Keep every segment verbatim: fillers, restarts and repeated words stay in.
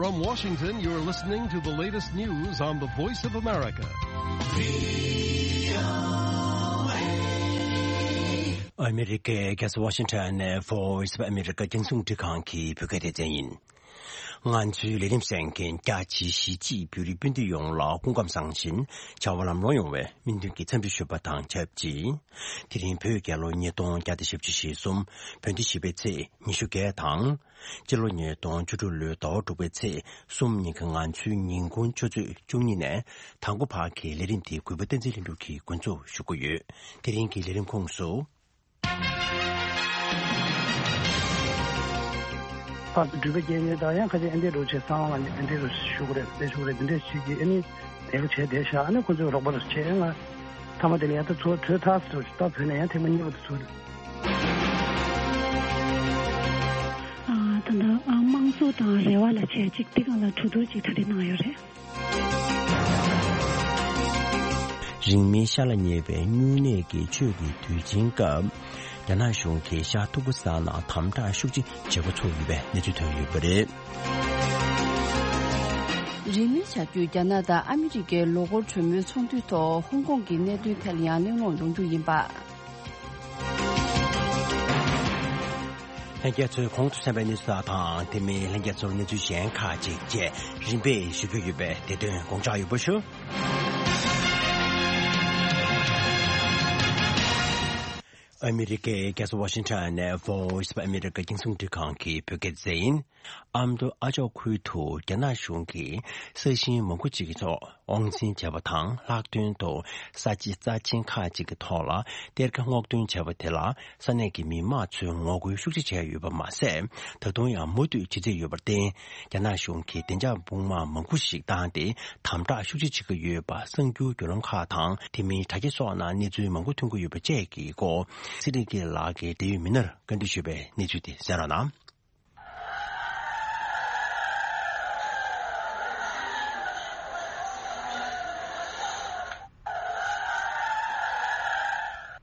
From Washington, you're listening to the latest news on the Voice of America. ཨ་མི་རི་ཀའི་རྒྱལ་ས་ཝ་ཤིང་ཊོན་ནས་Voice of America རྒྱང་སྲིང་འཕྲིན་ཁང་གི་བོད་སྐད་སྡེ་ཚན་ཡིན། ང་ཚོའི་ལས་རིམ་གསན་མཁན་རྒྱ་ཆེའི་གཞིས་བྱེས་བོད་རིགས་སྤུན་ཟླ་ཡོངས་ལ་སྐུ་ཁམས་བཟང་ཞིང་བྱ་བ་ལམ་ལྷོང་ཡོང་བའི་སྨོན་འདུན་གྱི་འཚམས་འདྲི་ཞུ་བ་དང་ཆབས་ཅིག་དེ་རིང་བོད་རྒྱལ་ལོ་ཉིས་སྟོང་བརྒྱ་དང་བཞི་བཅུ་ཞེ་གསུམ། བོད་ཟླ་བཞི་པའི་ཚེས་ཉི་ཤུ་བརྒྱད་དང་། སྤྱི་ལོ་ཉིས་སྟོང་བཅུ་དྲུག་ལོའི་ཟླ་བ་དྲུག་པའི་ཚེས་གསུམ་ཉིན་གྱི་ང་ཚོའི་ཉིན་གུང་ཆུ་ཚོད་བཅུ་གཉིས་ནས་དང་པོ་བར་གྱི་ལས་རིམ་དེ་གུས་པ་བསྟན་འཛིན་ལྷུན་གྲུབ་ཀྱིས་འགོ་འཛུགས་ཞུ་གི་ཡོད། དེ་རིང་གི་ལས་རིམ་ཁོངས་སུ། ཕར་དུ་འགྲུལ་པ་རྒྱག་མཁན་དང་ཡང་ཁ་ཅིག་ཨེ་འདྲས་རོགས་བྱས་སང་ལ་ནི་ཨེ་འདྲས་རོགས་ཞུ་གི་རེད་དེ་ཞུ་གི་རེད་དེ་འདྲས་ཞིག་གིས་ཨ་ནི་དེ་ག་བྱས་བསྡད་ཤག་ཨ་ནི་ཁོ་ཚོས་རོགས་པ་རོགས་བྱས་ང་མཐའ་མ་དེ་ལ་ཡང་ད་ཚུར་བྲོས་ཐག་ཚུར་ད་བོད་ནས་ཡང་ཐེངས་མ་གཉིས་པ་དུ་ཚུར། ཨ་ད་ད་ཨ་དམངས་གཙོ་དང་རེ་བ་ལ་བྱས་ཅིག་དེ་གང་ལ་གྲོས་བསྡུར་ཅིག་གྲ་སྒྲིག་གནང་ཡོད་རེད། རིང་མིན་ཤ་ལ་ཉེ་བའི་སྨྱུང་གནས་ཀྱི་ཆོས་ཀྱི་དུས་ཆེན་སྐབས། རྒྱ་ནག་གཞུང་གིས་ཤར་ཐུ་ཀུ་སི་ཐན་ནང་དམ་དྲག་ཤུགས་ཆེ་བྱེད་འགོ་ཚུགས་ཡོད་པའི་གནས་ཚུལ་ཐོན་ཡོད་པ་རེད། རིང་མིན་ཆར་རྒྱུན་རྒྱ་ནག་དང་ཨ་མི་རི་ཀའི་ལོ་འཁོར་གྲོས་མོལ་ཚོགས་འདུའི་ཐོག་ཧོང་ཀོང་གི་གནད་དོན་ཐད་ལ་ཡང་གླེང་སློང་ཡོང་རྒྱུ་ཡིན་པ། ལྷན་རྒྱས་ཚོས་གོང་དུ་གསན་པའི་གནས་ཚུལ་དག་དང་དེ་མིན་ལྷན་རྒྱས་ཚོར་གནས་ཚུལ་གཞན་ཁག་ཅིག་བཅས་རིམ་པས་ཞུ་རྒྱུ་ཡོད་པས་དེ་དོན་དགོངས་འཇགས་ཡོད་པ་ཞུ། ཨ་མི་རི་ཀའི་རྒྱལ་ས་ཝ་ཤིང་ཊོན་ནས་Voice of America རྒྱང་སྲིང་འཕྲིན་ཁང་གི་བོད་སྐད་སྡེ་ཚན་ཡིན། ཨ་མདོ་ཨ་ཅོག་ཁུལ་དུ་རྒྱ་ནག་གཞུང་གིས་ས་ཞིང་མང་པོ་ཅིག་གི་ཐོག་དབང་འཛིན་བྱས་པ་དང་ལྷག་དོན་དུ་ས་ཆ་རྩ་ཆེན་ཁག་ཅིག་གི་ཐོག་ལ་གཏེར་ཁ་སྔོག་འདོན་བྱས་པ་དེ་ལ་ས་གནས་ཀྱི་མི་མང་ཚོས་ངོ་རྒོལ་ཤུགས་ཆེ་བྱས་ཡོད་པ་མ་ཟད། ད་དུང་ཡང་མུ་མཐུད་བྱེད་རྩིས་ཡོད་པར་བརྟེན། རྒྱ་ནག་གཞུང་གིས་བདེ་འཇགས་དཔུང་དམག་མང་པོ་ཞིག་བཏང་སྟེ་དམ་དྲག་ཤུགས་ཆེ་བྱེད་ཀྱི་ཡོད་པ་གསར་འགྱུར་བརྒྱུད་ལམ་ཁག་དང་དེ་མིན་དྲ་རྒྱ་སོགས་ནང་གནས་ཚུལ་མང་པོ་ཐོན་གྱི་ཡོད་པ་བཅས་ཀྱི་སྐོར་ཚེ་རིང་སྐྱིད་ལགས་ཀྱིས་འབྲེལ་ཡོད་མི་སྣར་བཀའ་འདྲི་ཞུས་པའི་གནས་ཚུལ་དེ་གསན་རོགས་གནང་།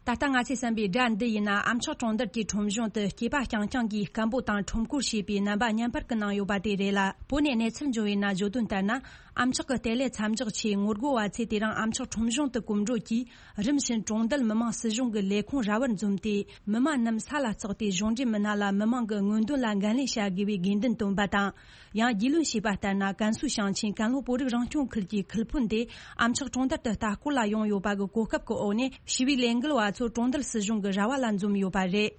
ད་ལྟ་ང་ཚོས་གསན་པའི་སྒྲ་འདི་ཡིན་ན་ཨ་མཆོག་གྲོང་རྡལ་གྱི་ཁྲོམ་གཞུང་དུ་སྐྱེས་པ་རྐྱང་རྐྱང་གིས་སྐད་འབོད་དང་ཁྲོམ་སྐོར་བྱས་པའི་རྣམ་པ་བརྙན་པར་གྱི་ནང་ཡོད་པ་དེ་རེད་ལ། བོད་ནས་གནས་ཚུལ་འབྱུང་བའི་ནང་བརྗོད་དོན་ལྟར་ན། ཨ་མཆོག་གི་ལྟེ་ལའི་མཚམས་འཇོག་ཆེད་ངོ་རྒོལ་བ་ཚོས་དེ་རིང་ཨ་མཆོག་ཁྲོམ་གཞུང་དུ་གོམ་བགྲོད་ཀྱིས། རིམ་བཞིན་གྲོང་རྡལ་མི་དམངས་སྲིད་གཞུང་གི་ལས་ཁུངས་ར་བར་འཛོམས་ཏེ། མི་མང་རྣམས་ས་ལ་བརྩེགས་ཏེ་གཞུང་འབྲེལ་མི་སྣ་ལ་མི་མང་གི་མངོན་འདོད་ལ་འགན་ལེན་བྱ་དགོས་པའི་དགོས་འདུན་བཏོན་པ་དང་། ཡང་རྒྱུས་ལོན་བྱས་པ་ལྟར་ན། ཀན་སུའུ་ཞིང་ཆེན་ཀན་ལྷོ་བོད་རིགས་རང་སྐྱོང་ཁུལ་གྱི་ཁུལ་དཔོན་དེ་ཨ་མཆོག་གྲོང་རྡལ་དུ་ལྟ་སྐོར་ལ་ཡོང་ཡོད་པ་གི་གོ་སྐབས་ཀྱི་འོག་ནས། ཞི་བའི་ལས་འགུལ་བ་ཚོ་གྲོང་རྡལ་སྲིད་གཞུང་གི་ར་བ་ལ་འཛོམས་ཡོད་པ་རེད།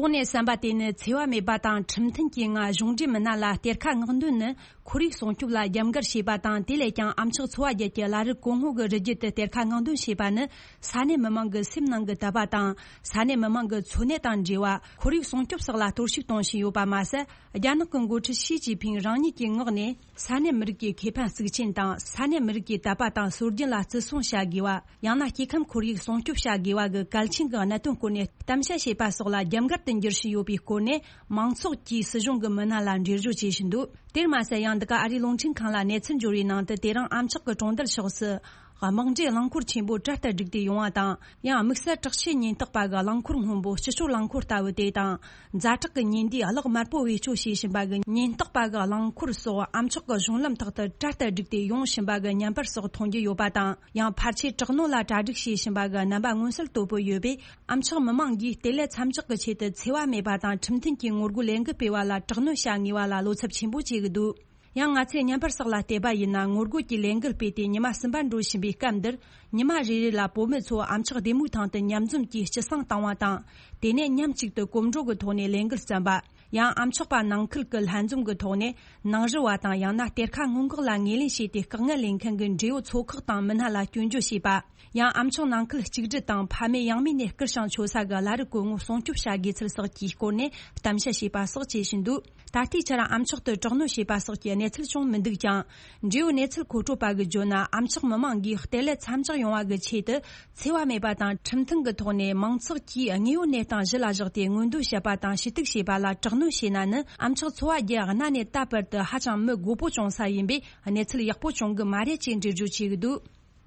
གོང་ནས་གསན་པ་དེ་ནི་འཚེ་བ་མེད་པ་དང་ཁྲིམས་མཐུན་གྱི་ངང་གཞུང་འབྲེལ་མི་སྣ་ལ་གཏེར་ཁ་མངགས་འདོན་ནི། ཁོར་ཡུག་སྲུང་སྐྱོབ་ལ་རྒྱབ་འགལ་བྱས་པ་དང་། དེ་ལས་ཀྱང་ཨ་མཆོག་འཚོ་བ་རྒྱལ་གྱི་བླ་རབས་གོང་འོག་གི་རི་རྒྱུད་དུ་གཏེར་ཁ་མངགས་འདོན་བྱས་པ་ནི་ས་གནས་མི་མང་གི་སེམས་ནང་གི་དད་པ་དང་། ས་གནས་མི་མང་གི་འཚོ་གནས་དང་འབྲེལ་བ། ཁོར་ཡུག་སྲུང་སྐྱོབ་སོགས་ལ་གཏོར་བཤིག་གཏོང་བཞིན་ཡོད་པ་མ་ཟད། རྒྱ་ནག་གི་འགོ་ཁྲིད་ཞི་ཅིན་ཕིང་རང་ཉིད་ཀྱི་ངག་ནས། ས་གནས་མི་རིགས་ཀྱི་ཁེ་ཕན་གཙིགས་ཆེན་དང་། ས་གནས་མི་རིགས་ཀྱི་དད་པ་དང་སྲོལ་རྒྱུན་ལ་བརྩི་སྲུང་བྱ་དགོས་པ། ཡང་ན་སྐྱེ་ཁམས་ཁོར་ཡུག་སྲུང་སྐྱོབ་བྱ་དགོས་པ་གི་གལ་ཆེན་གྱི་གནད་དོན་སྐོར་ནས་གཏམ་བཤད་བྱས་པ་སོགས་ལ་རྒྱབ་འགལ་དུ་འགྱུར་བཞིན་ཡོད་པའི་སྐོར་ནས་མང་ཚོགས་ཀྱིས་སྲིད་གཞུང་གི་མི་སྣ་ལ་འགྲེལ་བརྗོད་བྱེད་བཞིན་འདུག་དེར་མ་ཟད། ཡང་འདི་ག་ཨ་རིའི་རླུང་འཕྲིན་ཁང་ལ་གནས་ཚུལ་འབྱོར་བའི་ནང་དུ། དེ་རིང་ཨ་མཆོག་གི་གྲོང་རྡལ་ཕྱོགས་སུ་དམག་འདྲེན་རླངས་འཁོར་ཆེན་པོ་གྲལ་ལྟར་བསྒྲིགས་ཏེ་ཡོང་བ་དང་། ཡང་དམིགས་བསལ་དྲག་ཆས་ཉེན་རྟོག་པ་གི་རླངས་འཁོར་སྔོན་པོ། སྤྱི་སྤྱོད་རླངས་འཁོར་ལྟ་བུ་དེ་དང་། ཛ་དྲག་གི་ཉེན་དུས་གློག་དམར་པོ་བེད་སྤྱོད་བྱེད་བཞིན་པ་གི་ཉེན་རྟོག་པ་གི་རླངས་འཁོར་སོགས་ཨ་མཆོག་གི་གཞུང་ལམ་ཐོག་ཏུ་གྲལ་ལྟར་བསྒྲིགས་ཏེ་ཡོང་བཞིན་པ་གི་བརྙན་པར་སོགས་མཐོང་རྒྱུ་ཡོད་པ་དང་། ཡང་ཕལ་ཆེར་དྲག་གནོན་ལ་གྲ་སྒྲིག་བྱེད་བཞིན་པ་གི་རྣམ་པ་མངོན་གསལ་དོད་པོ་ཡོད་པས། ཨ་མཆོག་མི་མང་གིས་ལྟེ་ལའི་མཚམས་འཇོག་གི་ཆེད་དུ་འཚེ་བ་མེད་པ་དང་ཁྲིམས་མཐུན་གྱི་ངོ་རྒོལ་ལས་འགུལ་སྤེལ་བ་ལ་དྲག་གནོན་བྱ་ངེས་པ་ལ་བློ་འཚབ་ཆེན་པོ་བྱེད་ཀྱི་འདུག་ཡང་ང་ཚོས་བརྙན་པར་སོགས་ལ་བལྟས་པ་ཡིན་ན། ངོ་རྒོལ་གྱི་ལས་འགུལ་སྤེལ་ཏེ་ཉི་མ་གསུམ་པ་འགྲོ་བཞིན་པའི་སྐབས་འདིར། ཉི་མ་རེ་རེ་ལ་བུད་མེད་ཚོ་ཨ་མཆོག་སྡེ་མོའི་ཐང་དུ་མཉམ་འཛོམས་ཀྱིས་སྤྱི་བསང་བཏང་བ་དང་། དེ་ནས་མཉམ་གཅིག་ཏུ་གོམ་བགྲོད་ཀྱི་ཐོག་ནས་ལས་འགུལ་བརྩམས་པ། ཡང་ཨ་མཆོག་པ་ནང་ཁུལ་གྱི་ལྷན་འཛོམས་ཀྱི་ཐོག་ནས་ནང་རུལ་བ་དང་ཡང་ན་གཏེར་ཁ་སྔོན་འགོག་ལ་ངོས་ལེན་བྱས་ཏེ་དཀའ་ངལ་ལེན་མཁན་གྱི་འབྲེལ་ཡོད་ཚོགས་ཁག་དང་མི་སྣ་ལ་སྐྱོན་བརྗོད་བྱས་པ། ཡང་ཨ་མཆོག་ནང་ཁུལ་གཅིག་སྒྲིལ་དང་ཕ་མེས་ཡང་མེས་ནས་བསྐུར་ཞིང་ཆོ་ས་གི་བླ་རི་གོང་ངོ་སྲུང་སྐྱོབ་བྱ་དགོས་ཚུལ་སོགས་ཀྱི་སྐོར་ནས་གཏམ་བཤད་བྱས་པ་སོགས་བྱེད་བཞིན་འདུག་ད་ལྟའི་ཆར་ཨ་མཆོག་ཏུ་དྲག་གནོན་བྱས་པ་སོགས་ཀྱི་གནས་ཚུལ་བྱུང་མི་འདུག་ཀྱང་། འབྲེལ་ཡོད་གནས་ཚུལ་མཁོ་སྤྲོད་པ་གིས་བརྗོད་ན། ཨ་མཆོག་མི་མང་གིས་གཏེར་ལས་མཚམས་འཇོག་ཡོང་བ་གི་ཆེད་དུ་འཚེ་བ་མེད་པ་དང་ཁྲིམས་མཐུན་གྱི་ཐོག་ནས་མང་ཚོགས་ཀྱིས་དངོས་ཡོད་གནས་སྟངས་གཞི་ལ་བཞག་སྟེ་མངོན་འདོད་བྱེད་པ་དང་ཞུ་གཏུག་བྱེད་པ་ལ་དྲག་གནོན་བྱས་ན་ནི། ཨ་མཆོག་འཚོ་བ་རྒྱུ་གནའ་ནས་ད་བར་དུ་ཧ་ཅང་མི་དགོས་པོ་བྱུང་ས་ཡིན་པས། གནས་ཚུལ་ཡག་པོ་བྱུང་གི་མ་རེད་ཅེས་འགྲེལ་བརྗོད་བྱས་ཀྱི་འདུག་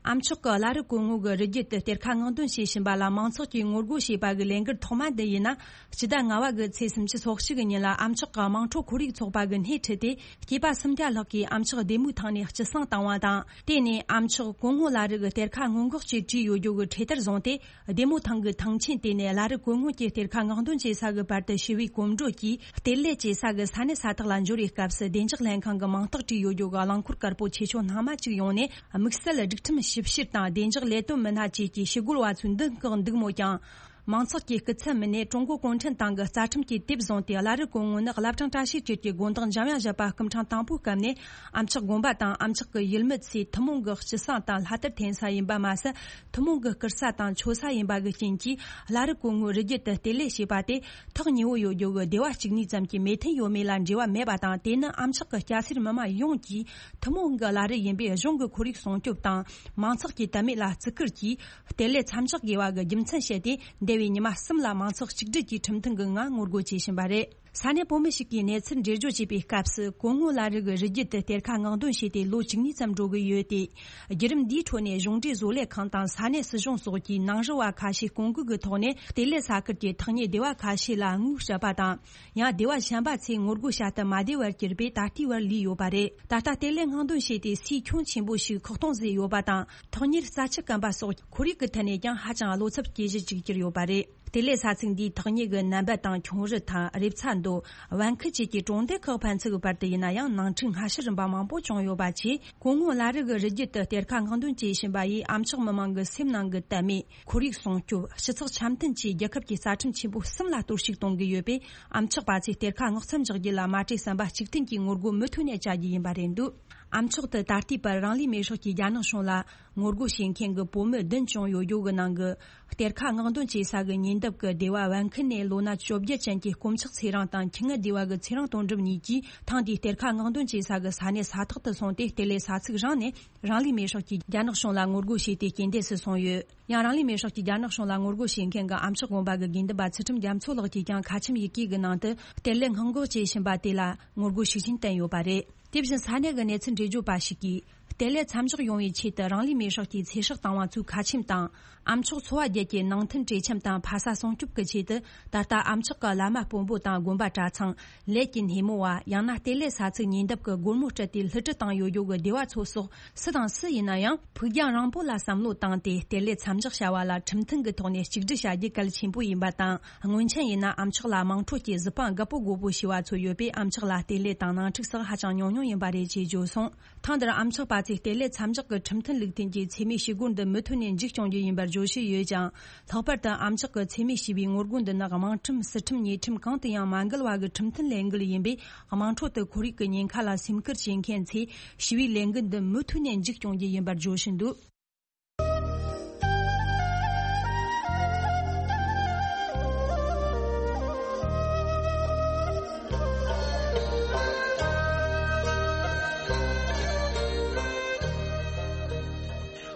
ཨ་མཆོག་གི་བླ་རི་གོང་ངོ་གི་རི་རྒྱུད་དུ་གཏེར་ཁ་སྔོག་འདོན་བྱེད་བཞིན་པ་ལ་མང་ཚོགས་ཀྱིས་ངོ་རྒོལ་བྱས་པ་གི་ལས་འགུལ་ཐོག་མ་འདི་ཡིན་ན། སྤྱི་ཟླ་ལྔ་བ་གི་ཚེས་སུམ་ཅུ་སོ་གཅིག་གི་ཉིན་ལ་ཨ་མཆོག་གི་དམངས་ཁྲོད་ཁོར་ཡུག་ཚོགས་པ་གི་སྣེ་ཁྲིད་དེ། སྐྱེས་པ་སུམ་བརྒྱ་ལྷག་གིས་ཨ་མཆོག་བདེ་མོའི་ཐང་ནས་སྐྱི་བསང་བཏང་བ་དང་། དེ་ནས་ཨ་མཆོག་གོང་ངོ་བླ་རི་གི་གཏེར་ཁ་སྔོན་འགོག་ཅེས་བྲིས་ཡོད་རྒྱུ་གི་འཕྲེད་དར་བཟུང་སྟེ། བདེ་མོ་ཐང་གི་ཐང་ཆེན་དེ་ནས་བླ་རི་གོང་ངོ་གི་གཏེར་ཁ་སྔོག་འདོན་བྱེད་ས་གི་བར་དུ་ཞི་བའི་གོམ་བགྲོད་ཀྱིས་གཏེར་ལས་བྱེད་ས་གི་ས་གནས་ས་ཐག་ལ་འབྱོར་བའི་སྐབས་སུ། བདེ་འཇགས་ལྷན་ཁང་གི་མིང་རྟགས་བྲིས་ཡོད་རྒྱུ་གི་རླངས་འཁོར་དཀར་པོ་ཆེ་ཆུང་སྣ་མང་ཅིག་ཡོང་ནས། དམིགས་བསལ་སྒྲིག་ཁྲིམས་ཞིབ་བཤེར་དང་བདེ་འཇགས་ལས་དོན་མི་སྣ་བཅས་ཀྱིས་ཞི་རྒོལ་བ་ཚོའི་མདུན་བཀག་འདུག་མོད་ཀྱང་། མང་ཚོགས་ཀྱི་སྐུ་ཚབ་མི་སྣས་ཀྲུང་གོ་གུང་ཁྲན་ཏང་གི་རྩ་ཁྲིམས་ཀྱི་དེབ་བཟུང་སྟེ། བླ་རི་གོང་ངོ་ནི་བླ་བྲང་བཀྲ་ཤིས་སྒྲོལ་གྱི་དགོན་བདག་འཇམ་དབྱངས་བཞད་པ་སྐུ་ཕྲེང་དང་པོའི་སྐབས་ནས་ཨ་མཆོག་དགོན་པ་དང་ཨ་མཆོག་གི་ཡུལ་མི་ཚོས་ཐུན་མོང་གི་སྐྱི་བསང་དང་ལྷ་དར་འཐེན་ས་ཡིན་པ་མ་ཟད། ཐུན་མོང་གི་བསྐུར་ས་དང་མཆོད་ས་ཡིན་པ་གི་རྐྱེན་གྱིས། བླ་རི་གོང་ངོ་རི་རྒྱུད་དུ་གཏེར་ལས་བྱས་པ་དེ་ཐག་ཉེ་བོ་ཡོད་རྒྱུ་གི་སྡེ་བ་གཅིག་གཉིས་ཙམ་གྱི་མོས་མཐུན་ཡོད་མེད་ལ་འབྲེལ་བ་མེད་པ་དང་། དེ་ནི་ཨ་མཆོག་གི་སྐྱ་སེར་མི་མང་ཡོངས་ཀྱིས་ཐུན་མོང་གི་བླ་རི་ཡིན་པས། གཞུང་གི་ཁོར་ཡུག་སྲུང་སྐྱོབ་དང་མང་ཚོགས་ཀྱི་དད་མོས་ལ་བརྩི་བཀུར་གྱིས། གཏེར་ལས་མཚམས་འཇོག་དགོས་པ་གི་རྒྱུ་མཚན་བཤད་དེ། འདས་པའི་ཉི་མ་གསུམ་ལ་མང་ཚོགས་གཅིག་སྒྲིལ་གྱིས་ཁྲིམས་མཐུན་གྱི་ངང་ངོ་རྒོལ་བྱེད་བཞིན་པ་རེད། ས་གནས་བོད་མི་ཞིག་གིས་གནས་ཚུལ་འགྲེལ་བརྗོད་བྱས་པའི་སྐབས་སུ། གོང་ངོ་བླ་རི་གི་རི་རྒྱུད་དུ་གཏེར་ཁ་སྔོག་འདོན་བྱས་ཏེ་ལོ་བཅུ་གཉིས་ཙམ་འགྲོ་གི་ཡོད་དེ། བརྒྱུད་རིམ་འདིའི་ཁྲོད་ནས་གཞུང་འབྲེལ་བཟོ་ལས་ཁང་དང་ས་གནས་སྲིད་གཞུང་སོགས་ཀྱིས་ནང་རུལ་བ་ཁ་ཤས་སྐོང་འགུག་གི་ཐོག་ནས། གཏེར་ལས་ས་ཁུལ་གྱི་ཐག་ཉེ་སྡེ་བ་ཁ་ཤས་ལ་དངུལ་སྤྲད་པ་དང་། ཡང་སྡེ་བ་གཞན་པ་ཚོས་ངོ་རྒོལ་བྱ་སྟབས་མ་བདེ་བར་གྱུར་པས། ད་ལྟའི་བར་ལུས་ཡོད་པ་རེད། ད་ལྟ་གཏེར་ལས་སྔོག་འདོན་བྱས་ཏེ་སའི་ཁྱོན་ཆེན་པོ་ཞིག་ཁག་གཏོང་བཟོས་ཡོད་པ་དང་། ཐག་ཉེར་རྩྭ་ཆུ་སྐམ་པ་སོགས་ཁོར་ཡུག་གི་ཐད་ནས་ཀྱང་ཧ་ཅང་བློ་འཚབ་སྐྱེ་གཞི་ཅིག་གྱུར་ཡོད་པ་རེད། གཏེར་ལས་ས་ཚིགས་འདིའི་ཐག་ཉེ་གི་ནན་པད་དང་ཁྱུང་རི་ཐང་། རེབ་ཚ་མདོ། བན་ཁུལ་བཅས་ཀྱི་གྲོང་སྡེ་ཁག་ཕན་ཚུན་གྱི་བར་དུ་ཡིན་ན་ཡང་། ནང་འཁྲུག་སྔ་ཕྱི་རིམ་པ་མང་པོ་བྱུང་ཡོད་པ་བཅས། གོང་ངོ་བླ་རི་གི་རི་རྒྱུད་དུ་གཏེར་ཁ་སྔོག་འདོན་བྱེད་བཞིན་པ་ཡིས། ཨ་མཆོག་མི་མང་གི་སེམས་ནང་གི་དད་མོས། ཁོར་ཡུག་སྲུང་སྐྱོབ། སྤྱི་ཚོགས་འཆམ་མཐུན་བཅས་རྒྱལ་ཁབ་ཀྱི་རྩ་ཁྲིམས་ཆེན་པོ་གསུམ་ལ་གཏོར་བཤིག་གཏོང་གི་ཡོད་པས། ཨ་མཆོག་པ་ཚོས་གཏེར་ཁ་སྔོག་མཚམས་འཇོག་རྒྱུ་ལ་མ་བྲེལ་བསམ་པ་གཅིག་མཐུན་གྱིས་ངོ་རྒོལ་མུ་མཐུད་ནས་བྱ་རྒྱུ་ཡིན་པ་རེད་འདུག་ཨ་མཆོག་ཏུ་ད་ལྟའི་བར་རང་ལུས་མེར་སྲེག་གིས་རྒྱ་ནག་གཞུང་ལ་ངོ་རྒོལ་བྱེད་མཁན་གྱི་བོད་མི་བདུན་བྱུང་ཡོད་རྒྱུ་གི་ནང་གི། གཏེར་ཁ་སྔོག་འདོན་བྱེད་ས་གི་ཉེ་འདབས་ཀྱི་སྡེ་བ་བན་ཁུལ་ནས་ལོ་ན་བཅོ་བརྒྱད་ཅན་གྱི་དཀོན་མཆོག་ཚེ་རིང་དང་། ཁྱི་ངན་སྡེ་བ་གི་ཚེ་རིང་དོན་གྲུབ་གཉིས་ཀྱིས་ཐེངས་འདིའི་གཏེར་ཁ་སྔོག་འདོན་བྱེད་ས་གི་ས་གནས་ས་ཐོག་ཏུ་སོང་སྟེ། གཏེར་ལས་ས་ཚིགས་རང་ནས་རང་ལུས་མེར་སྲེག་གིས་རྒྱ་ནག་གཞུང་ལ་ངོ་རྒོལ་བྱས་ཏེ་རྐྱེན་འདས་སུ་སོང་ཡོད། ཡང་རང་ལུས་མེར་སྲེག་གིས་རྒྱ་ནག་གཞུང་ལ་ངོ་རྒོལ་བྱེད་མཁན་གྱི་ཨ་མཆོག་དགོན་པ་གི་དགེ་འདུན་པ་ཚུལ་ཁྲིམས་རྒྱ་མཚོ་ལགས་ཀྱིས་ཀྱང་ཁ་ཆེམས་ཡི་གེ་གི་ནང་དུ། གཏེར་ལས་སྔོན་འགོག་བྱེད་བཞིན་པ་དེ་ལ་ངོ་རྒོལ་ཤུགས་ཆེན་བསྟན་ཡོད་པ་རེད། དེ་བཞིན་ས་གནས་ཀྱི་གནས་ཚུལ་འགྲེལ་བརྗོད་པ་ཞིག་གིས། གཏེར་ལས་མཚམས་འཇོག་ཡོང་བའི་ཆེད་དུ་རང་ལུས་མེར་སྲེག་གིས་ཚེ་སྲོག་བཏང་བ་ཚོའི་ཁ་ཆེམས་དང་། ཨ་མཆོག་འཚོ་བ་རྒྱལ་གྱི་ནང་མཐུན་གྲོས་འཆམ་དང་ཕ་ས་སྲུང་སྐྱོབ་ཀྱི་ཆེད་དུ། ད་ལྟ་ཨ་མཆོག་གི་བླ་མ་དཔོན་པོ་དང་དགོན་པ་གྲྭ་ཚང་། ལས་ཀྱི་སྣེ་མོ་བ། ཡང་ན་གཏེར་ལས་ས་ཚིགས་ཉེ་འདབས་ཀྱི་སྒོར་མོ་སྤྲད་དེ་བསླུ་བྲིད་བཏང་ཡོད་རྒྱུ་གི་སྡེ་བ་ཚོ་སོགས། སུ་དང་སུ་ཡིན་ན་ཡང་། ཕུགས་རྒྱང་རིང་པོ་ལ་བསམ་བློ་བཏང་སྟེ། གཏེར་ལས་མཚམས་འཇོག་བྱ་བ་ལ་ཁྲིམས་མཐུན་གྱི་ཐོག་ནས་གཅིག་སྒྲིལ་བྱ་རྒྱུ་གལ་ཆེན་པོ་ཡིན་པ་དང་། སྔོན་ཆད་ཡིན་ན་ཨ་མཆོག་ལ་དམངས་ཁྲོད་ཀྱི་གཟི་དཔང་རྒད་པོ་རྒོད་པོ་ཞེས་པ་ཚོ་ཡོད་པས། ཨ་མཆོག་ལ་གཏེར་ལས་དང་ནང་འཁྲུག་སོགས་ཧ་ཅང་ཉུང་ཉུང་ཡིན་པ་རེད་ཅེས་བརྗོད་སོང་། ཐེངས་འདིར་ཨ་མཆོག་པ་ཚོས་གཏེར་ལས་མཚམས་འཇོག་གི་ཁྲིམས་མཐུན་ལུགས་མཐུན་གྱི་འཚེ་མེད་ཞི་རྒོལ་འདི་མུ་མཐུད་ནས་མཇུག་སྐྱོང་རྒྱུ་ཡིན་པར་བརྗོད་བཞིན་ཡོད་ཀྱང་། ལྷག་པར་དུ་ཨ་མཆོག་གི་འཚེ་མེད་ཞི་བའི་ངོ་རྒོལ་འདི་ནི་དམངས་ཁྲིམས། སྲིད་ཁྲིམས། ཉེས་ཁྲིམས་གང་དང་ཡང་མ་འགལ་བ་གི་ཁྲིམས་མཐུན་ལས་འགུལ་ཡིན་པས། དམངས་ཁྲོད་དུ་ཁོར་ཡུག་གི་ཉེན་ཁ་ལ་སེམས་ཁུར་བྱེད་མཁན་ཚོས་ཞི་བའི་ལས་འགུལ་འདི་མུ་མཐུད་ནས་མཇུག་སྐྱོང་རྒྱུ་ཡིན་པར་བརྗོད་བཞིན་འདུག་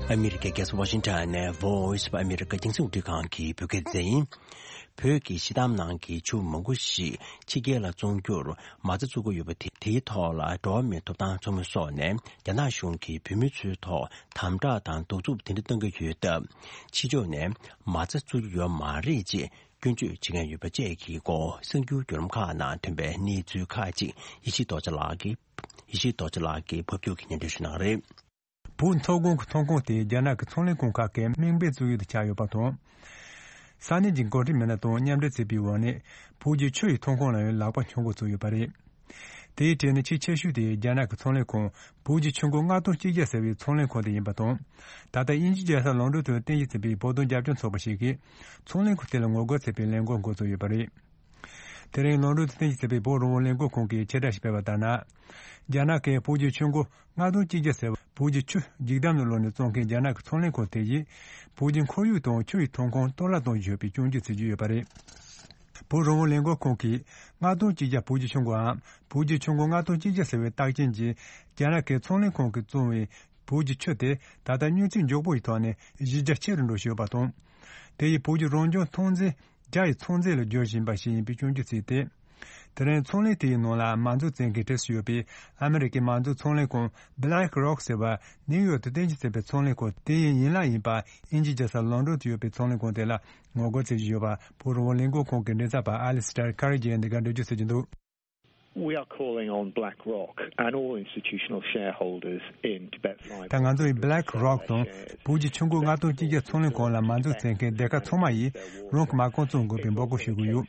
ཨ་མི་རི་ཀའི་རྒྱལ་ས་ཝ་ཤིང་ཊོན་ནས་Voice of America རྒྱང་སྲིང་རླུང་འཕྲིན་ཁང་གི་བོད་སྐད་སྡེ་ཚན་ཡིན། བོད་ཀྱི་སྤྱི་འདོམས་ནང་གི་ཆུ་མང་པོ་ཞིག་ཕྱི་རྒྱལ་ལ་བཙོང་རྒྱུར་མ་རྩ་བཙུགས་ཀྱི་ཡོད་པ་དེ། དེའི་ཐོག་ལ་འགྲོ་བ་མིའི་ཐོབ་ཐང་ཚོགས་མི་སོགས་ནས་རྒྱ་ནག་གཞུང་གིས་བོད་མི་ཚོའི་ཐོག་དམ་དྲག་དང་གདུག་རྩུབ་དེ་འདྲ་གཏང་གི་ཡོད་སྟབས། ཕྱི་ཕྱོགས་ནས་མ་རྩ་བཙུགས་ཀྱི་ཡོད་མ་རེད་ཅེས་སྐྱོན་བརྗོད་བྱེད་མཁན་ཡོད་པ་བཅས་ཀྱི་སྐོར། གསར་འགྱུར་བརྒྱུད་ལམ་ཁག་ནང་ཐོན་པའི་གནས་ཚུལ་ཁག་ཅིག་ཡེ་ཤེས་རྡོ་རྗེ་ལགས་ཀྱིས། ཡེ་ཤེས་རྡོ་རྗེ་ལགས་ཀྱིས་ཕབ་སྒྱུར་གྱིས་སྙན་སྒྲོན་ཞུ་གནང་གི་རེད། བོད་མཐོ་སྒང་གི་ཐོན་ཁུངས་དེ་རྒྱ་ནག་གི་ཚོང་ལས་ཁང་ཁག་གིས་དམིགས་འབེན་བཙུགས་ཡོད་དུ་ཆགས་ཡོད་པ་དང་། ས་གནས་ཀྱི་འགོ་ཁྲིད་མི་སྣ་དང་མཉམ་འབྲེལ་བྱས་པའི་འོག་ནས། བོད་ཀྱི་ཆུ་ཡི་ཐོན་ཁུངས་ལ་ཡང་ལག་པ་འཆང་འགོ་བཙུགས་ཡོད་པ་རེད། དེའི་གྲས་ནས་ཆེས་ཆེ་ཤོས་དེ་རྒྱ་ནག་གི་ཚོང་ལས་ཁང་བོད་ཀྱི་ཆུ་མགོ་ལྔ་སྟོང་གཅིག་བརྒྱ་ཟེར་བའི་ཚོང་ལས་ཁང་དེ་ཡིན་པ་དང་། ད་ལྟ་དབྱིན་ཇིའི་རྒྱལ་ས་ལོན་ཌོན་དུ་རྟེན་གཞི་བྱས་པའི་བོད་དོན་རྒྱབ་སྐྱོར་ཚོགས་པ་ཞིག་གིས་ཚོང་ལས་ཁང་དེ་ལ་ངོ་རྒོལ་བྱེད་པའི་ལས་འགུལ་འགོ་བཙུགས་ཡོད་པ་རེད། དེ་རིང་ལོན་ཌོན་དུ་རྟེན་གཞི་བྱས་པའི་བོད་རང་དབང་ལས་འགུལ་ཁང་གིས་ཕྱིར་བསྒྲགས་ཤིག་སྤེལ་བ་ལྟར་ན། རྒྱ་ནག་གིས་བོད་ཀྱི་ཆུ་མགོ་ལྔ་སྟོང་གཅིག་བརྒྱ་ཟེར་བ་བོད་ཀྱི་ཆུ་འཇིག་སྡང་གི་ལོ་ནས་བཙོང་མཁན་རྒྱ་ནག་གི་ཚོང་ལས་ཁང་དེ་ཡིས་བོད་ཀྱི་ཁོར་ཡུག་དང་ཆུ་ཡི་ཐོན་ཁུངས་གཏོར་བརླག་གཏོང་བཞིན་ཡོད་པའི་སྐྱོན་བརྗོད་བྱེད་ཀྱི་ཡོད་པ་རེད། བོད་རང་དབང་ལས་འགུལ་ཁང་གིས་ལྔ་སྟོང་གཅིག་བརྒྱ་བོད་ཀྱི་ཆུ་མགོའམ་བོད་ཀྱི་ཆུ་མགོ་ལྔ་སྟོང་གཅིག་བརྒྱ་ཟེར་བའི་རྟགས་ཅན་གྱིས་རྒྱ་ནག་གི་ཚོང་ལས་ཁང་གིས་བཙོང་བའི་བོད་ཀྱི་ཆུ་དེ་ད་ལྟ་སྨྱོ་རྫས་མགྱོགས་པོ་ཡི་ཐོག་ནས་གཞི་རྒྱ་ཆེ་རུ་འགྲོ་བཞིན་ཡོད་པ་དང་། དེ་ཡིས་བོད་ཀྱི་རང་བྱུང་ཐོན་རྫས་བརྒྱ་ཡི་ཚོང་རྫས་ལ་བསྒྱུར་བཞིན་པ་ཞིག་ཡིན་པའི་སྐྱོན་བརྗོད་བྱས་ཏེ། དེ་རིང་ཚོང་ལས་དེའི་ནང་ལ་མ་འཛུགས་བྱེད་མཁན་གྲས་སུ་ཡོད་པའི་ཨ་མི་རི་ཀའི་མ་འཛུགས་ཚོང་ལས་ཁང་Black Rock ཟེར་བ་ནིའུ་ཡོག་ཏུ་རྟེན་གཞི་བྱས་པའི་ཚོང་ལས་ཁང་དེའི་ཡན་ལག་ཡིན་པ་དབྱིན་ཇིའི་རྒྱལ་ས་ལོན་ཌོན་དུ་ཡོད་པའི་ཚོང་ལས་ཁང་དེ་ལ་ངོ་རྒོལ་བྱེད་བཞིན་ཡོད་པ་བོད་རང་དབང་ལས་འགུལ་ཁང་གི་མགྲིན་ཚབ་པ་ཨ་ལི་སི་ཏར་ཁ་རི་ཇི་ཡིས་འདི་གར་འགྲེལ་བརྗོད་བྱེད་ཀྱི་འདུག We are calling on BlackRock and all institutional shareholders in Tibet Fibre ད་ང་ཚོ་ཡིས་Black Rock དང་བོད་ཀྱི་ཆུ་མགོ་ལྔ་སྟོང་གཅིག་བརྒྱ་ཚོང་ལས་ཁང་ལ་མ་འཛུགས་བྱེད་མཁན་སྡེ་ཁག་ཚང་མ་ཡིས་རང་གི་མ་རྐང་བཙོང་དགོས་པའི་འབོད་སྐུལ་ཞུ་གི་ཡོད།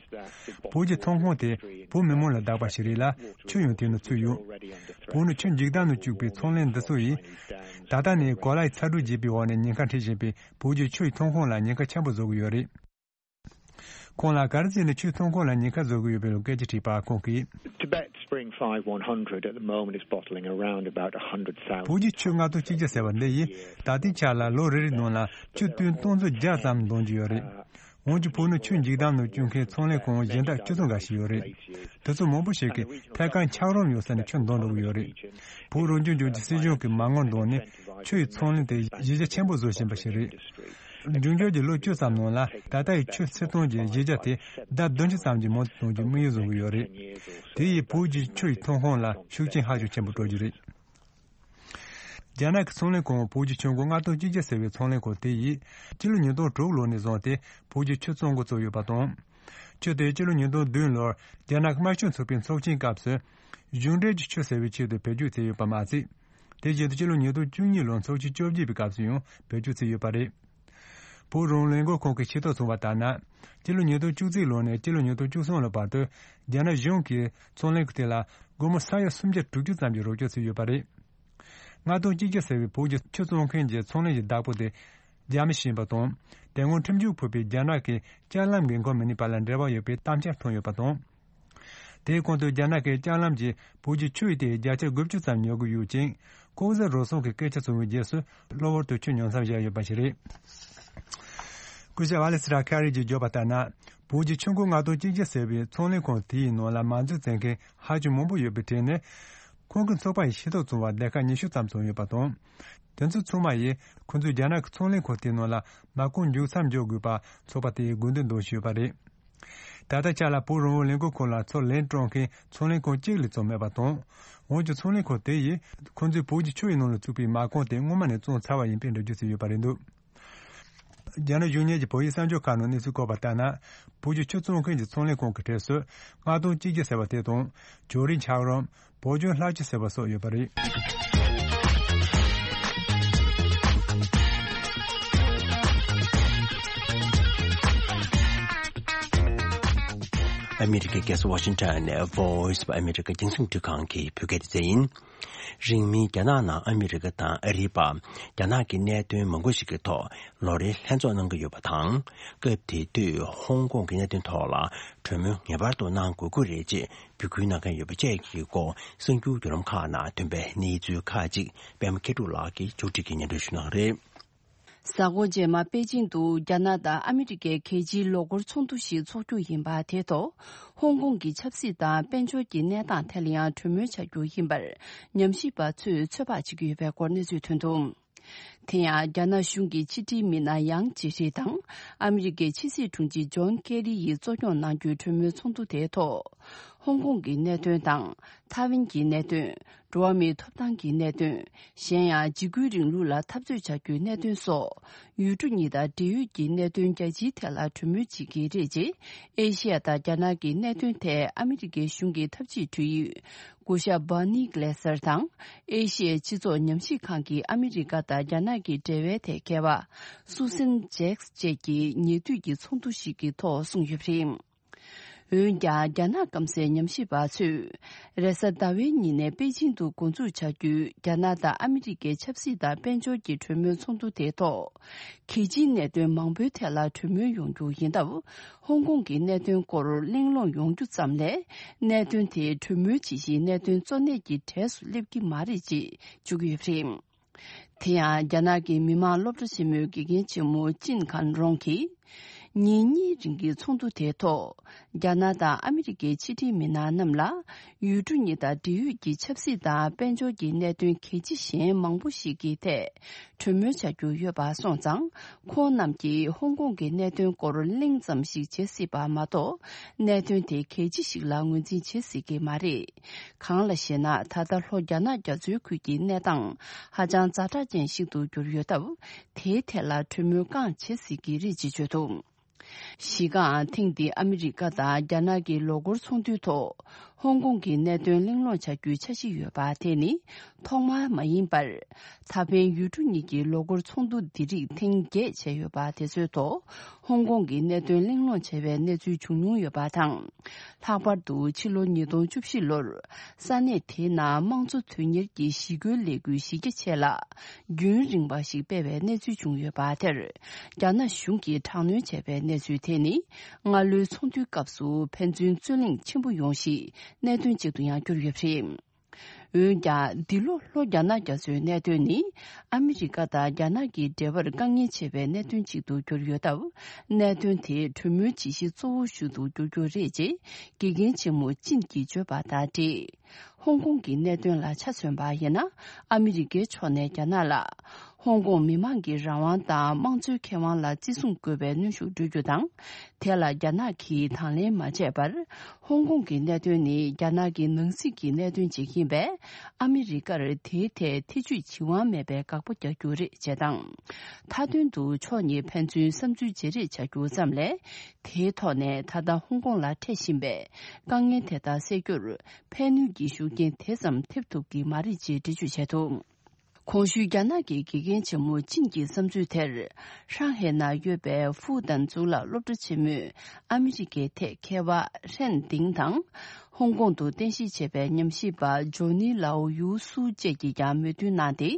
བོད་ཀྱི་ཐོན་ཁུངས་དེ་བོད་མི་མང་ལ་བདག་པ་ཞིག་རེད་ལ་ཆུ་ཡང་དེ་ནང་ཚུད་ཡོད། བོད་ནི་ཆུ་འཇིག་སྟངས་ནང་བཅུག་པའི་ཚོང་ལས་འདི་ཚོ་ཡིས་ད་ལྟ་ནས་གོ་ལའི་ཚ་དྲོད་རྒྱས་པའི་འོག་ནས་ཉེན་ཁ་འཕྲད་བཞིན་པའི་བོད་ཀྱི་ཆུ་ཡི་ཐོན་ཁུངས་ལ་ཉེན་ཁ་ཆེན་པོ་བཟོ་གི་ཡོད་རེད། ཁོང་ལ་ག་རེ་བྱས་ནས་ཆུའི་ཐོན་ཁུངས་ལ་ཉེན་ཁ་བཟོ་གི་ཡོད་པའི་སྐད་ཆ་དྲིས་པར་ཁོང་གིས། Tibet Spring Five one hundred at the moment is bottling around about a hundred thousand. བོད་ཀྱི་ཆུ་ལྔ་སྟོང་གཅིག་བརྒྱ་ཟེར་བ་འདི་ཡིས་ད་ལྟའི་ཆ་ལ་ལོ་རེ་རེའི་ནང་ལ་ཆུ་ཏུན་སྟོང་ཚོ་བརྒྱ་ཙམ་འདོན་གྱི་ཡོད་རེད། འོན་ཀྱང་བོད་ནང་ཆུ་འཇིག་སྡང་ནང་བཅུག་མཁན་ཚོང་ལས་ཁང་གཞན་དག་བཅུ་ཐོན་འགའ་ཞིག་ཡོད་རེད། དེ་ཚོ་མང་པོ་ཞིག་གིས་ཐད་ཀར་འཁྱགས་རོམ་ཡོད་ས་ནས་ཆུ་འདོན་འགྲོ་གི་ཡོད་རེད། བོད་རང་སྐྱོང་ལྗོངས་ཀྱི་སྲིད་གཞུང་གིས་མ་དངུལ་འདོན་ནས་ཆུ་ཡི་ཚོང་ལས་དེ་གཞི་རྒྱ་ཆེན་པོ་བཟོ་བཞིན་པ་ཞིག་རེད། འབྱུང་འགྱུར་གྱི་ལོ་བཅུ་ཙམ་ནང་ལ་ད་ལྟ་ཡི་ཆུ་ཚོང་གཏོང་གི་གཞི་རྒྱ་དེ་ལྡབ་བདུན་ཅུ་ཙམ་གྱིས་མང་དུ་གཏོང་རྒྱུའི་དམིགས་ཡུལ་བཟུང་གི་ཡོད་རེད། དེ་ཡིས་བོད་ཀྱི་ཆུ་ཡི་ཐོན་ཁུངས་ལ་ཤུགས་རྐྱེན་ཧ་ཅང་ཆེན་པོ་སྤྲོད་རྒྱུ་རེད། རྒྱ་ནག་གི་ཚོང་ལས་ཁང་བོད་ཀྱི་ཆུ་མགོ་ལྔ་སྟོང་གཅིག་བརྒྱ་ཟེར་བའི་ཚོང་ལས་ཁང་དེ་ཡིས་སྤྱི་ལོ་ཉིས་སྟོང་དྲུག་ལོ་ནས་བཟུང་སྟེ་བོད་ཀྱི་ཆུ་བཙོང་འགོ་བཙུགས་ཡོད་པ་དང་། ཆུ་དེ་སྤྱི་ལོ་ཉིས་སྟོང་བདུན་ལོར་རྒྱ་ནག་དམར་ཤོག་ཚོགས་པའི་ཚོགས་ཆེན་སྐབས་སུ་གཞུང་འབྲེལ་གྱི་ཆུ་ཟེར་བའི་ཆེད་དུ་བེད་སྤྱོད་བྱས་ཡོད་པ་མ་ཟད། དེ་བཞིན་དུ་སྤྱི་ལོ་ཉིས་སྟོང་བཅུ་གཉིས་ལོར་ཚོགས་ཆེན་བཅོ་བརྒྱད་པའི་སྐབས་སུ་ཡང་བེད་སྤྱོད་བྱས་ཡོད་པ་རེད། བོད་རང་དབང་ལས་འགུལ་ཁང་གིས་ཤེས་རྟོགས་བྱུང་བ་ལྟར་ན། སྤྱི་ལོ་ཉིས་སྟོང་བཅུ་གཅིག་ལོ་ནས་སྤྱི་ལོ་ཉིས་སྟོང་བཅུ་གསུམ་ལོ་བར་དུ་རྒྱ་ནག་གཞུང་གིས་ཚོང་ལས་ཁང་དེ་ལ་སྒོར་མོ་ས་ཡ་སུམ་བརྒྱ་དྲུག་ཅུ་ཙམ་གྱི་རོགས་སྐྱོར་བྱས་ཡོད་པ་རེད། ལྔ་སྟོང་གཅིག་བརྒྱ་ཟེར་བའི་བོད་ཀྱི་ཆུ་བཙོང་མཁན་གྱི་ཚོང་ལས་ཀྱི་བདག་པོ་དེ་རྒྱ་མི་ཞིག་ཡིན་པ་དང་། དེ་སྔོན་ཁྲིམས་གཅོད་ཕོག་པའི་རྒྱ་ནག་གི་ལྕགས་ལམ་འགན་ཁུར་མི་སྣའི་བར་ལ་འབྲེལ་བ་ཡོད་པའི་གཏམ་འཆར་ཐོན་ཡོད་པ་དང་། དེའི་གོང་དུ་རྒྱ་ནག་གི་ལྕགས་ལམ་གྱིས་བོད་ཀྱི་ཆུ་ཡི་དེ་བརྒྱ་ཆ་དགུ་བཅུ་ཙམ་ཉོ་གི་ཡོད་ཅིང་། ལྐོག་ཟ་རུལ་སུངས་ཀྱི་སྐད་ཆ་བྱུང་བའི་རྗེས་སུ་གློ་བུར་དུ་ཆུ་ཉོ་མཚམས་བཞག་ཡོད་པ་ཞིག་རེད། སྐུ་ཞབས་ཨ་ལེ་སི་ཏྲ་ཁ་རི་གྱིས་བརྗོད་པ་ལྟར་ན། བོད་ཀྱི་ཆུ་མགོ་ལྔ་སྟོང་གཅིག་བརྒྱ་ཟེར་བའི་ཚོང་ལས་ཁང་དེའི་ནང་ལ་མ་འཛུལ་བྱེད་མཁན་ཧ་ཅང་མང་པོ་ཡོད་པའི་གྲས་ནས། ཁོང་གི་ཚོགས་པ་ཡིས་ཤེས་རྟོགས་བྱུང་བ་སྡེ་ཁག་ཉི་ཤུ་ཙམ་བྱུང་ཡོད་པ་དང་། དེ་ཚོ་ཚང་མ་ཡིས་ཁོང་ཚོས་རྒྱ་ནག་གི་ཚོང་ལས་ཁང་དེའི་ནང་ལ་མ་རྐང་མཇུག་མཚམས་འཇོག་དགོས་པ་ཚོགས་པ་དེ་ཡིས་དགོས་འདུན་འདོན་བཞིན་ཡོད་པ་རེད། ད་ལྟ་ཆ་ལ་བོད་རང་དབང་ལས་འགུལ་ཁང་ལ་ཚུར་ལན་སྤྲོད་མཁན་ཚོང་ལས་ཁང་གཅིག་ལས་བཙོང་མེད་པ་དང་། འོན་ཀྱང་ཚོང་ལས་ཁང་དེ་ཡིས་ཁོང་ཚོས་བོད་ཀྱི་ཆུ་ཡི་ནང་ལ་བཙུགས་པའི་མ་རྐང་དེ་སྔོན་མ་ནས་བཙོང་ཚར་བ་ཡིན་པའི་འགྲེལ་བརྗོད་བྱས་ཡོད་པ་རེད་འདུག་རྒྱ་ནག་གཞུང་གཉེར་གྱི་བོད་ཡིག་གསར་འགྱུར་ཁག་ནང་གནས་ཚུལ་བཀོད་པ་ལྟར་ན། བོད་ཀྱི་ཆུ་བཙོང་མཁན་གྱི་ཚོང་ལས་ཁང་གི་གྲས་སུ་ལྔ་སྟོང་གཅིག་བརྒྱ་ཟེར་བ་དེ་དང་། ཇོ་རི་འཁྱགས་རོམ། བོད་ལྗོངས་ལྷ་ཆུ་ཟེར་བ་སོགས་ཡོད་པ་རེད། ཨ་མི་རི་ཀའི་རྒྱལ་ས་ཝ་ཤིང་ཊོན་ནས་Voice of America རྒྱང་སྲིང་སྒྲིག་ཁང་གི་བོད་སྐད་སྡེ་ཚན་ཡིན། རིང་མིན་རྒྱ་ནག་ནང་ཨ་མི་རི་ཀ་དང་ཨ་རིའི་བར་རྒྱ་ནག་གི་གནད་དོན་མང་པོ་ཞིག་གི་ཐོག་ལོ་རེའི་ལྷན་ཚོགས་གནང་གི་ཡོད་པ་དང་། སྐབས་དེ་དུས་ཧོང་ཀོང་གི་གནད་དོན་ཐོག་ལ་གྲོས་མོལ་ངེས་པར་དུ་གནང་དགོས་ཀྱི་རེད་ཅེས་འབོད་སྐུལ་གནང་མཁན་ཡོད་པ་བཅས་ཀྱི་སྐོར་གསར་འགྱུར་བརྒྱུད་ལམ་ཁག་ནང་ཐོན་པའི་གནས་ཚུལ་ཁག་ཅིག་པད་མ་མཁས་གྲུབ་ལགས་ཀྱིས་མཇུག་སྒྲིལ་གྱིས་སྙན་སྒྲོན་ཞུ་གནང་རེད། གཟའ་འཁོར་རྗེས་མ་པེ་ཅིང་དུ་རྒྱ་ནག་དང་ཨ་མི་རི་ཀའི་གལ་ཆེའི་ལོ་འཁོར་ཚོགས་འདུ་ཞིག་འཚོགས་རྒྱུ་ཡིན་པ་དེ་ཐོག་ཧོང་ཀོང་གི་ཆབ་སྲིད་དང་དཔལ་འབྱོར་གྱི་གནས་སྟངས་ཐད་ལ་ཡང་གྲོས་མོལ་བྱ་རྒྱུ་ཡིན་པར་ཉམས་ཞིབ་པ་ཚོས་ཚོད་དཔག་བྱེད་ཀྱི་ཡོད་པའི་སྐོར་གནས་ཚུལ་ཐོན་འདུག་དེ་ཡང་རྒྱ་ནག་གཞུང་གི་ཕྱི་དྲིལ་མི་སྣ་ཡང་ཇི་ཤི་དང་ཨ་མི་རི་ཀའི་ཕྱི་སྲིད་དྲུང་ཆེ་ཇོན་ཀེ་རི་ཡིས་གཙོ་སྐྱོང་གནང་རྒྱུའི་གྲོས་མོལ་ཚོགས་འདུ་དེའི་ཐོག་ཧོང་ཀོང་གི་གནད་དོན་དང་། ཐའེ་ཝན་གྱི་གནད་དོན། འགྲོ་བ་མིའི་ཐོབ་ཐང་གི་གནད་དོན། གཞན་ཡང་འཇིགས་སྐུལ་རིང་ལུགས་ལ་འཐབ་རྩོད་བྱ་རྒྱུའི་གནད་དོན་སོགས། ཡུལ་གྲུ་གཉིས་དང་འབྲེལ་ཡོད་ཀྱི་གནད་དོན་རྒྱ་ཆེའི་ཐད་ལ་གྲོས་མོལ་བྱེད་ཀྱི་རེད་ཅེས། ཨེ་ཤི་ཡ་དང་རྒྱ་ནག་གི་གནད་དོན་ཐད་ཨ་མི་རི་ཀའི་གཞུང་གི་ཐབས་ཇུས་དྲུང་ཡིག་སྐུ་ཞབས་Bernie Glaser དང་། ཨེ་ཤི་ཡའི་སྤྱི་ཚོགས་ཉམས་ཞིབ་ཁང་གི་ཨ་མི་རི་ཀ་དང་རྒྱ་ནག་གི་འབྲེལ་བའི་ཐད་མཁས་པ་Susan Jacks བཅས་ཀྱིས་ཉེ་དུས་ཀྱི་ཚོགས་འདུ་ཞིག་གི་ཐོག་གསུངས་ཡོད་པ་རེད། འོན་ཀྱང་རྒྱ་ནག་སྐམ་སའི་ཉམས་ཞིབ་པ་ཚོས་རེས་གཟའ་ཟླ་བའི་ཉིན་ནས་པེ་ཅིང་དུ་འགོ་འཛུགས་བྱ་རྒྱུའི་རྒྱ་ནག་དང་ཨ་མི་རི་ཀའི་ཆབ་སྲིད་དང་དཔལ་འབྱོར་གྱི་གྲོས་མོལ་ཚོགས་འདུ་དེའི་ཐོག་གལ་ཆེའི་གནད་དོན་མང་པོའི་ཐད་ལ་གྲོས་མོལ་ཡོང་རྒྱུ་ཡིན་སྟབས། ཧོང་ཀོང་གི་གནད་དོན་སྐོར་གླེང་སློང་ཡོང་རྒྱུ་ཙམ་ལས། གནད་དོན་དེ་གྲོས་མོལ་བྱེད་གཞིའི་གནད་དོན་གཙོ་གནད་ཀྱི་གྲས་སུ་སླེབས་ཀྱི་མ་རེད་ཅེས་བརྗོད་ཀྱི་ཡོད་པ་རེད། དེ་ཡང་རྒྱ་ནག་གི་མི་དམངས་སློབ་གྲྭ་ཆེན་མོའི་དགེ་རྒན་ཆེན་མོ་ཅིན་ཁན་རོང་གིས། ཉིན་གཉིས་རིང་གི་ཚོགས་འདུ་དེའི་ཐོག་རྒྱ་ནག་དང་ཨ་མི་རི་ཀའི་ཕྱི་འབྲེལ་མི་སྣ་རྣམས་ལ། ཡུལ་གྲུ་གཉིས་དང་འབྲེལ་ཡོད་ཀྱི་ཆབ་སྲིད་དང་དཔལ་འབྱོར་གྱི་གནད་དོན་གལ་ཆེ་གཞན་མང་པོ་ཞིག་གི་ཐད་གྲོས་མོལ་བྱ་རྒྱུ་ཡོད་པ་སོང་ཙང་། ཁོང་རྣམས་ཀྱིས་ཧོང་ཀོང་གི་གནད་དོན་སྐོར་གླེང་ཙམ་ཞིག་བྱེད་སྲིད་པ་མ་གཏོགས། གནད་དོན་དེ་གལ་ཆེ་ཞིག་ལ་ངོས་འཛིན་བྱེད་སྲིད་ཀྱི་མ་རེད། གང་ལ་ཞེ་ན། ད་ལྟ་ལྷོ་རྒྱ་ནག་རྒྱ་མཚོའི་ཁུལ་གྱི་གནས་སྟངས་ཧ་ཅང་ཛ་དྲག་ཅན་ཞིག་ཏུ་གྱུར་ཡོད་སྟབས། དེའི་ཐད་ལ་གྲོས་མོལ་རྐང་བྱེད་སྲིད་ཀྱི་རེད་ཅེས་བརྗོད་འདུག་གཞི་རྐང་ཐེངས་འདིའི་ཨ་མི་རི་ཀ་དང་རྒྱ་ནག་གི་ལོ་འཁོར་ཚོགས་འདུའི་ཐོག་ཧོང་ཀོང་གི་གནད་དོན་གླེང་སློང་བྱ་རྒྱུའི་འཆར་གཞི་ཡོད་པ་དེ་ནི་ཐོག་མ་མ་ཡིན་པར། ད་ཕན་ཡུལ་གྲུ་གཉིས་ཀྱི་ལོ་འཁོར་ཚོགས་འདུ་འདི་རིགས་ཐེངས་བརྒྱད་བྱས་ཡོད་པ་དེ་ཚོའི་ཐོག་ཧོང་ཀོང་གི་གནད་དོན་གླེང་སློང་བྱས་པའི་གནས་ཚུལ་བྱུང་མྱོང་ཡོད་པ་དང་། ལྷག་པར་དུ་ཕྱི་ལོ་ཉིས་སྟོང་བཅུ་བཞི་ལོར་ས་གནས་དེའི་ནང་དམངས་གཙོ་དོན་གཉེར་གྱི་ཞི་རྒོལ་ལས་འགུལ་གཞི་རྒྱ་ཆེ་ལ་རྒྱུན་རིང་བ་ཞིག་སྤེལ་བའི་གནས་ཚུལ་བྱུང་ཡོད་པ་དེར། རྒྱ་ནག་གཞུང་གིས་དྲག་གནོན་བྱས་པའི་གནས་ཚུལ་དེ་ནི། སྔ་ལོའི་ཚོགས་འདུའི་སྐབས་སུ་ཕན་ཚུན་རྩོད་གླེང་ཆེན་པོ་ཡོང་གཞིའི་གནད་དོན་ཅིག་ཏུ་ཡང་གྱུར་ཡོད་པ་རེད། འོན་ཀྱང་། འདི་ལོ་ལྷོ་རྒྱ་ནག་རྒྱ་མཚོའི་གནད་དོན་ནི། ཨ་མི་རི་ཀ་དང་རྒྱ་ནག་གི་འབྲེལ་བར་དཀའ་ངལ་ཆེ་བའི་གནད་དོན་ཅིག་ཏུ་གྱུར་ཡོད་སྟབས། གནད་དོན་དེ་གྲོས་མོལ་བྱེད་གཞི་གཙོ་བོ་ཞིག་ཏུ་འགྱུར་རྒྱུ་རེད་ཅེས་དགེ་རྒན་ཆེན་མོ་ཅིན་གྱིས་བརྗོད་པ་དང་འབྲེལ། ཧོང་ཀོང་གི་གནད་དོན་ལ་ཆ་མཚོན་པ་ཡིན་ན། ཨ་མི་རི་ཀའི་ཕྱོགས་ནས་རྒྱ་ནག་ལ། ཧོང་ཀོང་མི་མང་གི་རང་དབང་དང་དམངས་གཙོའི་ཁེ་དབང་ལ་བརྩི་སྲུང་དགོས་པའི་གནོན་ཤུགས་སྤྲོད་རྒྱུ་དང་། དེ་ལ་རྒྱ་ནག་གིས་དང་ལེན་མ་བྱས་པར། ཧོང་ཀོང་གི་གནད་དོན་ནི་རྒྱ་ནག་གི་ནང་སྲིད་ཀྱི་གནད་དོན་ཅིག་ཡིན་པས། ཨ་མི་རི་ཀར་དེའི་ཐད་ཐེ་བྱུས་བྱེད་དབང་མེད་པའི་དགག་པ་རྒྱག་རྒྱུ་རེད་ཅེས་དང་། མཐའ་དོན་དུ་ཕྱོགས་གཉིས་ཕན་ཚུན་བསམ་ཚུལ་བརྗེ་རེས་བྱ་རྒྱུ་ཙམ་ལས། དེའི་ཐོག་ནས་ད་ལྟ་ཧོང་ཀོང་ལ་འཕྲད་བཞིན་པའི་དཀའ་ངལ་དེ་དག་སེལ་རྒྱུར་ཕན་ནུས་ཀྱི་ཤུགས་རྐྱེན་དེ་ཙམ་ཐེབས་ཐུབ་ཀྱི་མ་རེད་ཅེས་འགྲེལ་བརྗོད་བྱས་འདུག་གོང་ཞུས་རྒྱ་ནག་གི་དགེ་རྒན་ཆེན་མོ་ཅིན་གྱི་བསམ་ཚུལ་དེར། ཧྲང་ཧེ་ན་ཡོད་པའི་ཧྥུའུ་ཏན་གཙུག་ལག་སློབ་གྲྭ་ཆེན་མོས་ཨ་མི་རི་ཀའི་ཐད་མཁས་པ་ཧྲན་ཏིང་དང་། ཧོང་ཀོང་དུ་རྟེན་གཞི་བྱས་པའི་ཉམས་ཞིབ་པ་ཇོ་ནི་ལའོ་ཡུའུ་སུའུ་བཅས་ཀྱིས་ཀྱང་མོས་མཐུན་གནང་སྟེ།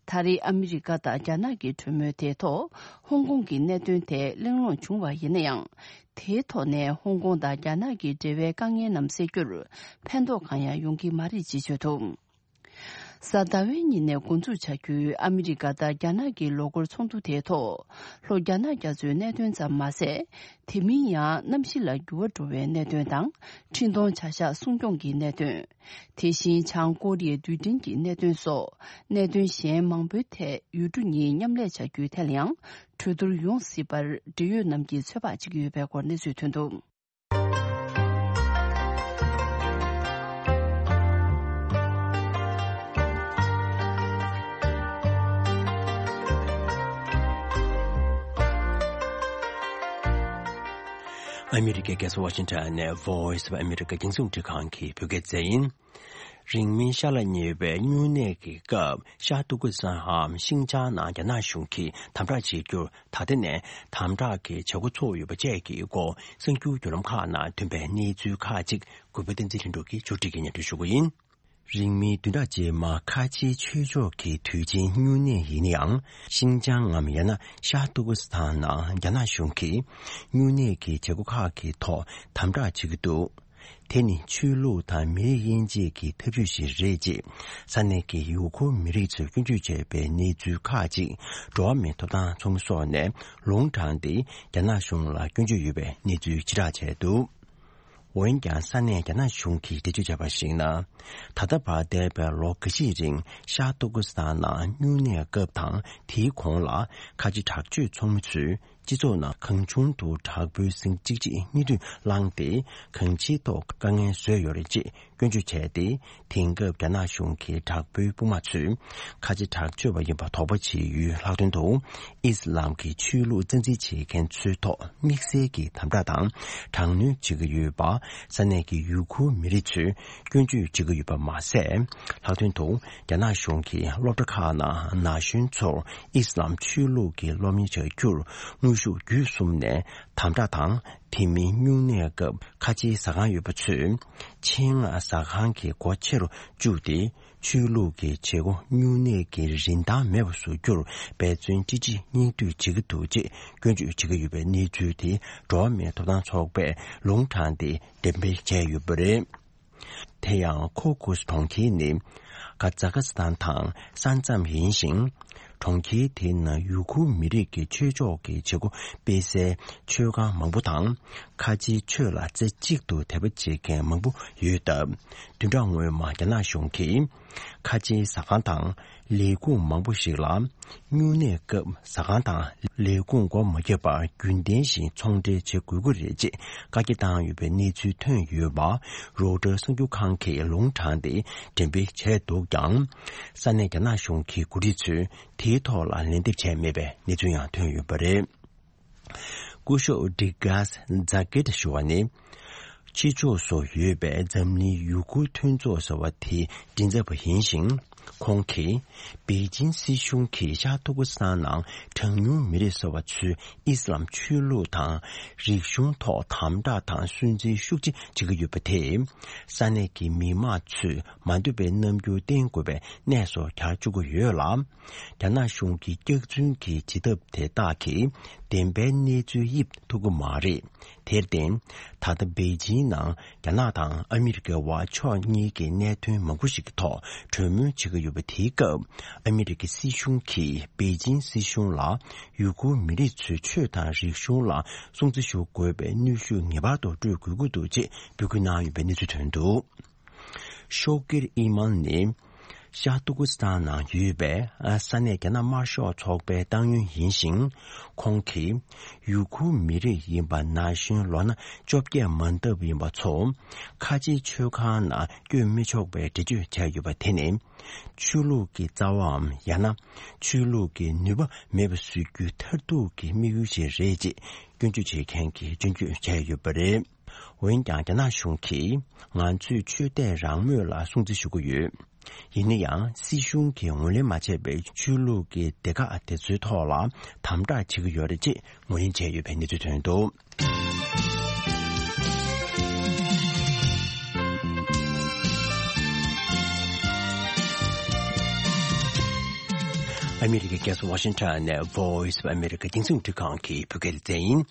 ད་རེས་ཨ་མི་རི་ཀ་དང་རྒྱ་ནག་གི་གྲོས་མོལ་དེའི་ཐོག་ཧོང་ཀོང་གི་གནད་དོན་ཐད་གླེང་སློང་བྱུང་བ་ཡིན་ན་ཡང་། དེའི་ཐོག་ནས་ཧོང་ཀོང་དང་རྒྱ་ནག་གི་འབྲེལ་བའི་དཀའ་ངལ་རྣམས་སེལ་རྒྱུར་ཕན་ཐོགས་གང་ཡང་ཡོང་གི་མ་རེད་ཅེས་བརྗོད་འདུག་གཟའ་ཟླ་བའི་ཉིན་ནས་འགོ་འཛུགས་བྱ་རྒྱུའི་ཨ་མི་རི་ཀ་དང་རྒྱ་ནག་གི་ལོ་འཁོར་ཚོགས་འདུ་དེའི་ཐོག་ལྷོ་རྒྱ་ནག་རྒྱ་མཚོའི་གནད་དོན་ཙམ་མ་ཟད། དེ་མིན་ཡང་གནམ་གཤིས་ལ་འགྱུར་བ་འགྲོ་བའི་གནད་དོན་དང་། འཕྲིན་གཏོང་བྱ་གཞག་སྲུང་སྐྱོང་གི་གནད་དོན། དེ་བཞིན་བྱང་ཀོ་རི་ཡའི་རྡུལ་ཕྲན་གྱི་གནད་དོན་སོགས་གནད་དོན་གཞན་མང་པོའི་ཐད་ཡུལ་གྲུ་གཉིས་མཉམ་ལས་བྱ་རྒྱུའི་ཐད་ལ་ཡང་གྲོས་བསྡུར་ཡོང་སྲིད་པར་འབྲེལ་ཡོད་རྣམས་ཀྱིས་ཚོད་དཔག་བྱེད་ཀྱི་ཡོད་པའི་སྐོར་གནས་ཚུལ་ཐོན་འདུག་ཨ་མི་རི་ཀའི་རྒྱལ་ས་ཝ་ཤིང་ཊོན་ནས་Voice of America རྒྱང་སྲིང་རླུང་འཕྲིན་ཁང་གི་བོད་སྐད་སྡེ་ཚན་ཡིན། རིང་མིན་ཤར་ལ་ཉེ་བའི་སྨྱུང་གནས་ཀྱི་སྐབས་ཤར་ཏུར་ཀི་སི་ཐན་འམ་ཤིང་ཅང་ནང་རྒྱ་ནག་གཞུང་གིས་དམ་དྲག་བྱེད་རྒྱུར་ད་ལྟ་ནས་དམ་དྲག་གི་བྱེད་སྒོ་ཚུགས་ཡོད་པ་བཅས་ཀྱི་སྐོར་གསར་འགྱུར་བརྒྱུད་ལམ་ཁག་ནང་ཐོན་པའི་གནས་ཚུལ་ཁག་ཅིག་གུས་པ་བསྟན་འཛིན་ལྷུན་གྲུབ་ཀྱིས་ཕྱོགས་སྒྲིག་གིས་སྙན་སྒྲོན་ཞུ་གི་ཡིན། རིང་མིན་བདུན་ཕྲག་རྗེས་མ་ཁ་ཆེའི་ཆོས་ཕྱོགས་ཀྱི་དུས་ཆེན་སྨྱུང་གནས་ཡིན་ན་ཡང་། ཤིང་ཅང་ངམ་ཡང་ན་ཤར་ཏུར་ཀི་སི་ཐན་ནང་རྒྱ་ནག་གཞུང་གིས་སྨྱུང་གནས་ཀྱི་བྱེད་སྒོ་ཁག་གི་ཐོག་དམ་དྲག་བྱེད་ཀྱི་འདུག་དེ་ནི་ཆོས་ལུགས་དང་མི་རིགས་དབྱེ་འབྱེད་ཀྱི་ཐབས་ཇུས་ཤིག་རེད་ཅེས་ས་གནས་ཀྱི་ཡུ་གུར་མི་རིགས་ཚོས་སྐྱོན་བརྗོད་བྱས་པའི་གནས་ཚུལ་ཁག་ཅིག་འགྲོ་བ་མིའི་ཐོབ་ཐང་ཚོགས་མི་སོགས་ནས་ལུང་དྲངས་ཏེ་རྒྱ་ནག་གཞུང་ལ་སྐྱོན་བརྗོད་ཡོད་པའི་གནས་ཚུལ་ཕྱིར་བསྒྲགས་བྱས་འདུག་འོན་ཀྱང་ས་གནས་རྒྱ་ནག་གཞུང་གིས་འགྲེལ་བརྗོད་བྱས་པར་གཞིགས་ན། ད་ལྟ་བར་འདས་པའི་ལོ་འགའ་ཤས་རིང་ཤར་ཏུར་ཀི་སི་ཐན་ནང་སྨྱུང་གནས་སྐབས་དང་དེའི་གོང་ལ་ཁ་ཆེ་དྲག་སྤྱོད་ཚོགས་མི་ཚོས་སྤྱི་ཚོགས་ནང་གང་བྱུང་དུ་དྲག་པོའི་ཟིང་གཅིག་རྗེས་གཉིས་མཐུད་བསླངས་ཏེ། གང་ཅིའི་ཐོག་དཀའ་ངལ་བཟོས་ཡོད་རེད་ཅེས་སྐྱོན་བརྗོད་བྱས་ཏེ། དེང་སྐབས་རྒྱ་ནག་གཞུང་གི་དྲག་པོའི་དཔུང་དམག་ཚོས་ཁ་ཆེ་དྲག་སྤྱོད་པ་ཡིན་པ་དོགས་པ་བྱེད་ཡུལ་ལྷག་དོན་དུ། ཨིས་ལམ་གྱི་ཆོས་ལུགས་རྩ་འཛིན་བྱེད་མཁན་ཚོའི་ཐོག་དམིགས་བསལ་གྱི་དམ་དྲག་དང་དྲག་གནོན་བྱེད་ཀྱི་ཡོད་པ་ས་གནས་ཀྱི་ཡུ་གུར་མི་རིགས་ཚོས་སྐྱོན་བརྗོད་བྱེད་ཀྱི་ཡོད་པ་མ་ཟད། ལྷག་དོན་དུ་རྒྱ་ནག་གཞུང་གིས་སློབ་གྲྭ་ཁག་ནང་ན་གཞོན་ཚོར་ཨིས་ལམ་ཆོས་ལུགས་ཀྱི་སློབ་གཉེར་བྱ་རྒྱུར་དངོས་ཤུགས་བརྒྱུད་གསུམ་ནས་དམ་དྲག་དང་ དེ་མིན་སྨྱུང་གནས་སྐབས་ཁ་ཆེའི་ཟ་ཁང་ཡོད་པ་ཚོས་ཆེད་མངགས་ཟ་ཁང་གི་སྒོ་ཕྱེ་རུ་བཅུག་སྟེ། ཆོས་ལུགས་ཀྱི་བྱེད་སྒོ་སྨྱུང་གནས་ཀྱི་རིན་ཐང་མེད་པར་བཟོ་རྒྱུར་འབད་བརྩོན་ཅི་བྱེད་སྙིང་བསྡུས་བྱེད་ཀྱི་འདུག་ཅེས་སྐྱོན་བརྗོད་བྱེད་ཀྱི་ཡོད་པའི་གནས་ཚུལ་དེ། འགྲོ་བ་མིའི་ཐོབ་ཐང་ཚོགས་པས་ལུང་དྲངས་ཏེ་འགྲེམས་སྤེལ་བྱས་ཡོད་པ་རེད། དེ་ཡང་ཁོ་ཀུ་སི་གྲོང་ཁྱེར་ནི་ཀ་ཛ་ཁ་སི་ཐན་དང་ས་མཚམས་ཡིན་ཞིང་། གྲོང་ཁྱེར་དེའི་ནང་ཡུ་གུར་མི་རིགས་ཀྱི་ཆོས་ཕྱོགས་ཀྱི་བྱེད་སྒོ་སྤེལ་སའི་ཆོས་ཁང་མང་པོ་དང་། ཁ་ཆེའི་ཆོས་ལ་རྩེ་གཅིག་ཏུ་དད་པ་བྱེད་མཁན་མང་པོ་ཡོད་སྟབས། བདུན་ཕྲག་སྔོན་མ་རྒྱ་ནག་གཞུང་གིས་ཁ་ཆེའི་ཟ་ཁང་དང་ལས་ཁུངས་མང་པོ་ཞིག་ལ་སྨྱུང་གནས་སྐབས་ཟ་ཁང་དང་ལས་ཁུངས་སྒོ་མ་བརྒྱབ་པར་རྒྱུན་ལྡན་བཞིན་ཚོང་འབྲེལ་བྱེད་དགོས་ཀྱི་རེད་ཅེས་བཀའ་རྒྱ་བཏང་ཡོད་པའི་གནས་ཚུལ་ཐོན་ཡོད་པ། རོའི་ཊར་གསར་འགྱུར་ཁང་གིས་ལུང་དྲངས་ཏེ་འགྲེམས་སྤེལ་བྱས་འདུག་ཀྱང་། ས་གནས་རྒྱ་ནག་གཞུང་གི་འགོ་ཁྲིད་ཚོས་དེའི་ཐོག་ལ་ལན་འདེབས་བྱས་མེད་པའི་གནས་ཚུལ་ཡང་ཐོན་ཡོད་པ་རེད། སྐུ་ཞབས་ཌི་གྷ་སི་ཛ་ཀེ་ཏ་ཞུ་བ་ནི། ཕྱི་ཕྱོགས་སུ་ཡོད་པའི་འཛམ་གླིང་ཡུ་གུར་མཐུན་ཚོགས་ཟེར་བ་དེའི་མགྲིན་ཚབ་པ་ཡིན་ཞིང་། ཁོང་གིས་པེ་ཅིན་སྲིད་གཞུང་གིས་ཤར་ཏུར་ཀི་སི་ཐན་ནང་གྲངས་ཉུང་མི་རིགས་ཟེར་བ་ཚོས་ཨི་སི་ལམ་ཆོས་ལུགས་དང་རིག་གཞུང་ཐོག་དམ་དྲག་དང་སུན་གཙེར་ཤུགས་ཆེ་བྱེད་ཀྱི་ཡོད་པ་དེས། ས་གནས་ཀྱི་མི་མང་ཚོས་མ་འདོད་པའི་རྣམ་འགྱུར་བསྟན་དགོས་པའི་གནས་སུ་གྱར་བཅུག་གི་ཡོད་ལ། རྒྱ་ནག་གཞུང་གི་སྐྱག་རྫུན་གྱི་བྱེད་ཐབས་དེ་དག་གིས་བདེན་པའི་གནས་ཚུལ་དབྱེ་ཐུབ་ཀྱི་མ་རེད། དེར་བརྟེན། ད་ལྟ་པེ་ཅིན་ནང་རྒྱ་ནག་དང་ཨ་མི་རི་ཀའི་བར་ཕྱོགས་གཉིས་ཀྱི་གནད་དོན་མང་པོ་ཞིག་གི་ཐོག་གྲོས་མོལ་བྱེད་ཀྱི་ཡོད་པ་དེའི་སྐབས། ཨ་མི་རི་ཀའི་སྲིད་གཞུང་གིས་པེ་ཅིན་སྲིད་གཞུང་ལ་ཡུ་གུར་མི་རིགས་ཚོའི་ཆོས་དང་རིག་གཞུང་ལ་སྲུང་བརྩི་ཞུ་དགོས་པའི་གནོན་ཤུགས་ངེས་པར་དུ་སྤྲོད་དགོས་ཀྱི་འདུག་ཅེས་འབོད་སྐུལ་གནང་ཡོད་པའི་གནས་ཚུལ་ཐོན་འདུག་ཤོག་གིར་ཨི་མཱན་ནི་ཤར་ཏུར་ཀི་སི་ཐན་ནང་ཡོད་པའི་ས་གནས་རྒྱ་ནག་དམར་ཤོག་ཚོགས་པའི་ཏང་ཡོན་ཡིན་ཞིང་། ཁོང་གིས་ཡུ་གུར་མི་རིགས་ཡིན་པ་ན་གཞོན་ལོ་ན་བཅོ་བརྒྱད་མ་འདབ་ཡིན་པ་ཚོ་ཁ་ཆེའི་ཆོས་ཁང་ནང་བསྐྱོད་མི་ཆོག་པའི་འགྲེལ་བརྗོད་བྱས་ཡོད་པ་དེ་ནི། ཆོས་ལུགས་ཀྱི་རྩ་བའམ་ཡང་ན་ཆོས་ལུགས་ཀྱི་ནུས་པ་མེད་པ་བཟོ་རྒྱུའི་མཐར་ཐུག་གི་དམིགས་ཡུལ་ཞིག་རེད་ཅེས་སྐྱོན་བརྗོད་བྱེད་མཁན་གྱིས་སྐྱོན་བརྗོད་བྱས་ཡོད་པ་རེད། འོན་ཀྱང་རྒྱ་ནག་གཞུང་གིས་ང་ཚོས་ཆོས་དད་རང་མོས་ལ་སྲུང་བརྩི་ཞུ་གི་ཡོད། ཡིན་ན་ཡང་སྲིད་གཞུང་གིས་ངོས་ལེན་མ་བྱས་པའི་ཆོས་ལུགས་ཀྱི་སྡེ་ཁག་དེ་ཚོའི་ཐོག་ལ་དམ་དྲག་བྱེད་ཀྱི་ཡོད་རེད་ཅེས་ངོས་ལེན་བྱས་ཡོད་པའི་གནས་ཚུལ་ཐོན་འདུག་ཨ་མི་རི་ཀའི་རྒྱལ་ས་ཝ་ཤིང་ཊོན་ནས་Voice of America་རྒྱང་སྲིང་རླུང་འཕྲིན་ཁང་གི་བོད་སྐད་སྡེ་ཚན་ཡིན།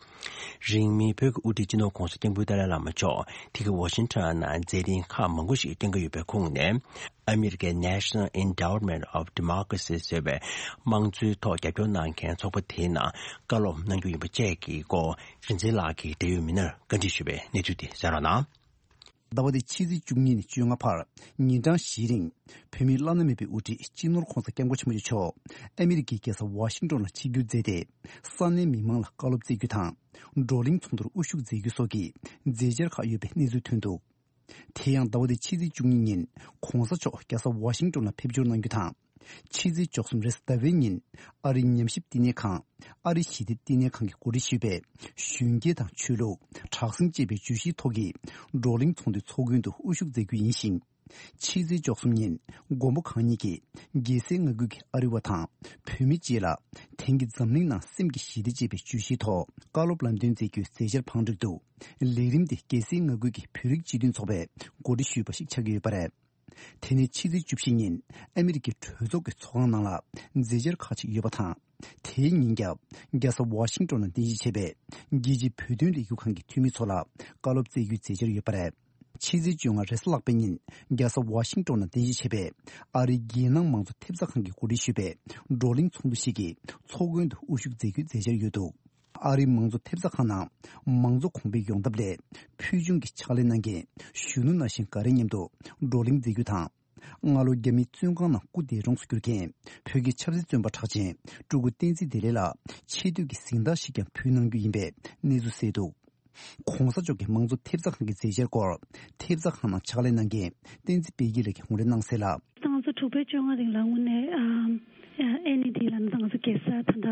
རིང་མིན་བོད་ཀྱི་དབུ་ཁྲིད་སྤྱི་ནོར་༸གོང་ས་༸སྐྱབས་མགོན་ཏཱ་ལའི་བླ་མ་མཆོག་དེ་གའི་ཝ་ཤིང་ཊོན་ནང་མཛད་རིམ་ཁག་མང་པོ་ཞིག་བསྐྱངས་ཀྱི་ཡོད་པའི་ཁོངས་ནས། ཨ་མི་རི་ཀའི་National Endowment of Democracy་ཟེར་བའི་དམངས་གཙོའི་ཐོག་རྒྱབ་སྐྱོར་གནང་མཁན་ཚོགས་པ་དེའི་ནང་བཀའ་སློབ་གནང་རྒྱུ་ཡིན་པ་བཅས་ཀྱི་སྐོར་རིག་འཛིན་ལགས་ཀྱིས་འབྲེལ་ཡོད་མི་སྣར་བཀའ་འདྲི་ཞུས་པའི་གནས་ཚུལ་དེ་གསན་རོགས་གནང་། ཟླ་བ་འདིའི་ཕྱི་ཚེས་བཅུ་གཉིས་ནས་བཅོ་ལྔ་བར་ཉིན་གྲངས་བཞིའི་རིང་བོད་མིའི་བླ་ན་མེད་པའི་དབུ་ཁྲིད་སྤྱི་ནོར་༸གོང་ས་༸སྐྱབས་མགོན་ཆེན་པོ་མཆོག་ཨ་མི་རི་ཀའི་རྒྱལ་ས་ཝ་ཤིང་ཏོན་ལ་ཆིབས་བསྒྱུར་མཛད་དེ། ས་གནས་མི་མང་ལ་བཀའ་སློབ་སྩལ་རྒྱུ་དང་། བགྲོ་གླེང་ཚོགས་འདུར་དབུ་བཞུགས་མཛད་རྒྱུ་སོགས་ཀྱི་མཛད་འཆར་ཁག་ཡོད་པའི་གནས་ཚུལ་ཐོན་འདུག་དེ་ཡང་ཟླ་བ་འདིའི་ཕྱི་ཚེས་བཅུ་གཉིས་ཉིན་༸གོང་ས་མཆོག་རྒྱལ་ས་ཝ་ཤིང་ཏོན་ལ་ཕེབས་འབྱོར་གནང་རྒྱུ་དང་། ཕྱི་ཚེས་བཅུ་གསུམ་རེས་གཟའ་ཟླ་བའི་ཉིན་ཨ་རིའི་ཉམས་ཞིབ་བསྟི་གནས་ཁང་ཨ་རི་ཞི་བདེ་བསྟི་གནས་ཁང་གིས་གོ་སྒྲིག་ཞུས་པའི་གཞོན་སྐྱེས་དང་ཆོས་ལུགས། དྲག་ཟིང་ཅེས་པའི་བརྗོད་གཞིའི་ཐོག་གི་བགྲོ་གླེང་ཚོགས་འདུའི་ཚོགས་མགོན་དུ་དབུ་བཞུགས་མཛད་རྒྱུ་ཡིན་ཞིང་། ཕྱི་ཚེས་བཅུ་གསུམ་ཉིན་མགོན་པོ་གང་ཉིད་ཀྱིས་རྒྱལ་སའི་མངའ་ཁུལ་གྱི་ཨ་རི་བ་དང་བོད་མི་སྤྱི་ལ་དེང་གི་འཛམ་གླིང་ནང་སེམས་ཀྱི་ཞི་བདེ་ཅེས་པའི་བརྗོད་གཞིའི་ཐོག་བཀའ་སློབ་ལམ་སྟོན་མཛད་རྒྱུའི་མཛད་འཆར་བང་བསྒྲིགས་འདུག་ལས་རིམ་དེ་རྒྱལ་སའི་མངའ་ཁུལ་གྱི་བོད་རིགས་སྤྱི་མཐུན་ཚོགས་པས་གོ་སྒྲིག་ཞུས་པ་ཞིག་ཆགས་ཀྱི་ཡོད་པ་རེད། དེ་ནས་ཕྱི་ཚེས་བཅུ་བཞི་ཉིན་ཨ་མི་རི་ཀའི་གྲོས་ཚོགས་ཀྱི་ཚོགས་ཁང་ནང་ལ་མཛད་འཆར་ཁག་ཅིག་ཡོད་པ་དང་། དེའི་ཉིན་རྒྱབ་རྒྱལ་ས་ཝ་ཤིང་ཏོན་ལ་རྟེན་གཞི་བྱས་པའི་རྒྱལ་སྤྱིའི་བོད་དོན་ལས་འགུལ་ཁང་གི་འཐུས་མི་ཚོ་ལ་བཀའ་སློབ་སྩལ་རྒྱུའི་མཛད་འཆར་ཡོད་པ་རེད། ཕྱི་ཚེས་བཅོ་ལྔ་རེས་གཟའ་ལྷག་པའི་ཉིན་རྒྱལ་ས་ཝ་ཤིང་ཏོན་ལ་རྟེན་གཞི་བྱས་པའི་ཨ་རིའི་རྒྱལ་ནང་མང་གཙོ་ཐེབས་རྩ་ཁང་གིས་གོ་སྒྲིག་ཞུས་པའི་བགྲོ་གླེང་ཚོགས་འདུ་ཞིག་གི་ཚོགས་མགོན་དུ་དབུ་བཞུགས་མཛད་རྒྱུའི་མཛད་འཆར་ཡོད་འདུག་ཨ་རིའི་མང་གཙོ་ཐེབས་རྩ་ཁང་ནང་མང་གཙོ་གོང་འཕེལ་ཡོང་ཐབས་སླད་ཕུལ་བྱུང་གི་ཕྱག་ལས་གནང་མཁན་གཞོན་ནུ་ན་གཞོན་འགའ་རེ་མཉམ་དུ་བགྲོ་གླེང་མཛད་རྒྱུ་དང་། སྔ་ལོ་རྒྱ་མིའི་བཙོན་ཁང་ནང་སྐུ་འདས་གྲོངས་སུ་གྱུར་མཁན་བོད་ཀྱི་ཆབ་སྲིད་བཙོན་པ་གྲགས་ཅན་སྤྲུལ་སྐུ་བསྟན་འཛིན་བདེ་ལེགས་ལ་ཆེ་བསྟོད་ཀྱི་གཟེངས་རྟགས་ཤིག་ཀྱང་ཕུལ་གནང་རྒྱུ་ཡིན་པའི་གནས་ཚུལ་གསལ་འདུག༸གོང་ས་མཆོག་གི་མང་གཙོ་ཐེབས་རྩ་ཁང་གི་མཛད་འཆར་སྐོར་ཐེབས་རྩ་ཁང་ནང་ཕྱག་ལས་གནང་མཁན་བསྟན་འཛིན་དཔལ་སྐྱིད་ལགས་ཀྱིས་ངོ་སྤྲོད་གནང་གསལ་ལ། ད་ང་ཚོ་དྲུག་པའི་བཅོ་ལྔ་རིང་ལ་དངོས་གནས་ཨ་ཨ་ཨེ་ནི་དེ་ལ་ད་ང་ཚོ་རྒྱལ་ས་ད་ལྟ་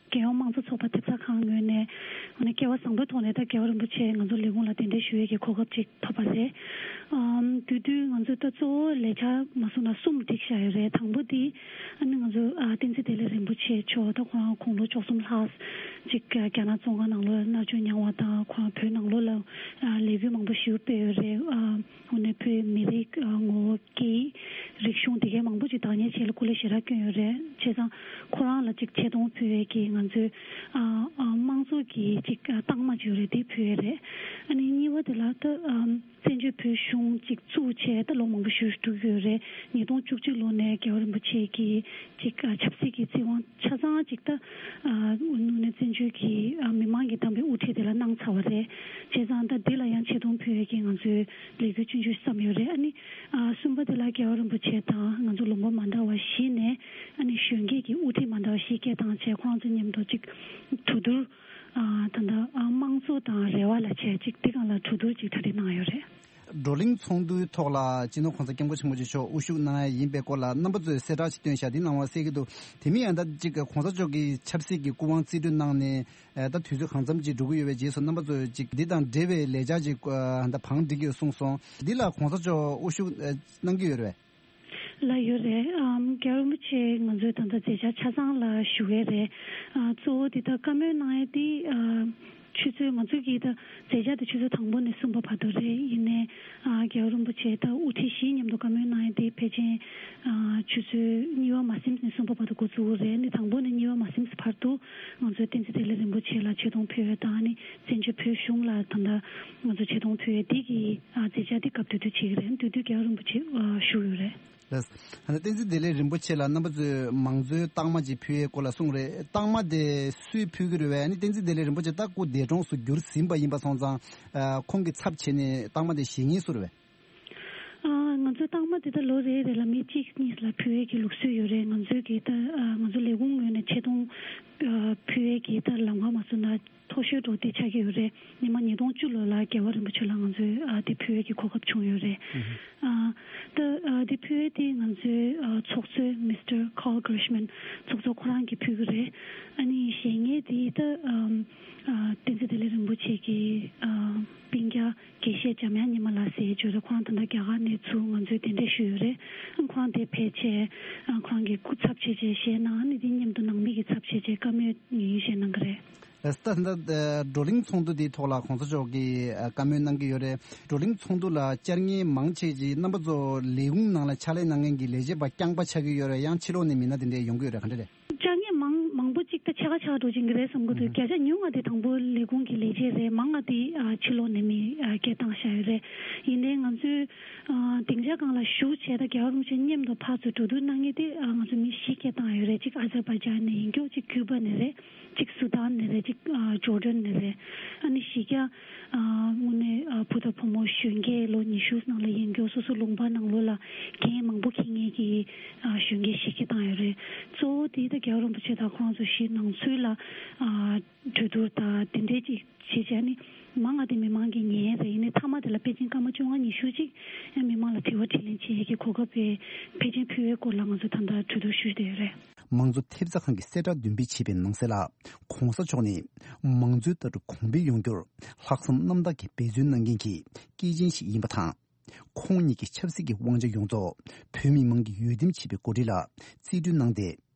རྒྱལ་ཡོངས་དམངས་གཙོ་ཚོགས་པ་ཐེབས་རྩ་ཁང་ངོས་ནས་ ཨ་ནི་སྐལ་བ་བཟང་པོའི་ཐོག་ནས་ད་རྒྱལ་བ་རིན་པོ་ཆེ་ང་ཚོ་ལས་ཁུངས་ལ་གདན་འདྲེན་ཞུ་ཡས་ཀྱི་གོ་སྐབས་ཅིག་ཐོབ་པ་རེད། ཨམ་དེ་དུས་ང་ཚོ་ད་གཙོ་བོ་ལས་འཆར་མ་གསུངས་ན་གསུམ་བསྒྲིགས་བཞག་ཡོད་རེད། དང་པོ་དེ་ཨ་ནི་ང་ཚོ་ཨ་བསྟན་འཛིན་བདེ་ལེགས་རིན་པོ་ཆེ་མཆོག་ད་ཁོ་རང་དགུང་ལོ་བཅུ་གསུམ་ལྷག་ཅིག་རྒྱ་ནག་བཙོན་ཁང་ནང་ལོགས་ལ་མནར་གཅོད་མྱངས་པ་དང་ཁོ་རང་བོད་ནང་ལོགས་ལ་ཨ་ལས་འགུལ་མང་པོ་ཞིག་སྤེལ་ཡོད་རེད། ཨ་དངོས་གནས་བོད་མི་རིགས་ཨ་ངོ་བོ་སྐད་ཡིག་རིག་གཞུང་དེ་གའི་མང་པོ་ཅིག་བདག་གཉེར་བྱེད་ལ་སྐུ་ལས་ཞེ་དྲག་བསྐྱོན་ཡོད་རེད། བྱས་ཙང་ཁོ་རང་ལ་ཅིག་ཆེ་མཐོང་ཕུལ་ཡས་ཀྱི་ང་ཚོའི་ཨ་ཨ་དམངས་གཙོ་གི་ཅིག་ཨ་རྟགས་མ་ཅིག་ཡོད་རེད། དེ་ཕུལ་ཡས་རེད། ཨ་ནི་གཉིས་པ་དེ་ལ་ད་ཨམ་བཙན་བྱོལ་བོད་གཞུང་ཅིག་བཙུགས་བྱས་ད་ལོ་མང་པོ་ཞིག་འགྲོ་གི་ཡོད་རེད། ཉིས་སྟོང་བཅུ་གཅིག་ལོ་ནས་རྒྱལ་བ་རིན་པོ་ཆེ་གིས་ཅིག་ཨ་ཆབ་སྲིད་ཀྱི་བཙན་དབང་ཆ་ཚང་ཅིག་ད་ཨ་དངོས་གནས་བཙན་བྱོལ་གྱི་ཨ་མི་མང་གིས་བདམས་པའི་དབུ་ཁྲིད་དེ་ལ་གནང་ཚར་བ་རེད། བྱས་ཙང་ད་འདི་ལ་ཡང་ཆེ་མཐོང་ཕུལ་ཡས་ཀྱི་ང་ཚོའི་ལས་འགུལ་ཆུང་ཆུང་བརྩམས་ཡོད་རེད། ཨ་ནི་ཨ་གསུམ་པ་དེ་ལ་རྒྱལ་བ་རིན་པོ་ཆེ་དང་ང་ཚོ་ལུང་པ་མ་འདྲ་བ་བཞི་ནས་ཨ་ནི་གཞོན་སྐྱེས་ཀྱི་དབུ་ཁྲིད་མ་འདྲ་བ་བཞི་སྐད་བཏང་བྱས་ཁོང་ཚོ་མཉམ་དུ་ཅིག་གྲོས་བསྡུར་ཨ་ད་ལྟ་ཨ་དམངས་གཙོ་དང་རེ་བ་ལ་བྱས་ཅིག་དེ་སྒང་ལ་གྲོས་བསྡུར་ཅིག་གྲ་སྒྲིག་གནང་ཡོད་རེད། བགྲོ་གླེང་ཚོགས་འདུའི་ཐོག་ལ་སྤྱི་ནོར་༸གོང་ས་༸སྐྱབས་མགོན་ཆེན་པོ་མཆོག་དབུ་བཞུགས་གནང་ཡ་ཡིན་པའི་སྐོར་ལ་རྣམ་པ་ཚོས་གསལ་བསྒྲགས་ཤིག་བཏོན་བཞག་འདི་གནང་བ་གསལ་གྱི་འདུག་དེ་མིན་ཡང་ད་ཅིག་༸གོང་ས་མཆོག་གིས་ཆབ་སྲིད་ཀྱི་སྐུ་དབང་རྩིས་སྤྲོད་གནང་ནས་ད་དུས་ཚོད་གང་འཚམ་ཅིག་འགྲོ་གི་ཡོད་པའི་རྗེས་སུ་རྣམ་པ་ཚོས་ཅིག་འདི་དང་འབྲེལ་བའི་ལས་འཆར་ཅིག་ད་བང་སྒྲིག་ཡོད་གསུངས་སོང་། འདི་ལ་༸གོང་ས་མཆོག་དབུ་བཞུགས་གནང་གི་ཡོད་རེད་པས། ལགས་ཡོད་རེད། ཨམ་རྒྱལ་བ་རིན་པོ་ཆེ་ང་ཚོའི་ད་ལྟ་མཛད་འཆར་ཆ་ཚང་ལ་ཞུ་གི་རེད། ཨ་གཙོ་བོ་འདི་ལྟར་བཀའ་མོལ་གནང་ཡས་འདི་ཨ་ཆུ་ཚོད་ང་ཚོ་གི་ད་མཛད་འཆར་དེ་ཆུ་ཚོད་དང་པོ་ནས་གསུམ་པ་བར་དུ་རེད། ཡིན་ནའི་ཨ་རྒྱལ་བ་རིན་པོ་ཆེ་ད་དབུ་ཁྲིད་བཞིའི་མཉམ་དུ་བཀའ་མོལ་གནང་ཡས་འདི་ཕལ་ཆེར་ཨ་ཆུ་ཚོད་གཉིས་པ་མ་ཟིན་ནས་གསུམ་པ་བར་དུ་འགོ་བཙུགས་ཀྱི་རེད། ཨ་ནི་དང་པོ་ནས་གཉིས་པ་མ་ཟིན་བར་དུ་ང་ཚོའི་བསྟན་འཛིན་བདེ་ལེགས་རིན་པོ་ཆེ་ལ་ཆེ་མཐོང་ཕུལ་ཡས་དང་ཨ་ནི་བཙན་བྱོལ་བོད་གཞུང་ལ་ད་ལྟ་ང་ཚོ་ཆེ་མཐོང་ཕུལ་ཡས་འདི་གི་ཨ་མཛད་འཆར་འདི་སྐབས་དེ་དུས་བྱེད་ཀྱི་རེད། དེ་དུས་རྒྱལ་བ་རིན་པོ་ཆེ་ཨ་བཞུགས་ཡོད་རེད། ལགས། ཨ་ནི་བསྟན་འཛིན་བདེ་ལེགས་རིན་པོ་ཆེ་ལ་རྣམ་པ་ཚོས་མང་གཙོའི་རྟགས་མ་ཅིག་ཕུལ་ཡས་སྐོར་ལ་གསུངས་རེད། རྟགས་མ་དེ་སུས་ཕུལ་གྱི་རེད་པས། ཨ་ནི་བསྟན་འཛིན་བདེ་ལེགས་རིན་པོ་ཆེ་ད་སྐུ་འདས་གྲོངས་སུ་གྱུར་ཟིན་པ་ཡིན་པ་སོང་ཙང་། ཨ་ཁོང་གི་ཚབ་བྱས་ནས་རྟགས་མ་དེ་བཞེས་མཁན་སུ་རེད་པས། ཨ་ང་ཚོའི་རྟགས་མ་དེ་ད་ལོ་རེ་རེ་ལ་མི་གཅིག་གཉིས་ལ་ཕུལ་ཡས་ཀྱི་ལུགས་སྲོལ་ཡོད་རེད། ང་ཚོའི་གི་ད་ཨ་ང་ཚོ་ལས་ཁུངས་ངོས་ནས་ཆེ་མཐོང་ཨ་ཕུལ་ཡས་ཀྱི་ད་ལམ་ཁ་མ་བཟོས་ན་མཐོ་ཤོས་འགྲོ་དེ་ཆགས་ཀྱི་ཡོད་རེད། ཉི་མ་ཉིས་སྟོང་བཅུ་ལོ་ལ་རྒྱལ་བ་རིན་པོ་ཆེ་ལ་ང་ཚོས་ཨ་དེ་ཕུལ་ཡས་ཀྱི་གོ་སྐབས་བྱུང་ཡོད་རེད། ཨ་ད་ཨ་དེ་ཕུལ་ཡས་དེ་ང་ཚོའི་ཨ་ཚོགས་གཙོས་Mister Carl Gershman ཚོགས་གཙོ་ཁོ་རང་གིས་ཕུལ་གྱི་རེད། ཨ་ནི་གཞན་ངས་དེ་ད་ཨམ་ཨ་བསྟན་འཛིན་བདེ་ལེགས་རིན་པོ་ཆེ་གི་ཨ་སྤུན་ཀྱག་དགེ་བཤེས་འཇམ་དབྱངས་ཉི་མ་ལགས་ཟེར་ཡས་ཅིག་ཡོད་རེད། ཁོ་རང་ད་ལྟ་རྒྱ་གར་ནས་ཚུར་ང་ཚོའི་གདན་འདྲེན་ཞུས་ཡོད་རེད། ཨ་ཁོ་རང་དེ་ཕེབས་བྱས་ཨ་ཁོ་རང་གི་སྐུ་ཚབ་བྱས་བྱས་བཞེས་གནང་། ཨ་ནི་དེ་མཉམ་དུ་ནང་མི་གི་ཚབ་བྱས་བྱས་བཀའ་མོལ་ཡིན་བཞེས་གནང་གི་རེད། ལགས་སོ། ད་ལྟ་བགྲོ་གླེང་ཚོགས་འདུ་འདིའི་ཐོག་ལ་༸གོང་ས་མཆོག་གིས་བཀའ་མོལ་གནང་གི་ཡོད་རེད། བགྲོ་གླེང་ཚོགས་འདུ་ལ་བཅར་མཁན་མང་ཆེ་ཅིག་རྣམ་པ་ཚོ་ལས་ཁུངས་ནང་ལ་ཕྱག་ལས་གནང་མཁན་གྱི་ལས་བྱེད་པ་རྐྱང་པ་ཆགས་ཀྱི་ཡོད་རེད། ཡང་ཕྱི་ལོགས་ནས་མི་སྣ་དེ་འདྲས་ཡོང་གི་ཡོད་རེད། ག་འདྲ་རེད། བཅར་མཁན་མང་མང་པོ་ཅིག་ད་ཕྱེད་ཀ་ཕྱེད་ཀ་འགྲོ་བཞིན་གྱི་རེད་བསམ་གྱི་འདུག་བརྒྱ་ཆ་ཉུང་བ་དེ་དང་པོ་ལས་ཁུངས་ཀྱི་ལས་བྱེད་རེད། མང་བ་དེ་ཕྱི་ལོགས་ནས་མི་སྐད་བཏང་བཞག་ཡོད་རེད། ཡིན་ནའི་ང་ཚོས་སྡིངས་ཆ་སྒང་ལ་བཞུགས་བྱས་ད་རྒྱལ་བ་རིན་པོ་ཆེ་མཉམ་དུ་ཕར་ཚུར་གྲོས་བསྡུར་གནང་མཁན་དེ་ང་ཚོ་མི་བཞི་སྐད་བཏང་ཡོད་རེད། གཅིག་ཨ་ཛར་བྷའི་ཇན་ནས་ཡིན་རྒྱུ། གཅིག་ཀུ་པ་ནས་རེད། གཅིག་སུ་དཱན་ནས་རེད། གཅིག་ཨ་ཇོར་ཌན་ནས་རེད། ཨ་ནི་གཞི་རྒྱ་ཨ་དངོས་གནས་ཨ་བུ་དང་བུ་མོ་གཞོན་སྐྱེས་ལོ་ཉི་ཤུ་ནང་ལ་ཡིན་རྒྱུ། སོ་སོ་ལུང་པ་ནང་ལོགས་ལ་འགན་མང་པོ་འཁྱེར་མཁན་གྱི་ཨ་གཞོན་སྐྱེས་ཞིག་གིས་བཏང་ཡོད་རེད། གཙོ་བོ་དེ་ད་རྒྱལ་བ་རིན་པོ་ཆེ་དང་ཁོང་ཚོ་གཞི་ནང་ཚུད་ལ་ཨ་གྲོས་བསྡུར་དང་དེ་འདྲའི་ཅིག་བྱེད་བྱས་ནི་མང་ང་དེ་མི་མང་གིས་ཉན་རེད། ཡིན་ནའི་མཐའ་མ་དེ་ལ་དཔེ་ཅན་སྐར་མ་བཅོ་ལྔ་ཉི་ཤུ་ཅིག་ཨ་མི་མང་ལ་དྲི་བ་དྲིས་ལན་བྱེད་ཡས་ཀྱི་གོ་སྐབས་དཔེ་ཕལ་ཆེར་ཕུལ་བའི་སྐོར་ལ་ང་ཚོ་ད་ལྟ་གྲོས་བསྡུར་ཞུས་བསྡད་ཡོད་རེད། མང་གཙོ་ཐེབས་རྩ་ཁང་གིས་གསལ་བསྒྲགས་བདུན་སྤེལ་བྱས་པའི་ནང་གསལ་ལ། ༸གོང་ས་མཆོག་ནི་མང་གཙོའི་ལྟ་གྲུབ་གོང་འཕེལ་ཡོང་རྒྱུར་ལྷག་བསམ་རྣམ་དག་གིས་འབད་བརྩོན་གནང་མཁན་གྱི་སྐྱེས་ཆེན་ཞིག་ཡིན་པ་དང་། ཁོང་ཉིད་ཀྱི་ཆབ་སྲིད་ཀྱི་དབང་ཆ་ཡོངས་རྫོགས་བོད་མི་མང་གིས་འོས་འདེམས་བྱས་པའི་འགོ་ཁྲིད་ལ་རྩིས་སྤྲོད་གནང་སྟེ།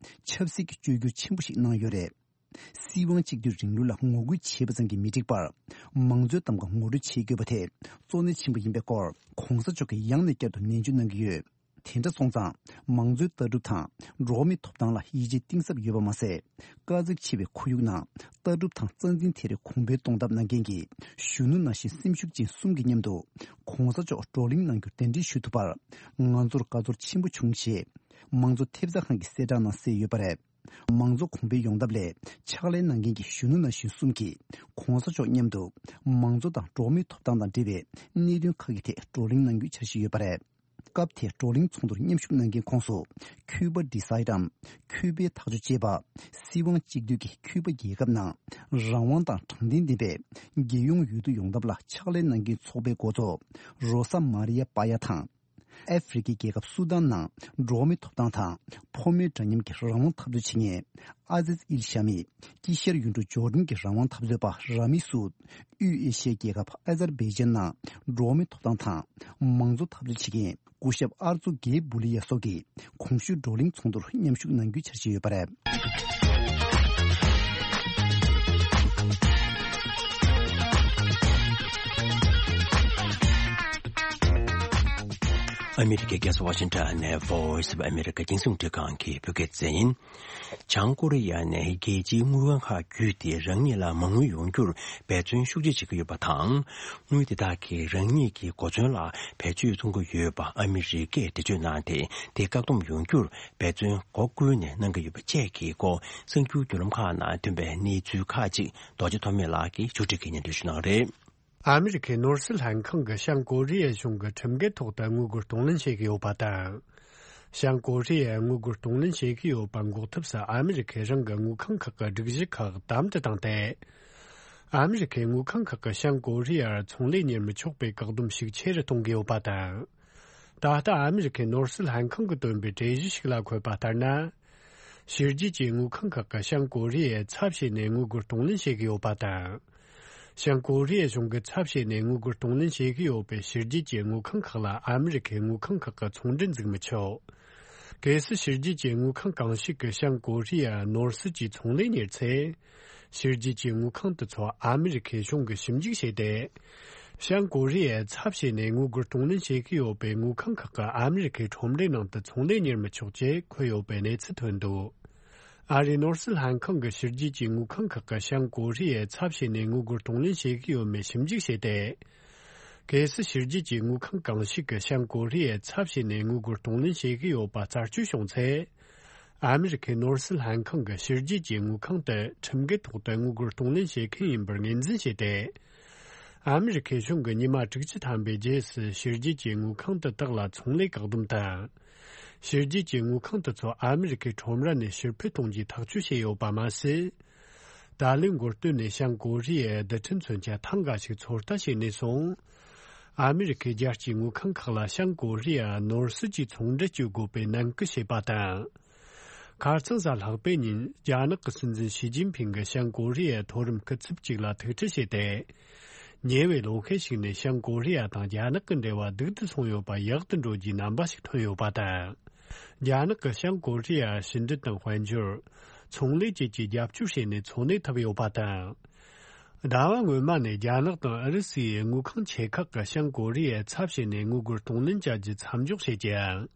ཆབ་སྲིད་ཀྱི་བཅོས་བསྒྱུར་ཆེན་པོ་ཞིག་གནང་ཡོད་རེད། སྲིད་དབང་གཅིག་སྡུད་རིང་ལུགས་ལ་ངོ་རྒོལ་བྱས་པ་ཙམ་གྱིས་མི་འགྲིག་པར། མང་གཙོའི་གདམ་ག་ངོ་སྤྲོད་བྱེད་དགོས་པ་དེ་གཙོ་གནད་ཆེན་པོ་ཡིན་པའི་སྐོར་༸གོང་ས་མཆོག་གིས་ཡང་ནས་བསྐྱར་དུ་ནན་བརྗོད་གནང་གི་ཡོད། དེ་འདྲ་སོང་ཙང་། མང་གཙོའི་ལྟ་གྲུབ་དང་འགྲོ་བ་མིའི་ཐོབ་ཐང་ལ་ཡིད་ཆེས་གཏིང་ཟབ་ཡོད་པ་མ་ཟད། དཀའ་ཚེགས་ཆེ་བའི་ཁོར་ཡུག་ནང་ལྟ་གྲུབ་དང་རྩ་འཛིན་དེ་རིགས་གོང་འཕེལ་གཏོང་ཐབས་གནང་མཁན་གྱི་གཞོན་ནུ་ནང་བཞིན་སེམས་ཤུགས་ཅན་གསུམ་གྱི་མཉམ་དུ་༸གོང་ས་མཆོག་བགྲོ་གླེང་གནང་རྒྱུར་གདན་འདྲེན་ཞུ་ཐུབ་པར་ང་ཚོར་དགའ་ཚོར་ཆེན་པོ་བྱུང་ཞེས་མང་གཙོ་ཐེབས་རྩ་ཁང་གི་གསལ་བསྒྲགས་ནང་གསལ་ཡོད་པ་རེད། མང་གཙོ་གོང་འཕེལ་ཡོང་ཐབས་ལ་ཕྱག་ལས་གནང་མཁན་གྱི་གཞོན་ནུ་ནང་བཞིན་གསུམ་གྱིས་༸གོང་ས་མཆོག་མཉམ་དུ་མང་གཙོ་དང་འགྲོ་བ་མིའི་ཐོབ་ཐང་དང་འབྲེལ་བའི་གནད་དོན་ཁག་གི་ཐད་བགྲོ་གླེང་གནང་རྒྱུའི་འཆར་གཞི་ཡོད་པ་རེད། སྐབས་དེའི་བགྲོ་གླེང་ཚོགས་འདུར་མཉམ་ཞུགས་གནང་མཁན་ཁོངས་སུ་ཁྱུ་པ་འབྲི་སའི་ཊམ། ཁྱུ་པའི་ཐག་གཅོད་ཅེས་པ། སྲིད་དབང་གཅིག་སྡུད་ཀྱི་ཁྱུ་པ་རྒྱལ་ཁབ་ནང་རང་དབང་དང་དྲང་བདེན་ལྡན་པའི་རྒྱལ་ཡོངས་འོས་བསྡུ་ཡོང་ཐབས་ལ་ཕྱག་ལས་གནང་མཁན་ཚོགས་པའི་འགོ་གཙོ་རོ་ས་མ་རི་ཡ་པ་ཡ་དང་། ཨ་ཧྥེ་རི་ཁའི་རྒྱལ་ཁབ་སུ་དཱན་ནང་འགྲོ་བ་མིའི་ཐོབ་ཐང་དང་། ཕོ་མོའི་འདྲ་མཉམ་གྱི་རང་དབང་འཐབ་རྩོད་བྱེད་མཁན་ཨ་ཟིས་ཨིལ་ཤ་མི། དཀྱིལ་ཤར་ཡུལ་གྲུ་ཇོར་ཌན་གྱི་རང་དབང་འཐབ་རྩོད་པ་ར་མི་སུད། དབུས་ཨེ་ཤི་ཡའི་རྒྱལ་ཁབ་ཨ་ཛར་བྷེ་ཇན་ནང་འགྲོ་བ་མིའི་ཐོབ་ཐང་དང་། མང་གཙོ་འཐབ་རྩོད་བྱེད་མཁན་སྐུ་ཞབས་ཨར་ཙུ་གེ་བུ་ལི་ཡ་སོགས་ཀྱིས་གོང་ཞུས་བགྲོ་གླེང་ཚོགས་འདུར་མཉམ་ཞུགས་གནང་རྒྱུའི་འཆར་གཞི་ཡོད་པ་རེད། ཨ་མི་རི་ཀའི་རྒྱལ་ས་ཝ་ཤིང་ཊོན་ནས་Voice of America རྒྱང་སྲིང་རླུང་འཕྲིན་ཁང་གི་བོད་སྐད་སྡེ་ཚན་ཡིན། བྱང་ཀོ་རི་ཡ་ནས་རྒྱལ་སྤྱིའི་དངུལ་ཁང་ཁག་བརྒྱུད་དེ་རང་ཉིད་ལ་མ་དངུལ་ཡོང་རྒྱུར་འབད་བརྩོན་ཤུགས་ཆེ་བྱེད་ཀྱི་ཡོད་པ་དང་། དངུལ་དེ་དག་གིས་རང་ཉིད་ཀྱི་གོ་མཚོན་ལ་བེད་སྤྱོད་གཏོང་གི་ཡོད་པ་ཨ་མི་རི་ཀས་འགྲེལ་བརྗོད་གནང་སྟེ། དེ་བཀག་སྡོམ་ཡོང་རྒྱུར་འབད་བརྩོན་སྒོ་ཀུན་ནས་གནང་གི་ཡོད་པ་བཅས་ཀྱི་སྐོར་གསར་འགྱུར་བརྒྱུད་ལམ་ཁག་ནང་ཐོན་པའི་གནས་ཚུལ་ཁག་ཅིག་རྡོ་རྗེ་ཐོགས་མེད་ལགས་ཀྱིས་ཕྱོགས་སྒྲིག་གིས་སྙན་སྒྲོན་ཞུ་གནང་རེད། ཨ་མི་རི་ཁའི་ནོར་སྲིད་ལྷན་ཁང་གིས་བྱང་ཀོ་རི་ཡའི་གཞུང་གི་ཁྲིམས་འགལ་ཐོག་ཏུ་དངུལ་སྒོར་གཏོང་ལེན་བྱེད་ཀྱི་ཡོད་པ་དང་། བྱང་ཀོ་རི་ཡས་དངུལ་སྒོར་གཏོང་ལེན་བྱེད་ཀྱི་ཡོད་པ་འགོག་ཐབས་སུ་ཨ་མི་རི་ཁས་རང་གི་དངུལ་ཁང་ཁག་གི་སྒྲིག་གཞི་ཁག་དམ་དུ་བཏང་སྟེ། ཨ་མི་རི་ཁའི་དངུལ་ཁང་ཁག་གིས་བྱང་ཀོ་རི་ཡར་ཚོང་ལས་གཉེར་མི་ཆོག་པའི་བཀག་སྡོམ་ཤུགས་ཆེ་རུ་གཏོང་གི་ཡོད་པ་དང་། ད་ལྟ་ཨ་མི་རི་ཁའི་ནོར་སྲིད་ལྷན་ཁང་གིས་བཏོན་པའི་གྲོས་གཞི་ཞིག་ལ་འཁོད་པ་ལྟར་ན། ཕྱི་རྒྱལ་གྱི་དངུལ་ཁང་ཁག་གིས་བྱང་ཀོ་རི་ཡའི་ཚབ་བྱས་ནས་དངུལ་སྒོར་གཏོང་ལེན་བྱེད་ཀྱི་ཡོད་པ་དང་། བྱང་ཀོ་རི་ཡའི་གཞུང་གི་ཚབ་བྱས་ནས་དངུལ་སྒོར་གཏོང་ལེན་བྱེད་ཀྱི་ཡོད་པའི་ཕྱི་རྒྱལ་གྱི་དངུལ་ཁང་ཁག་ལ་ཨ་མི་རི་ཁའི་དངུལ་ཁང་ཁག་གི་ཚོང་འབྲེལ་འཛུགས་མི་ཆོག་གལ་སྲིད་ཕྱི་རྒྱལ་གྱི་དངུལ་ཁང་གང་ཞིག་གིས་བྱང་ཀོ་རི་ཡར་ནོར་སྲིད་ཀྱི་ཚོང་ལས་གཉེར་ཚེ། ཕྱི་རྒྱལ་གྱི་དངུལ་ཁང་དེ་ཚོ་ཨ་མི་རི་ཁའི་གཞུང་གིས་ཞིབ་འཇུག་བྱས་ཏེ། བྱང་ཀོ་རི་ཡའི་ཚབ་བྱས་ནས་དངུལ་སྒོར་གཏོང་ལེན་བྱེད་ཀྱི་ཡོད་པའི་དངུལ་ཁང་ཁག་གིས་ཨ་མི་རི་ཁའི་ཁྲོམ་རའི་ནང་དུ་ཚོང་ལས་གཉེར་མི་ཆོག་ཅེས་འཁོད་ཡོད་པའི་གནས་ཚུལ་ཐོན་འདུག་ཨ་རིའི་ནོར་སྲིད་ལྷན་ཁང་གིས་ཕྱི་རྒྱལ་གྱི་དངུལ་ཁང་ཁག་གིས་བྱང་ཀོ་རི་ཡའི་ཚབ་བྱས་ནས་དངུལ་སྒོར་གཏོང་ལེན་བྱེད་ཀྱི་ཡོད་མེད་ཞིབ་འཇུག་བྱས་ཏེ། གལ་སྲིད་ཕྱི་རྒྱལ་གྱི་དངུལ་ཁང་གང་ཞིག་གིས་བྱང་ཀོ་རི་ཡའི་ཚབ་བྱས་ནས་དངུལ་སྒོར་གཏོང་ལེན་བྱེད་ཀྱི་ཡོད་པ་རྩད་གཅོད་བྱུང་ཚེ། ཨ་མི་རི་ཁའི་ནོར་སྲིད་ལྷན་ཁང་གིས་ཕྱི་རྒྱལ་གྱི་དངུལ་ཁང་དེ་ཁྲིམས་འགལ་ཐོག་ཏུ་དངུལ་སྒོར་གཏོང་ལེན་བྱེད་མཁན་ཡིན་པར་ངོས་འཛིན་བྱས་ཏེ། ཨ་མི་རི་ཁའི་གཞུང་གིས་ཉི་མ་དྲུག་ཅུ་ཐམ་པའི་རྗེས་སུ་ཕྱི་རྒྱལ་གྱི་དངུལ་ཁང་དེ་དག་ལ་ཚོང་ལས་བཀག་སྡོམ་དང་། ཕྱི་རྒྱལ་གྱི་དངུལ་ཁང་དེ་ཚོ་ཨ་མི་རི་ཁའི་ཁྲོམ་ར་ནས་ཕྱིར་འཕུད་གཏོང་རྒྱུའི་ཐག་གཅོད་བྱས་ཡོད་པ་མ་ཟད། ད་ལོའི་འགོ་སྟོད་ནས་བྱང་ཀོ་རི་ཡའི་རྡུལ་ཕྲན་མཚོན་ཆ་ཐེངས་འགའ་ཞིག་ཚོད་ལྟ་བྱས་ནས་བཟུང་། ཨ་མི་རི་ཁའི་རྒྱལ་སྤྱིའི་དངུལ་ཁང་ཁག་ལ་བྱང་ཀོ་རི་ཡར་ནོར་སྲིད་ཀྱི་ཚོང་འབྲེལ་གཅོད་དགོས་པའི་ནན་སྐུལ་བྱས་པ་དང་། ཁ་རྩང་གཟའ་ལྷག་པའི་ཉིན་རྒྱ་ནག་གི་སྲིད་འཛིན་ཞི་ཅིན་ཕིང་གིས་བྱང་ཀོ་རི་ཡའི་མཐོ་རིམ་སྐུ་ཚབ་ཅིག་ལ་ཐུག་འཕྲད་བྱས་ཏེ། ཉེ་བའི་ལོ་ཤས་ཤིག་ནས་བྱང་ཀོ་རི་ཡ་དང་རྒྱ་ནག་གི་འབྲེལ་བ་སྡུག་ཏུ་སོང་ཡོད་པ་ཡག་ཏུ་འགྲོ་རྒྱུའི་རྣམ་པ་ཞིག་ཐོན་ཡོད་པ་དང་། རྒྱ་ནག་གིས་བྱང་ཀོ་རི་ཡར་ཕྱི་འབྲེལ་དང་དཔལ་འབྱོར། ཚོང་ལས་བཅས་ཀྱི་རྒྱབ་སྐྱོར་བྱས་ནས་འཚོ་གནས་ཐུབ་ཡོད་པ་དང་། ཟླ་བ་སྔོན་མ་ནས་རྒྱ་ནག་དང་ཨུ་རུ་སུའི་དངུལ་ཁང་ཆེ་ཁག་གིས་བྱང་ཀོ་རི་ཡའི་ཚབ་བྱས་ནས་དངུལ་སྒོར་གཏོང་ལེན་བྱ་རྒྱུ་མཚམས་འཇོག་བྱས་ཀྱང་།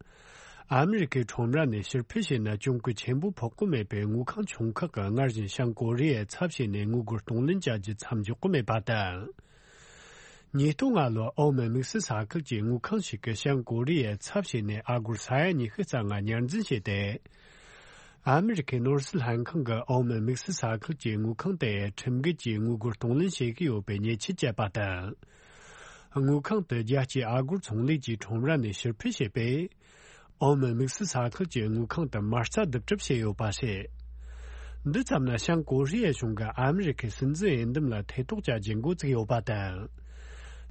ཨ་མི་རི་ཁའི་ཁྲོམ་ར་ནས་ཕྱིར་འཕུད་བྱས་ན་གྱོང་གུན་ཆེན་པོ་ཕོག་གི་མེད་པས། དངུལ་ཁང་ཆུང་ཁག་གིས་སྔར་བཞིན་བྱང་ཀོ་རི་ཡའི་ཚབ་བྱས་ནས་དངུལ་སྒོར་གཏོང་ལེན་བྱ་རྒྱུ་མཚམས་འཇོག་གི་མེད་པ་དང་། ཉིས་སྟོང་ལྔ་ལོར་ཨོ་མན་དམིགས་བསལ་ས་ཁུལ་གྱི་དངུལ་ཁང་ཞིག་གིས་བྱང་ཀོ་རི་ཡའི་ཚབ་བྱས་ནས་ཨ་སྒོར་ས་ཡ་ཉི་ཤུ་རྩ་ལྔ་ཉར་འཛིན་བྱས་ཏེ། ཨ་མི་རི་ཁའི་ནོར་སྲིད་ལྷན་ཁང་གིས་ཨོ་མན་དམིགས་བསལ་ས་ཁུལ་གྱི་དངུལ་ཁང་དེ་ཁྲིམས་འགལ་གྱིས་དངུལ་སྒོར་གཏོང་ལེན་བྱེད་ཀྱི་ཡོད་པའི་ཉེས་ཆད་བཅད་པ་དང་། དངུལ་ཁང་དེ་རྒྱལ་སྤྱིའི་ཨ་སྒོར་ཚོང་ལས་ཀྱི་ཁྲོམ་ར་ནས་ཕྱིར་འཕུད་བྱས་པས། ཨོ་མན་དམིགས་བསལ་ས་ཁུལ་གྱི་དངུལ་ཁང་དུ་མ་རྩ་བསྡུ་གྲབས་བྱས་ཡོད་པ་རེད། འདི་ཙམ་ན་བྱང་ཀོ་རི་ཡའི་གཞུང་གིས་ཨ་མི་རི་ཁའི་སྲིད་འཛིན་འོས་འདེམས་ལ་ཐེ་གཏོགས་བྱ་རྒྱུ་འགོ་བཙུགས་ཡོད་པ་དང་།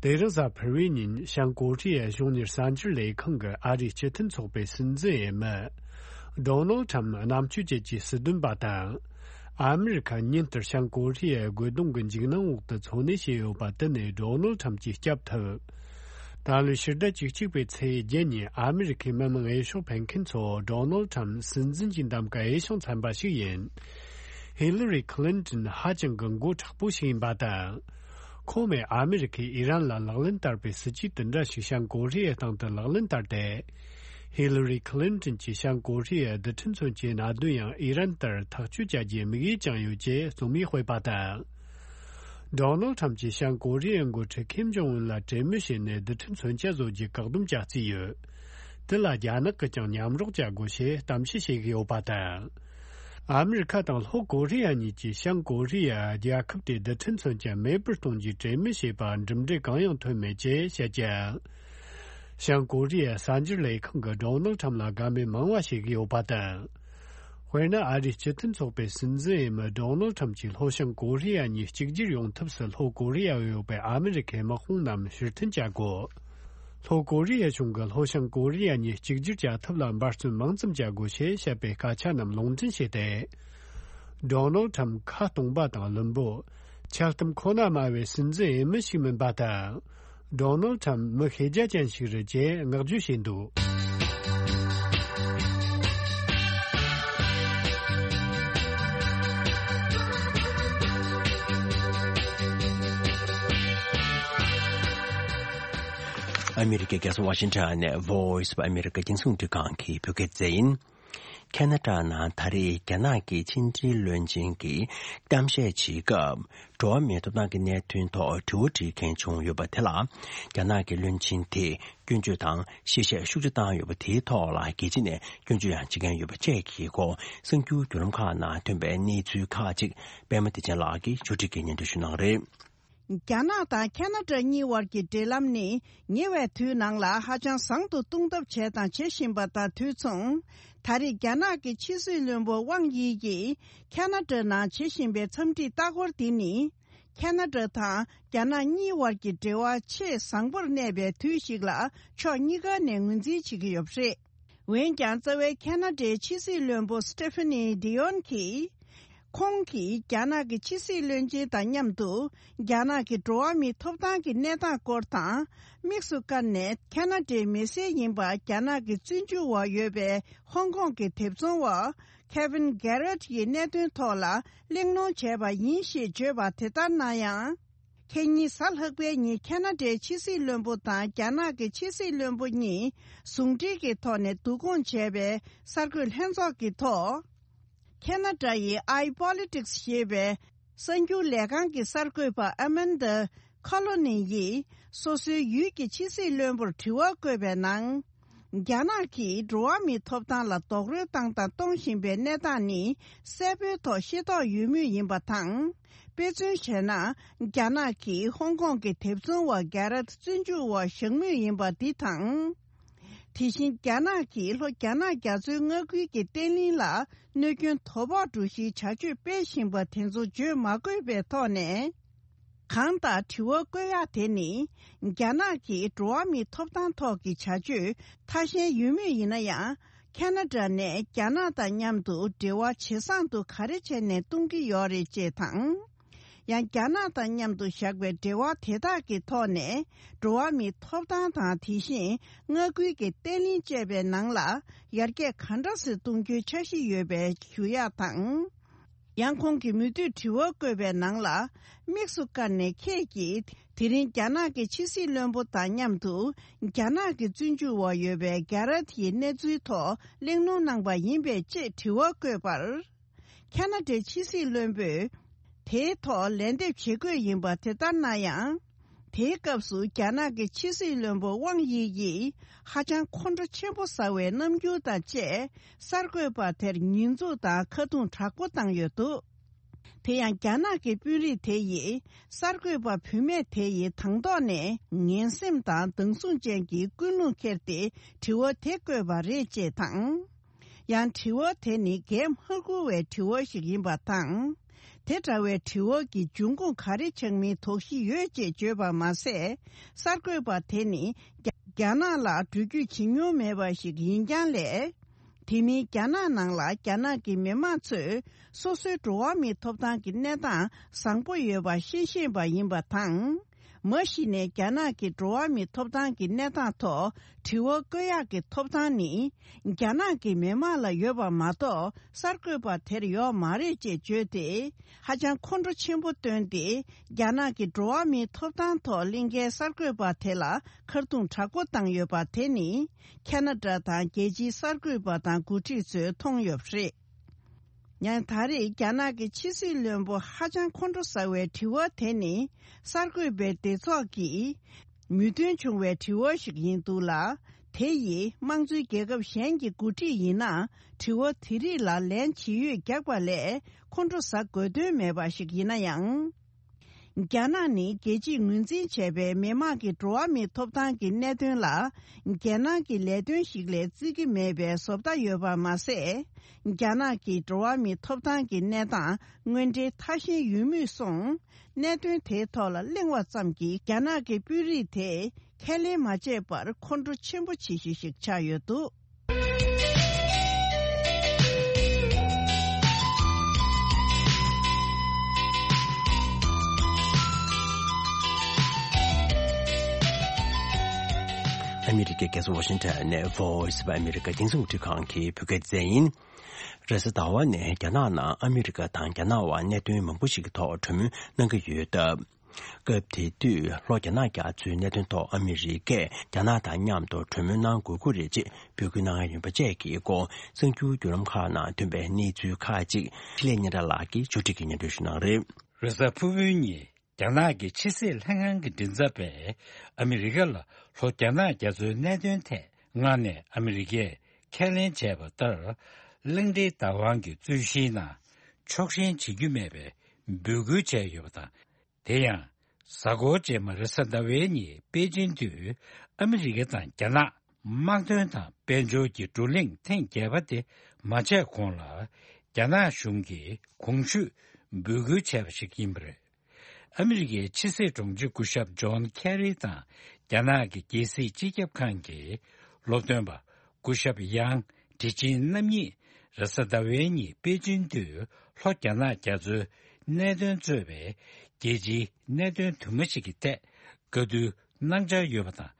དེ་རིང་གཟའ་ཕུར་བུའི་ཉིན་བྱང་ཀོ་རི་ཡའི་གཞུང་གཉེར་གསར་འགྱུར་ལས་ཁང་གིས་ཨ་རིའི་སྤྱི་མཐུན་ཚོགས་པའི་སྲིད་འཛིན་འོས་མི། ཌོ་ནལ་ཁྲམ་རྣམ་དཔྱོད་ཅན་གྱི་སྲིད་དོན་པ་དང་། ཨ་མི་རི་ཁ་ཉིན་ལྟར་བྱང་ཀོ་རི་ཡའི་རྒོལ་རྡུང་གི་འཇིགས་སྣང་འོག་ཏུ་འཚོ་གནས་བྱས་ཡོད་པ་དེ་ནས་ཌོ་ནལ་ཁྲམ་གྱིས་བསྐྱབས་ཐུབ། ད་ལོའི་ཕྱི་ཟླ་བཅུ་གཅིག་པའི་ཚེས་བརྒྱད་ཉིན་ཨ་མི་རི་ཁའི་མི་མང་འོས་ཤོག་འཕེན་མཁན་ཚོ་ཌོ་ནལ་ཁྲམ་སྲིད་འཛིན་གྱི་འདེམས་ཀ་འོས་ཤིང་འཚམ་པ་ཞིག་ཡིན། ཧི་ལི་རི་ཁི་ལིན་ཏོན་ཧ་ཅང་གི་མགོ་མཁྲེགས་པོ་ཞིག་ཡིན་པ་དང་། ཁོང་མོས་ཨ་མི་རི་ཁས་ཨི་རན་ལ་ལག་ལེན་བསྟར་པའི་སྲིད་ཇུས་དེ་འདྲ་ཞིག་བྱང་ཀོ་རི་ཡའི་སྟེང་དུ་ལག་ལེན་བསྟར་ཏེ། ཧི་ལི་རི་ཁི་ལིན་ཏོན་གྱིས་བྱང་ཀོ་རི་ཡའི་རྡུལ་ཕྲན་མཚོན་ཆའི་གནད་དོན་ཡང་ཨི་རན་ལྟར་ཐག་གཅོད་བྱ་རྒྱུའི་དམིགས་ཡུལ་བཅངས་ཡོད་ཅེས་རྩོམ་ཡིག་སྤེལ་པ་དང་། ཌོ་ནལ་ཁྲམ་གྱིས་བྱང་ཀོ་རི་ཡའི་འགོ་ཁྲིད་ཁིམ་ཇོང་ཨུན་ལ་གྲོས་མོལ་བྱས་ནས་རྡུལ་ཕྲན་མཚོན་ཆ་བཟོ་རྒྱུའི་བཀག་སྡོམ་བྱ་རྩིས་ཡོད། དེ་ལ་རྒྱ་ནག་གིས་ཀྱང་མཉམ་རོགས་བྱ་དགོས་ཞེས་གཏམ་བཤད་བྱེད་ཀྱི་ཡོད་པ་དང་། ཨ་མི་རི་ཁ་དང་ལྷོ་ཀོ་རི་ཡ་གཉིས་ཀྱིས་བྱང་ཀོ་རི་ཡ་རྒྱལ་ཁབ་དེའི་རྡུལ་ཕྲན་མཚོན་ཆ་མེད་པར་གཏོང་རྒྱུའི་གྲོས་མོལ་བྱས་པར་གྲུབ་འབྲས་གང་ཡང་ཐོན་མེད་ཅེས་བཤད་ཀྱང་། བྱང་ཀོ་རི་ཡའི་གསར་འགྱུར་ལས་ཁང་གིས་ཌོ་ནལ་ཁྲམ་ལ་དགའ་མོས་མང་བ་བྱེད་ཀྱི་ཡོད་པ་དང་། དཔེར་ན། ཨ་རིའི་སྤྱི་མཐུན་ཚོགས་པའི་སྲིད་འཛིན་འོས་མི་ཌོ་ནལ་ཁྲམ་གྱིས་ལྷོ་བྱང་ཀོ་རི་ཡ་གཉིས་གཅིག་གྱུར་ཡོང་ཐབས་སུ་ལྷོ་ཀོ་རི་ཡར་ཡོད་པའི་ཨ་མི་རི་ཁའི་དམག་དཔུང་རྣམས་ཕྱིར་འཐེན་བྱ་དགོས། ལྷོ་ཀོ་རི་ཡ་གཞུང་གིས་ལྷོ་བྱང་ཀོ་རི་ཡ་གཉིས་གཅིག་གྱུར་བྱ་ཐབས་ལ་འབད་བརྩོན་མང་ཙམ་བྱ་དགོས་ཞེས་བཤད་པའི་སྐད་ཆ་རྣམས་ལུང་འདྲེན་བྱས་ཏེ། ཌོ་ནལ་ཁྲམ་ཁ་སྟོང་པ་དང་བླུན་པོ། འཆལ་གཏམ་ཁོ་ན་སྨྲ་བའི་སྲིད་འཛིན་འོས་མི་ཞིག་མིན་པ་དང་། ཌོ་ནལ་ཁྲམ་མི་ཤེས་རྒྱ་ཅན་ཞིག་རེད་ཅེས་བསྔགས་བརྗོད་བྱས་འདུག་ཨ་མི་རི་ཀའི་རྒྱལ་ས་ཝ་ཤིང་ཊོན་ནས་Voice of America་རྒྱང་སྲིང་རླུང་འཕྲིན་ཁང་གི་བོད་སྐད་སྡེ་ཚན་ཡིན། ཁ་ན་ཌ་ནང་ད་རེས་རྒྱ་ནག་གི་ཕྱི་འབྲེལ་བློན་ཆེན་གྱིས་གཏམ་བཤད་བྱེད་སྐབས། འགྲོ་བ་མིའི་ཐོབ་ཐང་གི་གནད་དོན་ཐོག་དྲི་བ་དྲིས་མཁན་བྱུང་ཡོད་པ་དེ་ལ། རྒྱ་ནག་གི་བློན་ཆེན་དེས་སྐྱོན་བརྗོད་དང་ཤེས་བཤད་ཤུགས་ཆེ་བཏང་ཡོད་པ་དེའི་ཐོག་ལ་རྒྱལ་སྤྱི་ནས་སྐྱོན་བརྗོད་ཡང་བྱེད་མཁན་ཡོད་པ་བཅས་ཀྱི་སྐོར་གསར་འགྱུར་བརྒྱུད་ལམ་ཁག་ནང་ཐོན་པའི་གནས་ཚུལ་ཁག་ཅིག་པད་མ་བདེ་ཆེན་ལགས་ཀྱིས་ཕྱོགས་སྒྲིག་གིས་སྙན་སྒྲོན་ཞུ་གནང་གི་རེད། རྒྱ་ནག་དང་ཁ་ན་ཌ་གཉིས་བར་གྱི་འབྲེལ་ལམ་ནི་ཉེ་བའི་དུས་ནང་ལ་ཧ་ཅང་བཟང་དུ་གཏོང་ཐབས་བྱས་དང་བྱེད་བཞིན་པ་དང་དུས་མཚུངས། ད་རེས་རྒྱ་ནག་གི་ཕྱི་སྲིད་བློན་པོ་ཝང་དབྱི་ཡིས་ཁ་ན་ཌ་ནང་བྱེད་བཞིན་པའི་འཚམས་འདྲིའི་ལྟ་སྐོར་འདི་ནི། ཁ་ན་ཌ་དང་རྒྱ་ནག་གཉིས་བར་གྱི་འབྲེལ་བ་ཆེས་བཟང་པོར་གནས་པའི་དུས་ཤིག་ལ་ཕྱོགས་གཉིས་ཀ་ནས་ངོས་འཛིན་བྱེད་ཀྱི་ཡོད་པ་རེད། འོན་ཀྱང་རྩ་བའི་ཁ་ན་ཌའི་ཕྱི་སྲིད་བློན་པོ་སི་ཏེ་ཕ་ནི་ཌི་ཡོན་གྱིས། ཁོང་གིས་རྒྱ་ནག་གི་ཕྱི་སྲིད་བློན་ཆེན་དང་མཉམ་དུ་རྒྱ་ནག་གི་འགྲོ་བ་མིའི་ཐོབ་ཐང་གི་གནས་སྟངས་སྐོར་དང་། དམིགས་སུ་བཀར་ནས་ཁ་ན་ཌའི་མི་སེར་ཡིན་པ་རྒྱ་ནག་གི་བཙོན་འཇུག་འོག་ཡོད་པའི་ཧོང་ཀོང་གི་དེབ་ཚོང་བ་ཁེ་ཝིན་གྷེ་རེད་ཀྱི་གནད་དོན་ཐོག་ལ་གླེང་སློང་བྱས་པ་ཡིན་ཞེས་བརྗོད་པ་དེ་ལྟར་ན་ཡང་། ཁེ་ཉིན་གཟའ་ལྷག་པའི་ཉིན་ཁ་ན་ཌའི་ཕྱི་སྲིད་བློན་པོ་དང་རྒྱ་ནག་གི་ཕྱི་སྲིད་བློན་པོ་གཉིས་ཟུང་འབྲེལ་གྱི་ཐོག་ནས་བསྡུ་སྐོང་བྱས་པའི་གསར་འགོད་ལྷན་ཚོགས་ཀྱི་ཐོག་ཁ་ན་ཌ་ཡི་ཨའི་པོ་ལི་ཊིག་སི་ཞེས་པའི་གསར་འགྱུར་ལས་ཁང་གི་གསར་འགོད་པ་ཨ་མན་ཌ་ཁོ་ལོ་ནི་ཡིས་སོ་སོའི་ཡུལ་གྱི་ཕྱི་སྲིད་བློན་པོར་དྲི་བ་བཀོད་པའི་ནང་། རྒྱ་ནག་གིས་འགྲོ་བ་མིའི་ཐོབ་ཐང་ལ་རྡོག་རོལ་བཏང་དང་གཏོང་བཞིན་པའི་གནས་སྟངས་ནི་གསལ་པོའི་ཐོག་ཤེས་རྟོགས་ཡོད་མུས་ཡིན་པ་དང་། དཔེ་མཚོན་བྱས་ན། རྒྱ་ནག་གིས་ཧོང་ཀོང་གི་དེབ་ཚོང་བ་གྷེ་རད་བཙོན་འཇུག་འོག་བཞག་མུས་ཡིན་པ་འདི་དང་། དེ་བཞིན་རྒྱ་ནག་གིས་ལྷོ་རྒྱ་ནག་རྒྱ་མཚོའི་མངའ་ཁུལ་གྱི་བརྟན་ལྷིང་ལ་གནོད་སྐྱོན་དོ་ཕོག་འགྲོ་གཞིའི་བྱ་སྤྱོད་སྤེལ་བཞིན་པ་དེ་ཚོ་བརྗོད་མ་དགོས་པའི་ཐོག་ནས། གང་ལྟར་དྲི་བ་བཀོད་ཡག་དེ་ནི། རྒྱ་ནག་གིས་འགྲོ་བ་མིའི་ཐོབ་ཐང་ཐོག་གི་བྱ་སྤྱོད་ཐ་ཞན་ཡོད་མུས་ཡིན་ན་ཡང་། ཁ་ན་ཌ་ནས་རྒྱ་ནག་དང་མཉམ་དུ་འབྲེལ་བ་ཇེ་བཟང་དུ་ག་རེ་བྱས་ནས་གཏོང་གི་ཡོད་རེད་ཅེས་དང་། ཡང་རྒྱ་ནག་དང་མཉམ་དུ་བཞག་པའི་འབྲེལ་བ་དེ་དག་གི་ཐོག་ནས་འགྲོ་བ་མིའི་ཐོབ་ཐང་དང་། དེ་བཞིན་མངའ་ཁུལ་གྱི་བརྟན་ལྷིང་བཅས་པའི་ནང་ལ་ཡར་རྒྱས་ག་འདྲ་ཞིག་གཏོང་རྒྱུའི་འཆར་གཞི་ཡོད་པའི་ཞུ་ཡག་དང་། ཡང་ཁོང་གིས་མུ་མཐུད་དྲི་བ་བཀོད་པའི་ནང་ལ། དམིགས་སུ་བཀར་ནས་ཁྱེད་ཀྱིས་དེ་རིང་རྒྱ་ནག་གི་ཕྱི་སྲིད་བློན་པོ་དང་མཉམ་དུ་རྒྱ་ནག་གི་བཙོན་འཇུག་འོག་ཡོད་པའི་གྷེ་རད་ཡི་གནས་ཚུལ་ཐོག་གླེང་སློང་གནང་པ་ཡིན་པས་ཅེས་དྲི་བ་བཀོད་པར། ཁ་ན་ཌའི་ཕྱི་སྲིད་བློན་པོས་དེའི་ཐོག་ལན་འདེབས་བྱེད་དགོས་ཡིན་པ་དེ་ལྟར་ན་ཡང་། དེའི་སྐབས་སུ་རྒྱ་ནག་གི་ཕྱི་སྲིད་བློན་པོ་ཝང་དབྱི་ཡིས་ཧ་ཅང་ཁོང་ཁྲོ་ཆེན་པོ་ཟ་བའི་རྣམ་འགྱུར་དང་བཅས་གསར་འགོད་པ་དེར་ཉེས་འཛུགས་དང་ཁ་རྡུང་དྲག་པོ་བཏང་ཡོད་འདུག་དེ་ཡང་རྒྱ་ནག་གི་དཔོན་རིགས་དེ་ཡིས་གསར་འགོད་པ་བུད་མེད་དེ་ཡི་དང་ཐོག་ནས་ངན་སེམས་དང་སྡང་ཟུང་ཅན་གྱི་ཀུན་སློང་འཁྱེར་ཏེ་དྲི་བ་དེ་བཀོད་པ་རེད་ཅེས་དང་། ཡང་དྲི་བ་དེ་ནི་གས་མ་བསྐུར་བའི་དྲི་བ་ཞིག་ཡིན་པ་དང་། དེ་འདྲ་བའི་དྲི་བ་གི་འབྱུང་ཁུངས་ག་རེ་ཆགས་མིན་དོགས་གཞི་ཡོད་ཅེས་བརྗོད་པ་མ་ཟད། གསར་འགོད་པ་དེ་ནི་རྒྱ་རྒྱ་ནག་ལ་འགྲུལ་སྐྱོད་བྱེད་མྱོང་མེད་པ་ཞིག་ཡིན་རྐྱང་ལས། དེ་མིན་རྒྱ་ནག་ནང་ལ་རྒྱ་ནག་གི་མི་མང་ཚོས་སོ་སོའི་འགྲོ་བ་མིའི་ཐོབ་ཐང་གི་གནས་སྟངས་བཟང་པོ་ཡོད་པ་ཤེས་ཤེས་པ་ཡིན་པ་དང་། མ་གཞི་ནས་རྒྱ་ནག་གི་འགྲོ་བ་མིའི་ཐོབ་ཐང་གི་གནས་སྟངས་ཐོག་དྲི་བ་བཀོད་ཡག་གི་ཐོབ་ཐང་ནི་རྒྱ་ནག་གི་མི་མང་ལ་ཡོད་པ་མ་གཏོགས་གསར་འགོད་པ་དེར་ཡོད་མ་རེད་ཅེས་བརྗོད་དེ། ཧ་ཅང་ཁོང་ཁྲོ་ཆེན་པོ་བཏོན་ཏེ། རྒྱ་ནག་གི་འགྲོ་བ་མིའི་ཐོབ་ཐང་ཐོག་གླེང་མཁན་གསར་འགོད་པ་དེ་ལ་ཁ་རྡུང་དྲག་པོ་བཏང་ཡོད་པ་དེ་ནི་ཁ་ན་ཌ་དང་རྒྱལ་སྤྱིའི་གསར་འགོད་པ་དང་འགོ་ཁྲིད་ཚོས་མཐོང་ཡོད་པ་རེད། ཡང་ད་རེས་རྒྱ་ནག་གི་ཕྱི་སྲིད་བློན་པོ་ཧ་ཅང་ཁོང་ཁྲོ་ཟ་བའི་དྲི་བ་དེ་ནི་གསར་འགོད་པའི་སྡེ་ཚོགས་ཀྱིས་མོས་མཐུན་བྱུང་བའི་དྲི་བ་ཞིག་ཡིན་འདུག་ལ། དེ་ཡིས་དམངས་གཙོའི་རྒྱལ་ཁབ་གཞན་གྱི་འགོ་ཁྲིད་ཡིན་ན་དྲི་བ་དེ་རིགས་ལ་ལན་ཇི་ཡོད་རྒྱག་པ་ལས་ཁོང་ཁྲོ་ཟ་དགོས་དོན་མེད་པ་ཞིག་ཡིན་ན་ཡང་། རྒྱ་ནག་ནི་རྒྱལ་སྤྱིས་ངོས་འཛིན་བྱས་པའི་མི་དམངས་ཀྱི་འགྲོ་བ་མིའི་ཐོབ་ཐང་གི་གནད་དོན་ལ། རྒྱལ་ནང་གི་ལས་དོན་ཞིག་ལས་བརྩི་གི་མེད་པའི་བཟོ་ལྟ་ཡོད་པ་མ་ཟད། རྒྱ་ནག་གི་འགྲོ་བ་མིའི་ཐོབ་ཐང་གི་གནས་སྟངས་དངོས་འབྲེལ་ཐ་ཤལ་ཡོད་མུས་སོང་། གནད་དོན་དེའི་ཐོག་ལ་གླེང་བ་ཙམ་གྱིས་རྒྱ་ནག་གི་དཔོན་རིགས་དེས་ཁས་ལེན་མ་བྱས་པར་ཁོང་ཁྲོ་ཆེན་པོ་བྱེད་གཞི་ཞིག་ཆགས་ཡོད་འདུག། ཨ་མི་རི་ཀའི་རྒྱལ་ས་ཝ་ཤིང་ཊོན་ནས་Voice of America་རྒྱང་སྲིང་རླུང་འཕྲིན་ཁང་གི་བོད་སྐད་སྡེ་ཚན་ཡིན། རེས་གཟའ་ཟླ་བ་ནས་རྒྱ་ནག་ནང་ཨ་མི་རི་ཀ་དང་རྒྱ་ནག་དབར་གནད་དོན་མང་པོ་ཞིག་གི་ཐོག་གྲོས་མོལ་གནང་གི་ཡོད་སྟབས། སྐབས་དེ་དུས་ལྷོ་རྒྱ་ནག་རྒྱ་མཚོའི་གནད་དོན་ཐོག་ཨ་མི་རི་ཀས་རྒྱ་ནག་དང་མཉམ་དུ་གྲོས་མོལ་གནང་དགོས་ཀྱི་རེད་ཅེས་འབོད་སྐུལ་གནང་ཡ་ཡིན་པ་བཅས་ཀྱི་སྐོར་གསར་འགྱུར་བརྒྱུད་ལམ་ཁག་ནང་ཐོན་པའི་གནས་ཚུལ་ཁག་ཅིག་འཕྲིན་ལས་སྙན་གྲགས་ལགས་ཀྱིས་ཕྱོགས་སྒྲིག་གིས་སྙན་སྒྲོན་ཞུ་གནང་རེད། རེས་གཟའ་ཕུར་བུའི་ཉིན་རྒྱ་ནག་གི་ཕྱི་སྲིད་ལྷན་ཁང་གི་མགྲིན་ཚབ་པས་ཨ་མི་རི་ཀ་ལ་ལྷོ་རྒྱ་ནག་རྒྱ་མཚོའི་གནད་དོན་ཐད་སྔ་ནས་ཨ་མི་རི་ཀས་ཁས་ལེན་བྱས་པ་ལྟར། གླིང་ཕྲན་བདག་དབང་གི་རྩོད་གཞིའི་ནང་ཕྱོགས་ཞེན་བྱེད་རྒྱུ་མེད་པའི་འབོད་སྐུལ་བྱས་ཡོད་པ་དང་། དེ་ཡང་། གཟའ་འཁོར་རྗེས་མ་རེས་གཟའ་ཟླ་བའི་ཉིན་པེ་ཅིན་དུ་ཨ་མི་རི་ཀ་དང་རྒྱ་ནག་དམག་དོན་དང་དཔལ་འབྱོར་གྱི་བགྲོ་གླེང་ཐེངས་བརྒྱད་པ་དེ་མ་བྱས་གོང་ལ། རྒྱ་ནག་གཞུང་གིས་གོང་ཞུས་འབོད་སྐུལ་བྱས་པ་ཞིག་ཡིན་པ་རེད། ཨ་མི་རི་ཀའི་ཕྱི་སྲིད་དྲུང་ཆེ་སྐུ་ཞབས་ཇོན་ཁེ་རི་དང་རྒྱ་ནག་གི་རྒྱལ་སྲིད་སྤྱི་ཁྱབ་ཁང་གི་སློབ་སྟོན་པ། སྐུ་ཞབས་ཡང་ཁྲི་ཆིང་རྣམ་གཉིས་རེས་གཟའ་ཟླ་བའི་ཉིན་པེ་ཅིན་དུ་ལྷོ་རྒྱ་ནག་རྒྱ་མཚོའི་གནད་དོན་གཙོས་པའི་རྒྱལ་སྤྱིའི་གནད་དོན་དུ་མ་ཞིག་གི་ཐད་བཀའ་བསྡུར་གནང་འཆར་ཡོད་པ་དང་།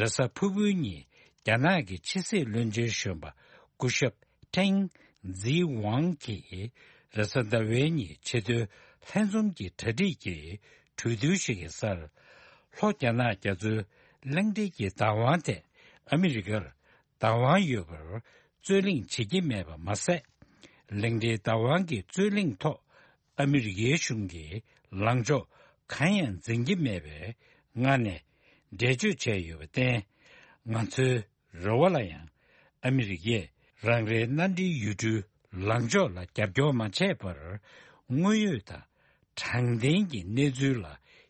རེས་གཟའ་ཕུར་བུའི་ཉིན་རྒྱ་ནག་གི་ཕྱི་སྲིད་བློན་ཆེན་གཞོན་པ་སྐུ་ཞབས་ཁྲེང་ཛི་ཝང་གིས་རེས་གཟའ་ཟླ་བའི་ཉིན་ཆེས་མཐོའི་ལྷན་འཛོམས་ཀྱི་གྲ་སྒྲིག་གི་གྲོས་བསྡུར་ཞིག་གི་སར། ལྷོ་རྒྱ་ནག་རྒྱ་མཚོའི་གླིང་ཕྲན་གྱི་བདག་དབང་ཐད་ཨ་མི་རི་ཀར་བདག་དབང་ཡོད་པར་རྩོད་གླེང་བྱེད་ཀྱི་མེད་པ་མ་ཟད། གླིང་ཕྲན་བདག་དབང་གི་རྩོད་གླེང་ཐོག་ཨ་མི་རི་ཀའི་གཞུང་གིས་ལངས་ཕྱོགས་གང་ཡང་འཛིན་གྱི་མེད་པའི་ངང་ནས་འགྲེལ་བརྗོད་བྱས་ཡོད་པར་བརྟེན། ང་ཚོའི་རེ་བ་ལ་ཡང་ཨ་མི་རི་ཀས་རང་རེའི་མནའ་འབྲེལ་ཡུལ་གྲུའི་ལངས་ཕྱོགས་ལ་རྒྱབ་སྐྱོར་མ་བྱས་པར་དངོས་ཡོད་དང་། དྲང་བདེན་གྱི་གནས་ཚུལ་ལ་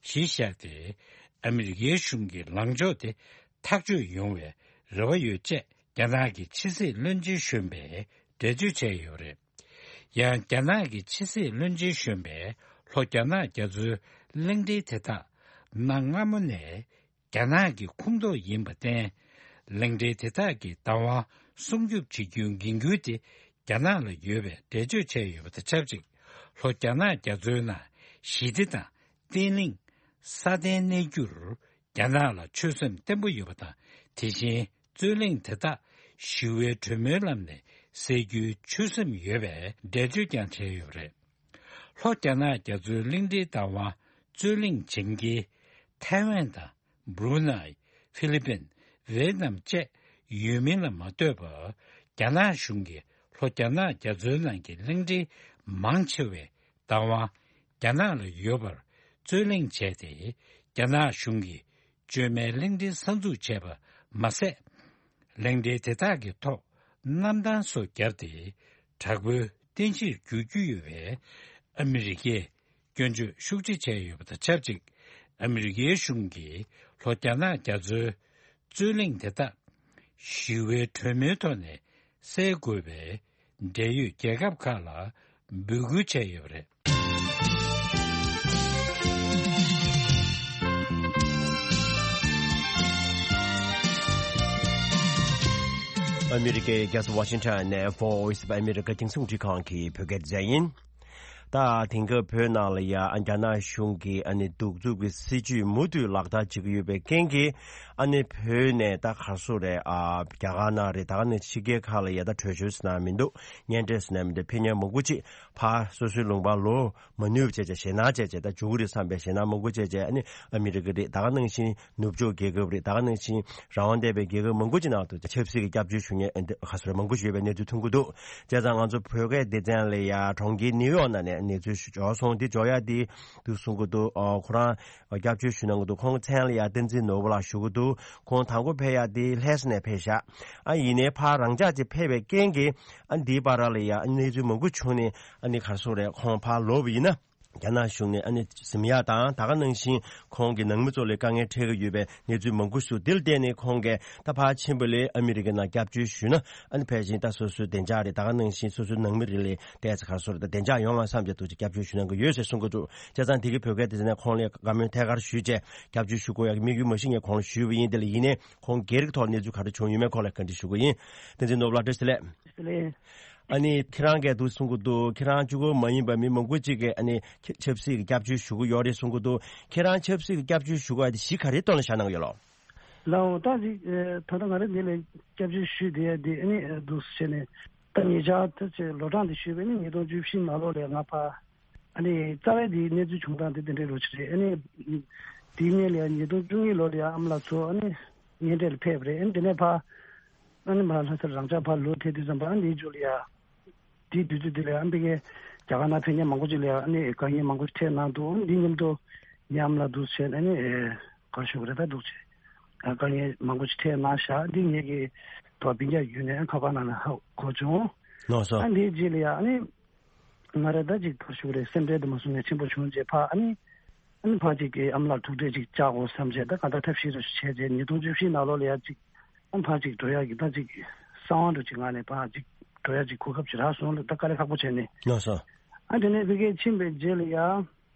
གཞི་བཞག་སྟེ། ཨ་མི་རི་ཀའི་གཞུང་གི་ལངས་ཕྱོགས་དེ་ཐག་གཅོད་ཡོང་བའི་རེ་བ་ཡོད་ཅེས་རྒྱ་ནག་གི་ཕྱི་སྲིད་བློན་ཆེན་གཞོན་པས་འགྲེལ་བརྗོད་བྱས་ཡོད་རེད། ཡང་རྒྱ་ནག་གི་ཕྱི་སྲིད་བློན་ཆེན་གཞོན་པས་ལྷོ་རྒྱ་ནག་རྒྱ་མཚོའི་གླིང་ཕྲན་དེ་དག་གནའ་སྔ་མོ་ནས་རྒྱ་ནག་གི་ཁོངས་གཏོགས་ཡིན་པར་བརྟེན། གླིང་ཕྲན་དེ་དག་གི་བདག་དབང་སྲུང་སྐྱོབ་བྱེད་རྒྱུའི་འགན་ཁུར་དེ་རྒྱ་ནག་ལ་ཡོད་པའི་འགྲེལ་བརྗོད་བྱས་ཡོད་པ་དང་ཆབས་ཅིག་ལྷོ་རྒྱ་ནག་རྒྱ་མཚོའི་ནང་ཞི་བདེ་དང་བརྟན་ལྷིང་སྲ་བརྟན་གནས་རྒྱུར་རྒྱ་ནག་ལ་ཆོད་སེམས་བརྟན་པོ་ཡོད་པ་དང་། དེ་བཞིན་རྩོད་གླེང་དེ་དག་ཞི་བའི་གྲོས་མོལ་ལམ་ནས་སེལ་རྒྱུའི་ཆོད་སེམས་ཡོད་པའི་འགྲེལ་བརྗོད་ཀྱང་བྱས་ཡོད་པ་རེད། ལྷོ་རྒྱ་ནག་རྒྱ་མཚོའི་གླིང་ཕྲན་བདག་དབང་རྩོད་གླེང་བྱེད་མཁན་ཐའེ་ཝན་དང་། སྦྲུ་ནའི། ཧྥི་ལི་པིན། ཝེ་ནམ་བཅས་ཡོད་མིན་ལ་མ་ལྟོས་པར། རྒྱ་ནག་གཞུང་གིས་ལྷོ་རྒྱ་ནག་རྒྱ་མཚོའི་ནང་གི་གླིང་ཕྲན་མང་ཆེ་བའི་བདག་དབང་རྒྱ་ནག་ལ་ཡོད་པར་རྩོད་གླེང་བྱས་ཏེ། རྒྱ་ནག་གཞུང་གིས་བཅོས་མའི་གླིང་ཕྲན་གསར་འཛུགས་བྱས་པ་མ་ཟད། གླིང་ཕྲན་དེ་དག་གི་ཐོག་གནམ་ཐང་སོགས་བརྒྱབ་སྟེ། དྲག་པོའི་རྟེན་གཞིར་འགྱུར་རྒྱུ་ཡོད་པའི་ཨ་མི་རི་ཀས་སྐྱོན་བརྗོད་ཤུགས་ཆེ་བྱས་ཡོད་པ་དང་ཆབས་ཅིག་ཨ་མི་རི་ཀའི་གཞུང་གིས་ལྷོ་རྒྱ་ནག་རྒྱ་མཚོའི་རྩོད་གླེང་དེ་དག་ཞི་བའི་གྲོས་མོལ་ཐོག་ནས་སེལ་དགོས་པའི་འབྲེལ་ཡོད་རྒྱལ་ཁབ་ཁག་ལ་འབོད་སྐུལ་བྱས་ཡོད་པ་རེད། ཨ་མི་རི་ཀའི་རྒྱལ་ས་ཝ་ཤིང་ཊོན་ནས་Voice of America་རྒྱང་སྲིང་རླུང་འཕྲིན་ཁང་གི་བོད་སྐད་སྡེ་ཚན་ཡིན། ད་དེང་སྐབས་བོད་ནང་ལ་ཡ་ཨ་རྒྱ་ནག་གཞུང་གིས་ཨ་ནི་གདུག་རྩུབ་ཀྱི་སྲིད་བྱུས་མུ་མཐུད་ལག་བསྟར་བྱེད་ཀྱི་ཡོད་པའི་རྐྱེན་གྱིས། ཨ་ནི་བོད་ནས་ད་ག་རེ་ཟེར་དགོས་རེད། ཨ་རྒྱ་གར་ནང་རེད། ད་ག་ནང་ཕྱི་རྒྱལ་ཁག་ལ་ཡ་ད་བྲོས་བྱོལ་ཟེར་ན་མི་འདུག་བརྙན་འཕྲིན་ཟེར་ན་མི་འདུག་ཕེབས་མཁན་མང་པོ་ཅིག་ཕར་སོ་སོའི་ལུང་པར་ལོག་མ་ནུས་པ་བྱས་བྱས་ཞེད་སྣང་བྱས་བྱས་ད་འགྱོ་གི་རེད་བསམ་པའི་ཞེད་སྣང་མང་པོ་བྱས་བྱས། ཨ་ནི་ཨ་མི་རི་ཀ་རེད། ད་ག་ནང་བཞིན་ནུབ་ཕྱོགས་རྒྱལ་ཁབ་རེད། ད་ག་ནང་བཞིན་རང་དབང་ལྡན་པའི་རྒྱལ་ཁབ་མང་པོ་ཅིག་ནང་དུ་ཆབ་སྲིད་ཀྱི་སྐྱབས་བཅོལ་ཞུ་མཁན་ཨ་ནི་ག་རེ་ཟེར་དགོས་རེད། མང་པོ་ཞིག་ཡོད་པའི་གནས་ཚུལ་ཐོན་གྱི་འདུག་བྱས་ཙང་ང་ཚོ་བོད་སྐད་སྡེ་ཚན་ལ་ཡ་གྲོང་ཁྱེར་ནིའུ་ཡོག་ནང་ནས་གནས་ཚུལ་ཞིག་འབྱོར་སོང་། འདི་འབྱོར་ཡ་དེ་འདུག་གསུང་གི་འདུག་ཨ་ཁོ་རང་སྐྱབས་བཅོལ་ཞུ་གནང་གི་འདུག་ཁོང་མཚན་ལ་ཡ་བསྟན་འཛིན་ནོར་བུ་ལགས་ཞུ་གི་འདུག་ཁོང་དང་པོ་ཕེབས་ཡ་དེ་ལྷ་ས་ནས་ཕེབས་ཤག་ཨ་ཡིན་ནའི་ཕར་རང་འཇགས་ཅིག་ཕེབས་པའི་རྐྱེན་གྱིས་ཨ་འདིའི་བར་ལ་ཡ་ཨ་གནས་ཚུལ་མང་པོ་བྱུང་ནས། ཨ་ནི་ག་རེ་ཟེར་དགོས་རེད། ཁོང་ཕར་ལོག་པ་ཡིན་ན། རྒྱ་ནག་གཞུང་ནས་ཨ་ནི་འཛེམ་ཡག་དང་། ད་ག་ནང་བཞིན་ཁོང་གི་ནང་མི་ཚོ་ལ་དཀའ་ངལ་འཕྲད་ཀྱི་ཡོད་པའི་གནས་ཚུལ་མང་པོ་ཞིག་འདི་ལ་བརྟེན་ནས་ཁོང་གིས་ད་ཕར་ཕྱིན་པ་ལས་ཨ་མི་རི་ཀའི་ནང་སྐྱབས་བཅོལ་ཞུས་ན་ཨ་ནི་ཕལ་ཆེར་ད་སོ་སོའི་བདེ་འཇགས་རེད། ད་ག་ནང་བཞིན་སོ་སོའི་ནང་མི་རེ་ལ་ཏོག་ཙམ་ག་རེ་ཟེར་དགོས་རེད། ད་བདེ་འཇགས་ཡོང་བ་བསམ་བྱས་འདུག་ཅེས་སྐྱབས་བཅོལ་ཞུ་གནང་གི་ཡོད་ཅེས་གསུང་གི་འདུག་བྱས་ཙང་དེ་གི་བོད་སྐད་དེ་ནས་ཁོང་ལ་བཀའ་མོལ་ཐད་ཀར་ཞུས་བྱས་སྐྱབས་བཅོལ་ཞུ་དགོས་ཡག་གི་དམིགས་ཡུལ་མ་གཞི་ངས་ཁོང་ལ་ཞུས་པ་ཡིན། དེ་ལ་ཡིན་ནའི་ཁོང་སྒེར་གྱི་ཐོག་གནས་ཚུལ་ག་རེ་བྱུང་ཡོད་མེད་ཁོང་ལ་བཀའ་འདྲི་ཞུ་གི་ཡིན། བསྟན་འཛིན་ནོར་བུ་ལགས་བཀྲ་ཤིས་བདེ་ལེགས། ཨ་ནི་ཁྱེད་རང་གིས་འདུག་གསུང་གི་འདུག་ཁྱེད་རང་གཅིག་པོ་མ་ཡིན་པ་མི་མང་པོ་ཅིག་གིས་ཨ་ནི་ཆབ་སྲིད་ཀྱི་སྐྱབས་བཅོལ་ཞུ་གི་ཡོད་རེད་གསུང་གི་འདུག་ཁྱེད་རང་ཆབ་སྲིད་ཀྱི་སྐྱབས་བཅོལ་ཞུ་དགོས་ཡ་དེ་གཞི་ག་རེའི་ཐོག་ལ་བཞག་གནང་གི་ཡོད་ལོ། ལའོ། ད་ཅིག་ཨེ། ད་ལྟ་ང་རང་འདི་ལ་སྐྱབས་བཅོལ་ཞུས་བསྡད་ཡ་དེ་ཨ་ནི་ཨེ། འདུག་ཟེར་ནས་ད་ཉེ་ཆར་ད་ཅིག་ལོ་གྲངས་དེ་ཞུས་པ་ཨ་ནི་ཉིས་སྟོང་བཅུ་བཞི་ནང་ལོགས་ལ་ང་ཕར་ཨ་ནི་རྩ་བའི་དེའི་གནས་ཚུལ་བྱུང་སྟངས་དེ་དེ་འདྲའི་རོ་ཅིག་རེད། ཨ་ནི་དེའི་སྔོན་ལ་ཡ་ཉིས་སྟོང་བཅུ་གཉིས་ལོ་ལ་ཡ་ཨ་མ་ལགས་ཚོ་ཨ་ནི་གཉེན་འཕྲད་ལ་ཕེབས་པ་རེད། ཨ་ནི་དེ་ནས་ཕར་ཨ་ནི་མར་ལྷ་སར་རང་ཅག་ཕར་ལོག་ཐེངས་དུས་ཙམ་པ་ཨ་ནི་དེའི་མཇུག་ལ་ཡ། དེའི་དུས་ཚོད་དེ་ལ་ཨ་ཕ་གིའི་རྒྱ་གར་ནང་ཕེབས་མཁན་མང་པོ་ཅིག་ལ་ཨ་ནི་དཀའ་ངལ་མང་པོ་ཞིག་འཕྲད་གནང་འདུག་འདི་མཉམ་དུ་ཉམས་ལ་འདུག་བྱས་ཨ་ནི་ཨེ། ག་རེ་ཞུ་དགོས་རེད། ད་འདུག་བྱས་ཨ་དཀའ་ངལ་མང་པོ་ཞིག་འཕྲད་གནང་བཞག་འདི་ངེད་ཀྱི་དོ་སྤུན་ཀྱག་བརྒྱུད་ནས་ཁ་པར་ནང་ལ་ཧ་གོ་བྱུང་། ལགས་སོ། ཨ་འདིའི་རྗེས་ལ་ཡ་ཨ་ནི་ང་རང་ད་ཅིག་ག་རེ་ཞུ་དགོས་རེད། སེམས་ཁྲལ་དུ་མ་སོང་ནས་ཆེན་པོ་བྱུང་རྗེས་ཕར་ཨ་ནི་ཨ་ནི་ཕར་ཅིག་གི་ཨ་མ་ལགས་ཐུག་འཕྲད་ཅིག་བཅར་དགོས་བསམ་བྱས་ད་གང་ལྟར་ཐབས་ཤེས་རེ་བྱས་རྗེས་ཉིས་སྟོང་བཅུ་བཞི་ནང་ལོགས་ལ་ཡ་ཅིག་ཨ་ཕར་ཅིག་འགྲོ་ཡག་གི་ད་ཅིག་གསང་བ་འདྲ་ཅིག་ངང་ནས་ཕར་ཅིག་འགྲོ་ཡག་ཅིག་གོ་སྐབས་ཅིག་རག་སོང་ལ་ད་དཀའ་ལས་ཁག་པོ་བྱས་ནས། ལགས་སོ། ཨ་དེ་ནས་ཕ་གིར་ཕྱིན་པའི་རྗེས་ལ་ཡ་ཨ་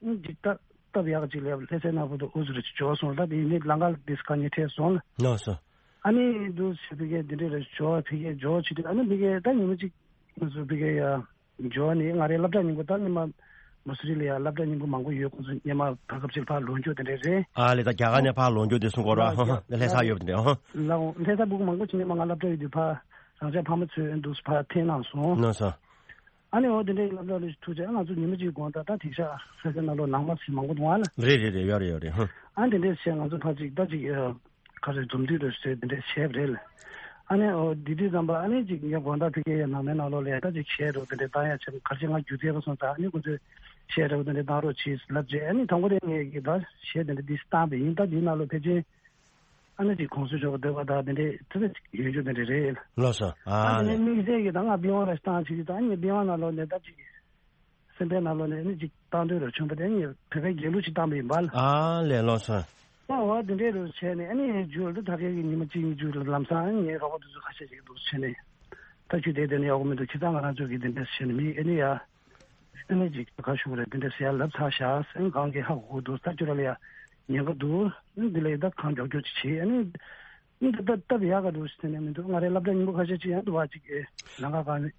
ཅིག་ད་སྟབས་ཡག་ཅིག་ལ་ལྷ་སའི་ནང་བར་དུ་འུ་ཚོ་རེ་ཅིག་འབྱོར་སོང་ལ་ད་དེ་ནས་ལམ་ཁ་ལ་དེ་དཀའ་ངལ་འཕྲད་སོང་ལ། ལགས་སོ། ཨ་ནི་འདུག་ཕ་གིར་དེ་འདྲས་རེ་འབྱོར་ཕ་གིར་འབྱོར་བྱེད་དུས་ཨ་ནི་ཕ་གིར་ད་ཉི་མ་ཅིག་ང་ཚོ་ཕ་གིར་ཡ། འབྱོར་ནས་ང་རའི་སློབ་གྲྭ་རྙིང་པ་ད་སྔོན་མ་མ་སུ་རི་ལ་ཡ་སློབ་གྲྭ་རྙིང་པ་མང་པོ་ཡོད། ཁོང་ཚོ་སྔོན་མ་བར་སྐབས་ཅིག་ཕར་ལོག་རྒྱུ་དེ་འདྲས་རེད། ཨ་ལས། ད་རྒྱ་གར་ནས་ཕར་ལོག་རྒྱུ་དེ་གསུང་གོ་ར་ཧང་ཧང་། ལྷ་ས་ཡོད་པ་དེ་འདྲས་ཧང་། ལགས་འོང་། ལྷ་ས་ཕྲུ་གུ་མང་པོ་ཅིག་སྔོན་མ་ང་སློབ་གྲྭ་ཡོད་དུས་ཕར་རང་ཅག་ཕ་མ་ཚོས་འདུག་ཕར་འཐེན་གནང་སོང་། གནང་སོང་། ཨ་ནི་འོ་དེ་འདྲས་སློབ་གྲྭ་ལ་ཐུག་རྗེས་ང་ཚོ་ཉི་མ་གཅིག་གོང་ད་ད་དེང་སང་ལྷ་ས་ནང་ལོགས་ནང་མ་ཞིག་མང་པོ་འདུག་ཨ་ལ། རེད་རེད་རེད། ཡོད་རེད་ཡོད་རེད་ཧང་། ཨ་དེ་འདྲས་བྱས་ང་ཚོ་ཕར་ཅིག་ད་ཅིག་ག་རེ་འཛོམས་འདུས་རེ་བཟོས་དེ་འདྲས་བྱས་པ་རེད་ལ། ཨ་ནི་འོ་དེ་དུས་ཙམ་པ་ཨ་ནི་ཅིག་ངས་དགོང་དག་ཕ་གིའི་ནང་མའི་ནང་ལོགས་ལ་ཡ་ད་ཅིག་གཞས་རོ་དེ་འདྲས་བཏང་ཡ་བྱས་ག་རེ་བྱས་ང་རྒྱུ་རྩལ་པ་སོང་ཙང་ཨ་ནི་ཁོ་ཚོས་གཞས་རོ་དེ་འདྲས་བཏང་རོགས་གྱིས་ལབ་རྗེས་ཨ་ནི་དང་པོ་དེ་ངས་ཀྱི་ད་གཞས་དེ་འདྲས་འདི་བཏང་པ་ཡིན། ད་དེའི་ནང་ལོགས་ཕལ་ཆེར་ཨ་ནི་ཅིག་གོང་སུ་མཆོག་གི་འདོད་པ་དང་དེ་འདྲས་ཙི་ཙི་ཡོད་རྒྱུ་དེ་འདྲས་རེད། ལགས་སོ། ཨ་ཨ་དེ་ནས་ལས། དམིགས་བསལ་གྱི་ད་ང་པི་ཝང་ར་ཞིག་བཏང་བྱེད་ཀྱི་ད་ངས་པི་ཝང་ནང་ལོགས་ནས་ད་ཅིག་སེམས་པའི་ནང་ལོགས་ནས་ཨ་ནི་ཅིག་བཏང་འདོད་ར་བྱུང་བ་དེ་ངས་བོད་པའི་རྒྱལ་གླུ་ཅིག་བཏང་པ་ཡིན་པ་ལ། ཨ་ལས། ལགས་སོ། ཨ་འོ་དེ་འདྲས་རུ་བྱས་ནས་ཨ་ནི་མཇུག་ལ་ད་ཕ་གི་ཉི་མ་གཅིག་གཉིས་མཇུག་ལ་ལམ་སང་ཨ་ནི་ངའི་རོགས་པ་དེ་ཚོ་ཁ་ཤས་ཅིག་འདུག་བྱས་ནས་ད་ཁྱོད་དེ་དེ་ནས་ཡག་པོ་མི་འདུག་ཁྱེད་ཚང་ང་རང་ཚོ་གི་དེ་འདྲས་བྱས་ནས་མི་ཨ་ནི་ཡ། ཨ་ནི་ཅིག་ག་ཞུ་གི་རེད། དེ་འདྲས་ཟེར་ཡ་ལབ་ཚར་བཞག་སེམས་གང་གི་ཧ་གོ་གི་འདུག་ད་ཁྱོད་ར་ལ་ཡ་ཉེན་ཁ་འདུག་འདི་ལ་ཡི་ད་གང་མགྱོགས་མགྱོགས་ཅིག་བྱེད་ཨ་ནི། ཨ་ནི་ད་སྟབས་ཡག་ག་འདུག་ཟེར་ནས་མི་འདུག་ང་རའི་སློབ་གྲྭ་རྙིང་པ་ཁ་ཤས་ཅིག་ཡང་འདུག་བ་ཅིག་གི་ལམ་ཁ་གང་ནས་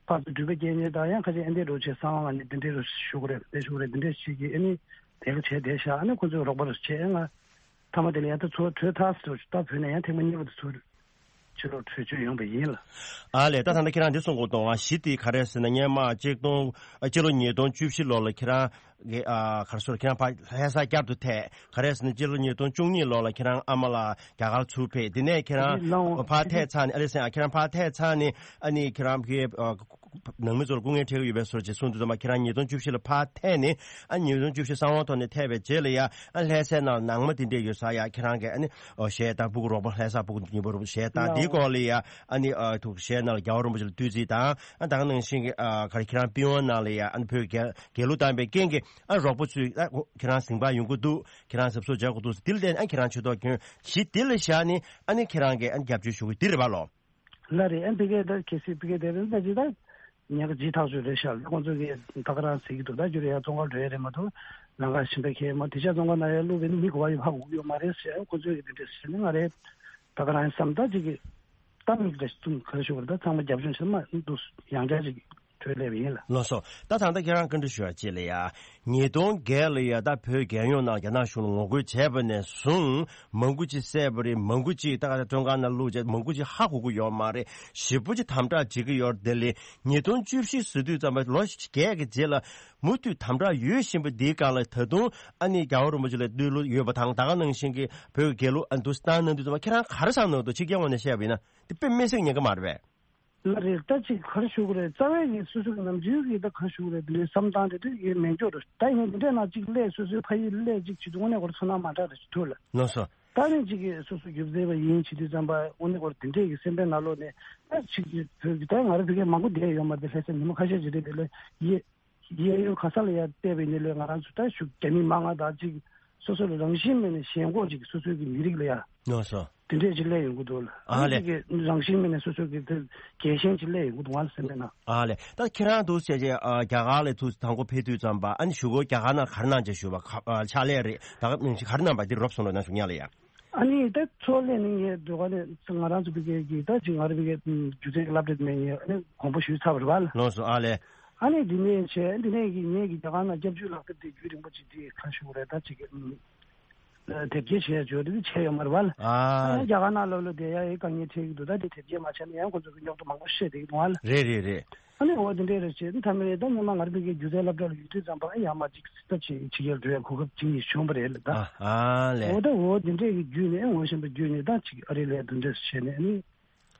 ཕར་ཚུར་འགྲུལ་པ་སྐྱེལ་མཁན་དང་ཡང་ཁ་ཤས་ཨ་འདྲས་རོགས་བྱེད་སང་བ་ནས་དེ་འདྲས་རོགས་ཞུ་གི་རེད། དེ་ཞུ་གི་རེད། དེ་འདྲས་ཞིག་གིས་ཨ་ནི་དེ་ག་བྱས་བསྡད་ཤག་ཨ་ནི་ཁོ་ཚོས་རོགས་པ་རོགས་བྱས་ང་མཐའ་མ་དེ་ལ་ཡང་ད་ཚུར་བྲོས་ཐག་ཟེར་ད་བོད་ནས་ཡང་ཐེངས་མ་གཉིས་པ་དེ་ཚུར་ཕྱིར་ལོག་བྲོས་བྱོལ་ཡོང་པ་ཡིན་ལ། ཨ་ལས། ད་ད་ལྟ་ཁྱེད་རང་འདི་གསུང་གོ་གཏོང་བ་གཞི་དེ་ག་རེ་ཟེར་ན་སྔོན་མ་གཅིག་སྟོང་ཨ་སྤྱི་ལོ་ཉིས་སྟོང་བཅུ་བཞི་ལོ་ལ་ཁྱེད་རང་གི་ཨ་ག་རེ་ཟེར་ཁྱེད་རང་ཕར་ལྷ་ས་བསྐྱར་དུ་ཐད་ག་རེ་ཟེར་ན་སྤྱི་ལོ་ཉིས་སྟོང་བཅུ་གཉིས་ལོ་ལ་ཁྱེད་རང་ཨ་མ་ལགས་རྒྱ་གར་ཚུར་ཕེབས། དེ་ནས་ཁྱེད་རང་ལའོ་ཕར་ཐད་ཚར་ནས་ཨ་ལེ་སེ་ཨ་ཁྱེད་རང་ཕར་ཐད་ཚར་ནས་ཨ་ནི་ཁྱེད་རང་གི་ཨ་ནང་མི་ཚོར་སྐུ་ངལ་འཕྲད་ཀྱི་ཡོད་པའི་བཟོ་ཅིག་གསུངས་དུས་ཙམ་པ་ཁྱེད་རང་ཉིས་སྟོང་བཅུ་བཞི་ལ་ཕར་ཐད་ནས་ཨ་ཉིས་སྟོང་བཅུ་བཞི་གསང་བའི་ཐོག་ནས་ཐད་པའི་རྗེས་ལ་ཡ་ཨ་ལྷ་སའི་ནང་ནང་མ་དེ་འདྲས་ཡོད་ས་ཡ་ཁྱེད་རང་གི་ཨ་ནི་ཨོ་གཞས་བཏང་སྤུ་གུ་རོགས་པ་ལྷ་ས་སྤུ་གུ་ཉིན་པ་རོགས་པ་གཞས་བཏང་དེའི་སྐོར་ལ་ཡ་ཨ་ནི་ཨ་ཐུག་གཞས་ནང་ལ་རྒྱལ་བ་རིན་པོ་ཆེ་ལ་བསྟོད་ཚིག་དང་ཨ་ད་ག་ནང་བཞིན་གྱི་ཨ་ག་རེ་ཁྱེད་རང་པི་ཝང་ནང་ལ་ཡ་ཨ་ནི་བོད་རྒྱལ་རྒྱལ་གླུ་བཏང་པའི་རྐྱེན་གྱིས་ཨ་རོགས་པ་ཚོས་ཨ་ཁྱེད་རང་གཟིམ་པ་ཡོང་གི་འདུག་ཁྱེད་རང་གཟབ་གཟབ་བྱེད་དགོས་འདུག་དེ་ལ་བརྟེན་ཨ་ཁྱེད་རང་ཆེ་མཐོང་གྱོན་གཞི་དེ་ལ་བཞག་ནས་ཨ་ནི་ཁྱེད་རང་གིས་ཨ་ནི་རྒྱབ་སྐྱོར་ཞུ་གི་འདི་རེད་པ་ལོ། ལ་རེད། ཨན་ཕི་ཀེ་ད་གལ་སྲིད་ཕི་ཀེ་དེ་རེད་ད་ཅི་ད་ཉག་ཅི་ཐག་ཆོད་རེད་ཤག་ཁོང་ཚོ་གིས་ད་ག་རང་ཟེར་གྱི་འདུག་ད་རྒྱུ་རེད་ཡ་ཙོང་ཁ་འགྲོ་ཡ་རེད་མ་གཏོགས་ལམ་ཁ་ཕྱིན་པ་ཁེལ་མ་དེ་ཤ་ཙོང་ཁ་ན་ཡ་བླུགས་པའི་མི་གོ་བ་ཡོད་ཧ་གོ་གི་ཡོད་མ་རེད་ཟེར་ཁོང་ཚོ་གིས་དེ་འདྲས་ཟེར་ནས་ང་རེད་ད་ག་རང་བསམ་ད་ཅིག་གི་ད་མིག་རེ་ཙུམ་ག་རེ་ཞུ་དགོས་རེད་ད་ཚང་མ་རྒྱབ་ལྗོངས་ཕྱིར་མ་འདུག་ཡང་བསྐྱར་ཅིག་གྲོས་སླེབས་ཡིན་ལ། ལགས་སོ། ད་ད་ལྟ་ཁྱེད་རང་བཀའ་འདྲི་ཞུ་ཡ་ཅིག་ལ་ཡ། ཉིས་སྟོང་བརྒྱད་ལ་ཡ་ད་བོད་རྒྱལ་ཡོངས་ནང་རྒྱ་ནག་གཞུང་ལ་ངོ་རྒོལ་བྱས་པ་ནས་བཟུང་མང་པོ་ཅིག་བསད་པ་རེད། མང་པོ་ཅིག་ད་ག་ད་བཙོན་ཁང་ནང་བླུགས་བྱས་མང་པོ་ཅིག་ཧ་གོ་གི་ཡོད་མ་རེད། ཞེ་པོ་ཅིག་དམ་དྲག་བྱེད་ཀྱི་ཡོད་རེད། དེ་ལས་ཉིས་སྟོང་བཅུ་བཞི་ཟེར་དུས་ཙམ་པ་ལོ་བརྒྱད་ཀྱི་རྗེས་ལ་མུ་མཐུད་དམ་དྲག་ཡོད་བཞིན་པ་འདིའི་སྒང་ལ་ད་དུང་ཨ་ནི་རྒྱལ་བ་རིན་པོ་ཆེ་ལ་བསྟོད་གླུ་ཡོད་པ་དང་ད་ག་ནང་བཞིན་གྱི་བོད་ཀྱི་རྒྱལ་གླུ་ཨ་འདུག་སེ་བཏང་གནང་དུས་ཙམ་པ་ཁྱེད་རང་ག་རེ་བསམ་གནང་འདུག་ཕྱི་རྒྱལ་ངོས་ནས་བཤད་པ་ཡིན་ན་དེ་དཔེ་མི་སྲིད་ཉེན་ཁ་མ་རེད་པས། ལ་རེད་ད་ཅིག་ག་རེ་ཞུ་དགོས་རེད། རྩ་བའི་གི་སོ་སོ་གི་ནམ་རྒྱུན་གི་ད་ག་རེ་ཞུ་དགོས་རེད། དེ་འདྲའི་བསམ་སྟངས་དེ་དུས་ཡེ་མེད་འཇོག་རེད། ད་ཡིན་དེ་འདྲས་ན་ཅིག་སླད་སོ་སོའི་ཕ་ཡུལ་སླད་ཅིག་བྱེད་དུས་དངོས་གནས་ཁོ་རང་ཚོར་སྣང་མ་འདྲ་རེ་ཞིག་ཐུག་ལ། ལགས་སོ། ད་ནི་ཅིག་གི་སོ་སོ་རྒྱུ་མཚན་པ་ཡིན་བྱེད་དུས་ཙམ་པ་དངོས་གནས་ཁོ་རང་དེ་འདྲས་གི་སེམས་པའི་ནང་ལོགས་ནས་ད་ཅིག་གི་བོད་ཀྱི་ད་ང་རང་བོད་སྐད་མང་པོ་བསྡད་ཡོད་མ་རེད། ལྷ་སའི་ཉི་མ་ཁ་ཤས་ཅིག་རེད་དེ་ལས་ཡེ། གཡས་གཡོན་ག་ས་ལ་ཡ་བལྟས་པའི་ནི་ལས་ང་རང་ཚོ་ད་ཞུ་རྒྱ་མི་མང་ང་དང་ཅིག་སོ་སོ་ལ་རང་བཞིན་མེད་ནས་ཞེན་ཁོག་ཅིག་སོ་སོའི་གི་མི་རིགས་ལ་ཡ། ནོ་སོ། དེ་འདྲས་ཅིག་སླེབས་ཡོང་གི་འདུག་ལ། ཨ་ལས། ཅིག་གི་རང་བཞིན་མེད་ནས་སོ་སོའི་གི་དེ་རྒྱལ་ཞེན་ཅིག་སླེབས་ཡོང་གི་འདུག་ང་ལ་སེམས་པའི་ནང་། ཨ་ལས། ད་ཁྱེད་རང་འདུག་བྱས་རྗེས་ཨ་རྒྱ་གར་ལ་ཐུག་དང་པོ་ཕེབས་དུས་ཙམ་པ་ཨ་ནི་གཞུག་གུ་རྒྱ་གར་ནང་ག་རེ་གནང་བྱས་བཞུགས་པ་ག་ཨ་ཕྱག་ལས་རེད་ད་ག་ག་རེ་གནང་པ་འདི་རོབ་སོང་རོགས་གནང་ཞུ་ཉག་ལ་ཡ། ཨ་ནི་ད་ཚོ་ལས་ནི་ངས་འདོད་པ་ནི་ང་རང་ཚོ་བི་གའི་གི་ད་ཅིག་ང་རང་བི་གའི་སྒྱུ་རྩལ་གྱི་སློབ་གྲྭ་དེ་ནས་ངས་ཨ་ནི་དགོངས་པ་ཞུས་ཚར་བ་རེད་བ་ལ། ལགས་སོ་ཨ་ལས། ཨ་ནི་འདི་ནས་བྱས་འདི་ནས་གི་ངས་གི་རྒྱ་གར་ནང་སྐྱབས་བཅོལ་ལག་དེབ་དེ་རྒྱུན་རིང་པོ་ཅིག་དེ་ཁ་ཤུ་རེད་ད་ཅིག་གི་དེབ་སྐྱེལ་བྱས་བྱོས་དེ་བྱས་ཡོད་མ་རེད་བ་ལ། ཨ་ཨ་ནི་རྒྱ་གར་ནང་ལོགས་ལ་བསྡད་ཡ་ཡི་དཀའ་ངལ་འཕྲད་ཀྱི་འདུག་ད་དེ་དེབ་སྐྱེལ་མ་བྱས་ན་ཡང་ཁོ་ཚོ་གི་རྙོག་དྲ་མང་པོ་བཤད་བསྡད་ཀྱི་འདུག་བ་ལ། རེད་རེད་རེད། ཨ་ནི་འོ་དེ་འདྲས་རེད་བྱས་ཨ་ནི་ཐ་མའི་ད་སྔོན་མ་ང་རང་བི་གའི་སྒྱུ་རྩལ་སློབ་གྲྭ་ལ་ཡོད་དུས་ཙམ་པ་ཡང་མ་ཅིག་ད་ཅིག་ཕྱི་རྒྱལ་འགྲོ་ཡ་གོ་སྐབས་ཅིག་ཡིན་བྱུང་བ་རེད་ལ་ད། ཨ་ཨ་ལས། འོ་ད་འོ་དེ་འདྲས་ཀྱི་བརྒྱུད་ནས་ངོ་ཤེས་པ་བརྒྱུད་ནས་ད་ཅིག་ཨ་རི་ལ་དེ་འདྲས་བྱས་ནས་ཨ་ནི་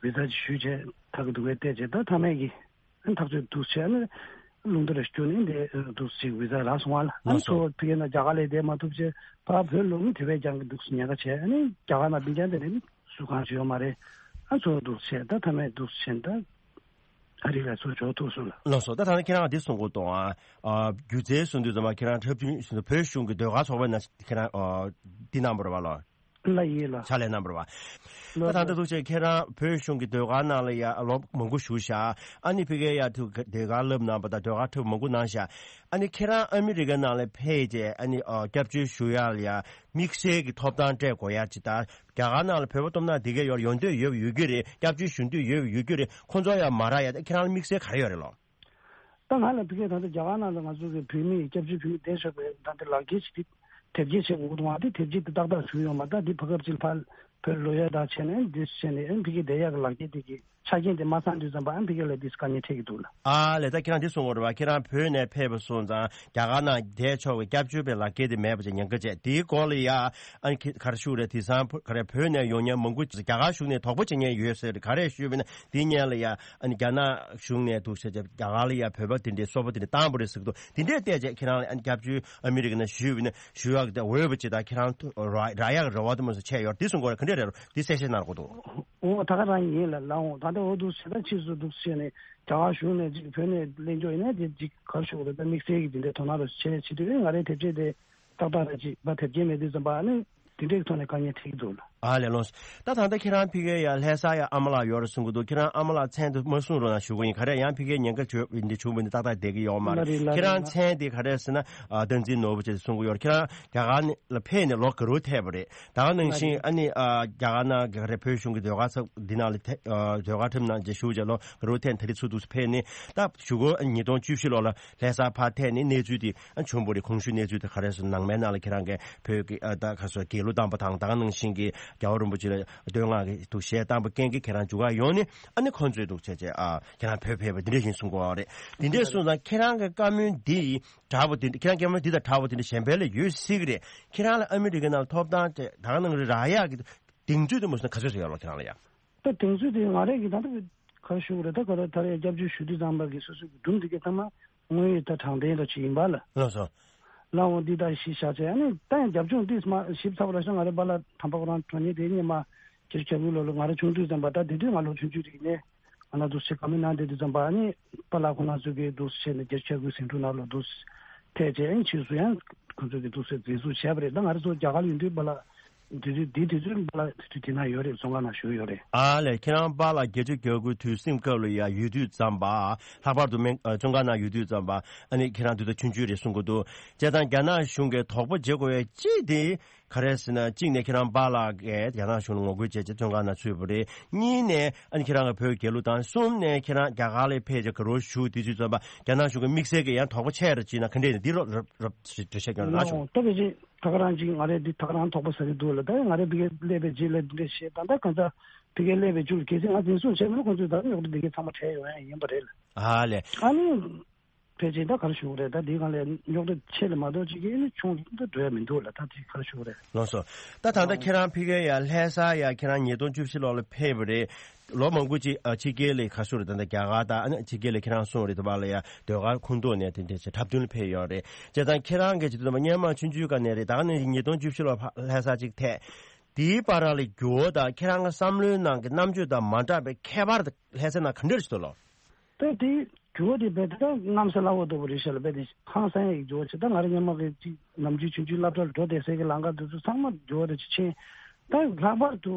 བི་ཟ་ཅིག་ཞུས་བྱས་ད་གི་འདུག་བས་བལྟས་བྱས་ད་ཐ་མའི་གི་ཨ་ནི་ཐག་གཅོད་འདུག་བྱས་ཨ་ནི་རླུང་རྟ་ར་སྐྱོ་ནས་འདི་འདུག་ཅིག་བི་ཟ་རག་སོང་བ་ལ་ཨ་ནི་ལགས་སོ། ཚོ་བི་གའི་ན་རྒྱ་གར་ལ་བསྡད་མ་ཐུབ་བྱས་ཕ་བོད་ལུང་དེ་བས་ཀྱང་གི་འདུག་ཉེན་ཁ་བྱས་ཨ་ནི་རྒྱ་གར་ན་བི་ཀྱང་དེ་ནས་སུ་གང་ཞིག་ཡོད་མ་རེད། ཨ་ཚོ་འདུག་བྱས་ད་ཐ་མའི་འདུག་བྱས་ད། ཨ་རི་ལ་ཚུར་འབྱོར་ཐུབ་སོང་ལ། ལགས་སོ། ད་ད་ནི་ཁྱེད་རང་འདི་གསུང་གི་འདུག་ཨ། སྒྱུ་རྩལ་གསུང་དུས་ཙམ་པ་ཁྱེད་རང་འཁྲབ་སྟོན་གསུང་དུས་བོད་གཞུང་གི་ཟློས་གར་ཚོགས་པའི་ནང་ཁྱེད་རང་ཨ། འདི་གནང་བ་རེད་བ་ལགས། ལགས་ཡིན་ལགས། ཕྱག་ལས་གནང་བ་རེད་བ། ད་ལགས་ད་ལྟ་ཐུགས་རྗེ་ཆེ་ཁྱེད་རང་བོད་གཞུང་གི་ཟློས་གར་ནང་ལ་ཡ་ལོ་མང་པོ་བཞུགས་ཤག་ཨ་ནི་ཕ་གིར་ཡ་ཐུག་ཟློས་གར་བསླབ་གནང་བ་དང་ཟློས་གར་འཁྲབ་མང་པོ་གནང་ཤག་ཨ་ནི་ཁྱེད་རང་ཨ་མི་རི་ཀའི་ནང་ལ་ཕེབས་རྗེས་ཨ་ནི་ཨ་སྐྱབས་བཅོལ་ཞུ་ཡག་ལ་ཡ་དམིགས་བསལ་གྱི་ཐོབ་ཐང་སྤྲད་དགོས་ཡག་ཅིག་དང་། རྒྱ་གར་ནང་ལ་བོད་པ་སྟོབས་ན་དེ་གའི་ཡོད་ཡོང་འདོད་ཡོད་ཡོད་ཀྱི་རེད། སྐྱབས་བཅོལ་ཞུ་འདོད་ཡོད་ཡོད་ཀྱི་རེད། ཁོང་ཚོ་ཡང་མ་རག་ཡ་ད་ཁྱེད་རང་ལ་དམིགས་བསལ་ག་རེ་ཡོད་རེད་ལོ། ད་ང་ལ་ཕ་གིར་ད་ལྟ་རྒྱ་གར་ནང་ལ་ང་ཚོ་གི་བོད་མི་སྐྱབས་བཅོལ་བོད་མི་བསྡད་ཆོག་པའི་ད་ལྟ་ལག་འཁྱེར་ཞིག་དེ་དེབ་སྐྱེལ་བྱེད་དགོས་འདུག་བ། དེ་དེབ་སྐྱེལ་དེ་ཏག་ཏག་བྱུང་ཡོད་མ་རེད། ད་དེ་ཕ་གིར་ཅིག་ཕར་བོད་ལོག་ཡ་ད་བྱས་ནས་འདི་བྱས་ནས་ཨ་ཕ་གིར་བསྡད་ཡག་གི་ལག་འཁྱེར་དེ་གི་ཆ་རྐྱེན་དེ་མ་ཚང་དུས་ཙམ་པ་ཨ་ཕ་གི་ལ་དེ་དཀའ་ངལ་འཕྲད་ཀྱི་འདུག་ལ། ཨ་ལས་ད་ཁྱེད་རང་དེ་གསུང་བ་རེད་བ། ཁྱེད་རང་བོད་ནས་ཕེབས་པ་སོང་ཙང་རྒྱ་གར་ནང་བསྡད་ཆོག་པའི་སྐྱབས་བཅོལ་བའི་ལག་འཁྱེར་དེ་མེད་པ་ཅིག་ཉེན་ཁ་བྱས་དེའི་སྐོར་ལ་ཡ་ཨ་ནི་ག་རེ་ཞུ་རེད། དེང་སང་ག་རེ་བོད་ནས་ཡོང་མཁན་མང་པོ་རྒྱ་གར་གཞུང་ནས་དོགས་པ་བྱེད་མཁན་ཡོད་ཟེར་ག་རེ་ཞུས་པ་ན་དེ་སྔོན་ལ་ཡ་ཨ་ནི་རྒྱ་ནག་གཞུང་ནས་འདུག་ཟེར་རྒྱ་གར་ལ་ཡ་བོད་པ་དེ་འདྲའི་སོ་པ་དེ་འདྲ་བཏང་པ་རེད་ཟེར་གི་འདུག་དེ་འདྲས་བལྟས་རྗེས་ཁྱེད་རང་ལ་ཨ་ནི་སྐྱབས་བཅོལ་ཨ་མི་རི་ཀ་ནང་ཞུས་པ་ན་ཞུ་ཡག་དེ་འོས་པ་ཅིག་དང་ཁྱེད་རང་རག་ཡག་རེ་བ་དེ་མ་སོང་བྱས་ཡོད་དེ་གསུང་གི་རེད། ག་འདྲས་རེད་རོ་དེ་གསལ་བཤད་གནང་རོགས་གྱིས། འོ་ད་ག་རང་ཡིན་ལ་ལའོ། ད་ལྟ་འོ་འདུག་ཟེར་ད་ཕྱིས་སུ་འདུག་ཟེར་ནས་རྒྱ་གར་གཞུང་ནས་ཅིག་བོད་ནས་གླེང་རྒྱུ་ཡིན་ན་དེ་ཅིག་ག་རེ་ཞུ་དགོས་རེད། ད་དམིགས་བསལ་གྱི་དེ་འདྲའི་དོ་སྣང་རོགས་བྱས་བྱེད་དུས་ང་རའི་དེབ་ཆས་དེ་ཏག་ཏག་རེད་ཅིག་ད་དེབ་སྐྱེལ་མེད་དུས་ཙམ་པ་ཨ་ནི་དེ་འདྲའི་ཐོག་ནས་དཀའ་ངལ་འཕྲད་ཀྱི་འདུག་ལ། ཨ་ལས་ལོངས། ད་ད་ལྟ་ཁྱེད་རང་ཕ་གིར་ཡ་ལྷ་ས་ཡ་ཨ་མ་ལགས་ཡོད་རེད་གསུང་གི་འདུག་ཁྱེད་རང་ཨ་མ་ལགས་མཚན་དེ་མ་གསུང་རོགས་གནང་ཞུ་གི་ཡིན། ག་རེ་ཡང་ཕ་གིར་ཉེན་ཁ་བྱུང་འདི་བྱུང་བ་འདི་ཏག་ཏག་བསྡད་ཀྱི་ཡོད་མ་རེད། ལ་རེད་ལ་ཁྱེད་རང་རེད་ལ། མཚན་དེ་ག་རེ་ཟེར་ན་ཨ་བསྟན་འཛིན་ནོར་བུ་ཅེས་གསུང་གི་ཡོད་རེད། ཁྱེད་རང་རྒྱ་གར་ནས་ལ་ཕེབས་ནས་ལོ་ག་རེ་ཐལ་བ་རེད། ད་ག་ནང་བཞིན་ཨ་ནི་ཨ་རྒྱ་གར་ནང་གི་རེད་བོད་གཞུང་གི་ཟློས་གར་ཚོགས་འདི་ནང་ལ་ཐེ་ཨ་ཟློས་གར་ཁྲིམས་ནང་ཅིག་ཞུགས་བྱས་ལོ་ག་རེ་ཐེན་ད་རེས་ཚུར་འདུག་སེ་ཕེབས་ནས་ད་གཞུག་གུ་ཉིས་སྟོང་བཅུ་བཞི་ལོ་ལ་ལྷ་སར་ཕར་ཐེན་ནས་གནས་ཚུལ་དེ་ཨ་བྱུང་བ་རེད། གོང་ཞུས་གནས་ཚུལ་དེ་ག་རེ་ཟེར་ནང་མའི་ནང་ལ་ཁྱེད་རང་གི་བོད་ཀྱི་ཨ་ད་ག་སོ་རྒྱལ་གླུ་བཏང་པ་དང་ད་ག་ནང་བཞིན་གྱི་རྒྱལ་བ་རིན་པོ་ཆེ་ལ་བསྟོད་བསྔགས་ཀྱི་ཐུགས་བཞེས་བཏང་པ་རྐྱེན་གྱིས་ཁྱེད་རང་འཇུ་གར་ཡོང་ནས་ཨ་ནི་ཁོང་ཚོས་འདུག་བྱས་བྱས་ཨ་ཁྱེད་རང་བོད་ཕེབས་པ་འདི་འདྲ་ཡིན་གསུང་གི་ཡོད་རེད། འདི་འདྲས་གསུངས་ཙང་ཁྱེད་རང་གི་བཀའ་མོལ་འདི་འདྲ་པོ་དེ་འདྲ་ཁྱེད་རང་སྐྱེ་དམན་འདི་དང་འདྲ་པོ་དེ་འདྲ་གཞན་པ་ལ་ཡོད་སྲིད་ཀྱི་རེད། ཁྱེད་རང་ལ་ཨ་མི་རི་ཀའི་ནང་ཐོབ་ཐང་དེ་ད་ག་ནང་རེ་རག་ཡག་གི་གདེང་ཚོད་དེ་མོ་སོང་ག་ཚོད་ཚོད་ཡོད་ལོ་ཁྱེད་རང་ལ་ཡ། ད་གདེང་ཚོད་དེ་ང་རང་གི་ད་ལྟ་ག་རེ་ཞུ་དགོས་རེད། ད་ག་རེ་ད་རེས་སྐྱབས་བཅོལ་ཞུ་དུས་ཙམ་པ་གི་སོ་སོ་གི་སྒྲུང་འདི་གའི་ཐ་མ་དངོས་ཡོད་ད་དྲང་བདེན་ར་ཅིག་ཡིན་པ་ལ། ལགས་སོ། ལ་འོང་འདི་ད་གཞི་བཞག་བྱས་ཨ་ནི་ད་ཡང་རྒྱབ་ལྗོངས་འདི་མ་ཞིབ་ཚགས་པ་ར་ཤ་ང་རེ་པཱ་ལགས་དམ་པ་ཁོ་རང་དྲང་ཉེ་དེ་ཉེ་མ་ཁྱེད་ཁྱབ་ལུ་ལོ་ལོ་ང་རེ་ཆུང་དུས་ཙམ་པ་ད་དེ་དུས་ང་ལོ་ཆུང་ཆུང་རིག་ནས། ང་ལ་འདུག་སེ་བཀའ་མོལ་གནང་བསྡད་དུས་ཙམ་པ་ཨ་ནི་པཱ་ལགས་ཁོང་རྣམ་ཚོ་གིས་འདུག་སེ་བྱས་ནས་རྒྱལ་སྤྱི་ཁྱབ་ཁུལ་ཟིང་འཁྲུག་ནང་ལ་འདུག་སེ་ཐད་བྱས་ཨ་ནི་ཕྱིས་སུ་ཡང་ཁོང་ཚོ་གིས་འདུག་སེ་འཛིན་བཟུང་བྱས་པ་རེད། ད་ང་རང་ཚོ་རྒྱ་གར་ལ་ཡོད་དུས་པཱ་ལགས་དེ་དུས་དེ་དུས་ཚོད་པཱ་ལགས་དེ་དུས་དེ་ན་ཡོད་རེད། བཙོན་ཁང་ནང་བཞུགས་ཡོད་རེད། ཨ་ལས་ཁྱེད་རང་པཱ་ལགས་རྒྱལ་སྤྱི་ཁྱབ་ཁུལ་དུས་སེམས་སྐབས་ལ་ཡ་ཡོད་དུས་ཙམ་པ་ལྷག་པར་དུ་སྨན་ཨ་བཙོན་ཁང་ནང་ཡོད་དུས་ཙམ་པ་ཨ་ནི་ཁྱེད་རང་དུས་ད་ཆུང་ཆུང་རེད་གསུང་གི་འདུག་བྱས་ཙང་རྒྱ་ནག་གཞུང་གིས་དོགས་པ་བྱེད་དགོས་པའི་གཅིག་དེ། ག་རེ་ཟེར་ན་གཅིག་ནས་ཁྱེད་རང་པཱ་ལགས་ཀྱིས་རྒྱ་ནག་གཞུང་ལ་ངོ་རྒོལ་བྱས་རྗེས་བཙོན་ཁང་ནང་ཚུད་པ་རེད། གཉིས་ནས་ཨ་ནི་ཁྱེད་རང་གི་བོད་རྒྱལ་གླུ་དང་གསུམ་ནས་ཁྱེད་རང་རྒྱ་གར་ལ་ཕེབས་རྗེས་ག་རེ་བྱུང་དུས་ཚོད་ཙམ་པ་རྒྱ་ནག་གཞུང་གི་དམིགས་བསལ་གྱི་ཡང་དོགས་པ་ཆེ་རུ་ཕྱིན་ན་ག་འདྲས་ཡིན་འདི་རོབ་རོབ་འགྲེལ་བཤད་སྐྱོན་ལ་ན་ཞུ། ད་ཕལ་ཆེར་ད་ག་རང་ཅིག་ང་རེ་འདི་ད་ག་རང་དོགས་པ་ཟ་གི་འདུག་ལ། ད་ང་རེ་ཕ་གིར་སླེབས་པའི་རྗེས་ལ་འདི་འདྲས་བཤད་ད་ད་གང་ཟག་ཕ་གིར་སླེབས་པའི་རྒྱུ་ལ་གལ་སྲིད་ང་འཛིན་བཟུང་བྱས་མེད་ན་ཁོང་ཚོས་ད་རྙོག་དྲ་འདི་གའི་ཚང་མ་བྲལ་ཡོང་ཡ་ཡིན་པ་རེད་ལ། ཨ་ལས། ཨ་ནི། ཕལ་ཆེར་ད་ག་རེ་ཞུ་དགོས་རེད། ད་འདི་སྒང་ལ་རྙོག་དྲ་ཆེ་ལ་མ་གཏོགས་ཅིག་གི་ཆུང་ལ་འགྲོ་ཡ་མི་འདུག་ལ། ད་དེ་ག་རེ་ཞུ་དགོས་རེད། ལགས་སོ། ད་ད་ལྟ་ཨོ། ཁྱེད་རང་ཕ་གིར་ཡ་ལྷ་ས་ཡ་ཁྱེད་རང་ཉིས་སྟོང་བཅུ་བཞི་ལོ་ལ་ཕེབས་པ་རེད། ལོ་མང་པོ་ཅིག་ཨ་ཕྱི་རྒྱལ་ལ་ག་ཚོད་རེད། ད་ལྟ་རྒྱ་གར་དང་ཨ་ནི་ཕྱི་རྒྱལ་ལ་ཁྱེད་རང་སོང་རེད། དེ་བ་ལ་ཡ་ཟློས་གར་ཁུངས་གཏུགས་ནས་དེ་འདྲས་བྱས་འཁྲབ་སྟོན་ལ་ཕེབས་ཡོད་རེད། བྱས་ཙང་ཁྱེད་རང་གི་ཅིག་ཏུ་སྔོན་མ་ཆུང་ཆུང་སྒང་ནས་རེད། ད་ག་ནང་བཞིན་ཉིས་སྟོང་བཅུ་བཞི་ལོ་ཕ་ལྷ་ས་ཅིག་ཐད། དེའི་བར་ལ་འགྱུར་བ་དང་ཁྱེད་རང་གི་བསམ་བློའི་ནང་གི་རྣམ་དཔྱོད་དང་མ་འདྲ་བའི་ཁྱད་པར་དེ་ལྷ་སའི་ནང་ག་འདྲས་ཞིག་འདུག་ལོ། ད་དེ། འགྱུར་བ་དེ་རྦད་དེ་ད་གནམ་ས་བླ་འོག་ལྟ་བུ་རེད་ཤག་ལ། རྦད་དེ་ཧང་སང་ཡ་ཡི་འགྱུར་བ་ཆེ། ད་ང་རང་སྔོན་མ་གི་ཅིག་ནམ་རྒྱུན་ཆུང་ཆུང་སློབ་གྲྭ་ལ་འགྲོ་བསྡད་སའི་གི་ལམ་ཁ་དེ་ཚོ་ཚང་མ་འགྱུར་བ་དེ་ཆེ་ཆེན། ད་ལྷག་པར་དུ་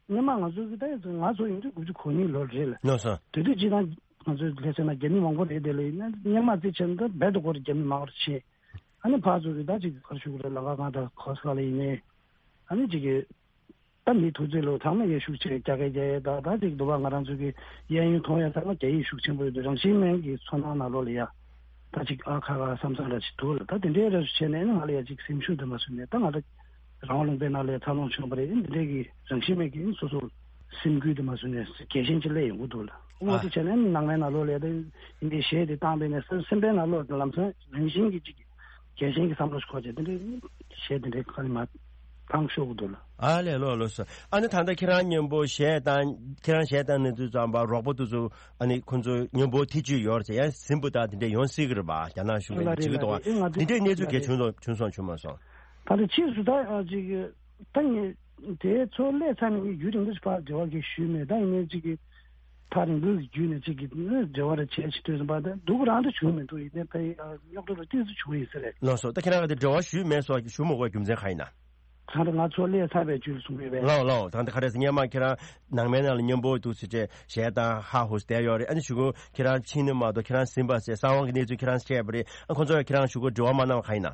སྔོན་མ་ང་ཚོ་གི་ད་ང་ཚོ་ཡིན་དུས་དགུ་བཅུ་གོ་གཉིས་ལོ་རེད་ལ། ལགས་སོ། དེ་དུས་ཅི་ད་ང་ཚོའི་ལྷ་ས་ན་རྒྱ་མི་མང་པོ་རེད། དེ་ལ་ཡིན་ན་སྔོན་མ་རྩིས་བྱས་ན་ད་རྦད་དེ་སྒོར་རྒྱ་མི་མང་པོ་ཆེ། ཨ་ནི་ཕར་ཚུར་གྱི་ད་ཅིག་ག་རེ་ཞུ་དགོས་རེད། ལམ་ཁ་སྒང་དང་གོ་ས་ག་ལ་ཡིན་ནའི་ཨ་ནི་ཅིག་གི་ད་མི་ཐུག་ཚོད་ལོ་ཚང་མ་ཡ་ཤུགས་ཆེ་རྒྱ་སྐད་རྒྱག་ཡས། ད་ད་ཅིག་འདུག་པ། ང་རང་ཚོ་གི་གཡས་གཡོན་མཐོང་ཡ་ཚང་མ་རྒྱ་ཡིག་ཤུགས་ཆེན་པོ་ཡོད་དུས་རང་བཞིན་མེད་ཀྱི་ཚོར་སྣང་ནང་ལོགས་ལ་ཡ་ད་ཅིག་ཨ་ཁ་ཁ་བསམ་བསམ་འདྲ་ཅིག་འདུག་ལ། ད་དེ་འདྲའི་རེ་བྱས་ནས་ནི་ང་ལ་ཡ་ཅིག་སེམས་ཤུགས་དེ་མ་བཟོས་ནས། ད་ང་ད་རང་དབང་ལུང་པའི་ནང་ལ་ཡ་འཚར་ལོངས་བྱུང་བ་རེད། འདི་འདྲའི་གི་རང་བཞིན་མེད་ཀྱི་སོ་སོ་སེམས་འགུལ་དེ་མ་བཟོས་ནས་རྒྱལ་ཞེན་ཅིག་སླེབས་ཡོང་གི་འདུག་ལ། འོ་ཨ། དེ་བྱས་ནས་ནི་ནང་པའི་ནང་ལོགས་ལ་ཡ་ད་འདི་གཞས་དེ་བཏང་བས་ནས་སེམས་པའི་ནང་ལོགས་ལམ་སང་རང་བཞིན་གྱི་ཅིག་རྒྱལ་ཞེན་གྱི་བསམ་བློ་ཞིག་འཁོར་བྱས། དེ་འདྲའི་གཞས་དེ་འདྲའི་ཁ་ནས་མར་བཏང་ཤོག་གི་འདུག་ལ། ཨ་ལས། ལགས་ལགས་སོ། ཨ་ནི་ད་ལྟ་ཁྱེད་རང་མཉམ་པོ་གཞས་བཏང་། ཁྱེད་རང་གཞས་བཏང་ནས་དུས་ཙམ་པ་རོགས་པ་དེ་ཚོ་ཨ་ནི་ཁོང་ཚོ་མཉམ་པོ་ཐེ་བྱུས་ཡོད་རེད་ཟེར། ཡང་ཟིན་པོ་དང་དེ་འདྲ་ཡོང་སྲིད་ཀྱི་རེད་པ། རྒྱ་ནག་གཞུང་གིས་ལ་བྱེད་ཀྱི་རེད། འདུག་ལ་པ། རེད། ང་འདི་འདྲའི་གནས་ཚུལ་ལ་གལ་རེད། བྱུང་སོང་། བྱུང་སོང་བྱུང་མ་སོང་། ད་ལྟ་ཕྱིས་སུ་ད་ཨ་ཅིག་ད་ངས་དེ་ཚོ་སླེབས་ཚར་ནས་ངས་ཡུན་རིང་པོ་ཞིག་ཕར་འབྲེལ་བ་གས་ཞུས་མེད། ད་ཡིན་ནའི་ཅིག་གི་ཐག་རིང་པོའི་གི་བརྒྱུད་ནས་ཅིག་གི་འབྲེལ་བ་རེ་བྱས་ཅིག་ལྟོས་ཟིན་པ། ད་སྡུག་རང་དུ་བྱུང་མི་འདུག་ཡིན་ནའི་ཕའི་རྙོག་དྲ་རུ་ཏོག་ཙམ་བྱུང་ཡིན་ས་རེད། ལགས་སོ། ད་ཁྱེད་རང་གིས་དེ་འབྲེལ་བ་ཞུས་མེད་སོགས་ཞུ་མ་དགོས་རྒྱུ་མཚན་གང་ཡིན་ན། ད་ལྟ་ང་ཚོ་སླེབས་ཚར་བའི་རྒྱུད་ལ་གསུང་གི་ཡོད་པས། ལགས་ལགས། ད་ལྟ་ག་རེ་ཟེར། སྔོན་མ་ཁྱེད་རང་ནང་མའི་ནང་ལ་མཉམ་པོ་འདུག་ཟེར་བྱས་གཞས་བཏང་ཧ་ཧུ་བསྡད་ཡོད་རེད། ཨ་ནི་གཞུག་གུ་ཁྱེད་རང་ཕྱིན་ནས་མ་གཏོགས་ཁྱེད་རང་ཟིན་པ་ཟེར་གསང་བ་གི་གནས་ཚུལ་ཁྱེད་རང་བཤད་པ་རེད། ཨ་ཁོང་ཚོ་ཁྱེད་རང་གཞུག་གུ་འབྲེལ་བ་མ་གནང་བ་གང་ཡིན་ན།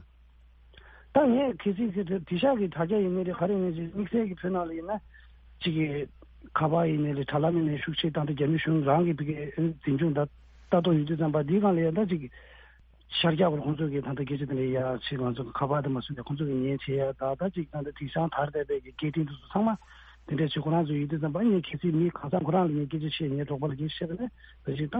ད་ངས་གལ་སྲིད་ཟེར་དེ་དེ་ཤག་གི་དྲ་རྒྱ་ཡིན་ནི་རེད། ག་རེ་ཡིན་ནི་རེད། དམིགས་བསལ་གྱི་བོད་ནང་ལ་ཡིན་ན་ཅིག་གི་ཁ་པར་ཡིན་ནི་རེད། དྲ་ལམ་ཡིན་ནི་ཤུགས་ཆེ་བཏང་སྟེ་རྒྱ་མི་གཞུང་རང་གི་ཕ་གིའི་འཛིན་སྐྱོང་ད་ལྟ་རྟོག་ཡོད་དུས་ཙམ་པ་འདིའི་སྒང་ལ་ཡང་ད་ཅིག་ཤར་རྒྱག་པར་ཁོང་ཚོ་གིས་ད་ལྟ་སྐད་ཆ་དེ་འདྲ་ཡ་ཆེ། ང་ཚོ་ཁ་པར་དེ་མ་བཟོས་ནས་ཁོང་ཚོ་གིས་ཉན་བྱེད་ཡ། ད་ད་ཅིག་ད་ལྟ་དེང་སང་དར་བསྡད་པའི་གི་སྐད་འཕྲིན་དེ་ཚོ་ཚང་མ་དེ་འདྲ་ཆེ། ཁོ་རང་ཚོ་ཡོད་དུས་ཙམ་པ་ངས་གལ་སྲིད་མི་གང་ས་ཁོ་རང་ལ་ངས་སྐད་ཆ་བཤད། ངའི་གྲོགས་པོ་ལ་སྐད་ཆ་བཤད་པ་ན་ད་ཅིག་ད་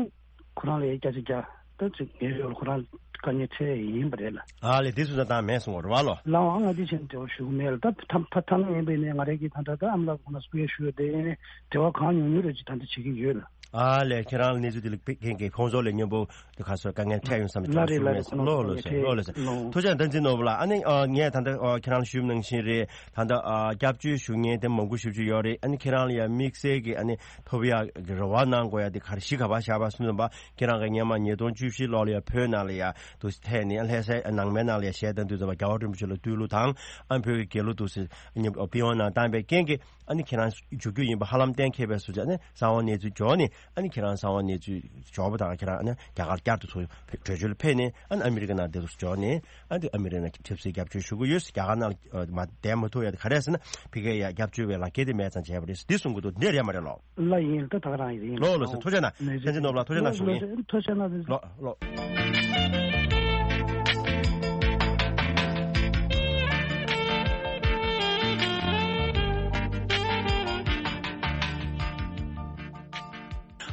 ཁོ་རང་ལ་ཡ་སྐད་ཆ་རྒྱག་ད་ཅིག་ངའི་ཡོད་ལ་ཁོ་རང་དཀའ་ངལ་འཕྲད་ཡིན་པ་རེད་ལ། ཨ་ལས། དེ་སུ་ད་ད་མེད་སོང་བ་རེད་བ་ལོ། ལའང་ང་འདི་བྱས་ནས་འབྲེལ་བ་ཞུ་གི་མེད་ལ། ད་ཐ་ཐ་ཐ་ན་ཡིན་པས་ནས་ང་རང་གིས་ད་ད་ད་ཨ་མ་ལགས་ཁོང་ལ་སྐུ་ངལ་ཞུ་ཡོད་དེ། ཡིན་ནའི་འབྲེལ་བ་གང་ཉུང་ཉུང་རེ་ཅིག་ད་ལྟ་བྱེད་ཀྱི་ཡོད་ལ། ཨ་ལས། ཁྱེད་རང་ལ་གནས་ཚུལ་དེ་ལ་ཕན་མཁན་གྱི་ཁོང་ཚོ་ལ་མཉམ་པོ་དེ་ག་སོ་དཀའ་ངལ་འཕྲད་ཡོང་བསམ་གྱི་ལ་རེད་ལ་རེད། ལ་རེད། ལོ་ལོ་ལོ་ལོ། ཐུགས་རྗེ་བདག་འཛིན་ནོར་བུ་ལགས། ཨ་ནི་ཨ་ངས་ད་ལྟ་ཨ་ཁྱེད་རང་ལ་ཞུས་པ་ནང་བཞིན་རེད། ད་ལྟ་ཨ་སྐྱབས་བཅོལ་ཞུ་མཁན་དེ་མང་པོ་ཞེ་པོ་ཅིག་ཡོད་རེད། ཨ་ནི་ཁྱེད་རང་ལ་ཡང་དམིགས་བསལ་གྱི་ཨ་ནི་ཐོབ་ཡག་གི་རེ་བ་གནང་དགོས་ཡ་དེ་ག་རེ་གཞི་ག་པར་བཞག་པ་སོང་ཙམ་པ། ཁྱེད་རང་གིས་སྔོན་མ་ཉིས་སྟོང་བཅུ་བཞི་ལོ་ལ་ཡ་བོད་ནང་ལ་ཡ་དུ་ཐད་ནས་ལྷ་སའི་ནང་མའི་ནང་ལ་ཡ་གཞས་བཏང་དུས་ཙམ་པ་རྒྱལ་བ་རིན་པོ་ཆེ་ལ་བསྟོད་གླུ་དང་། ཨ་བོད་ཀྱི་རྒྱལ་གླུ་དུ་སེ་ཉིན་པི་ཝན་ནང་བཏང་པའི་རྐྱེན་གྱིས་ཨ་ནི་ཁྱེད་རང་འཇུག་རྒྱུ་ཡིན་པ་ཧ་ལམ་གཏན་འཁེལ་བའི་སོ་ཅིག་ཨ་ནི་གསང་བ་གནས་ཚུལ་འབྱོར་ནས། ཨ་ནི་ཁྱེད་རང་གསང་བ་གནས་ཚུལ་འབྱོར་བ་དང་ཁྱེད་རང་ཨ་ནི་རྒྱ་གར་བསྐྱར་དུ་ཚུར་བྲོས་བྱོལ་ཕེབས་ནས། ཨ་ནི་ཨ་མི་རི་ཀ་ནང་བསྡད་དུ་འབྱོར་ནས། ཨ་ནི་ཨ་མི་རི་ཀ་ནང་ཆབ་སྲིད་སྐྱབས་བཅོལ་ཞུ་གི་ཡོད། རྒྱ་གར་ནང་ལ་མ་བསྡད་མ་ཐུབ་ཡ་དེ་ག་རེ་ཟེར་ན་ཕ་གིར་ཡ་སྐྱབས་བཅོལ་བའི་ལག་འཁྱེར་དེ་མེད་ཙང་བྱས་པ་རེད། འདི་གསུང་གི་འདུག་འདི་རེད་མ་རེད་ལོ། ལ་ཡིན། ད་ད་ག་རང་ཡིན། ལོ་ལོ་སེ། ཐུགས་རྗེ་གནང་། བདེ་ཆེན་ནོར་བུ་ལགས། ཐུགས་རྗེ་གནང་ཞུ་ངེས། ཐུགས་རྗེ་གནང་། ལོ་ལོ།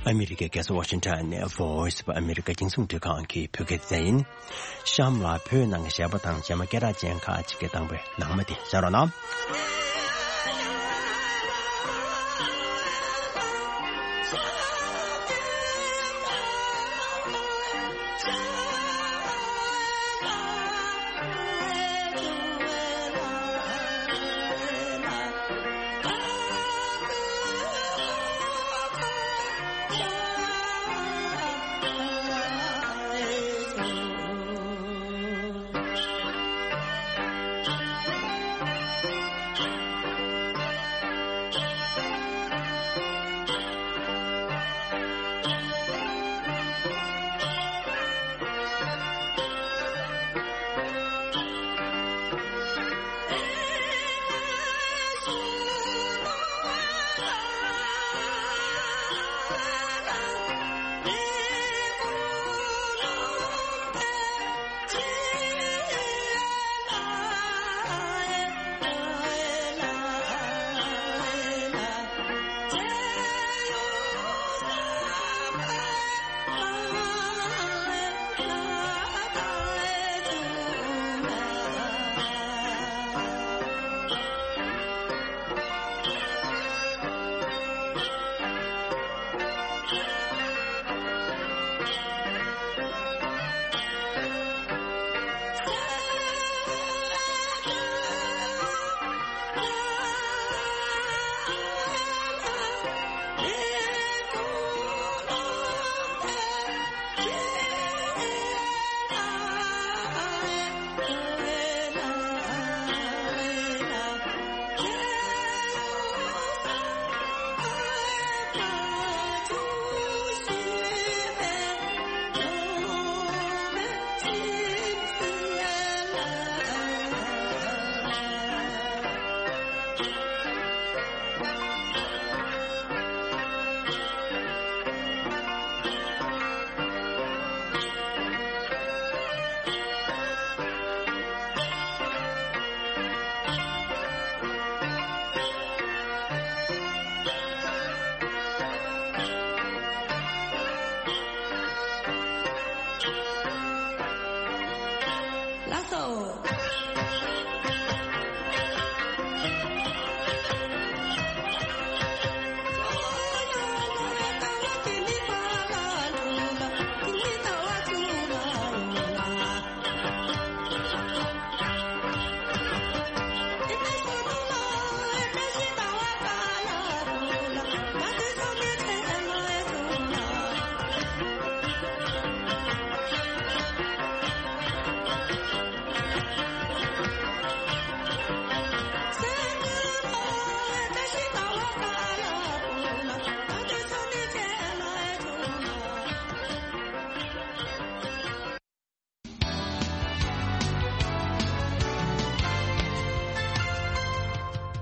ཨ་མི་རི་ཀའི་རྒྱལ་ས་ཝ་ཤིང་ཊོན་ནས་Voice of America རྒྱང་སྲིང་རླུང་འཕྲིན་ཁང་གི་བོད་སྐད་སྡེ་ཚན་ཡིན། གཤམ་ལ་བོད་ནང་གི་གཞས་པ་དང་གཞས་མ་སྐད་གྲགས་ཅན་ཁག་ཅིག་གི་དང་པོའི་ནང་མ་དེ་གསན་རོགས་གནང་།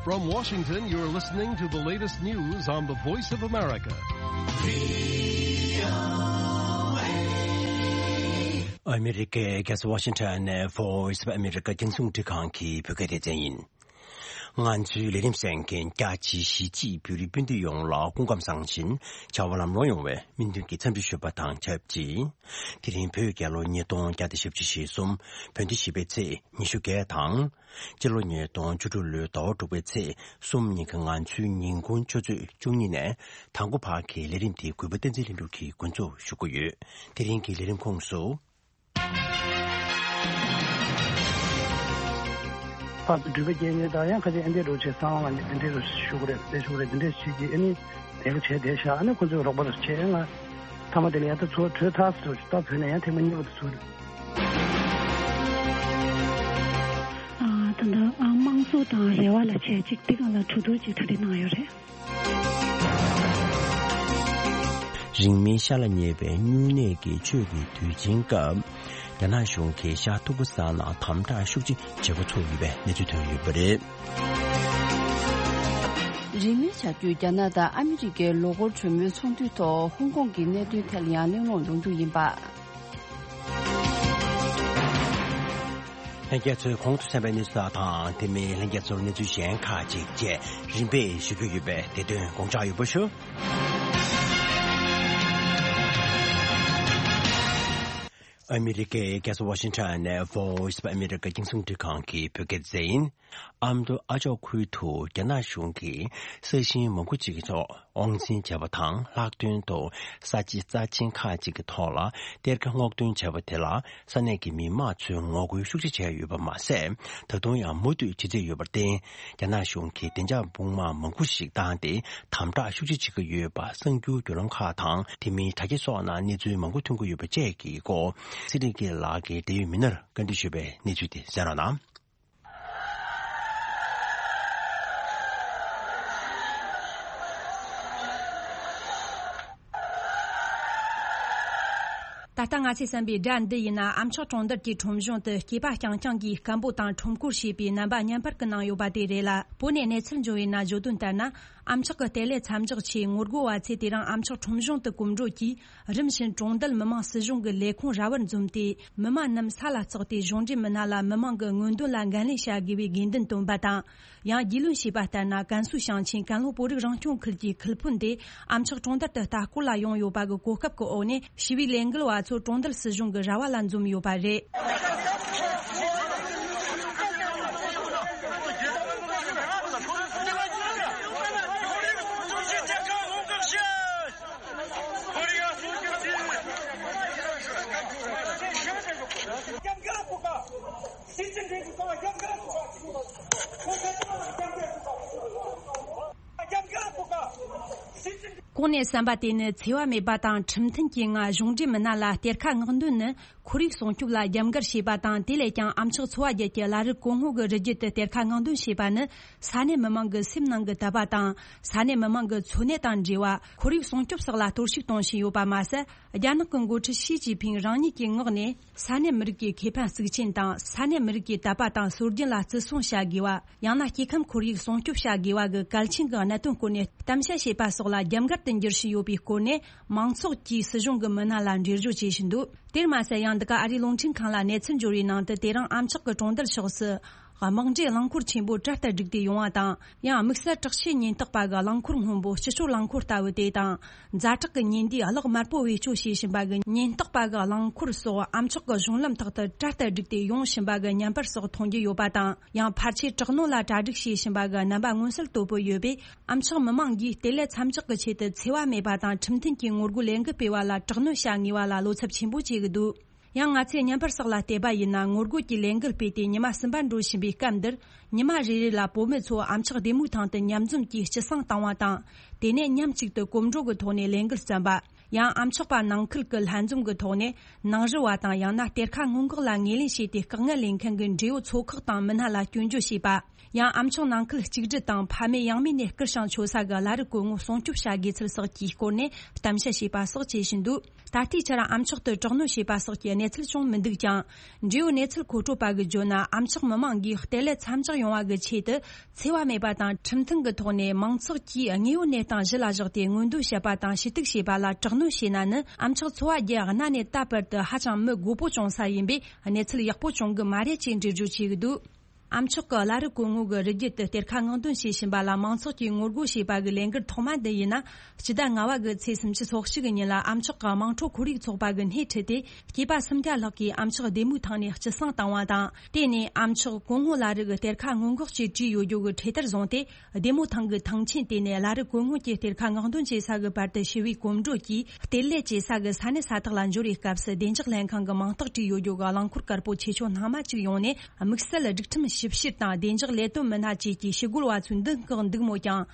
From Washington, you're listening to the latest news on the Voice of America. ཨ་མི་རི་ཀའི་རྒྱལ་ས་ཝ་ཤིང་ཊོན་ནས་Voice of America་རྒྱང་སྲིང་རླུང་འཕྲིན་ཁང་གི་བོད་སྐད་སྡེ་ཚན་ཡིན། ང་ཚོའི་ལས་རིམ་གསན་མཁན་རྒྱ་ཆེའི་གཞིས་བྱེས་བོད་རིགས་སྤུན་ཟླ་ཡོངས་ལ་སྐུ་ཁམས་བཟང་ཞིང་བྱ་བ་ལམ་ལྷོང་ཡོང་བའི་སྨོན་འདུན་གྱི་འཚམས་འདྲི་ཞུ་བ་དང་ཆབས་ཅིག་དེ་རིང་བོད་རྒྱལ་ལོ་ཉིས་སྟོང་བརྒྱ་དང་བཞི་བཅུ་ཞེ་གསུམ། བོད་ཟླ་བཞི་པའི་ཚེས་ཉི་ཤུ་བརྒྱད་དང་། སྤྱི་ལོ་ཉིས་སྟོང་བཅུ་དྲུག་ལོའི་ཟླ་བ་དྲུག་པའི་ཚེས་གསུམ་ཉིན་གྱི་ང་ཚོའི་ཉིན་གུང་ཆུ་ཚོད་བཅུ་གཉིས་ནས་དང་པོ་བར་གྱི་ལས་རིམ་དེ་གུས་པ་བསྟན་འཛིན་ལྷུན་གྲུབ་ཀྱིས་འགོ་འཛུགས་ཞུ་གི་ཡོད། དེ་རིང་གི་ལས་རིམ་ཁོངས་སུ། ཕར་ཚུར་འགྲུལ་པ་སྐྱེལ་མཁན་དང་ཡང་ཁ་ཤས་ཨེ་འདྲས་འགྲོ་བྱས་སང་ལ་ནི་ཨེ་འདྲས་རུ་ཞུ་གི་རེད། དེ་ཞུ་གི་རེད། དེ་འདྲས་བྱེད་ཀྱི་ཨ་ནི་དེ་ག་བྱས་བསྡད་ཤག་ཨ་ནི་ཁོ་ཚོས་རོགས་པ་རུ་བྱས་ང་མཐའ་མ་དེ་ལ་ཡང་ད་ཚུར་བྲོས་ཐག་ཚུར་ད་བོད་ནས་ཡང་ཐེངས་མ་གཉིས་པ་དུ་ཚུར། ཨ་ད་ལྟ་ཨ་དམངས་གཙོ་དང་རེ་བ་ལ་བྱས་ཅིག་དེ་གང་ལ་གྲོས་བསྡུར་ཅིག་གྲ་སྒྲིག་གནང་ཡོད་རེད། རིང་མིན་ཤ་ལ་ཉེ་བའི་སྨྱུང་གནས་ཀྱི་ཆོས་ཀྱི་དུས་ཆེན་སྐབས། རྒྱ་ནག་གཞུང་གིས་ཤར་ཐུ་གུ་ས་ན་དམ་དྲག་ཤུགས་ཆེ་བྱེད་འགོ་ཚུགས་ཡོད་པའི་གནས་ཚུལ་ཐོན་ཡོད་པ་རེད། རིང་མིན་ཆར་དུས་རྒྱ་ནག་དང་ཨ་མི་རི་ཀའི་ལོ་འཁོར་གྲོས་མོལ་ཚོགས་འདུའི་ཐོག་ཧོང་ཀོང་གི་གནད་དོན་ཐད་ལ་ཡང་གླེང་སློང་ཡོང་རྒྱུ་ཡིན་པ། ལྷན་རྒྱས་ཚོས་གོང་དུ་གསན་པའི་གནས་ཚུལ་དག་དང་དེ་མིན་ལྷན་རྒྱས་ཚོར་གནས་ཚུལ་གཞན་ཁག་ཅིག་བཅས་རིམ་པས་ཞུ་རྒྱུ་ཡོད་པས་དེ་དོན་དགོངས་འཇགས་ཡོད་པ་ཞུ། ཨ་མི་རི་ཀའི་རྒྱལ་ས་ཝ་ཤིང་ཊོན་ནས་Voice of America་རྒྱང་སྲིང་རླུང་འཕྲིན་ཁང་གི་བོད་སྐད་སྡེ་ཚན་ཡིན། ཨ་མདོ་ཨ་ཅོག་ཁུལ་དུ་རྒྱ་ནག་གཞུང་གིས་ས་ཞིང་མང་པོ་ཅིག་གི་ཐོག་དབང་འཛིན་བྱས་པ་དང་ལྷག་དོན་དུ་ས་ཆའི་རྩ་ཆེན་ཁག་ཅིག་གི་ཐོག་ལ་གཏེར་ཁ་སྔོག་འདོན་བྱས་པ་དེ་ལ་ས་གནས་ཀྱི་མི་མང་ཚོས་ངོ་རྒོལ་ཤུགས་ཆེ་བྱས་ཡོད་པ་མ་ཟད། ད་དུང་ཡང་མུ་མཐུད་བྱེད་རྩིས་ཡོད་པར་བརྟེན། རྒྱ་ནག་གཞུང་གིས་བདེ་འཇགས་དཔུང་དམག་མང་པོ་ཞིག་བཏང་སྟེ་དམ་དྲག་ཤུགས་ཆེ་བྱེད་ཀྱི་ཡོད་པ་གསར་འགྱུར་བརྒྱུད་ལམ་ཁག་དང་དེ་མིན་དྲ་རྒྱ་སོགས་ནང་གནས་ཚུལ་མང་པོ་ཐོན་གྱི་ཡོད་པ་བཅས་ཀྱི་སྐོར་ཚེ་རིང་སྐྱིད་ལགས་ཀྱིས་འབྲེལ་ཡོད་མི་སྣར་བཀའ་འདྲི་ཞུས་པའི་གནས་ཚུལ་དེ་གསན་རོགས་གནང་། ད་ལྟ་ང་ཚོས་གསན་པའི་སྒྲ་འདི་ཡིན་ན་ཨ་མཆོག་གྲོང་རྡལ་གྱི་ཁྲོམ་གཞུང་དུ་སྐྱེས་པ་རྐྱང་རྐྱང་གིས་སྐད་འབོད་དང་ཁྲོམ་སྐོར་བྱས་པའི་རྣམ་པ་བརྙན་པར་གྱི་ནང་ཡོད་པ་དེ་རེད་ལ། བོད་ནས་གནས་ཚུལ་འབྱོར་བའི་ནང་བརྗོད་དོན་ལྟར་ན། ཨ་མཆོག་གི་ལྟེ་གནས་མཚམས་འཇོག་ཆེད་ངོ་རྒོལ་བ་ཚོས་དེ་རིང་ཨ་མཆོག་ཁྲོམ་གཞུང་དུ་གོམ་བགྲོད་ཀྱིས། རིམ་བཞིན་གྲོང་རྡལ་མི་དམངས་སྲིད་གཞུང་གི་ལས་ཁུངས་ར་བར་འཛོམས་ཏེ། མི་མང་རྣམས་ས་ལ་བརྩེགས་ཏེ་གཞུང་འབྲེལ་མི་སྣ་ལ་མི་མང་གི་མངོན་འདོད་ལ་འགན་ལེན་བྱ་དགོས་པའི་དགོས་འདུན་བཏོན་པ་དང་། ཡང་རྒྱུས་ལོན་བྱས་པ་ལྟར་ན། ཀན་སུའུ་ཞིང་ཆེན་ཀན་ལྷོ་བོད་རིགས་རང་སྐྱོང་ཁུལ་གྱི་ཁུལ་དཔོན་དེ་ཨ་མཆོག་གྲོང་རྡལ་དུ་ལྟ་སྐོར་ལ་ཡོང་ཡོད་པ་གི་གོ་སྐབས་ཀྱི་འོག་ནས་ཞི་བའི་ལས་འགུལ་བ་ཚོ་གྲོང་རྡལ་སྲིད་གཞུང་གི་ར་བ་ལ་འཛོམས་ཡོད་པ་རེད། གོང་ནས་གསན་པ་དེ་ནི་འཚེ་བ་མེད་པ་དང་ཁྲིམས་མཐུན་གྱི་ངང་གཞུང་འབྲེལ་མི་སྣ་ལ་གཏེར་ཁ་སྔོག་འདོན་ནི། ཁོར་ཡུག་སྲུང་སྐྱོབ་ལ་རྒྱབ་འགལ་བྱས་པ་དང་། དེ་ལས་ཀྱང་ཨ་མཆོག་ཚོ་བ་བརྒྱད་ཀྱི་བླ་རབས་གོང་འོག་གི་རི་རྒྱུད་དུ་གཏེར་ཁ་སྔོག་འདོན་བྱས་པ་ནི། ས་གནས་མི་མང་གི་སེམས་ནང་གི་དད་པ་དང་། ས་གནས་མི་མང་གི་འཚོ་གནས་དང་འབྲེལ་བ། ཁོར་ཡུག་སྲུང་སྐྱོབ་སོགས་ལ་གཏོར་བཤིག་གཏོང་བཞིན་ཡོད་པ་མ་ཟད། རྒྱ་ནག་གི་འགོ་ཁྲིད་ཞི་ཅིན་ཕིང་རང་ཉིད་ཀྱི་ངག་ནས། ས་གནས་མི་རིགས་ཀྱི་ཁེ་ཕན་གཙིགས་ཆེན་དང་། ས་གནས་མི་རིགས་ཀྱི་དད་པ་དང་སྲོལ་རྒྱུན་ལ་བརྩི་སྲུང་བྱ་དགོས་པ། ཡང་ན་སྐྱེ་ཁམས་ཁོར་ཡུག་སྲུང་སྐྱོབ་བྱ་དགོས་པ་གི་གལ་ཆེན་གྱི་གནད་དོན་སྐོར་ནས་གཏམ་བཤད་བྱས་པ་སོགས་ལ་རྒྱབ་འགལ་དུ་འགྱུར་བཞིན་ཡོད་པའི་སྐོར་ནས། མང་ཚོགས་ཀྱིས་སྲིད་གཞུང་གི་མི་སྣ་ལ་འགྲེལ་བརྗོད་བྱེད་བཞིན་འདུག་དེར་མ་ཟད། ཡང་འདི་ག་ཨ་རིའི་རླུང་འཕྲིན་ཁང་ལ་གནས་ཚུལ་འབྱོར་བའི་ནང་དུ། དེ་རིང་ཨ་མཆོག་གི་གྲོང་རྡལ་ཕྱོགས་སུ་ དམག་འདྲེས་རླངས་འཁོར་ཆེན་པོ་གྲལ་ལྟར་བསྒྲིགས་ཏེ་ཡོང་བ་དང་། ཡང་དམིགས་བསལ་དྲག་ཆས་ཉེན་རྟོག་པ་གི་རླངས་འཁོར་སྔོན་པོ་སྤྱི་སྤྱོད་རླངས་འཁོར་ལྟ་བུ་དེ་དང་། ཛ་དྲག་གི་ཉེན་བསྡུས་གློག་དམར་པོ་བེད་སྤྱོད་བྱེད་བཞིན་པ་གི་ཉེན་རྟོག་པ་གི་རླངས་འཁོར་སོགས་ཨ་མཆོག་གི་གཞུང་ལམ་ཐོག་ཏུ་གྲལ་ལྟར་བསྒྲིགས་ཏེ་ཡོང་བཞིན་པ་གི་བརྙན་པར་སོགས་མཐོང་རྒྱུ་ཡོད་པ་དང་། ཡང་ཕལ་ཆེར་དྲག་གནོན་ལ་གྲ་སྒྲིག་བྱེད་བཞིན་པ་གི་རྣམ་པ་མངོན་གསལ་དོད་པོ་ཡོད་པས། ཨ་མཆོག་མི་མང་གིས་གཏེར་ལས་མཚམས་འཇོག་གི་ཆེད་དུ་འཚེ་བ་མེད་པ་དང་ཁྲིམས་མཐུན་གྱི་ངོ་རྒོལ་ལས་འགུལ་སྤེལ་བ་ལ་དྲག་གནོན་བྱ་ངེས་པ་ལ་བློ་འཚབ་ཆེན་པོ་བྱེད་ཀྱི་འདུག། ཡང་ང་ཚོས་བརྙན་པར་སོགས་ལ་བལྟས་པ་ཡིན་ན། ངོ་རྒོལ་གྱི་ལས་འགུལ་སྤེལ་ཏེ་ཉི་མ་གསུམ་པ་འགྲོ་བཞིན་པའི་སྐབས་འདིར། ཉི་མ་རེ་རེ་ལ་བུད་མེད་ཚོ་ཨ་མཆོག་བདེ་མོའི་ཐང་དུ་མཉམ་འཛོམས་ཀྱིས་སྐྱིད་སང་བཏང་བ་དང་། དེ་ནས་མཉམ་གཅིག་ཏུ་གོམ་བགྲོད་ཀྱི་ཐོག་ནས་ལས་འགུལ་བརྩམས་པ། ཡང་ཨ་མཆོག་པ་ནང་ཁུལ་གྱི་ལྷན་འཛོམས་ཀྱི་ཐོག་ནས་ནང་རུལ་བ་དང་། ཡང་ན་གཏེར་ཁ་སྔོན་འགོག་ལ་ངོས་ལེན་བྱས་ཏེ་དཀའ་ངལ་ལེན་མཁན་གྱི་འབྲེལ་ཡོད་ཚོ་ཁག་དང་མི་སྣ་ལ་སྐྱོན་བརྗོད་བྱས་པ། ཡང་ཨ་མཆོག་ནང་ཁུལ་གཅིག་སྒྲིལ་དང་ཕ་མེས་ཡང་མེས་ནས་སྐུ་སྲུང་ཆོ་ས་གི་བླ་རི་གོང་ངོ་སྲུང་སྐྱོབ་བྱ་དགོས་ཚུལ་སོགས་ཀྱི་སྐོར་ནས་གཏམ་བཤད་བྱས་པ་སོགས་བྱེད་བཞིན་འདུག། ད་ལྟའི་ཆར་ཨ་མཆོག་ཏུ་དྲག་གནོན་བྱས་པ་སོགས་ཀྱི་གནས་ཚུལ་བྱུང་མི་འདུག་ཀྱང་། འབྲེལ་ཡོད་གནས་ཚུལ་མཁོ་སྤྲོད་པ་གིས་བརྗོད་ན། ཨ་མཆོག་མི་མང་གིས་གཏེར་ལས་མཚམས་འཇོག་ཡོང་བ་གི་ཆེད་དུ། འཚེ་བ་མེད་པ་དང་ཁྲིམས་མཐུན་གྱི་ཐོག་ནས་མང་ཚོགས་ཀྱིས་དངོས་ཡོད་གནས་སྟངས་གཞི་ལ་བཞག་སྟེ་མངོན་འདོད་བྱེད་པ་དང་ཞུ་གཏུག་བྱེད་པ་ལ་དྲག་གནོན་བྱས་ན་ནི། ཨ་མཆོག་འཚོ་བ་རྒྱལ་གནའ་ནས་ད་བར་དུ་ཧ་ཅང་མི་དགོས་པོ་བྱུང་ས་ཡིན་པས། གནས་ཚུལ་ཡག་པོ་བྱུང་གི་མ་རེད་ཅེས་འགྲེལ་བརྗོད་བྱས་ཀྱི་འདུག། ཨ་མཆོག་གི་བླ་རི་གོང་ངོ་གི་རི་རྒྱུད་དུ་གཏེར་ཁ་སྔོག་འདོན་བྱེད་བཞིན་པ་ལ་མང་ཚོགས་ཀྱིས་ངོ་རྒོལ་བྱས་པ་གི་ལས་འགུལ་ཐོག་མ་འདི་ཡིན་ན། སྤྱི་ཟླ་ལྔ་བ་གི་ཚེས་སུམ་ཅུ་སོ་གཅིག་གི་ཉིན་ལ་ཨ་མཆོག་གི་དམངས་ཁྲོད་ཁོར་ཡུག་ཚོགས་པ་གི་སྣེ་ཁྲིད་དེ། སྐྱེས་པ་སུམ་བརྒྱ་ལྷག་གིས་ཨ་མཆོག་བདེ་མོའི་ཐང་ནས་སྐྱིད་སང་བཏང་བ་དང་། དེ་ནས་ཨ་མཆོག་གོང་ངོ་བླ་རི་གི་གཏེར་ཁ་སྔོན་འགོག་ཅེས་བྲིས་ཡོད་རྒྱུ་གི་འཕྲེད་དར་བཟུང་སྟེ། བདེ་མོ་ཐང་གི་ཐང་ཆེན་དེ་ནས་བླ་རི་གོང་ངོ་གྱི་གཏེར་ཁ་སྔོག་འདོན་བྱེད་ས་གི་བར་དུ་ཞི་བའི་གོམ་བགྲོད་ཀྱིས་གཏེར་ལས་བྱེད་ས་གི་ས་གནས་ས་ཐག་ལ་འབྱོར་བའི་སྐབས་སུ། བདེ་འཇགས་ལྷན་ཁང་གི་མིང་རྟགས་བྲིས་ཡོད་རྒྱུ་གི་རླངས་འཁོར་དཀར་པོ་ཆེ་ཆུང་སྣ་མང་ཅིག་ཡོང་ནས། དམིགས་བསལ་སྒྲིག་ཁྲིམས་ཞིབ་བཤེར་དང་བདེ་འཇགས་ལས་དོན་མི་སྣ་བཅས་ཀྱིས་ཞི་རྒོལ་བ་ཚོའི་མདུན་བཀག་འདུག་མོད་ཀྱང་།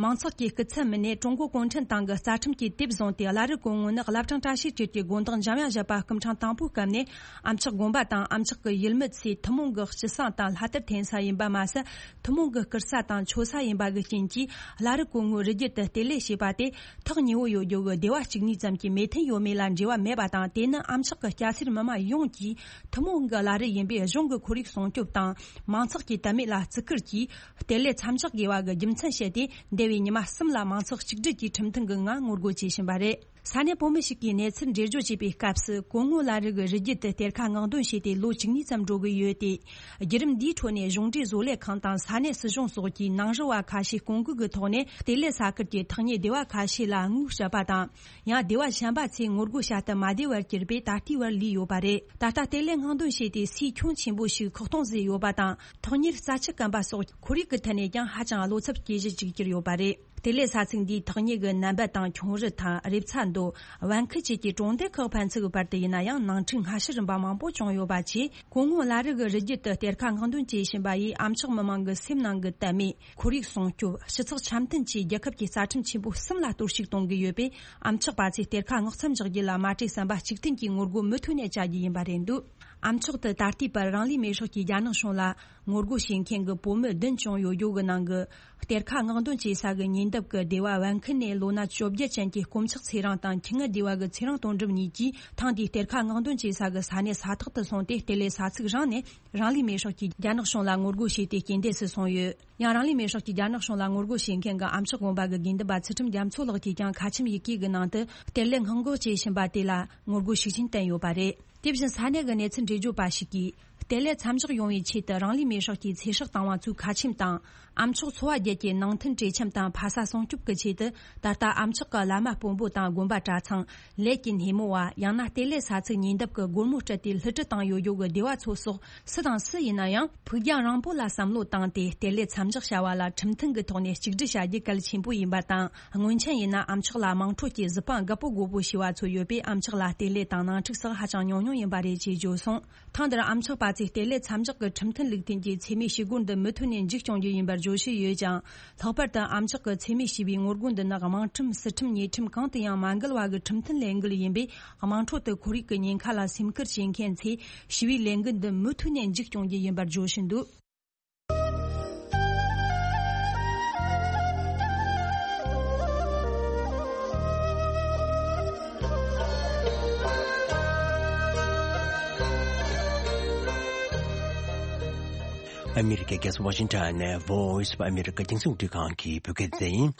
མང་ཚོགས་ཀྱི་སྐུ་ཚབ་མི་སྣས་ཀྲུང་གོ་གུང་ཁྲན་ཏང་གི་རྩ་ཁྲིམས་ཀྱི་དེབ་བཟུང་སྟེ། བླ་རི་གོང་ངོ་ནི་བླ་བྲང་བཀྲ་ཤིས་སྒྲོལ་གྱི་དགོན་བདག་འཇམ་དབྱངས་བཞད་པ་སྐུ་ཕྲེང་དང་པོའི་སྐབས་ནས། ཨ་མཆོག་དགོན་པ་དང་ཨ་མཆོག་གི་ཡུལ་མི་ཚོས་ཐུན་མོང་གི་སྐྱིད་སང་དང་ལྷ་དར་འཐེན་ས་ཡིན་པ་མ་ཟད། ཐུན་མོང་གི་བཀུར་ས་དང་མཆོད་ས་ཡིན་པ་གི་རྐྱེན་གྱིས། བླ་རི་གོང་ངོའི་རི་རྒྱུད་དུ་གཏེར་ལས་བྱས་པ་དེ། ཐག་ཉེ་བོ་ཡོད་རྒྱུ་གི་སྡེ་བ་བཅུ་གཉིས་ཙམ་གྱི་མོས་མཐུན་ཡོད་མེད་ལ་འབྲེལ་བ་མེད་པ་དང་། དེ་ནི་ཨ་མཆོག་གི་སྐྱ་སེར་མི་མང་ཡོངས་ཀྱིས་ཐུན་མོང་གི་བླ་རི་ཡིན་པས། གཞུང་གི་ཁོར་ཡུག་སྲུང་སྐྱོབ་དང་། མང་ཚོགས་ཀྱི་དད་མོས་ལ་བརྩི་བཀུར་གྱིས། གཏེར་ལས་མཚམས་འཇོག་དགོས་པ་གི་རྒྱུ་མཚན་བཤད་དེ། འདས་པའི་ཉི་མ་གསུམ་ལ་མང་ཚོགས་གཅིག་སྒྲིལ་གྱིས་ཁྲིམས་མཐུན་གྱི་ངང་ངོ་རྒོལ་བྱེད་བཞིན་པ་རེད། ས་གནས་བུད་མེད་ཞིག་གིས་གནས་ཚུལ་འགྲེལ་བརྗོད་བྱས་པའི་སྐབས་སུ། གོང་ངོ་བླ་རི་གི་རི་རྒྱུད་དུ་གཏེར་ཁ་སྔོག་འདོན་བྱས་ཏེ་ལོ་བཅུ་གཉིས་ཙམ་འགྲོ་གི་ཡོད་དེ། བརྒྱུད་རིམ་འདིའི་ཁྲོད་ནས་གཞུང་འབྲེལ་བཟོ་ལས་ཁང་དང་ས་གནས་སྲིད་གཞུང་སོགས་ཀྱིས་ནང་རུལ་བ་ཁ་ཤས་སྐོང་འགུག་གི་ཐོག་ནས། གཏེར་ལས་ས་ཁུལ་གྱི་ཐག་ཉེ་སྡེ་བ་ཁ་ཤས་ལ་དངུལ་སྤྲད་པ་དང་། ཡང་སྡེ་བ་གཞན་པ་ཚོས་ངོ་རྒོལ་བྱ་སྟབས་མ་བདེ་བར་གྱུར་པས། ད་ལྟའི་བར་ལུས་ཡོད་པ་རེད། ད་ལྟ་གཏེར་ལས་སྔོག་འདོན་བྱས་ཏེ་སའི་ཁྱོན་ཆེན་པོ་ཞིག་ཁག་སྟོང་ཟིན་ཡོད་པ་དང་། ཐག་ཉེར་རྩྭ་ཆུ་སྐམ་པ་སོགས་ཁོར་ཡུག་གི་ཐད་ནས་ཀྱང་ཧ་ཅང་བློ་འཚབ་སྐྱེ་གཞི་ཅིག་གྱུར་ཡོད་པ་རེད། གཏེར་ལས་ས་ཚིགས་འདིའི་ཐག་ཉེ་གི་ནན་པད་དང་ཁྱུང་རི་ཐང་། རེབ་ཚ་མདོ། བན་ཁུལ་བཅས་ཀྱི་གྲོང་སྡེ་ཁག་ཕན་ཚུན་གྱི་བར་དུ་ཡིན་ན་ཡང་། ནང་འཁྲུག་སྔ་ཕྱི་རིམ་པ་མང་པོ་བྱུང་ཡོད་པ་བཅས། གོང་ངོ་བླ་རི་གི་རི་རྒྱུད་དུ་གཏེར་ཁ་སྔོག་འདོན་བྱེད་བཞིན་པ་ཡིས། ཨ་མཆོག་མི་མང་གི་སེམས་ནང་གི་དད་མོས། ཁོར་ཡུག་སྲུང་སྐྱོབ། སྤྱི་ཚོགས་འཆམ་མཐུན་བཅས་རྒྱལ་ཁབ་ཀྱི་རྩ་ཁྲིམས་ཆེན་པོ་གསུམ་ལ་གཏོར་བཤིག་གཏོང་གི་ཡོད་པས། ཨ་མཆོག་པ་ཚོས་གཏེར་ཁ་སྔོག་མཚམས་འཇོག་རྒྱུ་ལ་མ་བྲེལ་ཟམ་པ་གཅིག་མཐུན་གྱིས་ངོ་རྒོལ་མུ་མཐུད་ནས་བྱ་རྒྱུ་ཡིན་པ་རེད་འདུག། ཨ་མཆོག་ཏུ་ད་ལྟའི་བར་རང་ལུས་མེར་སྲེག་གི་རྒྱ་ནག་གཞུང་ལ་ངོ་རྒོལ་བྱེད་མཁན་གྱི་བུད་མེད་བདུན་བྱུང་ཡོད་རྒྱུ་གི་ནང་གི། གཏེར་ཁ་སྔོག་འདོན་བྱེད་ས་གི་ཉེ་འདབས་ཀྱི་སྡེ་བ་བན་ཁུལ་ནས་ལོ་ན་བཅོ་བརྒྱད་ཅན་གྱི་དཀོན་མཆོག་ཚེ་རིང་དང་། ཁྱི་ངན་སྡེ་བ་གི་ཚེ་རིང་དོན་གྲུབ་གཉིས་ཀྱིས། ཐེངས་འདིའི་གཏེར་ཁ་སྔོག་འདོན་བྱེད་ས་གི་ས་གནས་ས་ཐོག་ཏུ་སོང་སྟེ། གཏེར་ལས་ས་ཚིགས་རང་ནས་རང་ལུས་མེར་སྲེག་གིས་རྒྱ་ནག་གཞུང་ལ་ངོ་རྒོལ་བྱས་ཏེ། རྐྱེན་འདས་སུ་སོང་ཡོད། ཡང་རང་ལུས་མེར་སྲེག་གིས་རྒྱ་ནག་གཞུང་ལ་ངོ་རྒོལ་བྱེད་མཁན་གྱི་ཨ་མཆོག་དགོན་པ་གི་དགེ་འདུན་པ་ཚུལ་ཁྲིམས་རྒྱ་མཚོ་ལགས་ཀྱིས་ཀྱང་ཁ་ཆེམས་ཡི་གེ་གི་ནང་དུ། གཏེར་ལས་སྔོན་འགོག་བྱེད་བཞིན་པ་དེ་ལ་ངོ་རྒོལ་ཤུགས་ཆེན་བསྟན་ཡོད་པ་རེད། དེ་བཞིན་ས་གནས་ཀྱི་གནས་ཚུལ་འགྲེལ་བརྗོད་པ་ཞིག་གིས། གཏེར་ལས་མཚམས་འཇོག་ཡོང་བའི་ཆེད་དུ་རང་ལུས་མེར་སྲེག་གིས་ཚེ་སྲོག་བཏང་བ་ཚོའི་ཁ་ཆེམས་དང་། ཨ་མཆོག་འཚོ་བ་རྒྱལ་གྱི་ནང་མཐུན་གྲོས་འཆམ་དང་། ཕ་ས་སྲུང་སྐྱོབ་ཀྱི་ཆེད་དུ། ད་ལྟ་ཨ་མཆོག་གི་བླ་མ་དཔོན་པོ་དང་། དགོན་པ་གྲྭ་ཚང་། ལས་ཀྱི་སྣེ་མོ་བ། ཡང་ན་གཏེར་ལས་ས་ཚིགས་ཉེ་འདབས་ཀྱི་སྒོར་མོ་སྤྲད་དེ་བསླུ་བྲིད་བཏང་ཡོད་རྒྱུ་གི་སྡེ་བ་ཚོ་སོགས། སུ་དང་སུ་ཡིན་ན་ཡང་། ཕུགས་རྒྱང་རིང་པོ་ལ་བསམ་བློ་བཏང་སྟེ། གཏེར་ལས་མཚམས་འཇོག་བྱ་བ་ལ་ཁྲིམས་མཐུན་གྱི་ཐོག་ནས་གཅིག་སྒྲིལ་བྱ་རྒྱུ་གལ་ཆེན་པོ་ཡིན་པ་དང་། སྔོན་ཆད་ཡིན་ན་ཨ་མཆོག་ལ་དམངས་ཁྲོད་ཀྱི་གཟི་དཔང་རྒད་པོ་རྒོད་པོ་ཞེས་པ་ཚོ་ཡོད་པས། ཨ་མཆོག་ལ་གཏེར་ལས་དང་ནང་འཁྲུག་སོགས་ཧ་ཅང་ཉུང་ཉུང་ཡིན་པ་རེད་ཅེས་བརྗོད་སོང་། ཐེངས་འདིར་ཨ་མཆོག་པ་ཚོས་གཏེར་ལས་མཚམས་འཇོག་གི་ཁྲིམས་མཐུན་ལུགས་མཐུན་གྱི་འཚེ་མེད་ཞི་རྒོལ་འདི་མུ་མཐུད་ནས་མཇུག་སྐྱོང་རྒྱུ་ཡིན་པར་བརྗོད་བཞིན་ཡོད་ཀྱང་། ལྷག་པར་དུ་ཨ་མཆོག་གི་འཚེ་མེད་ཞི་བའི་ངོ་རྒོལ་འདི་ནི་དམངས་ཁྲིམས། སྲིད་ཁྲིམས། ཉེས་ཁྲིམས་གང་དུ་ཡང་མ་འགལ་བ་གི་ཁྲིམས་མཐུན་ལས་འགུལ་ཡིན་པས། དམངས་ཁྲོད་དུ་ཁོར་ཡུག་གི་ཉེན་ཁ་ལ་སེམས་ཁུར་བྱེད་མཁན་ཚོས་ཞི་བའི་ལས་འགུལ་འདི་མུ་མཐུད་ནས་མཇུག་སྐྱོང་རྒྱུ་ཡིན་པར་བརྗོད་བཞིན་འདུག། ཨ་མི་རི་ཀའི་རྒྱལ་ས་ཝ་ཤིང་ཊོན་ནས་Voice of America་རྒྱང་སྲིང་རླུང་འཕྲིན་ཁང་གི་བོད་སྐད་སྡེ་ཚན་ཡིན།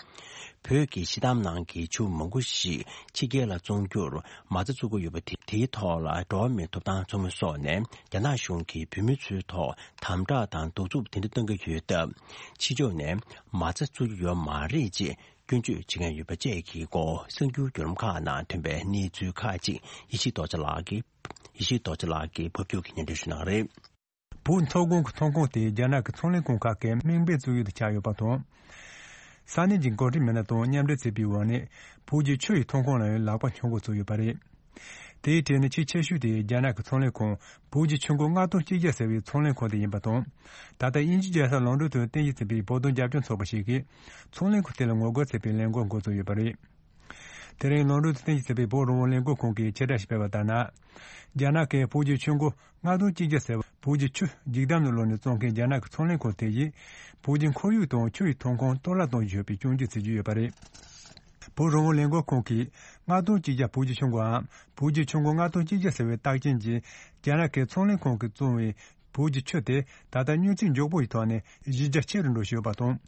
བོད་ཀྱི་སྤྱི་བཏང་ནང་གི་ཆུ་མང་པོ་ཞིག་ཕྱི་རྒྱལ་ལ་བཙོང་རྒྱུར་མ་རྩ་བཙུགས་ཀྱི་ཡོད་པ་དེ། དེའི་ཐོག་ལ་འགྲོ་བ་མིའི་ཐོབ་ཐང་ཚོགས་མི་སོགས་ནས་རྒྱ་ནག་གཞུང་གིས་བོད་མི་ཚོའི་ཐོག་དམ་དྲག་དང་གདུག་རྩུབ་དེ་འདྲ་བཏང་གི་ཡོད་སྟབས། ཕྱི་ཕྱོགས་ནས་མ་རྩ་བཙུགས་ཀྱི་ཡོད་མ་རེད་ཅེས་སྐྱོན་བརྗོད་བྱེད་མཁན་ཡོད་པ་བཅས་ཀྱི་སྐོར་གསར་འགྱུར་བརྒྱུད་ལམ་ཁག་ནང་ཐོན་པའི་གནས་ཚུལ་ཁག་ཅིག་ཡེ་ཤེས་རྡོ་རྗེ་ལགས་ཀྱིས། ཡེ་ཤེས་རྡོ་རྗེ་ལགས་ཀྱིས་ཕབ་སྒྱུར་གྱིས་སྙན་སྒྲོན་ཞུ་གནང་རེད། བོད་མཐོ་སྒང་གི་ཐོན་ཁུངས་དེ་རྒྱ་ནག་གི་ཚོང་ལས་ཁང་ཁག་གིས་དམིགས་འབེན་བཙུགས་ཡུལ་དུ་ཆགས་ཡོད་པ་དང་། ས་གནས་ཀྱི་འགོ་ཁྲིད་མི་སྣ་དང་མཉམ་འབྲེལ་བྱས་པའི་འོག་ནས་བོད་ཀྱི་ཆུ་ཡི་ཐོན་ཁུངས་ལ་ཡང་ལག་པ་འཆང་འགོ་བཙུགས་ཡོད་པ་རེད། དེའི་གྲས་ནས་ཆེས་ཆེ་ཤོས་དེ་རྒྱ་ནག་གི་ཚོང་ལས་ཁང་བོད་ཀྱི་ཆུ་མགོ་ལྔ་སྟོང་གཅིག་བརྒྱ་ཟེར་བའི་ཚོང་ལས་ཁང་དེ་ཡིན་པ་དང་། ད་ལྟ་དབྱིན་ཇི་རྒྱལ་ས་ལོན་ཌོན་དུ་རྟེན་གཞི་བྱས་པའི་བོད་དོན་རྒྱབ་སྐྱོར་ཚོགས་པ་ཞིག་གིས་ཚོང་ལས་ཁང་དེ་ལ་ངོ་རྒོལ་བྱེད་པའི་ལས་འགུལ་འགོ་བཙུགས་ཡོད་པ་རེད། དེ་རིང་ལོན་ཌོན་དུ་རྟེན་གཞི་བྱས་པའི་བོད་རང་དབང་ལས་འགུལ་ཁང་གིས་ཕྱིར་བསྒྲགས་ཤིག་སྤེལ་བ་ལྟར་ན། རྒྱ་ནག་གིས་བོད་ཀྱི་ཆུ་མགོ་ལྔ་སྟོང་གཅིག་བརྒྱ་ཟེར་བ་བོད་ཀྱི་ཆུ་ལྗིགས་དམ་དུ་བླུགས་ནས་བཙོང་མཁན་རྒྱ་ནག་གི་ཚོང་ལས་ཁང་དེ་ཡིས་བོད་ཀྱི་ཁོར་ཡུག་དང་ཆུ་ཡི་ཐོན་ཁུངས་གཏོར་བརླག་གཏོང་བཞིན་ཡོད་པའི་སྐྱོན་བརྗོད་བྱེད་ཀྱི་ཡོད་པ་རེད། བོད་རང་དབང་ལས་འགུལ་ཁང་གིས་ལྔ་སྟོང་གཅིག་བརྒྱ་བོད་ཀྱི་ཆུ་མགོའམ་བོད་ཀྱི་ཆུ་མགོ་ལྔ་སྟོང་གཅིག་བརྒྱ་ཟེར་བའི་རྟགས་ཅན་གྱི་རྒྱ་ནག་གི་ཚོང་ལས་ཁང་གིས་བཙོང་བའི་བོད་ཀྱི་ཆུ་དེ་ད་ལྟ་མྱུར་ཚད་མགྱོགས་པོ་ཡི་ཐོག་ནས་གཞི་རྒྱ་ཆེ་རུ་འགྲོ་བཞིན་ཡོད་པ་དང་།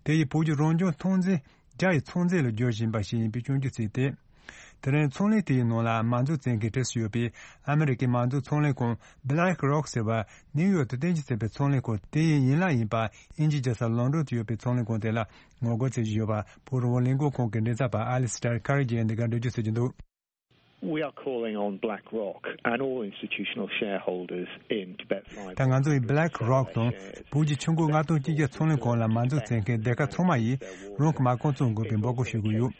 དེ་ཡིས་བོད་ཀྱི་རང་བྱུང་ཐོན་རྫས་རྒྱ་ཡི་ཚོང་རྫས་ལ་བསྒྱུར་བཞིན་པ་ཞིག་ཡིན་པའི་སྐྱོན་བརྗོད་བྱས་ཏེ། དེ་རིང་ཚོང་ལས་དེའི་ནང་ལ་མ་འཛུགས་བྱེད་མཁན་གྲས་སུ་ཡོད་པའི་ཨ་མི་རི་ཀའི་མ་འཛུགས་ཚོང་ལས་ཁང་Black Rock ཟེར་བ་ནིའུ་ཡོག་ཏུ་རྟེན་གཞི་བྱས་པའི་ཚོང་ལས་ཁང་དེ་ཡི་ཡན་ལག་ཡིན་པ་དབྱིན་ཇིའི་རྒྱལ་ས་ལོན་ཌོན་དུ་ཡོད་པའི་ཚོང་ལས་ཁང་དེ་ལ་ངོ་རྒོལ་བྱེད་བཞིན་ཡོད་པ་བོད་རང་དབང་ལས་འགུལ་ཁང་གི་མགྲིན་ཚབ་པ་ཨ་ལི་སི་ཏར་ཁ་རི་ཇེ་ཡིས་འདི་གར་འགྲེལ་བརྗོད་བྱེད་ཀྱི་འདུག We are calling on BlackRock and all institutional shareholders in Tibet Fiber. ད་ང་ཚོ་ཡིས་Black Rock དང་བོད་ཀྱི་ཆུ་མགོ་ལྔ་སྟོང་གཅིག་བརྒྱ་ཚོང་ལས་ཁང་ལ་མ་འཛུགས་བྱེད་མཁན་སྡེ་ཁག་ཚང་མ་ཡིས་རང་གི་མ་རྐང་བཙོང་དགོས་པའི་འབོད་སྐུལ་ཞུ་གི་ཡོད།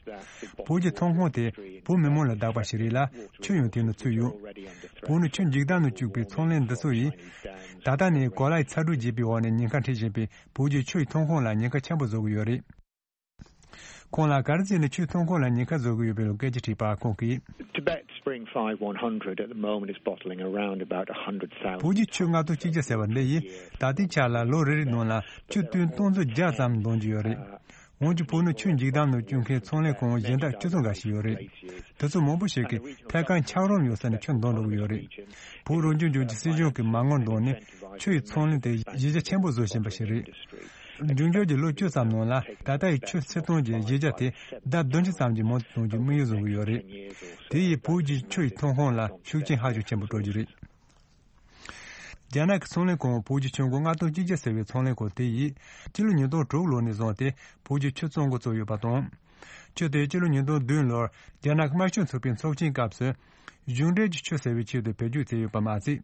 བོད་ཀྱི་ཐོན་ཁུངས་དེ་བོད་མི་མང་ལ་བདག་པ་ཞིག་རེད་ལ་ཆུ་ཡང་དེ་ནང་ཚུད་ཡོད། བོད་ནས་ཆུ་ལྗིགས་དམ་དུ་བཅུག་པའི་ཚོང་ལས་འདི་ཚོ་ཡིས་ད་ལྟ་ནས་གོ་ལའི་ཚ་དྲོད་རྒྱས་པའི་འོག་ནས་ཉེན་ཁ་འཕྲད་བཞིན་པའི་བོད་ཀྱི་ཆུ་ཡི་ཐོན་ཁུངས་ལ་ཉེན་ཁ་ཆེན་པོ་བཟོ་གི་ཡོད་རེད། ཁོང་ལ་ག་རེ་བྱས་ནས་ཆུའི་ཐོན་ཁུངས་ལ་ཉེན་ཁ་བཟོ་གི་ཡོད་པའི་སྐད་ཆ་དྲིས་པར་ཁོང་གིས། Tibet Spring five one hundred at the moment is bottling around about one hundred thousand. བོད་ཀྱི་ཆུ་ལྔ་སྟོང་གཅིག་བརྒྱ་ཟེར་བ་འདི་ཡིས་ད་ལྟའི་ཆར་ལ་ལོ་རེ་རེའི་ནང་ལ་ཆུ་ཏུན་སྟོང་ཚོ་བརྒྱ་ཙམ་འདོན་གྱི་ཡོད་རེད། འོན་ཀྱང་བོད་ནང་ཆུ་ལྗིགས་དམ་དུ་བཅུག་མཁན་ཚོང་ལས་ཁང་གཞན་དག་ཆུ་ཚོད་འགའ་ཞིག་ཡོད་རེད། དེ་ཚོ་མང་པོ་ཞིག་གིས་ཐད་ཀར་འཁྱགས་རོམ་ཡོད་ས་ནས་ཆུ་འདོན་འགྲོ་གི་ཡོད་རེད། བོད་རང་སྐྱོང་ལྗོངས་ཀྱི་སྲིད་གཞུང་གིས་མ་དངུལ་བཏོན་ནས་ཆུ་ཡི་ཚོང་ལས་དེ་གཞི་རྒྱ་ཆེན་པོ་བཟོ་བཞིན་པ་ཞིག་རེད། འབྱུང་འགྱུར་གྱི་ལོ་བཅུ་ཙམ་ནང་ལ་ད་ལྟ་ཡི་ཆུ་ཚོད་སྟོང་གི་གཞི་རྒྱ་དེ་ལྡབ་བདུན་ཅུ་ཙམ་གྱིས་མང་དུ་གཏོང་རྒྱུའི་དམིགས་ཡུལ་བཟུང་གི་ཡོད་རེད། དེ་ཡིས་བོད་ཀྱི་ཆུ་ཡི་ཐོན་ཁུངས་ལ་ཤུགས་རྐྱེན་ཧ་ཅང་ཆེན་པོ་སྤྲོད་རྒྱུ་རེད། རྒྱ་ནག་གི་ཚོང་ལས་ཁང་བོད་ཀྱི་ཆུ་མགོ་ལྔ་སྟོང་གཅིག་བརྒྱ་ཟེར་བའི་ཚོང་ལས་ཁང་དེ་ཡིས་སྤྱི་ལོ་ཉིས་སྟོང་དྲུག་ལོ་ནས་བཟུང་སྟེ་བོད་ཀྱི་ཆུ་བཙོང་འགོ་བཙུགས་ཡོད་པ་དང་། ཆུ་དེ་སྤྱི་ལོ་ཉིས་སྟོང་བདུན་ལོར་རྒྱ་ནག་གི་དམར་ཤོག་ཚོགས་པའི་ཚོགས་ཆེན་སྐབས་སུ་གཞུང་འབྲེལ་གྱི་ཆུ་ཟེར་བའི་ཆེད་དུ་བེད་སྤྱོད་བྱས་ཡོད་པ་མ་ཟད།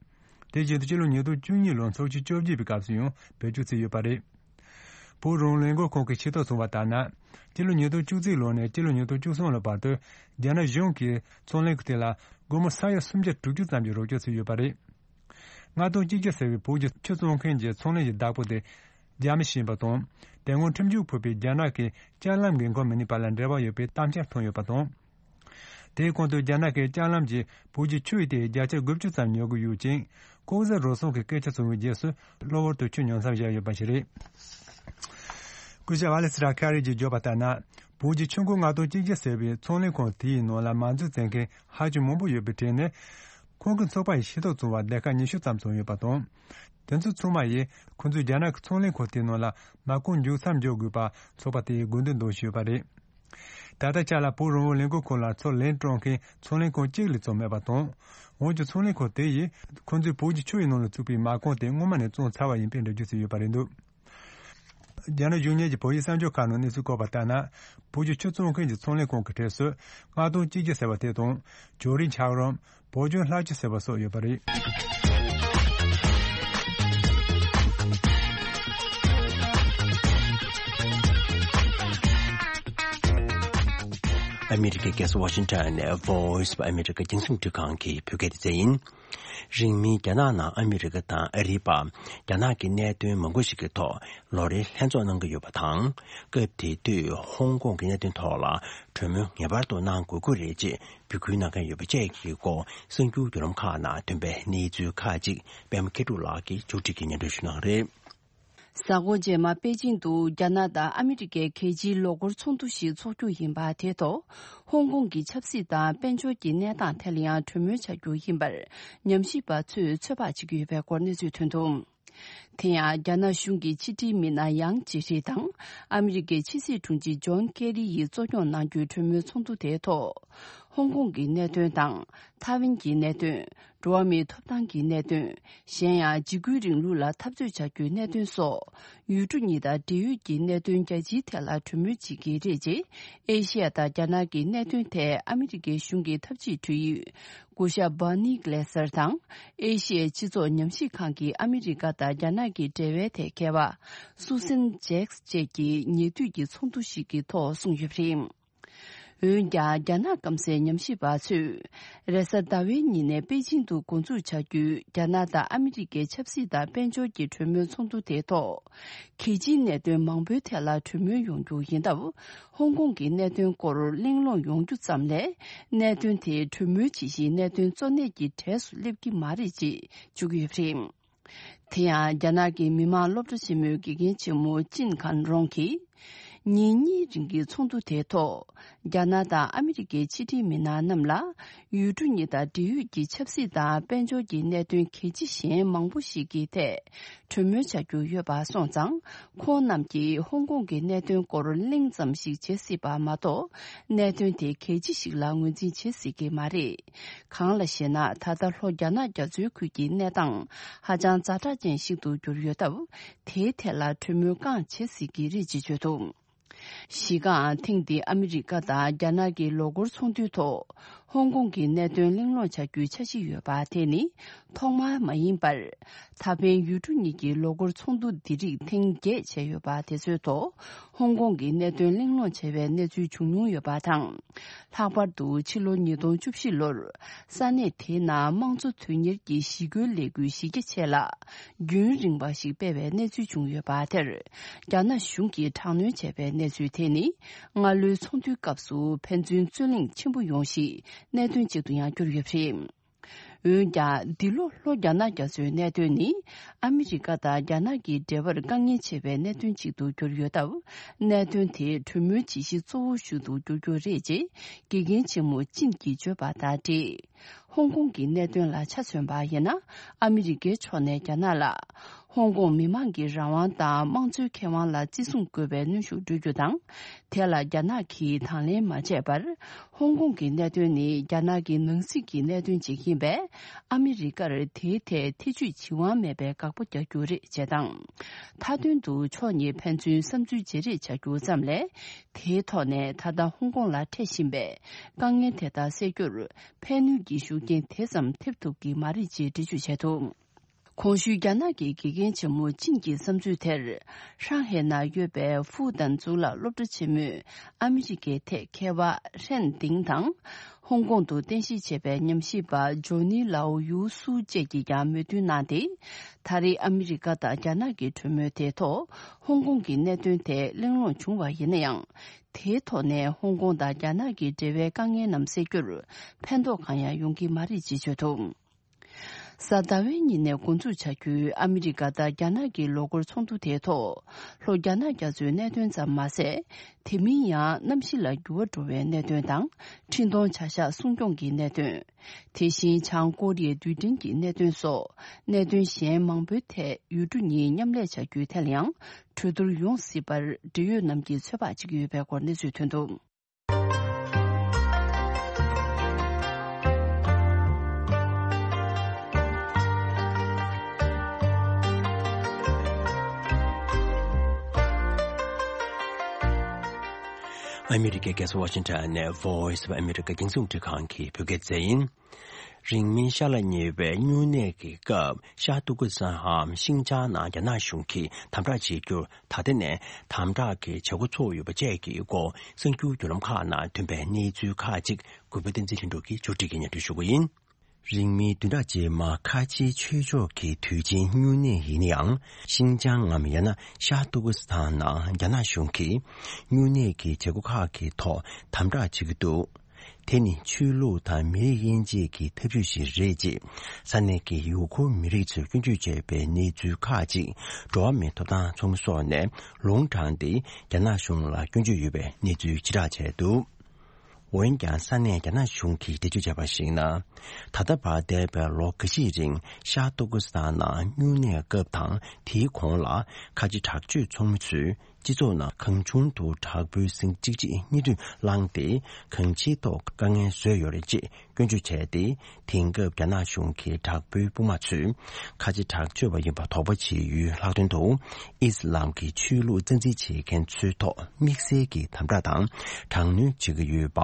དེ་བཞིན་དུ་སྤྱི་ལོ་ཉིས་སྟོང་བཅུ་གཉིས་ལོར་ཚོགས་ཆེན་བཅོ་བརྒྱད་པའི་སྐབས་སུ་ཡང་བེད་སྤྱོད་བྱས་ཡོད་པ་རེད། བོད་རང་དབང་ལས་འགུལ་ཁང་གིས་ཤེས་རྟོགས་བྱུང་བ་ལྟར་ན། སྤྱི་ལོ་ཉིས་སྟོང་བཅུ་གཅིག་ལོ་ནས་སྤྱི་ལོ་ཉིས་སྟོང་བཅུ་གསུམ་ལོ་བར་དུ་རྒྱ་ནག་གཞུང་གིས་ཚོང་ལས་ཁང་དེ་ལ་སྒོར་མོ་ས་ཡ་སུམ་བརྒྱ་དྲུག་ཅུ་ཙམ་གྱི་རོགས་སྐྱོར་བྱས་ཡོད་པ་རེད། ལྔ་སྟོང་གཅིག་བརྒྱ་ཟེར་བའི་བོད་ཀྱི་ཆུ་བཙོང་མཁན་གྱི་ཚོང་ལས་ཀྱི་བདག་པོ་དེ་རྒྱ་མི་ཞིག་ཡིན་པ་དང་། དེ་སྔོན་ཁྲིམས་གཅོད་ཕོག་པའི་རྒྱ་ནག་གི་ལྕགས་ལམ་གྱི་འགོ་མི་སྣའི་བར་ལ་འབྲེལ་བ་ཡོད་པའི་དམ་བཅའ་བཏོན་ཡོད་པ་དང་། དེའི་གོང་དུ་རྒྱ་ནག་གིས་ལྕགས་ལམ་གྱིས་བོད་ཀྱི་ཆུ་ཡི་ཐད་བརྒྱ་ཆ་དགུ་བཅུ་ཙམ་ཉོ་གི་ཡོད་ཅིང་། ལྐོག་ཟ་རུལ་སུངས་ཀྱི་སྐད་ཆ་བྱུང་བའི་རྗེས་སུ་གློ་བུར་དུ་ཆུ་ཉོ་མཚམས་བཞག་ཡོད་པ་ཞིག་རེད། སྐུ་ཞབས་ཨ་ལེ་སི་ཏྲ་ཁ་རི་གྱིས་བརྗོད་པ་ལྟར་ན། བོད་ཀྱི་ཆུ་མགོ་ལྔ་སྟོང་གཅིག་བརྒྱ་ཟེར་བའི་ཚོང་ལས་ཁང་དེའི་ནང་ལ་མ་འཛུགས་བྱེད་མཁན་ཧ་ཅང་མང་པོ་ཡོད་པའི་གྲས་ནས། ཁོང་གི་ཚོགས་པ་ཡིས་ཤེས་རྟོགས་བྱུང་བ་སྡེ་ཁག་ཉི་ཤུ་ཙམ་བྱུང་ཡོད་པ་དང་། དེ་ཚོ་ཚང་མ་ཡིས་ཁོང་ཚོས་རྒྱ་ནག་གི་ཚོང་ལས་ཁང་དེའི་ནང་ལ་མ་རྐང་མཇུག་མཚམས་འཇོག་དགོས་པ་ཚོགས་པ་དེས་དགོས་འདུན་འདོན་བཞིན་ཡོད་པ་རེད། ད་ལྟ་ཆ་ལ་བོད་རང་དབང་ལས་འགུལ་ཁང་ལ་ཚུར་ལན་སྤྲོད་མཁན་ཚོང་ལས་ཁང་གཅིག་ལས་ཙམ་མེད་པ་དང་། འོན་ཀྱང་ཚོང་ལས་ཁང་དེ་ཡིས་ཁོང་ཚོས་བོད་ཀྱི་ཆུ་ཡི་ནང་ལ་བཙུགས་པའི་མ་རྐང་དེ་སྔོན་མ་ནས་བཙོངས་ཚར་བ་ཡིན་པའི་འགྲེལ་བརྗོད་བྱས་ཡོད་པ་རེད་འདུག་རྒྱ་ནག་གཞུང་གཉེར་གྱི་བོད་ཡིག་གསར་འགྱུར་ཁག་ནང་གནས་ཚུལ་བཀོད་པ་ལྟར་ན། བོད་ཀྱི་ཆུ་བཙོང་མཁན་གྱི་ཚོང་ལས་ཁང་གི་གྲས་སུ་ལྔ་སྟོང་གཅིག་བརྒྱ་ཟེར་བ་དེ་དང་། ཇོ་རི་འཁྱགས་རོམ། བོད་ལྗོངས་ལྷ་ཆུ་ཟེར་བ་སོགས་ཡོད་པ་རེད། ཨ་མི་རི་ཀའི་རྒྱལ་ས་ཝ་ཤིང་ཊོན་ནས་Voice of America་རྒྱང་སྲིང་རླུང་འཕྲིན་ཁང་གི་བོད་སྐད་སྡེ་ཚན་ཡིན། རིང་མིན་རྒྱ་ནག་ནང་ཨ་མི་རི་ཀ་དང་ཨ་རིའི་བར་རྒྱ་ནག་གི་གནད་དོན་མང་པོ་ཞིག་གི་ཐོག་ལོ་རེའི་ལྷན་ཚོགས་གནང་གི་ཡོད་པ་དང་། སྐབས་དེ་དུས་ཧོང་ཀོང་གི་གནད་དོན་ཐོག་ལ་གྲོས་མོལ་ངེས་པར་དུ་གནང་དགོས་ཀྱི་རེད་ཅེས་འབོད་སྐུལ་གནང་མཁན་ཡོད་པ་བཅས་ཀྱི་སྐོར་གསར་འགྱུར་བརྒྱུད་ལམ་ཁག་ནང་ཐོན་པའི་གནས་ཚུལ་ཁག་ཅིག་པད་མ་མཁས་གྲུབ་ལགས་ཀྱིས་ཕྱོགས་སྒྲིག་གིས་སྙན་སྒྲོན་ཞུ་གནང་རེད། གཟའ་འཁོར་རྗེས་མ་པེ་ཅིང་དུ་རྒྱ་ནག་དང་ཨ་མི་རི་ཀའི་གལ་ཆེའི་ལོ་འཁོར་ཚོགས་འདུ་ཞིག་འཚོགས་རྒྱུ་ཡིན་པ་དེའི་ཐོག་ཧོང་ཀོང་གི་ཆབ་སྲིད་དང་དཔལ་འབྱོར་གྱི་གནས་སྟངས་ཐད་ལ་ཡང་གྲོས་མོལ་བྱ་རྒྱུ་ཡིན་པར་ཉམས་ཞིབ་པ་ཚོས་ཚོད་དཔག་བྱེད་ཀྱི་ཡོད་པའི་སྐོར་གནས་ཚུལ་ཐོན་འདུག་དེ་ཡང་རྒྱ་ནག་གཞུང་གི་ཕྱི་དྲིལ་མི་སྣ་ཡང་ཇེ་ཧྲི་དང་ཨ་མི་རི་ཀའི་ཕྱི་སྲིད་དྲུང་ཆེ་ཇོན་ཀེ་རི་ཡིས་གཙོ་སྐྱོང་གནང་རྒྱུའི་གྲོས་མོལ་ཚོགས་འདུ་དེའི་ཐོག་ཧོང་ཀོང་གི་གནད་དོན་དང་། ཐའེ་ཝན་གྱི་གནད་དོན། འགྲོ་བ་མིའི་ཐོབ་ཐང་གི་གནད་དོན། གཞན་ཡང་འཇིགས་སྐུལ་རིང་ལུགས་ལ་འཐབ་རྩོད་བྱ་རྒྱུའི་གནད་དོན་སོགས། ཡུལ་གྲུ་གཉིས་དང་འབྲེལ་ཡོད་ཀྱི་གནད་དོན་རྒྱ་ཆེའི་ཐད་ལ་གྲོས་མོལ་བྱེད་ཀྱི་རེད། ཅེས་ཨེ་ཤི་ཡ་དང་རྒྱ་ནག་གི་གནད་དོན་ཐད་ཨ་མི་རི་ཀའི་གཞུང་གི་ཐབས་ཇུས་གྲོས་ཡུལ་སྐུ་ཞབས་Bonnie Glaser དང་ཨེ་ཤི་ཡའི་སྤྱི་ཚོགས་ཉམས་ཞིབ་ཁང་གི་ཨ་མི་རི་ཀ་དང་རྒྱ་ནག་གི་འབྲེལ་བའི་ཐད་མཁས་པ་Susan Jacks བཅས་ཀྱི་ཉེ་དུས་ཀྱི་ཚོགས་འདུ་ཞིག་གི་ཐོག་གསུངས་ཡོད་པ་རེད། འོན་ཀྱང་རྒྱ་ནག་སྐམ་སའི་ཉམས་ཞིབ་པ་ཚོས་རེས་གཟའ་ཟླ་བའི་ཉིན་ནས་པེ་ཅིང་དུ་འགོ་འཛུགས་བྱ་རྒྱུའི་རྒྱ་ནག་དང་ཨ་མི་རི་ཀའི་ཆབ་སྲིད་དང་དཔལ་འབྱོར་གྱི་གྲོས་མོལ་ཚོགས་འདུ་དེའི་ཐོག་གལ་ཆེའི་གནད་དོན་མང་པོའི་ཐད་ལ་གྲོས་མོལ་ཡོང་རྒྱུ་ཡིན་སྟབས། ཧོང་ཀོང་གི་གནད་དོན་སྐོར་གླེང་སློང་ཡོང་རྒྱུ་ཙམ་ལས། གནད་དོན་དེ་གྲོས་མོལ་བྱེད་གཞིའི་གནད་དོན་གཙོ་གནད་ཀྱི་གྲས་སུ་སླེབས་ཀྱི་མ་རེད་ཅེས་བརྗོད་ཀྱི་ཡོད་པ་རེད། དེ་ཡང་རྒྱ་ནག་གི་མི་དམངས་སློབ་གྲྭ་ཆེན་མོའི་དགེ་རྒན་ཆེན་མོ་ཅིན་ཁན་རོང་གིས། ཉིན་གཉིས་རིང་གི་ཚོགས་འདུ་དེའི་ཐོག་རྒྱ་ནག་དང་ཨ་མི་རི་ཀའི་ཕྱི་དྲིལ་མི་སྣ་རྣམས་ལ། ཡུལ་གྲུ་གཉིས་དང་འབྲེལ་ཡོད་ཀྱི་ཆབ་སྲིད་དང་དཔལ་འབྱོར་གྱི་གནད་དོན་གལ་ཆེ་གཞན་མང་པོ་ཞིག་གི་ཐད། གྲོས་མོལ་བྱ་རྒྱུ་ཡོད་པ་སོང་ཙང་། ཁོང་རྣམས་ཀྱིས་ཧོང་ཀོང་གི་གནད་དོན་སྐོར་གླེང་ཙམ་ཞིག་བྱེད་སྲིད་པ་མ་གཏོགས། གནད་དོན་དེ་གལ་ཆེ་ཞིག་ལ་ངོས་འཛིན་བྱེད་སྲིད་ཀྱི་མ་རེད། གང་ལ་ཞེ་ན། ད་ལྟ་ལྷོ་རྒྱ་ནག་རྒྱ་མཚོའི་ཁུལ་གྱི་གནས་སྟངས་ཧ་ཅང་ཛ་དྲག་ཅན་ཞིག་ཏུ་གྱུར་ཡོད་སྟབས། དེའི་ཐད་ལ་གྲོས་མོལ་རྐང་བྱེད་སྲིད་ཀྱི་རེད་ཅེས་བརྗོད་འདུག་གཞི་རྐང་ཐེངས་འདིའི་ཨ་མི་རི་ཀ་དང་རྒྱ་ནག་གི་ལོ་འཁོར་ཚོགས་འདུའི་ཐོག་ཧོང་ཀོང་གི་གནད་དོན་གླེང་སློང་བྱ་རྒྱུའི་འཆར་གཞི་ཡོད་པ་དེ་ནི་ཐོག་མ་མ་ཡིན་པར། ད་ཕན་ཡུལ་གྲུ་གཉིས་ཀྱི་ལོ་འཁོར་ཚོགས་འདུ་འདི་རིགས་ཐེངས་བརྒྱད་བྱས་ཡོད་པ་དེ་ཚོའི་ཐོག་ཧོང་ཀོང་གི་གནད་དོན་གླེང་སློང་བྱས་པའི་གནས་ཚུལ་བྱུང་མྱོང་ཡོད་པ་དང་། ལྷག་པར་དུ་ཕྱི་ལོ་ཉིས་སྟོང་བཅུ་བཞི་ལོར་ས་གནས་དེའི་ནང་དམངས་གཙོ་དོན་གཉེར་གྱི་ཞི་རྒོལ་ལས་འགུལ་གཞི་རྒྱ་ཆེ་ལ་རྒྱུན་རིང་བ་ཞིག་སྤེལ་བའི་གནས་ཚུལ་བྱུང་ཡོད་པ་དེར། རྒྱ་ནག་གཞུང་གིས་དྲག་གནོན་བྱས་པའི་གནས་ཚུལ་དེ་ནི། སྔ་ལོའི་ཚོགས་འདུའི་སྐབས་སུ་ཕན་ཚུན་རྩོད་གླེང་ཆེན་པོ་ཡོང་གཞིའི་གནད་དོན་ཅིག་ཏུ་ཡང་གྱུར་ཡོད་པ་རེད། འོན་ཀྱང་། འདི་ལོ་ལྷོ་རྒྱ་ནག་རྒྱ་མཚོའི་གནད་དོན་ནི། ཨ་མི་རི་ཀ་དང་རྒྱ་ནག་གི་འབྲེལ་བར་དཀའ་ངལ་ཆེ་བའི་གནད་དོན་ཅིག་ཏུ་གྱུར་ཡོད་སྟབས། གནད་དོན་དེ་གྲོས་མོལ་བྱེད་གཞི་གཙོ་བོ་ཞིག་ཏུ་འགྱུར་རྒྱུ་རེད་ཅེས་དགེ་རྒན་ཆེན་མོ་ཅིན་གྱིས་བརྗོད་པ་དང་འབྲེལ། ཧོང་ཀོང་གི་གནད་དོན་ལ་ཆ་མཚོན་པ་ཡིན་ན། ཨ་མི་རི་ཀའི་ཕྱོགས་ནས་རྒྱ་ནག་ལ། ཧོང་ཀོང་མི་མང་གི་རང་དབང་དང་དམངས་གཙོའི་ཁེ་དབང་ལ་བརྩི་སྲུང་དགོས་པའི་གནོན་ཤུགས་སྤྲོད་རྒྱུ་དང་། དེ་ལ་རྒྱ་ནག་གིས་དང་ལེན་མ་བྱས་པར། ཧོང་ཀོང་གི་གནད་དོན་ནི་རྒྱ་ནག་གི་ནང་སྲིད་ཀྱི་གནད་དོན་ཅིག་ཡིན་པས། ཨ་མི་རི་ཀར་དེའི་ཐད་ཐེ་བྱུས་བྱེད་དབང་མེད་པའི་དགག་པ་རྒྱག་རྒྱུ་རེད་ཅེས་དང་། མཐའ་དོན་དུ་ཕྱོགས་གཉིས་ཕན་ཚུན་བསམ་ཚུལ་བརྗེ་རེས་བྱ་རྒྱུ་ཙམ་ལས། དེའི་ཐོག་ནས་ད་ལྟ་ཧོང་ཀོང་ལ་འཕྲད་བཞིན་པའི་དཀའ་ངལ་དེ་དག་སེལ་རྒྱུར་ཕན་ནུས་ཀྱི་ཤུགས་རྐྱེན་དེ་ཙམ་ཐེབས་ཐུབ་ཀྱི་མ་རེད་ཅེས་འགྲེལ་བརྗོད་བྱས་འདུག་གོང་ཞུས་རྒྱ་ནག་གི་དགེ་རྒན་ཆེན་མོ་ཅིན་གྱི་བསམ་ཚུལ་དེར། ཧྲང་ཧའེ་ནང་ཡོད་པའི་ཧྥུའུ་ཏན་གཙུག་ལག་སློབ་གྲྭ་ཆེན་མོའི་ཨ་མི་རི་ཀའི་ཐད་མཁས་པ་ཧྲན་ཏིང་དང་། ཧོང་ཀོང་དུ་རྟེན་གཞི་བྱས་པའི་ཉམས་ཞིབ་པ་ཇོ་ནི་ལའོ་ཡུའུ་སུའུ་བཅས་ཀྱིས་ཀྱང་མོས་མཐུན་གནང་སྟེ། ད་རེས་ཨ་མི་རི་ཀ་དང་རྒྱ་ནག་གི་གྲོས་མོལ་དེའི་ཐོག་ཧོང་ཀོང་གི་གནད་དོན་ཐད་གླེང་སློང་བྱུང་བ་ཡིན་ན་ཡང་། དེའི་ཐོག་ནས་ཧོང་ཀོང་དང་རྒྱ་ནག་གི་འབྲེལ་བའི་དཀའ་ངལ་རྣམས་སེལ་རྒྱུར་ཕན་ཐོགས་གང་ཡང་ཡོང་གི་མ་རེད་ཅེས་བརྗོད་འདུག་གཟའ་ཟླ་བའི་ཉིན་ནས་འགོ་འཛུགས་བྱ་རྒྱུའི་ཨ་མི་རི་ཀ་དང་རྒྱ་ནག་གི་ལོ་འཁོར་ཚོགས་འདུ་དེའི་ཐོག་ལྷོ་རྒྱ་ནག་རྒྱ་མཚོའི་གནད་དོན་ཙམ་མ་ཟད། དེ་མིན་ཡང་གནམ་གཤིས་ལ་འགྱུར་བ་འགྲོ་བའི་གནད་དོན་དང་། འཕྲིན་གཏོང་བྱ་གཞག་སྲུང་སྐྱོང་གི་གནད་དོན། དེ་བཞིན་བྱང་ཀོ་རི་ཡའི་རྡུལ་ཕྲན་གྱི་གནད་དོན་སོགས་གནད་དོན་གཞན་མང་པོའི་ཐད་ཡུལ་གྲུ་གཉིས་མཉམ་ལས་བྱ་རྒྱུའི་ཐད་ལ་ཡང་གྲོས་བསྡུར་ཡོང་སྲིད་པར་འབྲེལ་ཡོད་རྣམས་ཀྱིས་ཚོད་དཔག་བྱེད་ཀྱི་ཡོད་པའི་སྐོར་གནས་ཚུལ་ཐོན་འདུག་ཨ་མི་རི་ཀའི་རྒྱལ་ས་ཝ་ཤིང་ཊོན་ནས་Voice of America རྒྱང་སྲིང་རླུང་འཕྲིན་ཁང་གི་བོད་སྐད་སྡེ་ཚན་ཡིན། རིང་མིན་ཤ་ལ་ཉེ་བའི་སྨྱུང་གནས་ཀྱི་སྐབས་ཤར་ཏུར་ཀི་སི་ཐན་འམ་ཤིན་ཅང་ནང་རྒྱ་ནག་གཞུང་གིས་དམ་དྲག་བྱེད་རྒྱུར་ད་ལྟ་ནས་དམ་དྲག་གི་བྱེད་སྒོ་ཚུགས་ཡོད་པ་བཅས་ཀྱི་སྐོར་གསར་འགྱུར་བརྒྱུད་ལམ་ཁག་ནང་ཐོན་པའི་གནས་ཚུལ་ཁག་ཅིག་གུས་པ་བསྟན་འཛིན་ལྷུན་གྲུབ་ཀྱིས་ཕྱོགས་སྒྲིག་གིས་སྙན་སྒྲོན་ཞུ་གི་ཡིན། རིང་མིན་བདུན་ཕྲག་རྗེས་མ་ཁ་ཆེའི་ཆོས་ཕྱོགས་ཀྱི་དུས་ཆེན་སྨྱུང་གནས་ཡིན་ན་ཡང་། ཤིན་ཅང་ངམ་ཡང་ན་ཤར་ཏུར་ཀི་སི་ཐན་ནང་རྒྱ་ནག་གཞུང་གིས་སྨྱུང་གནས་ཀྱི་བྱེད་སྒོ་ཁག་གི་ཐོག་དམ་དྲག་བྱེད་ཀྱི་འདུག་དེ་ནི་ཆོས་ལུགས་དང་མི་རིགས་དབྱེ་འབྱེད་ཀྱི་ཐབས་ཇུས་ཤིག་རེད་ཅེས་ས་གནས་ཀྱི་ཡུ་གུར་མི་རིགས་ཚོས་སྐྱོན་བརྗོད་བྱས་པའི་གནས་ཚུལ་ཁག་ཅིག་འགྲོ་བ་མིའི་ཐོབ་ཐང་ཚོགས་མི་སོགས་ནས་ལུང་དྲངས་ཏེ་རྒྱ་ནག་གཞུང་ལ་སྐྱོན་བརྗོད་ཡོད་པའི་གནས་ཚུལ་ཕྱིར་བསྒྲགས་བྱས་འདུག་འོན་ཀྱང་ས་གནས་རྒྱ་ནག་གཞུང་གིས་འགྲེལ་བརྗོད་བྱས་པར་གཞིགས་ན། ད་ལྟ་བར་འདས་པའི་ལོ་འགའ་ཤས་རིང་ཤར་ཏུར་ཀི་སི་ཐན་ནང་སྨྱུང་གནས་སྐབས་དང་དེའི་གོང་ལ་ཁ་ཆེ་དྲག་སྤྱོད་ཚོགས་མི་ཚོས་སྤྱི་ཚོགས་ནང་གང་བྱུང་དུ་དྲག་པོའི་ཟིང་གཅིག་རྗེས་གཉིས་མཐུད་བསླངས་ཏེ་གང་ཅིའི་ཐོག་དཀའ་ངལ་བཟོས་ཡོད་རེད་ཅེས་སྐྱོན་བརྗོད་བྱས་ཏེ། དེང་སྐབས་རྒྱ་ནག་གཞུང་གིས་དྲག་པོའི་དཔུང་དམག་ཚོས་ཁ་ཆེ་དྲག་སྤྱོད་པ་ཡིན་པ་དོགས་པ་བྱེད་ཡུལ་ལྷག་དོན་དུ། ཨི་སི་ལམ་གྱི་ཆོས་ལུགས་རྩ་འཛིན་བྱེད་མཁན་ཚོའི་ཐོག་དམིགས་བསལ་གྱི་དམ་དྲག་དང་དྲག་གནོན་བྱེད་ཀྱི་ཡོད་པ་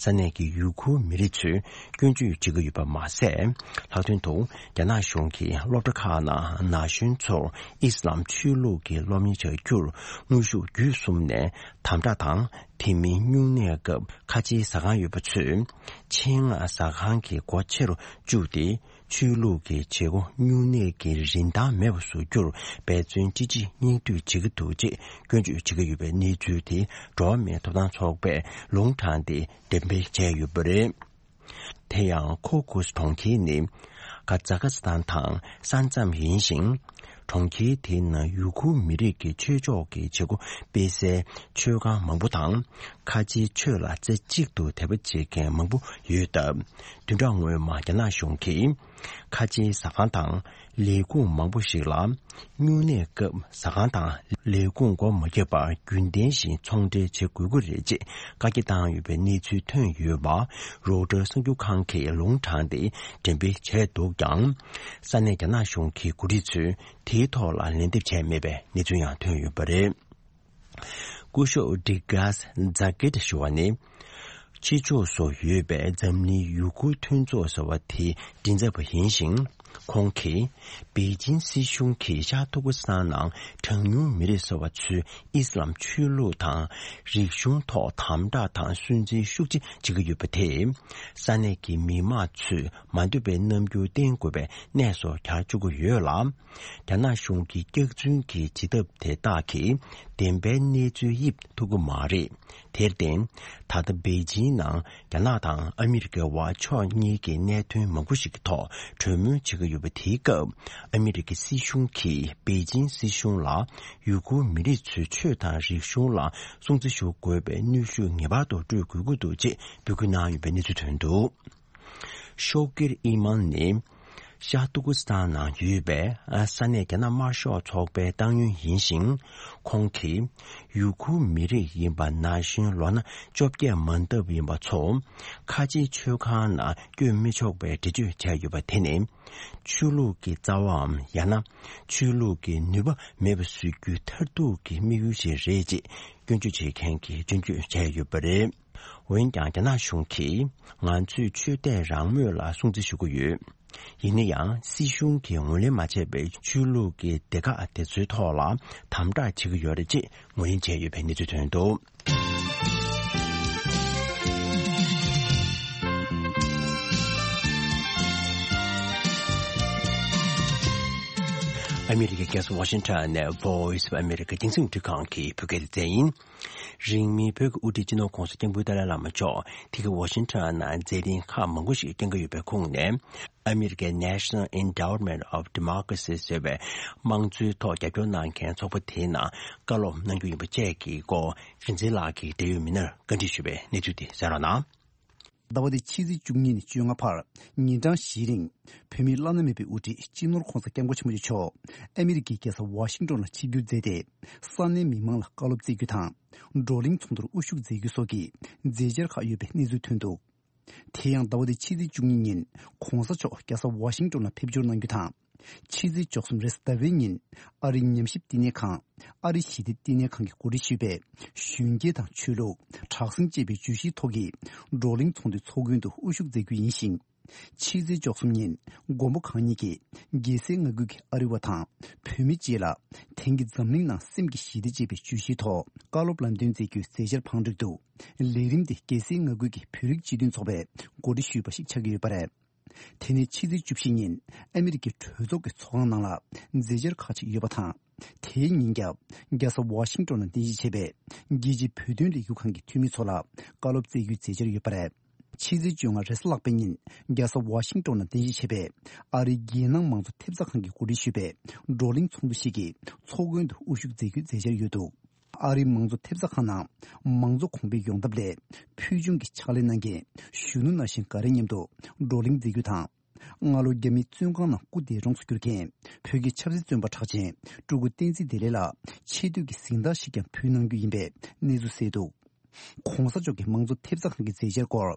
ས་གནས་ཀྱི་ཡུ་གུར་མི་རིགས་ཚོས་སྐྱོན་བརྗོད་བྱེད་ཀྱི་ཡོད་པ་མ་ཟད། ལྷག་དོན་དུ་རྒྱ་ནག་གཞུང་གིས་སློབ་གྲྭ་ཁག་ནང་ན་གཞོན་ཚོར་ཨི་སི་ལམ་ཆོས་ལུགས་ཀྱི་སློབ་གཉེར་བྱ་རྒྱུར་དངོས་ཤུགས་བརྒྱུད་གསུམ་ནས་དམ་དྲག་དང་། དེ་མིན་སྨྱུང་གནས་སྐབས་ཁ་ཆེའི་ཟ་ཁང་ཡོད་པ་ཚོས་ཆེད་མངགས་ཟ་ཁང་གི་སྒོ་ཕྱེ་རུ་བཅུག་སྟེ། ཆོས་ལུགས་ཀྱི་བྱེད་སྒོ་སྨྱུང་གནས་ཀྱི་རིན་ཐང་མེད་པ་བཟོ་རྒྱུར་འབད་བརྩོན་ཅི་ཆེ་སྙིང་བསྡུས་བྱེད་ཀྱི་འདུག་ཅེས་སྐྱོན་བརྗོད་བྱེད་ཀྱི་ཡོད་པའི་གནས་ཚུལ་དེ་འགྲོ་བ་མིའི་ཐོབ་ཐང་ཚོགས་པས་ལུང་དྲངས་ཏེ་འགྲེམས་སྤེལ་བྱས་ཡོད་པ་རེད། དེ་ཡང་ཁོ་ཁུ་སི་གྲོང་ཁྱེར་ནི་ཀ་ཛ་ཁ་སི་ཐན་དང་ས་མཚམས་ཡིན་ཞིང་། གྲོང་ཁྱེར་དེའི་ནང་ཡུ་གུར་མི་རིགས་ཀྱི་ཆོས་ཕྱོགས་ཀྱི་བྱེད་སྒོ་སྤེལ་སའི་མཆོད་ཁང་མང་པོ་དང་། ཁ་ཆེའི་ཆོས་ལ་རྩེ་གཅིག་ཏུ་དད་པ་བྱེད་མཁན་མང་པོ་ཡོད་སྟབས། བདུན་ཕྲག་སྔོན་མ་རྒྱ་ནག་གཞུང་གིས་ཁ་ཆེའི་ཟ་ཁང་དང་ལས་ཁུངས་མང་པོ་ཞིག་ལ་སྨྱུང་གནས་སྐབས་ཟ་ཁང་དང་ལས་ཁུངས་སྒོ་མ་བརྒྱབ་པར་རྒྱུན་ལྡན་བཞིན་ཚོང་འབྲེལ་བྱེད་དགོས་ཀྱི་རེད་ཅེས་བཀའ་རྒྱ་བཏང་ཡོད་པའི་གནས་ཚུལ་ཐོན་ཡོད་པ་རོའུ་ཊར་གསར་འགྱུར་ཁང་གིས་ལུང་དྲངས་ཏེ་འགྲེམས་སྤེལ་བྱས་འདུག་ཀྱང་། ས་གནས་རྒྱ་ནག་གཞུང་གི་འགོ་ཁྲིད་ཚོས་དེའི་ཐོག་ལ་ལན་འདེབས་བྱས་མེད་པའི་གནས་ཚུལ་ཡང་ཐོན་ཡོད་པ་རེད། སྐུ་ཞབས་ཌི་གྷ་སི་ཛ་ཀེ་ཏ་ཞུ་བ་ནི། ཕྱི་ཕྱོགས་སུ་ཡོད་པའི་འཛམ་གླིང་ཡུ་གུར་མཐུན་ཚོགས་ཟེར་བ་དེའི་མགྲིན་ཚབ་པ་ཡིན་ཞིང་། ཁོང་གིས་པེ་ཅིན་སྲིད་གཞུང་གིས་ཤར་ཏུར་ཀི་སི་ཐན་ནང་གྲངས་ཉུང་མི་རིགས་ཟེར་བ་ཚོའི་ཨི་སི་ལམ་ཆོས་ལུགས་དང་རིག་གཞུང་ཐོག་དམ་དྲག་དང་སུན་གཙེར་ཤུགས་ཆེ་བྱེད་ཀྱི་ཡོད་པ་དེས། ས་གནས་ཀྱི་མི་མང་ཚོས་མ་འདོད་པའི་རྣམ་འགྱུར་བསྟན་དགོས་པའི་གནས་སུ་གྱར་བཅུག་གི་ཡོད་ལ། རྒྱ་ནག་གཞུང་གི་སྐྱག་རྫུན་གྱི་བྱེད་ཐབས་དེ་དག་གིས་བདེན་པའི་གནས་ཚུལ་དབྱིབས་ཐུབ་ཀྱི་མ་རེད། དེར་བརྟེན། ད་ལྟ་པེ་ཅིན་ནང་རྒྱ་ནག་དང་ཨ་མི་རི་ཀའི་དབར་ཕྱོགས་གཉིས་ཀྱི་གནད་དོན་མང་པོ་ཞིག་གི་ཐོག་གྲོས་མོལ་བྱེད་ཀྱི་ཡོད་པ་དེའི་སྐབས། ཨ་མི་རི་ཀའི་སྲིད་གཞུང་གིས་པེ་ཅིན་སྲིད་གཞུང་ལ་ཡུ་གུར་མི་རིགས་ཚོའི་ཆོས་དང་རིག་གཞུང་ལ་སྲུང་བརྩི་ཞུ་དགོས་པའི་གནོན་ཤུགས་ངེས་པར་དུ་སྤྲོད་དགོས་ཀྱི་འདུག་ཅེས་འབོད་སྐུལ་གནང་ཡོད་པའི་གནས་ཚུལ་ཐོན་འདུག་ཤོ་ཀིར་ཨི་མན་ནི་ཤར་ཏུར་ཀི་སི་ཐན་ནང་ཡོད་པའི་ས་གནས་རྒྱ་ནག་དམར་ཤོག་ཚོགས་པའི་ཏང་ཡོན་ཡིན་ཞིང་། ཁོང་གིས་ཡུ་གུར་མི་རིགས་ཡིན་པ་ན་གཞོན་ལོ་ན་བཅོ་བརྒྱད་མ་འདབ་ཡིན་པ་ཚོ་ཁ་ཆེའི་མཆོད་ཁང་ནང་བསྐྱོད་མི་ཆོག་པའི་འགྲེལ་བརྗོད་བྱས་ཡོད་པ་དེ་ནི། ཆོས་ལུགས་ཀྱི་རྩ་བའམ་ཡང་ན་ཆོས་ལུགས་ཀྱི་ནུས་པ་མེད་པ་བཟོ་རྒྱུའི་མཐར་ཐུག་གི་དམིགས་ཡུལ་ཞིག་རེད་ཅེས་སྐྱོན་བརྗོད་བྱེད་མཁན་གྱིས་སྐྱོན་བརྗོད་བྱས་ཡོད་པ་རེད། འོན་ཀྱང་རྒྱ་ནག་གཞུང་གིས་ང་ཚོས་ཆོས་དད་རང་མོས་ལ་སྲུང་བརྩི་ཞུ་གི་ཡོད། ཡིན་ན་ཡང་སྲིད་གཞུང་གིས་ངོས་ལེན་མ་བྱས་པའི་ཆོས་ལུགས་ཀྱི་སྡེ་ཁག་དེ་ཚོའི་ཐོག་ལ་དམ་དྲག་བྱེད་ཀྱི་ཡོད་རེད་ཅེས་ངོས་ལེན་བྱས་ཡོད་པའི་གནས་ཚུལ་ཐོན་འདུག་ཨ་མི་རི་ཀའི་རྒྱལ་ས་ཝ་ཤིང་ཊོན་ནས་Voice of America་རྒྱང་སྲིང་རླུང་འཕྲིན་ཁང་གི་བོད་སྐད་སྡེ་ཚན་ཡིན། རིང་མིན་བོད་ཀྱི་དབུ་ཁྲིད་སྤྱི་ནོར་༸གོང་ས་༸སྐྱབས་མགོན་ཏཱ་ལའི་བླ་མ་མཆོག་དེ་གའི་ཝ་ཤིང་ཊོན་ནང་མཛད་རིམ་ཁག་མང་པོ་ཞིག་བསྐྱངས་ཀྱི་ཡོད་པའི་ཁོངས་ནས། ཨ་མི་རི་ཀའི་National Endowment of Democracy་ཟེར་བའི་དམངས་གཙོའི་ཐོག་རྒྱབ་སྐྱོར་གནང་མཁན་ཚོགས་པ་དེའི་ནང་བཀའ་སློབ་གནང་རྒྱུ་ཡིན་པ་བཅས་ཀྱི་སྐོར་རིག་འཛིན་ལགས་ཀྱིས་འབྲེལ་ཡོད་མི་སྣར་བཀའ་འདྲི་ཞུས་པའི་གནས་ཚུལ་དེ་གསན་རོགས་གནང་། ཟླ་བ་འདིའི་ཕྱི་ཚེས་བཅུ་གཉིས་ནས་བཅོ་ལྔ་བར་ཉིན་གྲངས་བཞིའི་རིང་བོད་མིའི་བླ་ན་མེད་པའི་དབུ་ཁྲིད་སྤྱི་ནོར་༸གོང་ས་༸སྐྱབས་མགོན་ཆེན་པོ་མཆོག་ཨ་མི་རི་ཀའི་རྒྱལ་ས་ཝ་ཤིང་ཏོན་ལ་ཆིབས་བསྒྱུར་མཛད་དེ། ས་གནས་མི་མང་ལ་བཀའ་སློབ་སྩལ་རྒྱུ་དང་། བགྲོ་གླེང་ཚོགས་འདུར་དབུ་བཞུགས་མཛད་རྒྱུ་སོགས་ཀྱི་མཛད་འཆར་ཁག་ཡོད་པའི་གནས་ཚུལ་ཐོན་འདུག་དེ་ཡང་ཟླ་བ་འདིའི་ཕྱི་ཚེས་བཅུ་གཉིས་ཉིན་༸གོང་ས་མཆོག་རྒྱལ་ས་ཝ་ཤིང་ཏོན་ལ་ཕེབས་འབྱོར་གནང་རྒྱུ་དང་། ཕྱི་ཚེས་བཅུ་གསུམ་རེས་གཟའ་ཟླ་བའི་ཉིན་ཨ་རིའི་ཉམས་ཞིབ་བསྟི་གནས་ཁང་། ཨ་རིའི་ཞི་བདེ་བསྟི་གནས་ཁང་གིས་གོ་སྒྲིག་ཞུས་པའི་གཞོན་སྐྱེས་དང་ཆོས་ལུགས། དྲག་ཟིང་ཅེས་པའི་བརྗོད་གཞིའི་ཐོག་གི་བགྲོ་གླེང་ཚོགས་འདུའི་ཚོགས་མགོན་དུ་དབུ་བཞུགས་མཛད་རྒྱུ་ཡིན་ཞིང་། ཕྱི་ཚེས་བཅུ་གསུམ་ཉིན་མགོན་པོ་གང་ཉིད་ཀྱིས་རྒྱལ་སྲས་མངའ་ཁུལ་གྱི་ཨ་རི་བ་དང་བོད་མི་བཅས་ལ་དེང་གི་འཛམ་གླིང་ནང་སེམས་ཀྱི་ཞི་བདེ་ཅེས་པའི་བརྗོད་གཞིའི་ཐོག་བཀའ་སློབ་ལམ་སྟོན་མཛད་རྒྱུའི་མཛད་འཆར་བང་བསྒྲིགས་འདུག་ལས་རིམ་དེ་རྒྱལ་སྲས་མངའ་ཁུལ་གྱི་བོད་རིགས་སྤྱི་མཐུན་ཚོགས་པས་གོ་སྒྲིག་ཞུས་པ་ཞིག་ཆགས་ཀྱི་ཡོད་པ་རེད། དེ་ནི་ཕྱི་ཚེས་བཅུ་བཞི་ཉིན་ཨ་མི་རི་ཀའི་གྲོས་ཚོགས་ཀྱི་ཚོགས་ཁང་ནང་ལ་མཛད་འཆར་ཁག་ཅིག་ཡོད་པ་དང་། དེའི་ཉིན་རྒྱབ་རྒྱལ་ས་ཝ་ཤིང་ཏོན་ལ་རྟེན་གཞི་བྱས་པའི་རྒྱལ་སྤྱིའི་བོད་དོན་ལས་འགུལ་ཁང་གི་འཐུས་མི་ཚོ་ལ་བཀའ་སློབ་སྩལ་རྒྱུའི་མཛད་འཆར་ཡོད་པ་རེད། ཕྱི་ཚེས་བཅོ་ལྔ་རེས་གཟའ་ལྷག་པའི་ཉིན་རྒྱལ་ས་ཝ་ཤིང་ཏོན་ལ་རྟེན་གཞི་བྱས་པའི་ཨ་རིའི་རྒྱལ་ནང་མང་གཙོ་ཐེབས་རྩ་ཁང་གིས་གོ་སྒྲིག་ཞུས་པའི་བགྲོ་གླེང་ཚོགས་འདུ་ཞིག་གི་ཚོགས་མགོན་དུ་དབུ་བཞུགས་མཛད་རྒྱུའི་མཛད་འཆར་ཡོད་འདུག་ཨ་རིའི་མང་གཙོ་ཐེབས་རྩ་ཁང་ནང་མང་གཙོ་གོང་འཕེལ་ཡོང་ཐབས་སླད་ཕུལ་བྱུང་གི་ཕྱག་ལས་གནང་མཁན་གཞོན་ནུ་ནང་བཞིན་འགའ་རེ་མཉམ་དུ་བགྲོ་གླེང་མཛད་རྒྱུ་དང་། སྔ་ལོ་རྒྱ་མིའི་བཙོན་ཁང་ནང་སྐུ་འདས་གྲོངས་སུ་གྱུར་མཁན་བོད་ཀྱི་ཆབ་སྲིད་བཙོན་པ་གྲགས་ཅན་སྤྲུལ་སྐུ་བསྟན་འཛིན་བདེ་ལེགས་ལ་ཆེ་བསྟོད་ཀྱི་གཟེངས་རྟགས་ཤིག་ཀྱང་ཕུལ་གནང་རྒྱུ་ཡིན་པའི་གནས་ཚུལ་གསལ་འདུག། ྋགོང་ས་མཆོག་གིས་མང་གཙོ་ཐེབས་རྩ་ཁང་གི་མཛད་འཆར་སྐོར་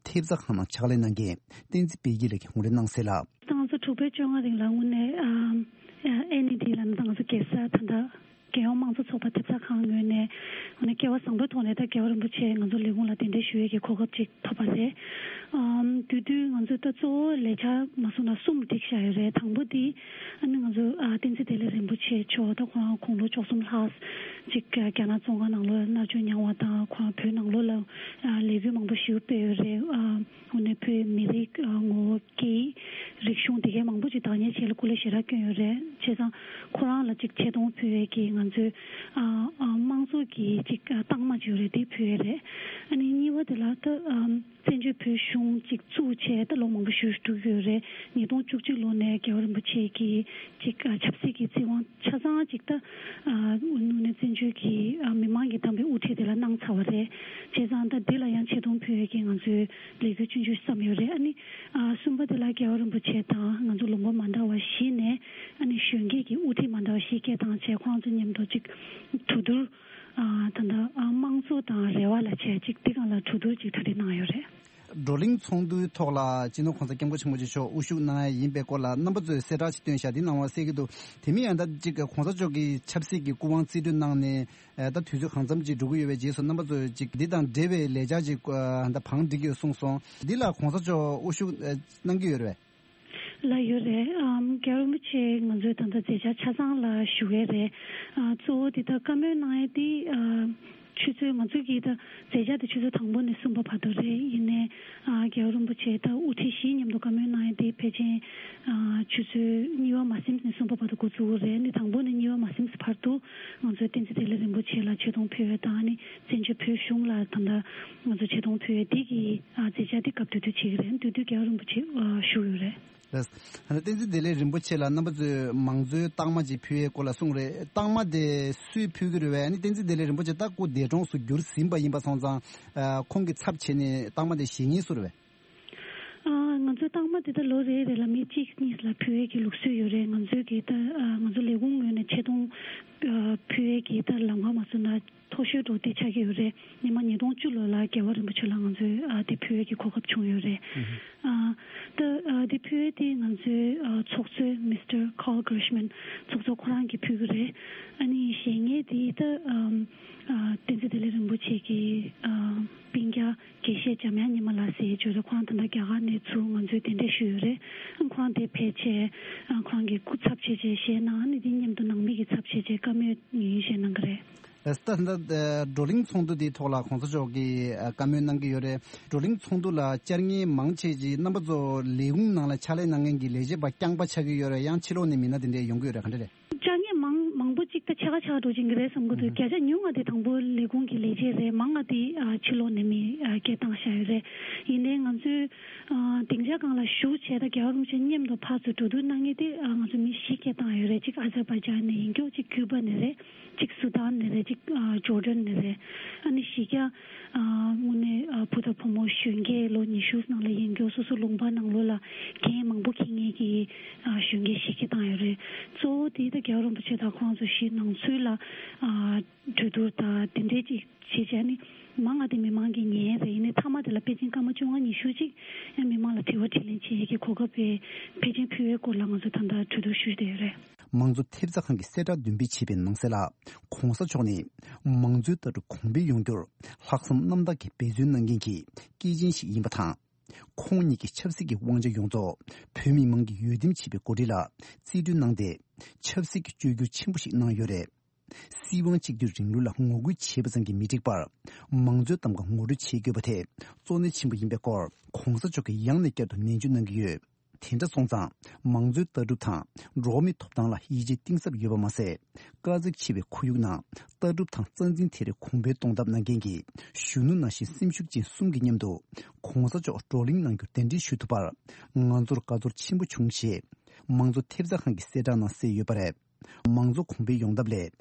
ཐེབས་རྩ་ཁང་ནང་ཕྱག་ལས་གནང་མཁན་བསྟན་འཛིན་དཔལ་སྐྱིད་ལགས་ཀྱིས་ངོ་སྤྲོད་གནང་གསལ་ལ། ད་ང་ཚོ་དྲུག་པའི་བཅོ་ལྔ་རིང་ལ་དངོས་གནས་ཨ་ཨེན་ཨི་ཌི་ལབ་ན་ད་ང་ཚོ་རྒྱལ་ས་ད་ལྟ་རྒྱལ་ཡོངས་དམངས་གཙོ་ཚོགས་པ་ཐེབས་རྩ་ཁང་ངོས་ནས་དངོས་གནས་སྐལ་བ་བཟང་པོའི་ཐོག་ནས་ད་རྒྱལ་བ་རིན་པོ་ཆེ་ང་ཚོ་ལས་ཁུངས་ལ་གདན་འདྲེན་ཞུ་ཡས་ཀྱི་གོ་སྐབས་ཅིག་ཐོབ་པ་རེད། ཨམ་དེ་དུས་ང་ཚོས་ད་གཙོ་བོ་ལས་འཆར་མ་གསུངས་ན་གསུམ་བསྒྲིགས་བཞག་ཡོད་རེད། དང་པོ་དེ་ཨ་ནི་ང་ཚོ་ཨ་བསྟན་འཛིན་བདེ་ལེགས་རིན་པོ་ཆེ་མཆོག་ད་ཁོ་རང་དགུང་ལོ་བཅུ་གསུམ་ལྷག་ཅིག་རྒྱ་ནག་བཙོན་ཁང་ནང་ལོགས་ལ་མནར་གཅོད་མྱངས་པ་དང་ཁོ་རང་བོད་ནང་ལོགས་ལ་ཨ་ལས་འགུལ་མང་པོ་ཞིག་སྤེལ་ཡོད་རེད། ཨ་དངོས་གནས་བོད་མི་རིགས་ཨ་ངོ་བོ་སྐད་ཡིག་རིག་གཞུང་དེ་གའི་མང་པོ་ཅིག་བདག་གཉེར་བྱེད་ལ་སྐུ་ལས་ཞེ་དྲག་བསྐྱོན་ཡོད་རེད། བྱས་ཙང་ཁོ་རང་ལ་ཅིག་ཆེ་མཐོང་ཕུལ་ཡས་ཀྱི་ང་ཚོའི་ཨ་ཨ་དམངས་གཙོ་གི་ཅིག་ཨ་རྟགས་མ་ཅིག་ཡོད་རེད། དེ་ཕུལ་ཡས་རེད། ཨ་ནི་གཉིས་པ་དེ་ལ་ད་ཨམ། བཙན་བྱོལ་བོད་གཞུང་གཅིག་བཙུགས་བྱས་ད་ལོ་མང་པོ་ཞིག་འགྲོ་གི་ཡོད་རེད། ཉིས་སྟོང་བཅུ་གཅིག་ལོ་ནས་རྒྱལ་བ་རིན་པོ་ཆེ་གིས་ཅིག་ཨ་ཆབ་སྲིད་ཀྱི་བཙན་དབང་ཆ་ཚང་ཅིག་ད་ཨ་དངོས་གནས་བཙན་བྱོལ་གྱི་ཨ་མི་མང་གིས་བདམས་པའི་དབུ་ཁྲིད་དེ་ལ་གནང་ཚར་བ་རེད། བྱས་ཙང་ད་འདི་ལ་ཡང་ཆེ་མཐོང་ཕུལ་ཡས་ཀྱི་ང་ཚོའི་ལས་འགུལ་ཆུང་ཆུང་བརྩམས་ཡོད་རེད། ཨ་ནི་ཨ་གསུམ་པ་དེ་ལ་རྒྱལ་བ་རིན་པོ་ཆེ་དང་ང་ཚོ་ལུང་པ་མ་འདྲ་བ་བཞི་ནས་ཨ་ནི་གཞོན་སྐྱེས་ཀྱི་དབུ་ཁྲིད་མ་འདྲ་བ་བཞི་སྐད་བཏང་བྱས་ཁོང་ཚོ་མཉམ་དུ་ཅིག་གྲོས་བསྡུར། ཨ་ད་ལྟ་ཨ་དམངས་གཙོ་དང་རེ་བ་ལ་བྱས་ཅིག་དེ་སྒང་ལ་གྲོས་བསྡུར་ཅིག་གྲ་སྒྲིག་གནང་ཡོད་རེད། བགྲོ་གླེང་ཚོགས་འདུའི་ཐོག་ལ་སྤྱི་ནོར་༧གོང་ས་༧སྐྱབས་མགོན་ཆེན་པོ་མཆོག་དབུ་བཞུགས་གནང་ཡ་ཡིན་པའི་སྐོར་ལ་རྣམ་པ་ཚོས་གསལ་བསྒྲགས་ཤིག་བཏོན་བཞག་འདི་གནང་བ་གསལ་གྱི་འདུག། དེ་མིན་ཡང་ད་ཅིག་༧གོང་ས་མཆོག་གི་ཆབ་སྲིད་ཀྱི་སྐུ་དབང་རྩིས་སྤྲོད་གནང་ནས་ད་དུས་ཚོད་གང་འཚམ་ཅིག་འགྲོ་གི་ཡོད་པའི་རྗེས་སུ་རྣམ་པ་ཚོས་ཅིག་འདི་དང་འབྲེལ་བའི་ལས་འཆར་ཅིག་ད་བང་སྒྲིག་ཡོད་གསུངས་སོང་། འདི་ལ་༧གོང་ས་མཆོག་དབུ་བཞུགས་གནང་གི་ཡོད་རེད་པས། ལ་ཡོད་རེད། ཨམ་རྒྱལ་བ་རིན་པོ་ཆེ་ང་ཚོའི་ད་ལྟ་མཛད་འཆར་ཆ་ཚང་ལ་ཞུ་གི་རེད། ཨ་གཙོ་བོ་དེ་ད་བཀའ་མོལ་གནང་ཡས་དེ་ཨ་ཆུ་ཚོད་ང་ཚོའི་གི་ད་མཛད་འཆར་དེ་ཆུ་ཚོད་དང་པོ་ནས་གསུམ་པ་བར་དུ་རེད། ཡིན་ནའི་ཨ་རྒྱལ་བ་རིན་པོ་ཆེ་ད་དབུ་ཁྲིད་བཞིའི་མཉམ་དུ་བཀའ་མོལ་གནང་ཡས་དེ་ཕལ་ཆེར་ཨ་ཆུ་ཚོད་གཉིས་པ་མ་ཟིན་ནས་གསུམ་པ་བར་དུ་འགོ་འཛུགས་ཀྱི་རེད། ཨ་ནི་དང་པོ་ནས་གཉིས་པ་མ་ཟིན་བར་དུ་ང་ཚོའི་བསྟན་འཛིན་བདེ་ལེགས་རིན་པོ་ཆེ་ལ་ཆེ་མཐོང་ཕུལ་ཡས་དང་ཨ་ནི་བཙན་བྱོལ་བོད་གཞུང་ལ་ད་ལྟ་ང་ཚོ་ཆེ་མཐོང་ཕུལ་ཡས་དེ་གི་ཨ་མཛད་འཆར་དེ་སྐབས་དེ་དུས་བྱེད་ཀྱི་རེད། དེ་དུས་རྒྱལ་བ་རིན་པོ་ཆེ་ཨ་བཞུགས་ཡོད་རེད། ལགས། ཨ་ནི་བསྟན་འཛིན་བདེ་ལེགས་རིན་པོ་ཆེ་ལ་རྣམ་པ་ཚོས་མང་གཙོའི་རྟགས་མ་ཅིག་ཕུལ་ཡས་སྐོར་ལ་གསུངས་རེད། རྟགས་མ་དེ་སུས་ཕུལ་གྱི་རེད་པས། ཨ་ནི་བསྟན་འཛིན་བདེ་ལེགས་རིན་པོ་ཆེ་ད་སྐུ་འདས་གྲོངས་སུ་གྱུར་ཟིན་པ་ཡིན་པ་སོང་ཙང་། ཨ་ཁོང་གི་ཚབ་བྱས་ནས་རྟགས་མ་དེ་བཞེས་མཁན་སུ་རེད་པས། ཨ་ང་ཚོའི་རྟགས་མ་དེ་ད་ལོ་རེ་རེ་ལ་མི་གཅིག་གཉིས་ལ་ཕུལ་ཡས་ཀྱི་ལུགས་སྲོལ་ཡོད་རེད། ང་ཚོའི་གི་ད་ཨ་ང་ཚོ་ལས་ཁུངས་ངོས་ནས་ཆེ་མཐོང་ཨ་ཕུལ་ཡས་ཀྱི་ད་ལམ་ཁ་མ་བཟོས་ན་མཐོ་ཤོས་འདྲ་བོ་དེ་ཆགས་ཀྱི་ཡོད་རེད། སྔོན་མ་ཉིས་སྟོང་བཅུ་ལོ་ལ་རྒྱལ་བ་རིན་པོ་ཆེ་ལ་ང་ཚོས་ཨ་དེ་ཕུལ་ཡས་ཀྱི་གོ་སྐབས་བྱུང་ཡོད་རེད། ཨ་ད་ཨ་དེ་ཕུལ་ཡས་དེ་ང་ཚོའི་ཨ་ཚོགས་གཙོས་མིས་ཊར་ཀཱལ་གྷིར་ཤི་མན་ཚོགས་གཙོ་ཁོ་རང་གིས་ཕུལ་གྱི་རེད། ཨ་ནི་གཞན་ངེས་དེ་ད་ཨ་ཨ་བསྟན་འཛིན་བདེ་ལེགས་རིན་པོ་ཆེ་གི་ཨ་སྤུན་ཀྱག་དགེ་བཤེས་འཇམ་དབྱངས་ཉི་མ་ལགས་ཟེར་ཡས་ཅིག་ཡོད་རེད། ཁོ་རང་ད་ལྟ་རྒྱ་གར་ནས་ཚུར་ང་ཚོའི་གདན་འདྲེན་ཞུས་ཡོད་རེད། ཨ་ཁོ་རང་དེ་ཕལ་ཆེར་ཨ་ཁོ་རང་གི་སྐུ་ཚབ་བྱས་བྱས་བཞེས་གནང་། ཨ་ནི་དེ་མཉམ་དུ་ནང་མི་གི་ཚབ་བྱས་བྱས་བཀའ་མོལ་ཡིན་བཞེས་གནང་གི་རེད། ལགས་སོ། ད་ད་བགྲོ་གླེང་ཚོགས་འདུ་དེའི་ཐོག་ལ་གོང་ས་མཆོག་གིས་ཨ་བཀའ་མོལ་གནང་གི་ཡོད་རེད། བགྲོ་གླེང་ཚོགས་འདུ་ལ་བཅར་མཁན་མང་ཆེ་ཅིག་རྣམ་པ་ཚོ་ལས་ཁུངས་ནང་ལ་ཕྱག་ལས་གནང་མཁན་གྱི་ལས་བྱེད་པ་རྐྱང་པ་ཆགས་ཀྱི་ཡོད་རེད། ཡང་ཕྱི་ལོགས་ནས་མི་སྣ་དེ་འདྲས་ཡོང་གི་ཡོད་རེད། ག་འདྲ་རེད། བཅར་མཁན་མང་མང་པོ་ཅིག་ད་ཆེ་ཁ་ཆེ་ཁ་འགྲོ་གི་རེད་བསམ་གྱི་འདུག། ཨུ་ཧུམ། བརྒྱ་ཆ་ཉུང་ང་དེ་དང་པོ་ལས་ཁུངས་ཀྱི་ལས་བྱེད་རེད། མང་ང་དེ་ཨ་ཕྱི་ལོགས་ནས་མི་ཨ་སྐད་བཏང་བཞག་ཡོད་རེད། ཡིན་ནའི་ང་ཚོས་ཨ་སྡིངས་ཆ་སྒང་ལ་བཞུགས་བྱས་ད་རྒྱལ་བ་རིན་པོ་ཆེ་མཉམ་དུ་ཕར་ཚུར་གྲོས་བསྡུར་གནང་མཁན་དེ་ཨ་ང་ཚོ་མི་བཞི་སྐད་བཏང་ཡོད་རེད། གཅིག་ཨ་ཛར་བྷའི་ཇན་ནས་ཡིན་རྒྱུ། གཅིག་ཀུ་པ་ནས་རེད། གཅིག་སུ་དཱན་ནས་རེད། གཅིག་ཨ་ཇོར་ཌན་ནས་རེད། ཨ་ནི་བཞི་བརྒྱ་ཨ་དངོས་གནས་ཨ་བུ་དང་བུ་མོ་གཞོན་སྐྱེས་ལོ་ཉི་ཤུ་ནང་ལ་ཡིན་རྒྱུ། སོ་སོ་ལུང་པ་ནང་ལོགས་ལ་འགན་མང་པོ་འཁྱེར་མཁན་གྱི་ཨ་གཞོན་སྐྱེས་བཞི་སྐད་བཏང་ཡོད་རེད། གཙོ་བོ་དེ་ད་རྒྱལ་བ་རིན་པོ་ཆེ་དང་ཁོང་ཚོ་བཞི་ནང་ཚུད་ལ་ཨ་གྲོས་བསྡུར་དང་དེ་འདྲས་ཅིག་བྱེད་བྱས་ནི་མང་ང་དེ་མི་མང་གིས་ཉན་རེད། ཡིན་ནའི་མཐའ་མ་དེ་ལ་ཕལ་ཆེར་སྐར་མ་བཅོ་ལྔ་ཉི་ཤུ་ཅིག་ཡང་མི་མང་ལ་དྲི་བ་དྲིས་ལན་བྱེད་ཡས་ཀྱི་གོ་སྐབས་དཔེ་ཕལ་ཆེར་ཕུལ་བའི་སྐོར་ལ་ང་ཚོ་ད་ལྟ་གྲོས་བསྡུར་ཞུས་བསྡད་ཡོད་རེད། མང་གཙོ་ཐེབས་རྩ་ཁང་གིས་གསལ་བསྒྲགས་འདོན་སྤེལ་བྱས་པའི་ནང་གསལ་ལ། ྋགོང་ས་མཆོག་ནི་མང་གཙོའི་ལྟ་གྲུབ་གོང་འཕེལ་ཡོང་རྒྱུར་ལྷག་བསམ་རྣམ་དག་གིས་འབད་བརྩོན་གནང་མཁན་གྱི་སྐྱེས་ཆེན་ཞིག་ཡིན་པ་དང་། ཁོང་ཉིད་ཀྱིས་ཆབ་སྲིད་ཀྱི་དབང་ཆ་ཡོངས་རྫོགས་བོད་མི་མང་གིས་འོས་འདེམས་བྱས་པའི་འགོ་ཁྲིད་ལ་རྩིས་སྤྲོད་གནང་སྟེ། ཆབ་སྲིད་ཀྱི་བཅོས་བསྒྱུར་ཆེན་པོ་ཞིག་གནང་ཡོད་རེད། སྲིད་དབང་གཅིག་སྡུད་རིང་ལུགས་ལ་ངོ་རྒོལ་བྱས་པ་ཙམ་གྱིས་མི་འགྲིག་པར། མང་གཙོའི་གདམ་ག་ངོ་སྤྲོད་བྱེད་དགོས་པ་དེ་གཙོ་གནད་ཆེན་པོ་ཡིན་པའི་སྐོར་ྋགོང་ས་མཆོག་གིས་ཡང་ནས་བསྐྱར་དུ་ནན་བརྗོད་གནང་གི་ཡོད། དེ་འདྲ་སོང་ཙང་། མང་གཙོའི་ལྟ་གྲུབ་དང་འགྲོ་བ་མིའི་ཐོབ་ཐང་ལ་ཡིད་ཆེས་གཏིང་ཟབ་ཡོད་པ་མ་ཟད། དཀའ་ཚེགས་ཆེ་བའི་ཁོར་ཡུག་ནང་ལྟ་གྲུབ་དང་རྩ་འཛིན་དེ་རིགས་གོང་འཕེལ་གཏོང་ཐབས་གནང་མཁན་གྱི་གཞོན་ནུ་ནང་བཞིན་སེམས་ཤུགས་ཅན་གསུམ་གྱི་མཉམ་དུ་ྋགོང་ས་མཆོག་བགྲོ་གླེང་གནང་རྒྱུར་གདན་འདྲེན་ཞུ་ཐུབ་པར་ང་ཚོར་དགའ་ཚོར་ཆེན་པོ་བྱུང་ཞེས་མང་གཙོ་ཐེབས་རྩ་ཁང་གིས་གསལ་བསྒྲགས་ནང་གསལ་ཡོད་པ་རེད། མང་གཙོ་གོང་འཕེལ་ཡོང་ཐབས་ལ་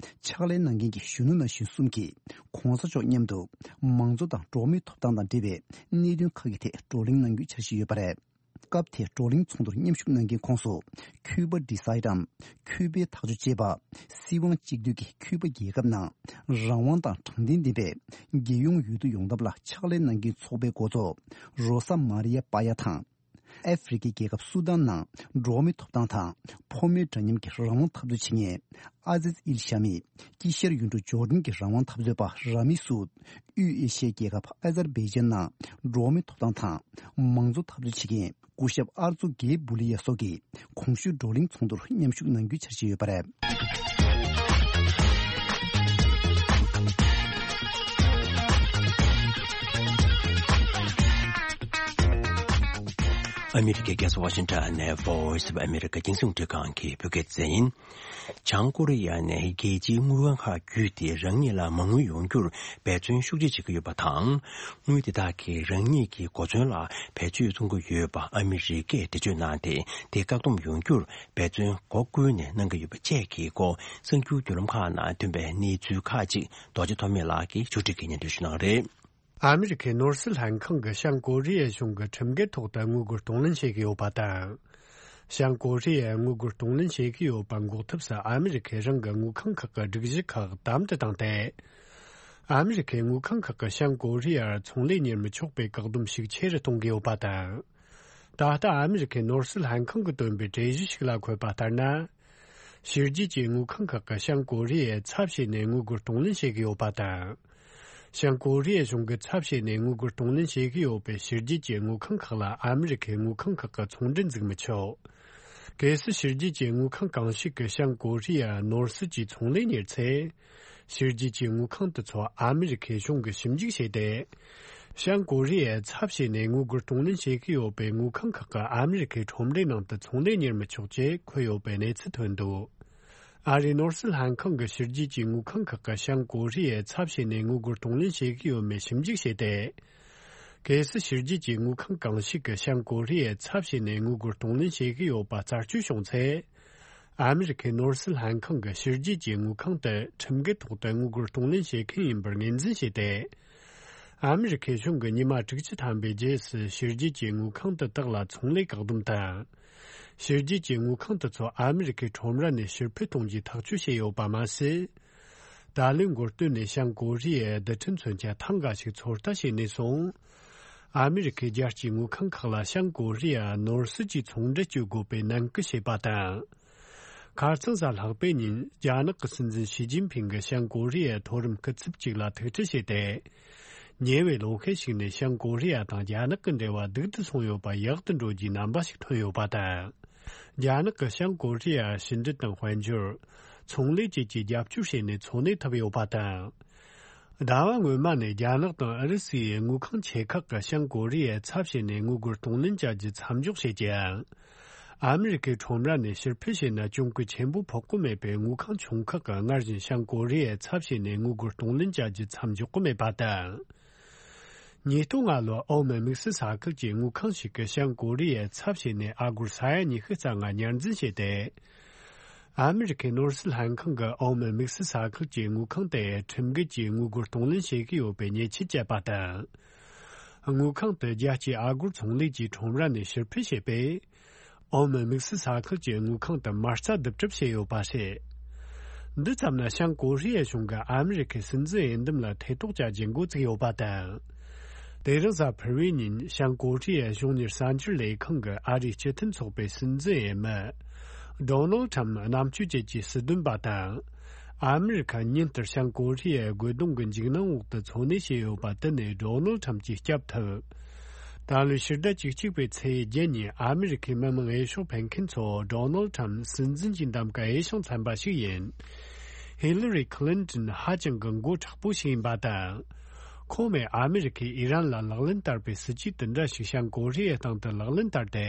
ཕྱག་ལས་གནང་མཁན་གྱི་གཞོན་ནུ་ན་གཞོན་གསུམ་གྱིས་གོང་ས་མཆོག་མཉམ་དུ་མང་གཙོ་དང་འགྲོ་བ་མིའི་ཐོབ་ཐང་དང་འབྲེལ་བའི་གནད་དོན་ཁག་གི་ཐད་བགྲོ་གླེང་གནང་རྒྱུའི་འཆར་གཞི་ཡོད་པ་རེད། སྐབས་དེའི་བགྲོ་གླེང་ཚོགས་འདུར་མཉམ་ཞུགས་གནང་མཁན་ཁོངས་སུ། ཁུ་པ་ཌི་སའི་ཌམ། ཁུ་པའི་ཐག་གཅོད་ཅེས་པ། སྲིད་དབང་གཅིག་སྡུད་ཀྱི་ཁུ་པ་རྒྱལ་ཁབ་ནང་རང་དབང་དང་དྲང་བདེན་ལྡན་པའི་རྒྱལ་ཡོངས་འོས་བསྡུ་ཡོང་ཐབས་ལ་ཕྱག་ལས་གནང་མཁན་ཚོགས་པའི་འགོ་གཙོ་རོ་ས་མ་རི་ཡ་པ་ཡ་དང་། ཨ་ཧྥེ་རི་ཁའི་རྒྱལ་ཁབ་སུ་དཱན་ནང་འགྲོ་བ་མིའི་ཐོབ་ཐང་དང་ཕོ་མོའི་འདྲ་མཉམ་གྱི་རང་དབང་འཐབ་རྩོད་བྱེད་མཁན་ཨ་ཛིཛ་ཨིལ་ཤ་མི། དཀྱིལ་ཤར་ཡུལ་གྲུ་ཇོར་ཌན་གྱི་རང་དབང་འཐབ་རྩོད་པ་ར་མི་སུད། དབུས་ཨེ་ཤི་ཡའི་རྒྱལ་ཁབ་ཨ་ཛར་བྷེ་ཇན་ནང་འགྲོ་བ་མིའི་ཐོབ་ཐང་དང་མང་གཙོ་འཐབ་རྩོད་བྱེད་མཁན་སྐུ་ཞབས་ཨར་ཙུ་གེ་བུ་ལི་ཡ་སོགས་ཀྱིས་གོང་ཞུས་བགྲོ་གླེང་ཚོགས་འདུར་མཉམ་ཞུགས་གནང་རྒྱུའི་འཆར་གཞི་ཡོད་པ་རེད། ཨ་མི་རི་ཀའི་རྒྱལ་ས་ཝ་ཤིང་ཊོན་ནས་Voice of America རྒྱང་སྲིང་རླུང་འཕྲིན་ཁང་གི་བོད་སྐད་སྡེ་ཚན་ཡིན། བྱང་ཀོ་རི་ཡ་ནས་རྒྱལ་སྤྱིའི་དངུལ་ཁང་ཁག་བརྒྱུད་དེ་རང་ཉིད་ལ་མ་དངུལ་ཡོང་རྒྱུར་འབད་བརྩོན་ཤུགས་ཆེ་བྱེད་ཀྱི་ཡོད་པ་དང་། དངུལ་དེ་དག་གིས་རང་ཉིད་ཀྱི་གོ་མཚོན་ལ་བེད་སྤྱོད་གཏོང་གི་ཡོད་པ་ཨ་མི་རི་ཀས་འགྲེལ་བརྗོད་གནང་སྟེ། དེ་བཀག་སྡོམ་ཡོང་རྒྱུར་འབད་བརྩོན་སྒོ་ཀུན་ནས་གནང་གི་ཡོད་པ་བཅས་ཀྱི་སྐོར། གསར་འགྱུར་བརྒྱུད་ལམ་ཁག་ནང་ཐོན་པའི་གནས་ཚུལ་ཁག་ཅིག་རྡོ་རྗེ་ཐོགས་མེད་ལགས་ཀྱིས་ཕྱོགས་སྒྲིག་གིས་སྙན་སྒྲོན་ཞུ་གནང་རེད། ཨ་མི་རི་ཁའི་ནོར་སྲིད་ལྷན་ཁང་གིས་བྱང་ཀོ་རི་ཡའི་གཞུང་གིས་ཁྲིམས་འགལ་ཐོག་ཏུ་དངུལ་སྒོར་གཏོང་ལེན་བྱེད་ཀྱི་ཡོད་པ་དང་། བྱང་ཀོ་རི་ཡས་དངུལ་སྒོར་གཏོང་ལེན་བྱེད་ཀྱི་ཡོད་པ་འགོག་ཐབས་སུ་ཨ་མི་རི་ཁས་རང་གི་དངུལ་ཁང་ཁག་གི་སྒྲིག་གཞི་ཁག་དམ་དུ་བཏང་སྟེ། ཨ་མི་རི་ཁའི་དངུལ་ཁང་ཁག་གིས་བྱང་ཀོ་རི་ཡར་ཚོང་ལས་གཉེར་མི་ཆོག་པའི་བཀག་སྡོམ་ཤུགས་ཆེ་རུ་གཏོང་གི་ཡོད་པ་དང་། ད་ལྟ་ཨ་མི་རི་ཁའི་ནོར་སྲིད་ལྷན་ཁང་གིས་བཏོན་པའི་གྲོས་གཞི་ཞིག་ལ་འཁོད་པ་ལྟར་ན། ཕྱི་རྒྱལ་གྱི་དངུལ་ཁང་ཁག་གིས་བྱང་ཀོ་རི་ཡའི་ཚབ་བྱས་ནས་དངུལ་སྒོར་གཏོང་ལེན་བྱེད་ཀྱི་ཡོད་པ་དང་། བྱང་ཀོ་རི་ཡའི་གཞུང་གི་ཚབ་བྱས་ནས་དངུལ་སྒོར་གཏོང་ལེན་བྱེད་ཀྱི་ཡོད་པའི་ཕྱི་རྒྱལ་གྱི་དངུལ་ཁང་ཁག་ལ་ཨ་མི་རི་ཁའི་དངུལ་ཁང་ཁག་གིས་ཚོང་འབྲེལ་འཛུགས་མི་ཆོག་གལ་སྲིད་ཕྱི་རྒྱལ་གྱི་དངུལ་ཁང་གང་ཞིག་གིས་བྱང་ཀོ་རི་ཡར་ནོར་སྲིད་ཀྱི་ཚོང་ལས་གཉེར་ཚེ། ཕྱི་རྒྱལ་གྱི་དངུལ་ཁང་དེ་ཚོ་ཨ་མི་རི་ཁའི་གཞུང་གིས་ཞིབ་འཇུག་བྱས་ཏེ། བྱང་ཀོ་རི་ཡའི་ཚབ་བྱས་ནས་དངུལ་སྒོར་གཏོང་ལེན་བྱེད་ཀྱི་ཡོད་པའི་དངུལ་ཁང་ཁག་གིས་ཨ་མི་རི་ཁའི་ཁྲོམ་རའི་ནང་དུ་ཚོང་ལས་གཉེར་མི་ཆོག་ཅེས་འཁོད་ཡོད་པའི་གནས་ཚུལ་ཐོན་འདུག་ཨ་རིའི་ནོར་སྲིད་ལྷན་ཁང་གིས་ཕྱི་རྒྱལ་གྱི་དངུལ་ཁང་ཁག་གིས་བྱང་ཀོ་རི་ཡའི་ཚབ་བྱས་ནས་དངུལ་སྒོར་གཏོང་ལེན་བྱེད་ཀྱི་ཡོད་མེད་ཞིབ་འཇུག་བྱས་ཏེ། གལ་སྲིད་ཕྱི་རྒྱལ་གྱི་དངུལ་ཁང་གང་ཞིག་གིས་བྱང་ཀོ་རི་ཡའི་ཚབ་བྱས་ནས་དངུལ་སྒོར་གཏོང་ལེན་བྱེད་ཀྱི་ཡོད་པ་རྩད་གཅོད་བྱུང་ཚེ། ཨ་མི་རི་ཁའི་ནོར་སྲིད་ལྷན་ཁང་གིས་ཕྱི་རྒྱལ་གྱི་དངུལ་ཁང་དེ་ཁྲིམས་འགལ་ཐོག་ཏུ་དངུལ་སྒོར་གཏོང་ལེན་བྱེད་མཁན་ཡིན་པར་ངོས་འཛིན་བྱས་ཏེ། ཨ་མི་རི་ཁའི་གཞུང་གིས་ཉི་མ་དྲུག་ཅུ་ཐམ་པའི་རྗེས་སུ་ཕྱི་རྒྱལ་གྱི་དངུལ་ཁང་དེ་དག་ལ་ཚོང་ལས་བཀག་སྡོམ་དང་། ཕྱི་རྒྱལ་གྱི་དངུལ་ཁང་དེ་ཚོ་ཨ་མི་རི་ཁའི་ཁྲོམ་ར་ནས་ཕྱིར་འཕུད་གཏོང་རྒྱུའི་ཐག་གཅོད་བྱས་ཡོད་པ་མ་ཟད། ད་ལོའི་འགོ་སྟོད་ནས་བྱང་ཀོ་རི་ཡའི་རྡུལ་ཕྲན་མཚོན་ཆ་ཐེངས་འགའ་ཞིག་ཚོད་ལྟ་བྱས་ནས་བཟུང་། ཨ་མི་རི་ཁའི་རྒྱལ་སྤྱིའི་དངུལ་ཁང་ཁག་ལ་བྱང་ཀོ་རི་ཡར་ནོར་སྲིད་ཀྱི་ཚོང་འབྲེལ་གཅོད་དགོས་པའི་ནན་སྐུལ་བྱས་པ་དང་། ཁ་རྩང་གཟའ་ལྷག་པའི་ཉིན་རྒྱ་ནག་གི་སྲིད་འཛིན་ཞི་ཅིན་ཕིང་གིས་བྱང་ཀོ་རི་ཡའི་མཐོ་རིམ་སྐུ་ཚབ་ཅིག་ལ་ཐུག་འཕྲད་བྱས་ཏེ། ཉེ་བའི་ལོ་ཤས་ཤིག་ནས་བྱང་ཀོ་རི་ཡ་དང་རྒྱ་ནག་གི་འབྲེལ་བ་སྡུག་ཏུ་སོང་ཡོད་པ་ཡག་ཏུ་འགྲོ་རྒྱུའི་རྣམ་པ་ཞིག་ཐོན་ཡོད་པ་དང་། རྒྱ་ནག་གིས་བྱང་ཀོ་རི་ཡར་ཕྱི་འབྲེལ་དང་དཔལ་འབྱོར། ཚོང་ལས་བཅས་ཀྱི་རྒྱབ་སྐྱོར་བྱས་ནས་འཚོ་གནས་ཐུབ་ཡོད་པ་དང་། ཟླ་བ་སྔོན་མ་ནས་རྒྱ་ནག་དང་ཨུ་རུ་སུའི་དངུལ་ཁང་ཆེ་ཁག་གིས་བྱང་ཀོ་རི་ཡའི་ཚབ་བྱས་ནས་དངུལ་སྒོར་གཏོང་ལེན་བྱ་རྒྱུ་མཚམས་འཇོག་བྱས་ཀྱང་། ཨ་མི་རི་ཁའི་ཁྲོམ་ར་ནས་ཕྱིར་འཕུད་བྱས་ན་གྱོང་གུན་ཆེན་པོ་ཕོག་གི་མེད་པས། དངུལ་ཁང་ཆུང་ཁག་གིས་སྔར་བཞིན་བྱང་ཀོ་རི་ཡའི་ཚབ་བྱས་ནས་དངུལ་སྒོར་གཏོང་ལེན་བྱ་རྒྱུ་མཚམས་འཇོག་གི་མེད་པ་དང་། ཉིས་སྟོང་ལྔ་ལོར་ཨོ་མན་དམིགས་བསལ་ས་ཁུལ་གྱི་དངུལ་ཁང་ཞིག་གིས་བྱང་ཀོ་རི་ཡའི་ཚབ་བྱས་ནས་ཨ་སྒོར་ས་ཡ་ཉི་ཤུ་རྩ་ལྔ་ཉར་འཛིན་བྱས་ཏེ། ཨ་མི་རི་ཁའི་ནོར་སྲིད་ལྷན་ཁང་གིས་ཨོ་མན་དམིགས་བསལ་ས་ཁུལ་གྱི་དངུལ་ཁང་དེ་ཁྲིམས་འགལ་གྱིས་དངུལ་སྒོར་གཏོང་ལེན་བྱེད་ཀྱི་ཡོད་པའི་ཉེས་ཆད་བཅད་པ་དང་། དངུལ་ཁང་དེ་རྒྱལ་སྤྱིའི་ཨ་སྒོར་ཚོང་ལས་ཀྱི་ཁྲོམ་ར་ནས་ཕྱིར་འཕུད་བྱས་པས། ཨོ་མན་དམིགས་བསལ་ས་ཁུལ་གྱི་དངུལ་ཁང་དུ་མ་རྩ་བསྡུ་གྲབས་བྱས་ཡོད་པ་རེད། འདི་ཙམ་ན་བྱང་ཀོ་རི་ཡའི་གཞུང་གིས་ཨ་མི་རི་ཁའི་སྲིད་འཛིན་འོས་འདེམས་ལ་ཐེ་གཏོགས་བྱ་རྒྱུ་འགོ་བཙུགས་ཡོད་པ་དང་། དེ་རིང་གཟའ་ཕུར་བུའི་ཉིན་བྱང་ཀོ་རི་ཡའི་གཞུང་གཉེར་གསར་འགྱུར་ལས་ཁང་གིས་ཨ་རིའི་སྤྱི་མཐུན་ཚོགས་པའི་སྲིད་འཛིན་འོས་མི། ཌོ་ནལ་ཁྲམ་རྣམ་དཔྱོད་ཅན་གྱི་སྲིད་དོན་པ་དང་། ཨ་མི་རི་ཁ་ཉིན་ལྟར་བྱང་ཀོ་རི་ཡའི་རྒོལ་རྡུང་གི་འཇིགས་སྣང་འོག་ཏུ་འཚོ་གནས་བྱས་ཡོད་པ་དེ་ནས་ཌོ་ནལ་ཁྲམ་གྱིས་སྐྱབས་ཐུབ། ད་ལོའི་ཕྱི་ཟླ་བཅུ་གཅིག་པའི་ཚེས་བརྒྱད་ཉིན་ཨ་མི་རི་ཁའི་མི་མང་འོས་ཤོག་འཕེན་མཁན་ཚོ་ཌོ་ནལ་ཁྲམ་སྲིད་འཛིན་གྱི་འདེམས་ཀ་འོས་ཤིང་འཚམ་པ་ཞིག་ཡིན། ཧི་ལི་རི་ཁི་ལིན་ཏོན་ཧ་ཅང་གི་མགོ་མཁྲེགས་པོ་ཞིག་ཡིན་པ་དང་། ཁོང་མོས་ཨ་མི་རི་ཁས་ཨི་རན་ལ་ལག་ལེན་བསྟར་བའི་སྲིད་ཇུས་དེ་འདྲ་ཞིག་བྱང་ཀོ་རི་ཡའི་སྟེང་དུ་ལག་ལེན་བསྟར་ཏེ།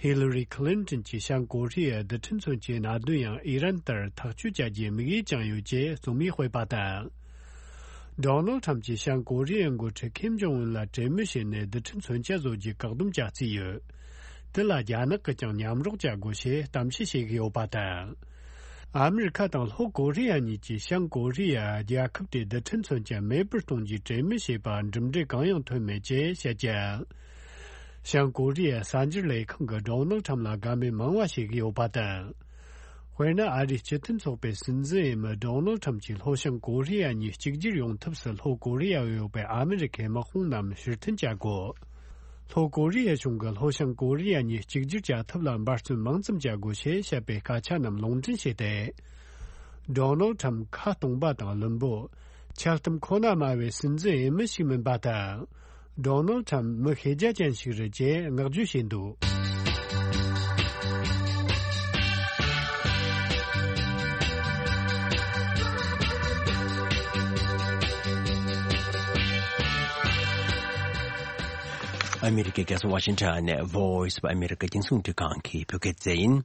ཧི་ལི་རི་ཁི་ལིན་ཏོན་གྱིས་བྱང་ཀོ་རི་ཡའི་རྡུལ་ཕྲན་མཚོན་ཆའི་གནད་དོན་ཡང་ཨི་རན་ལྟར་ཐག་གཅོད་བྱ་རྒྱུའི་དམིགས་ཡུལ་བཅངས་ཡོད་ཅེས་རྩོམ་ཡིག་སྤེལ་བ་དང་། ཌོ་ནལ་ཁྲམ་གྱིས་བྱང་ཀོ་རི་ཡའི་འགོ་ཁྲིད་ཁིམ་ཇོང་ཨུན་ལ་གྲོས་མོལ་བྱས་ནས་རྡུལ་ཕྲན་མཚོན་ཆ་བཟོ་རྒྱུའི་བཀག་སྡོམ་བྱ་རྩིས་ཡོད། དེ་ལ་རྒྱ་ནག་གིས་ཀྱང་མཉམ་རོགས་བྱ་དགོས་ཞེས་གཏམ་བཤད་བྱེད་ཀྱི་ཡོད་པ་དང་། ཨ་མི་རི་ཁ་དང་ལྷོ་ཀོ་རི་ཡ་གཉིས་ཀྱིས་བྱང་ཀོ་རི་ཡ་རྒྱལ་ཁབ་དེའི་རྡུལ་ཕྲན་མཚོན་ཆ་མེད་པར་གཏོང་རྒྱུའི་གྲོས་མོལ་བྱས་པ་གྲུབ་འབྲས་གང་ཡང་ཐོན་མེད་ཅེས་བཤད་ཀྱང་། བྱང་ཀོ་རི་ཡའི་གསར་འགྱུར་ལས་ཁང་གིས་ཌོ་ནལ་ཁྲམ་ལ་དགའ་མོས་མང་བ་བྱེད་ཀྱི་ཡོད་པ་དང་། དཔེར་ན། ཨ་རིའི་སྤྱི་མཐུན་ཚོགས་པའི་སྲིད་འཛིན་འོས་མི་ཌོ་ནལ་ཁྲམ་གྱིས་ལྷོ་བྱང་ཀོ་རི་ཡ་གཉིས་གཅིག་གྱུར་ཡོང་ཐབས་སུ་ལྷོ་ཀོ་རི་ཡར་ཡོད་པའི་ཨ་མི་རི་ཁའི་དམག་དཔུང་རྣམས་ཕྱིར་འཐེན་བྱ་དགོས། ལྷོ་ཀོ་རི་ཡ་གཞུང་གིས་ལྷོ་བྱང་ཀོ་རི་ཡ་གཉིས་གཅིག་གྱུར་བྱ་ཐབས་ལ་འབད་བརྩོན་མང་ཙམ་བྱ་དགོས་ཞེས་བཤད་པའི་སྐད་ཆ་རྣམས་ལུང་འདྲེན་བྱས་ཏེ། ཌོ་ནལ་ཁྲམ་ཁ་སྟོང་པ་དང་བླུན་པོ། འཆལ་གཏམ་ཁོ་ན་སྨྲ་བའི་སྲིད་འཛིན་འོས་མི་ཞིག་མིན་པ་དང་། ཌོ་ནལ་ཁྲམ་མི་ཤེས་རྒྱ་ཅན་ཞིག་རེད་ཅེས་བསྔགས་བརྗོད་བྱས་འདུག། ཨ་མི་རི་ཀའི་རྒྱལ་ས་ཝ་ཤིང་ཊོན་ནས་Voice of America་རྒྱང་སྲིང་རླུང་འཕྲིན་ཁང་གི་བོད་སྐད་སྡེ་ཚན་ཡིན།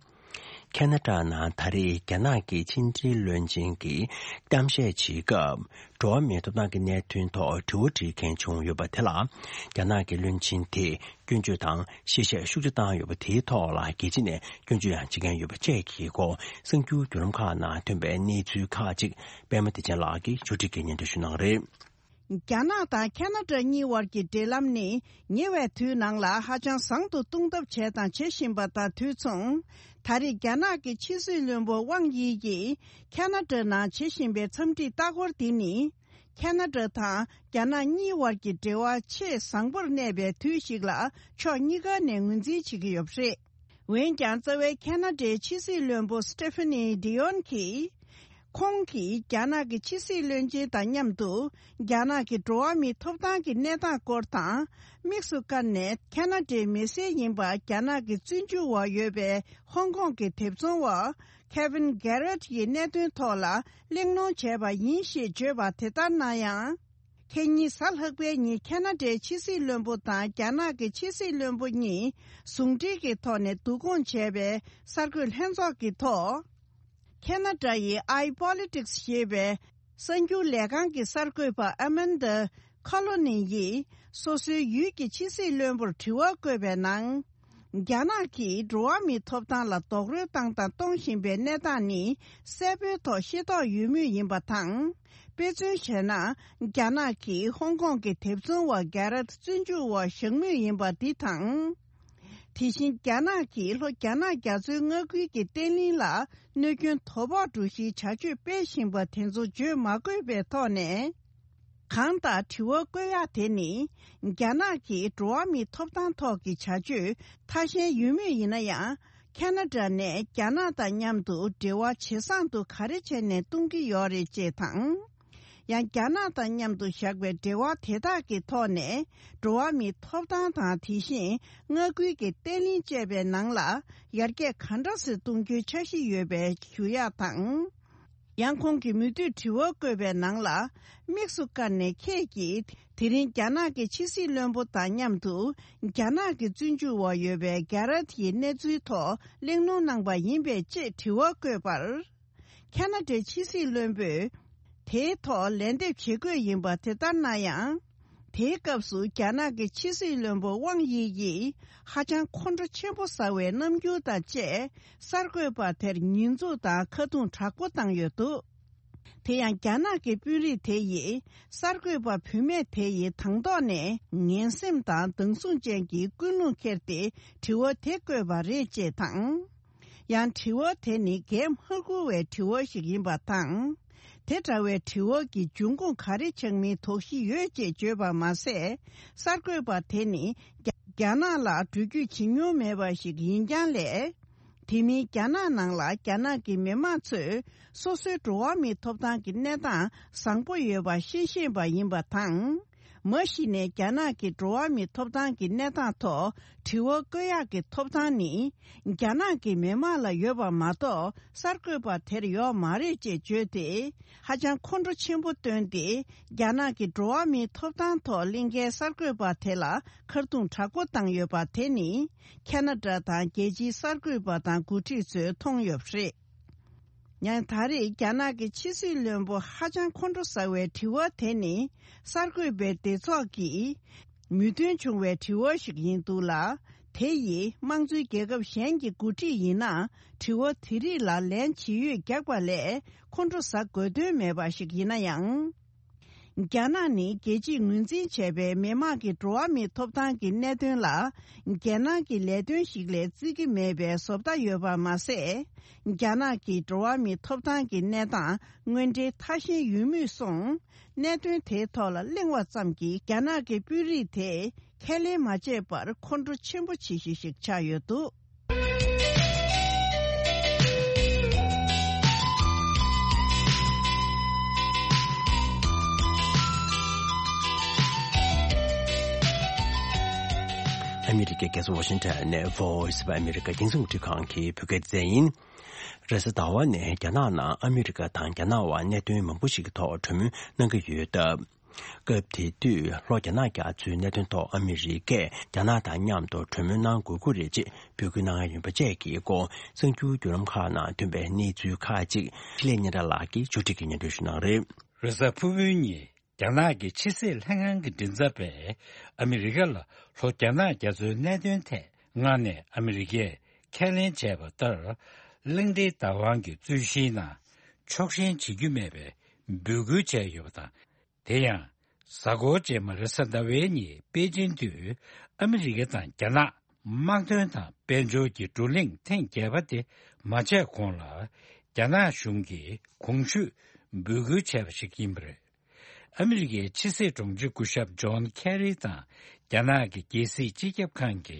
ཁེ་ན་ཌ་ནང་ད་རེས་རྒྱ་ནག་གི་ཕྱི་འབྲེལ་བློན་ཆེན་གྱིས་གཏམ་བཤད་བྱེད་སྐབས། འགྲོ་བ་མིའི་ཐོབ་ཐང་གི་གནད་དོན་ཐོག་དྲི་བ་དྲིས་མཁན་བྱུང་ཡོད་པ་དེ་ལ། རྒྱ་ནག་གི་བློན་ཆེན་དེས་སྐྱོན་བརྗོད་དང་གཤེ་གཤེ་ཤུགས་ཆེ་བཏང་ཡོད་པ་དེའི་ཐོག་ལ་རྒྱལ་སྤྱི་ནས་སྐྱོན་བརྗོད་ཡང་བྱེད་མཁན་ཡོད་པ་བཅས་ཀྱི་སྐོར་གསར་འགྱུར་བརྒྱུད་ལམ་ཁག་ནང་ཐོན་པའི་གནས་ཚུལ་ཁག་ཅིག་པད་མ་བདེ་ཆེན་ལགས་ཀྱིས་ཕྱོགས་སྒྲིག་གིས་སྙན་སྒྲོན་ཞུ་གནང་གི་རེད། རྒྱ་ནག་དང་ཁེ་ན་ཌ་གཉིས་བར་གྱི་འབྲེལ་ལམ་ནི་ཉེ་བའི་དུས་ནང་ལ་ཧ་ཅང་བཟང་དུ་གཏོང་ཐབས་བྱས་དང་བྱེད་བཞིན་པ་དང་དུས་མཚུངས། ད་རེས་རྒྱ་ནག་གི་ཕྱི་སྲིད་བློན་པོ་ཝང་དབྱི་ཡིས་ཁེ་ན་ཌ་ནང་བྱེད་བཞིན་པའི་འཚམས་འདྲིའི་ལྟ་སྐོར་འདི་ནི། ཁེ་ན་ཌ་དང་རྒྱ་ནག་གཉིས་བར་གྱི་འབྲེལ་བ་ཆེས་བཟང་པོར་གནས་པའི་དུས་ཤིག་ལ་ཕྱོགས་གཉིས་ཀ་ནས་ངོས་འཛིན་བྱེད་ཀྱི་ཡོད་པ་རེད། འོན་ཀྱང་། རྩ་བའི་ཁེ་ན་ཌའི་ཕྱི་སྲིད་བློན་པོ་སི་ཏེ་ཕེ་ནི་ཌི་ཡོན་གྱིས། ཁོང་གིས་རྒྱ་ནག་གི་ཕྱི་སྲིད་བློན་ཆེན་དང་མཉམ་དུ། རྒྱ་ནག་གི་འགྲོ་བ་མིའི་ཐོབ་ཐང་གི་གནས་སྟངས་སྐོར་དང་། དམིགས་སུ་བཀར་ནས་ཁེ་ན་ཌའི་མི་སེར་ཡིན་པ་རྒྱ་ནག་གི་བཙོན་འཇུག་འོག་ཡོད་པའི་ཧོང་ཀོང་གི་དེབ་ཚོང་བ་ཁེ་ཝིན་གྷེ་རེད་ཡི་གནད་དོན་ཐོག་ལ་གླེང་སློང་བྱས་པ་ཡིན་ཞེས་བརྗོད་པ་དེ་ལྟར་ན་ཡང་། ཁེ་ཉིན་གཟའ་ལྷག་པའི་ཉིན་ཁེ་ན་ཌའི་ཕྱི་སྲིད་བློན་པོ་དང་རྒྱ་ནག་གི་ཕྱི་སྲིད་བློན་པོ་གཉིས་ཟུང་འབྲེལ་གྱི་ཐོག་ནས་བསྡུ་སྐོང་བྱས་པའི་གསར་འགོད་ལྷན་ཚོགས་ཀྱི་ཐོག་ཁེ་ན་ཌ་ཡི་ཨའི་པོ་ལི་ཊིག་སི་ཞེས་པའི་གསར་འགྱུར་ལས་ཁང་གི་གསར་འགོད་པ་ཨ་མན་ཌ་ཁ་ལོ་ནི་ཡིས་སོ་སོའི་ཡུལ་གྱི་ཕྱི་སྲིད་བློན་པོར་དྲི་བ་བཀོད་པའི་ནང་། རྒྱ་ནག་གིས་འགྲོ་བ་མིའི་ཐོབ་ཐང་ལ་རྡོག་རོལ་བཏང་དང་གཏོང་བཞིན་པའི་གནས་སྟངས་ནི་གསལ་པོའི་ཐོག་ཤེས་རྟོགས་ཡོད་མུས་ཡིན་པ་དང་། དཔེ་མཚོན་བྱས་ན། རྒྱ་ནག་གིས་ཧོང་ཀོང་གི་དེབ་ཚོང་བ་གྷེ་རད་བཙོན་འཇུག་འོག་བཞག་མུས་ཡིན་པ་འདི་དང་། དེ་བཞིན་རྒྱ་ནག་གིས་ལྷོ་རྒྱ་ནག་རྒྱ་མཚོའི་མངའ་ཁུལ་གྱི་བརྟན་ལྷིང་ལ་གནོད་སྐྱོན་དོ་ཕོག་འགྲོ་གཞིའི་བྱ་སྤྱོད་སྤེལ་བཞིན་པ་དེ་ཚོ་བརྗོད་མ་དགོས་པའི་ཐོག་ནས། གང་ལྟར་དྲི་བ་བཀོད་ཡག་དེ་ནི། རྒྱ་ནག་གིས་འགྲོ་བ་མིའི་ཐོབ་ཐང་ཐོག་གི་བྱ་སྤྱོད་ཐ་ཞན་ཡོད་མུས་ཡིན་ན་ཡང་། ཁེ་ན་ཌ་ནས་རྒྱ་ནག་དང་མཉམ་དུ་འབྲེལ་བ་ཇེ་བཟང་དུ་ག་རེ་བྱས་ནས་གཏོང་གི་ཡོད་རེད་ཅེས་དང་། ཡང་རྒྱ་ནག་དང་མཉམ་དུ་བཞག་པའི་འབྲེལ་བ་དེ་དག་གི་ཐོག་ནས་འགྲོ་བ་མིའི་ཐོབ་ཐང་དང་དེ་བཞིན་མངའ་ཁུལ་གྱི་བརྟན་ལྷིང་བཅས་པའི་ནང་ལ་ཡར་རྒྱས་ག་འདྲ་སེ་གཏོང་རྒྱུའི་འཆར་གཞི་ཡོད་པའི་ཞུ་ཡག་དང་། ཡང་ཁོང་གིས་མུ་མཐུད་དྲི་བ་བཀོད་པའི་ནང་ལ། དམིགས་སུ་བཀར་ནས་ཁྱེད་ཀྱིས་དེ་རིང་རྒྱ་ནག་གི་ཕྱི་སྲིད་བློན་པོ་དང་མཉམ་དུ་རྒྱ་ནག་གི་བཙོན་འཇུག་འོག་ཡོད་པའི་གྷེ་རད་ཡི་གནས་ཚུལ་ཐོག་གླེང་སློང་གནང་པ་ཡིན་པས་ཅེས་དྲི་བ་བཀོད་པར། ཁེ་ན་ཌའི་ཕྱི་སྲིད་བློན་པོས་དེའི་ཐོག་ལན་འདེབས་བྱེད་དགོས་ཡིན་པ་དེ་ལྟར་ན་ཡང་། དེའི་སྐབས་སུ་རྒྱ་ནག་གི་ཕྱི་སྲིད་བློན་པོ་ཝང་དབྱི་ཡིས་ཧ་ཅང་ཁོང་ཁྲོ་ཆེན་པོ་ཟ་བའི་རྣམ་འགྱུར་དང་བཅས་གསར་འགོད་པ་དེར་ཉེས་འཛུགས་དང་ཁ་རྡུང་དྲག་པོ་བཏང་ཡོད་འདུག། དེ་ཡང་རྒྱ་ནག་གི་དཔོན་རིགས་དེ་ཡིས་གསར་འགོད་པ་བུད་མེད་དེ་ཡིས་དང་ཐོག་ནས་ངན་སེམས་དང་སྡང་ཟུག་ཅན་གྱི་ཀུན་སློང་འཁྱེར་ཏེ་དྲི་བ་དེ་བཀོད་པ་རེད་ཅེས་དང་། ཡང་དྲི་བ་དེ་ནི་འགན་མ་འཁུར་བའི་དྲི་བ་ཞིག་ཡིན་པ་དང་། དེ་འདྲ་བའི་དྲི་བ་གི་འབྱུང་ཁུངས་ག་རེ་ཆགས་མིན་དོགས་གཞི་ཡོད་ཅེས་བརྗོད་པ་མ་ཟད། གསར་འགོད་པ་དེ་ནི་རྒྱ་རྒྱ་ནག་ལ་འགྲུལ་སྐྱོད་བྱེད་མྱོང་མེད་པ་ཞིག་ཡིན་རྐྱང་ལས། དེ་མིན་རྒྱ་ནག་ནང་ལ་རྒྱ་ནག་གི་མི་མང་ཚོས་སོ་སོའི་འགྲོ་བ་མིའི་ཐོབ་ཐང་གི་གནས་སྟངས་བཟང་པོ་ཡོད་པ་ཤེས་ཤེས་པ་ཡིན་པ་དང་། མ་གཞི་ནས་རྒྱ་ནག་གི་འགྲོ་བ་མིའི་ཐོབ་ཐང་གི་གནས་སྟངས་ཐོག་དྲི་བ་བཀོད་ཡག་གི་ཐོབ་ཐང་ནི། རྒྱ་ནག་གི་མི་མང་ལ་ཡོད་པ་མ་གཏོགས་གསར་འགོད་པ་དེར་ཡོད་མ་རེད་ཅེས་བརྗོད་དེ། ཧ་ཅང་ཁོང་ཁྲོ་ཆེན་པོ་བཏོན་ཏེ། རྒྱ་ནག་གི་འགྲོ་བ་མིའི་ཐོབ་ཐང་ཐོག་གླེང་མཁན་གསར་འགོད་པ་དེ་ལ་ཁ་རྡུང་དྲག་པོ་བཏང་ཡོད་པ་དེ་ནི། ཁེ་ན་ཌ་དང་རྒྱལ་སྤྱིའི་གསར་འགོད་པ་དང་འགོ་ཁྲིད་ཚོས་མཐོང་ཡོད་པ་རེད། ཡང་ད་རེས་རྒྱ་ནག་གི་ཕྱི་སྲིད་བློན་པོ་ཧ་ཅང་ཁོང་ཁྲོ་ཟ་བའི་དྲི་བ་དེ་ནི་གསར་འགོད་པའི་སྡེ་ཚོགས་ཀྱིས་མོས་མཐུན་བྱུང་བའི་དྲི་བ་ཞིག་ཡིན་འདུག་ལ། དེ་ཡིས་དམངས་གཙོའི་རྒྱལ་ཁབ་གཞན་གྱི་འགོ་ཁྲིད་ཡིན་ན། དྲི་བ་དེ་རིགས་ལ་ལན་ཇི་ཡོད་རྒྱག་པ་ལས་ཁོང་ཁྲོ་ཟ་དགོས་དོན་མེད་པ་ཞིག་ཡིན་ན་ཡང་། རྒྱ་ནག་ནི་རྒྱལ་སྤྱིས་ངོས་འཛིན་བྱས་པའི་མི་དམངས་ཀྱི་འགྲོ་བ་མིའི་ཐོབ་ཐང་གི་གནད་དོན་ལ། རྒྱལ་ནང་གི་ལས་དོན་ཞིག་ལས་བརྩི་གི་མེད་པའི་བཟོ་ལྟ་ཡོད་པ་མ་ཟད། རྒྱ་ནག་གི་འགྲོ་བ་མིའི་ཐོབ་ཐང་གི་གནས་སྟངས་དངོས་འབྲེལ་ཐག་ཤིང་ཡོད་མུས་སོང་། གནད་དོན་དེའི་ཐོག་ལ་གླེང་བ་ཙམ་གྱིས་རྒྱ་ནག་གི་དཔོན་རིགས་དེས་ཁས་ལེན་མ་བྱས་པར་ཁོང་ཁྲོ་ཆེན་པོ་བྱེད་གཞི་ཞིག་ཆགས་ཡོད་འདུག། ཨ་མི་རི་ཀའི་རྒྱལ་ས་ཝ་ཤིང་ཊོན་ནས་Voice of America་རྒྱང་སྲིང་རླུང་འཕྲིན་ཁང་གི་བོད་སྐད་སྡེ་ཚན་ཡིན། རེས་གཟའ་ཟླ་བ་ནས་རྒྱ་ནག་ནང་ཨ་མི་རི་ཀ་དང་རྒྱ་ནག་དབར་གནད་དོན་མང་པོ་ཞིག་གི་ཐོག་གྲོས་མོལ་གནང་གི་ཡོད་སྟབས། སྐབས་དེ་དུས་ལྷོ་རྒྱ་ནག་རྒྱ་མཚོའི་གནད་དོན་ཐོག་ཨ་མི་རི་ཀས་རྒྱ་ནག་དང་མཉམ་དུ་གྲོས་མོལ་གནང་དགོས་ཀྱི་རེད་ཅེས་འབོད་སྐུལ་གནང་ཡ་ཡིན་པ་བཅས་ཀྱི་སྐོར་གསར་འགྱུར་བརྒྱུད་ལམ་ཁག་ནང་ཐོན་པའི་གནས་ཚུལ་ཁག་ཅིག་འཕྲིན་ལས་སྙན་གྲགས་ལགས་ཀྱིས་ཕྱོགས་སྒྲིག་གིས་སྙན་སྒྲོན་ཞུ་གནང་རེད། རེས་གཟའ་ཕུར་བུའི་ཉིན་རྒྱ་ནག་གི་ཕྱི་སྲིད་ལྷན་ཁང་གི་མགྲིན་ཚབ་པས་ཨ་མི་རི་ཀ་ལ་ལྷོ་རྒྱ་ནག་རྒྱ་མཚོའི་གནད་དོན་ཐད་སྔ་ནས་ཨ་མི་རི་ཀས་ཁས་ལེན་བྱས་པ་ལྟར། གླིང་ཕྲན་བདག་དབང་གི་རྩོད་གཞིའི་ནང་ཕྱོགས་ཞེན་བྱེད་རྒྱུ་མེད་པའི་འབོད་སྐུལ་བྱས་ཡོད་པ་དང་། དེ་ཡང་། གཟའ་འཁོར་རྗེས་མ་རེས་གཟའ་ཟླ་བའི་ཉིན་པེ་ཅིན་དུ་ཨ་མི་རི་ཀ་དང་རྒྱ་ནག་དམག་དོན་དང་དཔལ་འབྱོར་གྱི་བགྲོ་གླེང་ཐེངས་བརྒྱད་པ་དེ་མ་བྱས་གོང་ལ། རྒྱ་ནག་གཞུང་གིས་གོང་ཞུས་འབོད་སྐུལ་བྱས་པ་ཞིག་ཡིན་པ་རེད། ཨ་མི་རི་ཀའི་ཕྱི་སྲིད་དྲུང་ཆེ་སྐུ་ཞབས་ཇོན་ཁེ་རི་དང་རྒྱ་ནག་གི་རྒྱལ་སྲིད་སྤྱི་ཁྱབ་ཁང་གི་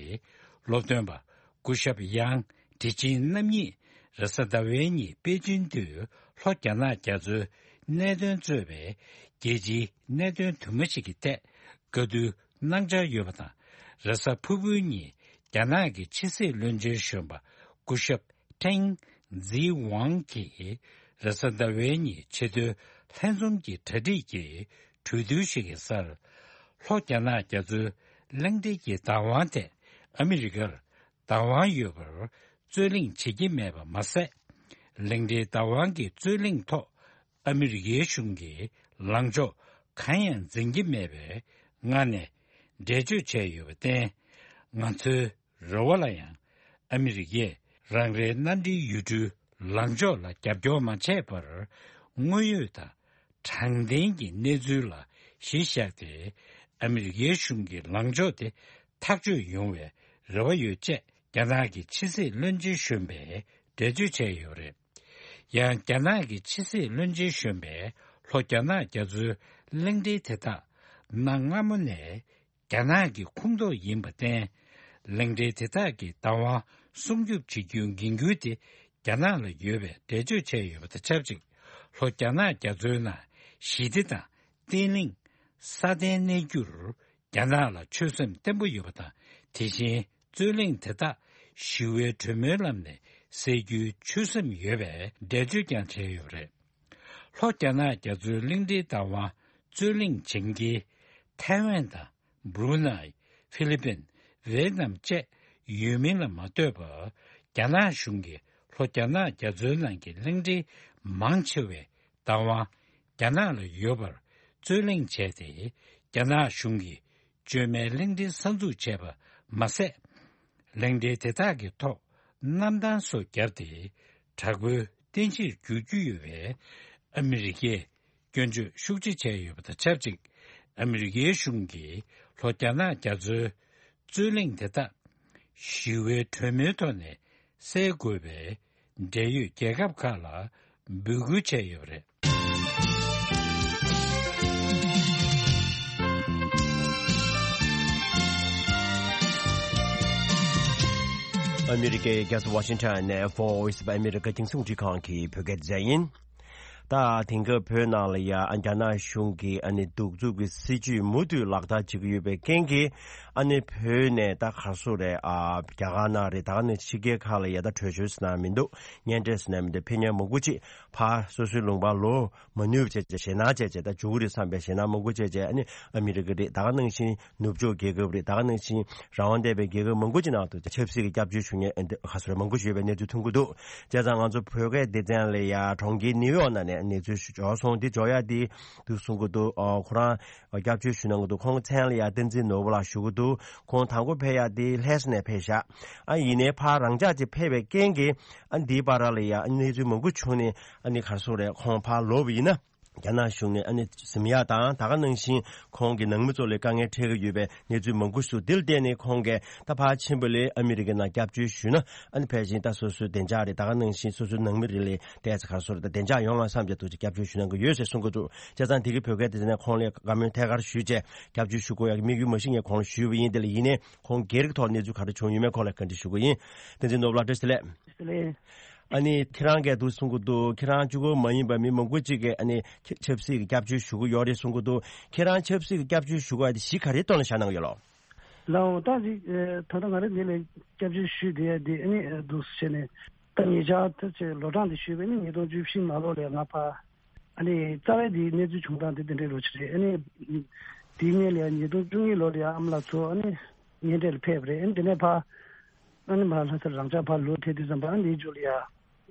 སློབ་སྟོན་པ་སྐུ་ཞབས་ཡང་ཀྲི་ཅིན་རྣམ་གཉིས་རེས་གཟའ་ཟླ་བའི་ཉིན་པེ་ཅིན་དུ་ལྷོ་རྒྱ་ནག་རྒྱ་མཚོའི་གནད་དོན་གཙོས་པའི་རྒྱལ་སྤྱིའི་གནད་དོན་དུ་མ་ཞིག་གི་ཐད་བཀའ་བསྡུར་གནང་འཆར་ཡོད་པ་དང་། རེས་གཟའ་ཕུར་བུའི་ཉིན་རྒྱ་ནག་གི་ཕྱི་སྲིད་བློན་ཆེན་གཞོན་པ་སྐུ་ཞབས་ཀྲེང་ཛི་ཝང་གིས་རེས་གཟའ་ཟླ་བའི་ཉིན་ཆེས་མཐོའི་ལྷན་འཛོམས་ཀྱི་གྲ་སྒྲིག་གི་གྲོས་བསྡུར་ཞིག་གི་སར། ལྷོ་རྒྱ་ནག་རྒྱ་མཚོའི་གླིང་ཕྲན་གྱི་བདག་དབང་ཐད་ཨ་མི་རི་ཀར་བདག་དབང་ཡོད་པར་རྩོད་གླེང་བྱེད་ཀྱི་མེད་པ་མ་ཟད། གླིང་ཕྲན་བདག་དབང་གི་རྩོད་གླེང་ཐོག་ཨ་མི་རི་ཀའི་གཞུང་གིས་ལངས་ཕྱོགས་གང་ཡང་འཛིན་གྱི་མེད་པའི་ངང་ནས་འགྲེལ་བརྗོད་བྱས་ཡོད་པར་བརྟེན། ང་ཚོའི་རེ་བ་ལ་ཡང་ཨ་མི་རི་ཀས་རང་རེའི་མནའ་འབྲེལ་ཡུལ་གྲུའི་ལངས་ཕྱོགས་ལ་རྒྱབ་སྐྱོར་མ་བྱས་པར། དངོས་ཡོད་དང་དྲང་བདེན་གྱི་གནས་ཚུལ་ལ་གཞི་བཞག་སྟེ། ཨ་མི་རི་ཀའི་གཞུང་གི་ལངས་ཕྱོགས་དེ་ཐག་གཅོད་ཡོང་བའི་རེ་བ་ཡོད་ཅེས་རྒྱ་ནག་གི་ཕྱི་སྲིད་བློན་ཆེན་གཞོན་པས་འགྲེལ་བརྗོད་བྱས་ཡོད་པ་རེད། ཡང་རྒྱ་ནག་གི་ཕྱི་སྲིད་བློན་ཆེན་གཞོན་པས་ལྷོ་རྒྱ་ནག་རྒྱ་མཚོའི་གླིང་ཕྲན་དེ་དག་གནའ་སྔ་མོ་ནས་རྒྱ་ནག་གི་ཁོངས་གཏོགས་ཡིན་པར་བརྟེན། གླིང་ཕྲན་དེ་དག་གི་བདག་དབང་སྲུང་སྐྱོབ་བྱེད་རྒྱུའི་འགན་ཁུར་དེ་རྒྱ་ནག་ལ་ཡོད་པའི་འགྲེལ་བརྗོད་བྱས་ཡོད་པ་དང་ཆབས་ཅིག་ལྷོ་རྒྱ་ནག་རྒྱ་མཚོའི་ནང་ཞི་བདེ་དང་བརྟན་ལྷིང་སྲ་བརྟན་གནས་རྒྱུར་རྒྱ་ནག་ལ་ཆོད་སེམས་བརྟན་པོ་ཡོད་པ་དང་། དེ་བཞིན་རྩོད་གླེང་དེ་དག་ཞི་བའི་གྲོས་མོལ་ལམ་ནས་སེལ་རྒྱུའི་ཆོད་སེམས་ཡོད་པའི་འགྲེལ་བརྗོད་ཀྱང་བྱས་ཡོད་པ་རེད། ལྷོ་རྒྱ་ནག་རྒྱ་མཚོའི་གླིང་ཕྲན་བདག་དབང་རྩོད་གླེང་བྱེད་མཁན་ཐའེ་ཝན་དང་། སྦྲུ་ནའི། ཧྥི་ལི་པིན། ཝེ་ནམ་བཅས་ཡོད་མིན་ལ་མ་ལྟོས་པར། རྒྱ་ནག་གཞུང་གིས་ལྷོ་རྒྱ་ནག་རྒྱ་མཚོའི་ནང་གི་གླིང་ཕྲན་མང་ཆེ་བའི་བདག་དབང་རྒྱ་ནག་ལ་ཡོད་པར་རྩོད་གླེང་བྱས་ཏེ། རྒྱ་ནག་གཞུང་གིས་བཅོས་མའི་གླིང་ཕྲན་གསར་འཛུགས་བྱས་པ་མ་ཟད། གླིང་ཕྲན་དེ་དག་གི་ཐོག་གནམ་ཐང་སོགས་བརྒྱབ་སྟེ། དྲག་པོའི་རྟེན་གཞིར་འགྱུར་རྒྱུ་ཡོད་པའི་ཨ་མི་རི་ཀས་སྐྱོན་བརྗོད་ཤུགས་ཆེ་བྱས་ཡོད་པ་དང་ཆབས་ཅིག་ཨ་མི་རི་ཀའི་གཞུང་གིས་ལྷོ་རྒྱ་ནག་རྒྱ་མཚོའི་རྩོད་གླེང་དེ་དག་ཞི་བའི་གྲོས་མོལ་ཐོག་ནས་སེལ་དགོས་པའི་འབྲེལ་ཡོད་རྒྱལ་ཁབ་ཁག་ལ་འབོད་སྐུལ་བྱས་ཡོད་པ་རེད། ཨ་མི་རི་ཀའི་རྒྱལ་ས་ཝ་ཤིང་ཊོན་ནས་Voice of America་རྒྱང་སྲིང་རླུང་འཕྲིན་ཁང་གི་བོད་སྐད་སྡེ་ཚན་ཡིན། ད་དེང་སྐབས་བོད་ནང་ལ་ཡ་རྒྱ་ནག་གཞུང་གིས་ཨ་ནི་གདུག་རྩུབ་ཀྱི་སྲིད་བྱུས་མུ་མཐུད་ལག་བསྟར་བྱེད་ཀྱི་ཡོད་པའི་རྐྱེན་གྱིས། ཨ་ནི་བོད་ནས་ད་ག་སོ་རེད། ཨ་རྒྱ་གར་ནང་རེད། ད་ག་ནས་ཕྱི་རྒྱལ་ཁག་ལ་ཡ་ད་བྲོས་བྱོལ་ཟེར་ན་མི་འདུག་གཉེན་འཕྲད་ཟེར་ན་མི་འདུག་ཕེབས་མཁན་མང་པོ་ཅིག་ཕར་སོ་སོའི་ལུང་པར་ལོག་མ་ནུས་པ་བྱས་བྱས་ཞེད་སྣང་བྱས་བྱས་ད་འཇུག་གི་རེད་བསམ་པའི་ཞེད་སྣང་མང་པོ་བྱས་བྱས། ཨ་ནི་ཨ་མི་རི་ཀ་རེད། ད་ག་ནང་བཞིན་ནུབ་ཕྱོགས་རྒྱལ་ཁབ་རེད། ད་ག་ནང་བཞིན་རང་དབང་ལྡན་པའི་རྒྱལ་ཁབ་མང་པོ་ཅིག་ནང་དུ་ཆབ་སྲིད་ཀྱི་སྐྱབས་བཅོལ་ཞུ་མཁན་ཨ་ནི་ག་སོ་རེད། མང་པོ་ཞིག་ཡོད་པའི་གནས་ཚུལ་ཐོན་གྱི་འདུག་བྱས་ཙང་ང་ཚོ་བོད་སྐད་སྡེ་ཚན་ལ་ཡ་གྲོང་ཁྱེར་ནིའུ་ཡོག་ནང་ནས། གནས་ཚུལ་ཞིག་འབྱོར་སོང་། འདི་འབྱོར་ཡ་དེ་འདུག་གསུང་གི་འདུག་ཨ། ཁོ་རང་སྐྱབས་བཅོལ་ཞུ་གནང་གི་འདུག་ཁོང་མཚན་ལ་ཡ་བསྟན་འཛིན་ནོར་བུ་ལགས་ཞུ་གི་འདུག་ཁོང་དང་པོ་ཕེབས་ཡ་དེ་ལྷ་ས་ནས་ཕེབས་ཤག་ཨ། ཡིན་ནའི་ཕར་རང་འཇགས་ཀྱིས་ཕེབས་པའི་རྐྱེན་གྱིས་ཨ། འདིའི་བར་ལ་ཡ་གནས་ཚུལ་མང་པོ་བྱུང་ནས་ཨ་ནི་ག་རེ་ཟེར་དགོས་རེད། ཁོང་ཕར་ལོག་པ་ཡིན་ན། རྒྱ་ནག་གཞུང་ནས་ཨ་ནི་ཟིན་ཡག་དང་། ད་ག་ནང་བཞིན་ཁོང་གི་ནང་མི་ཚོ་ལ་དཀའ་ངལ་འཕྲད་ཀྱི་ཡོད་པའི་གནས་ཚུལ་མང་པོ་ཞིག་འདི་ལ་བརྟེན་ནས་ཁོང་གིས་ད་ཕར་ཕྱིན་པ་ལས་ཨ་མི་རི་ཀའི་ནང་སྐྱབས་བཅོལ་ཞུས་ན་ཨ་ནི་ཕལ་ཆེར་ད་སོ་སོའི་བདེ་འཇགས་རེད། ད་ག་ནང་བཞིན་སོ་སོའི་ནང་མི་རེ་ལ་ཏོག་ཙམ་ག་རེ་ཟེར་དགོས་རེད། བདེ་འཇགས་ཡོང་བ་བསམ་བྱས་འདུག་ཅེས་སྐྱབས་བཅོལ་ཞུ་གནང་གི་ཡོད་ཅེས་གསུང་གི་འདུག་བྱས་ཙང་དེ་གི་བོད་སྐད་དེ་ནས་ཁོང་ལ་བཀའ་མོལ་ཐད་ཀར་ཞུས་བྱས་སྐྱབས་བཅོལ་ཞུ་དགོས་ཡག་གི་དམིགས་ཡུལ་མ་གཞི་ངས་ཁོང་ལ་ཞུས་པ་ཡིན། དེ་ལ་ཡིན་ནའི་ཁོང་སྒེར་གྱི་ཐོག་གནས་ཚུལ་ག་རེ་བྱུང་ཡོད་མེད་ཁོང་ལ་བཀའ་འདྲི་ཞུ་གི་ཡིན། བསྟན་འཛིན་ནོར་བུ་ལགས་བཀྲ་ཤིས་བདེ་ལེགས། ཨ་ནི་ཁྱེད་རང་གིས་འདུག་གསུང་གི་འདུག་ཁྱེད་རང་གཅིག་པོ་མ་ཡིན་པ་མི་མང་པོ་ཅིག་གིས་ཨ་ནི་ཆབ་སྲིད་ཀྱི་སྐྱབས་བཅོལ་ཞུ་གི་ཡོད་རེད་གསུང་གི་འདུག་ཁྱེད་རང་ཆབ་སྲིད་ཀྱི་སྐྱབས་བཅོལ་ཞུ་དགོས་ཡ་དེ་གཞི་ག་རེའི་ཐོག་ལ་བཞག་གནང་གི་ཡོད་ལོ། ལའོ་ད་ཅིག་ད་ལྟ་ང་རང་འདི་ལ་སྐྱབས་བཅོལ་ཞུས་བསྡད་ཡ་འདི་ཨ་ནི་འདུག་བྱས་ནས་ད་ཉེ་ཆར་ད་ཅིག་ལོ་གྲངས་འདི་ཞུས་པ་ཨ་ནི་ཉིས་སྟོང་བཅུ་བཞི་ནང་ལོགས་ལ་ང་ཕར་ཨ་ནི་རྩ་བའི་འདིའི་གནས་ཚུལ་བྱུང་སྟངས་དེ་འདི་འདྲའི་རོ་ཆེ་རེད། ཨ་ནི་དེའི་སྔོན་ལ་ཡང་ཉིས་སྟོང་བཅུ་གཉིས་ལོ་ལ་ཡང་ཨ་མ་ལགས་ཚོ་ཨ་ནི་གཉེན་འཕྲད་ལ་ཕེབས་པ་རེད། ཨ་ནི་དེ་ནས་ཕར་ཨ་ནི་མར་ལྷ་སར་རང་འཇགས་ཕར་ལོག་ཐེབས་དུས་ཙམ་པ་ཨ་ནི་འདིའི་མཇུག་ལ་ཡང་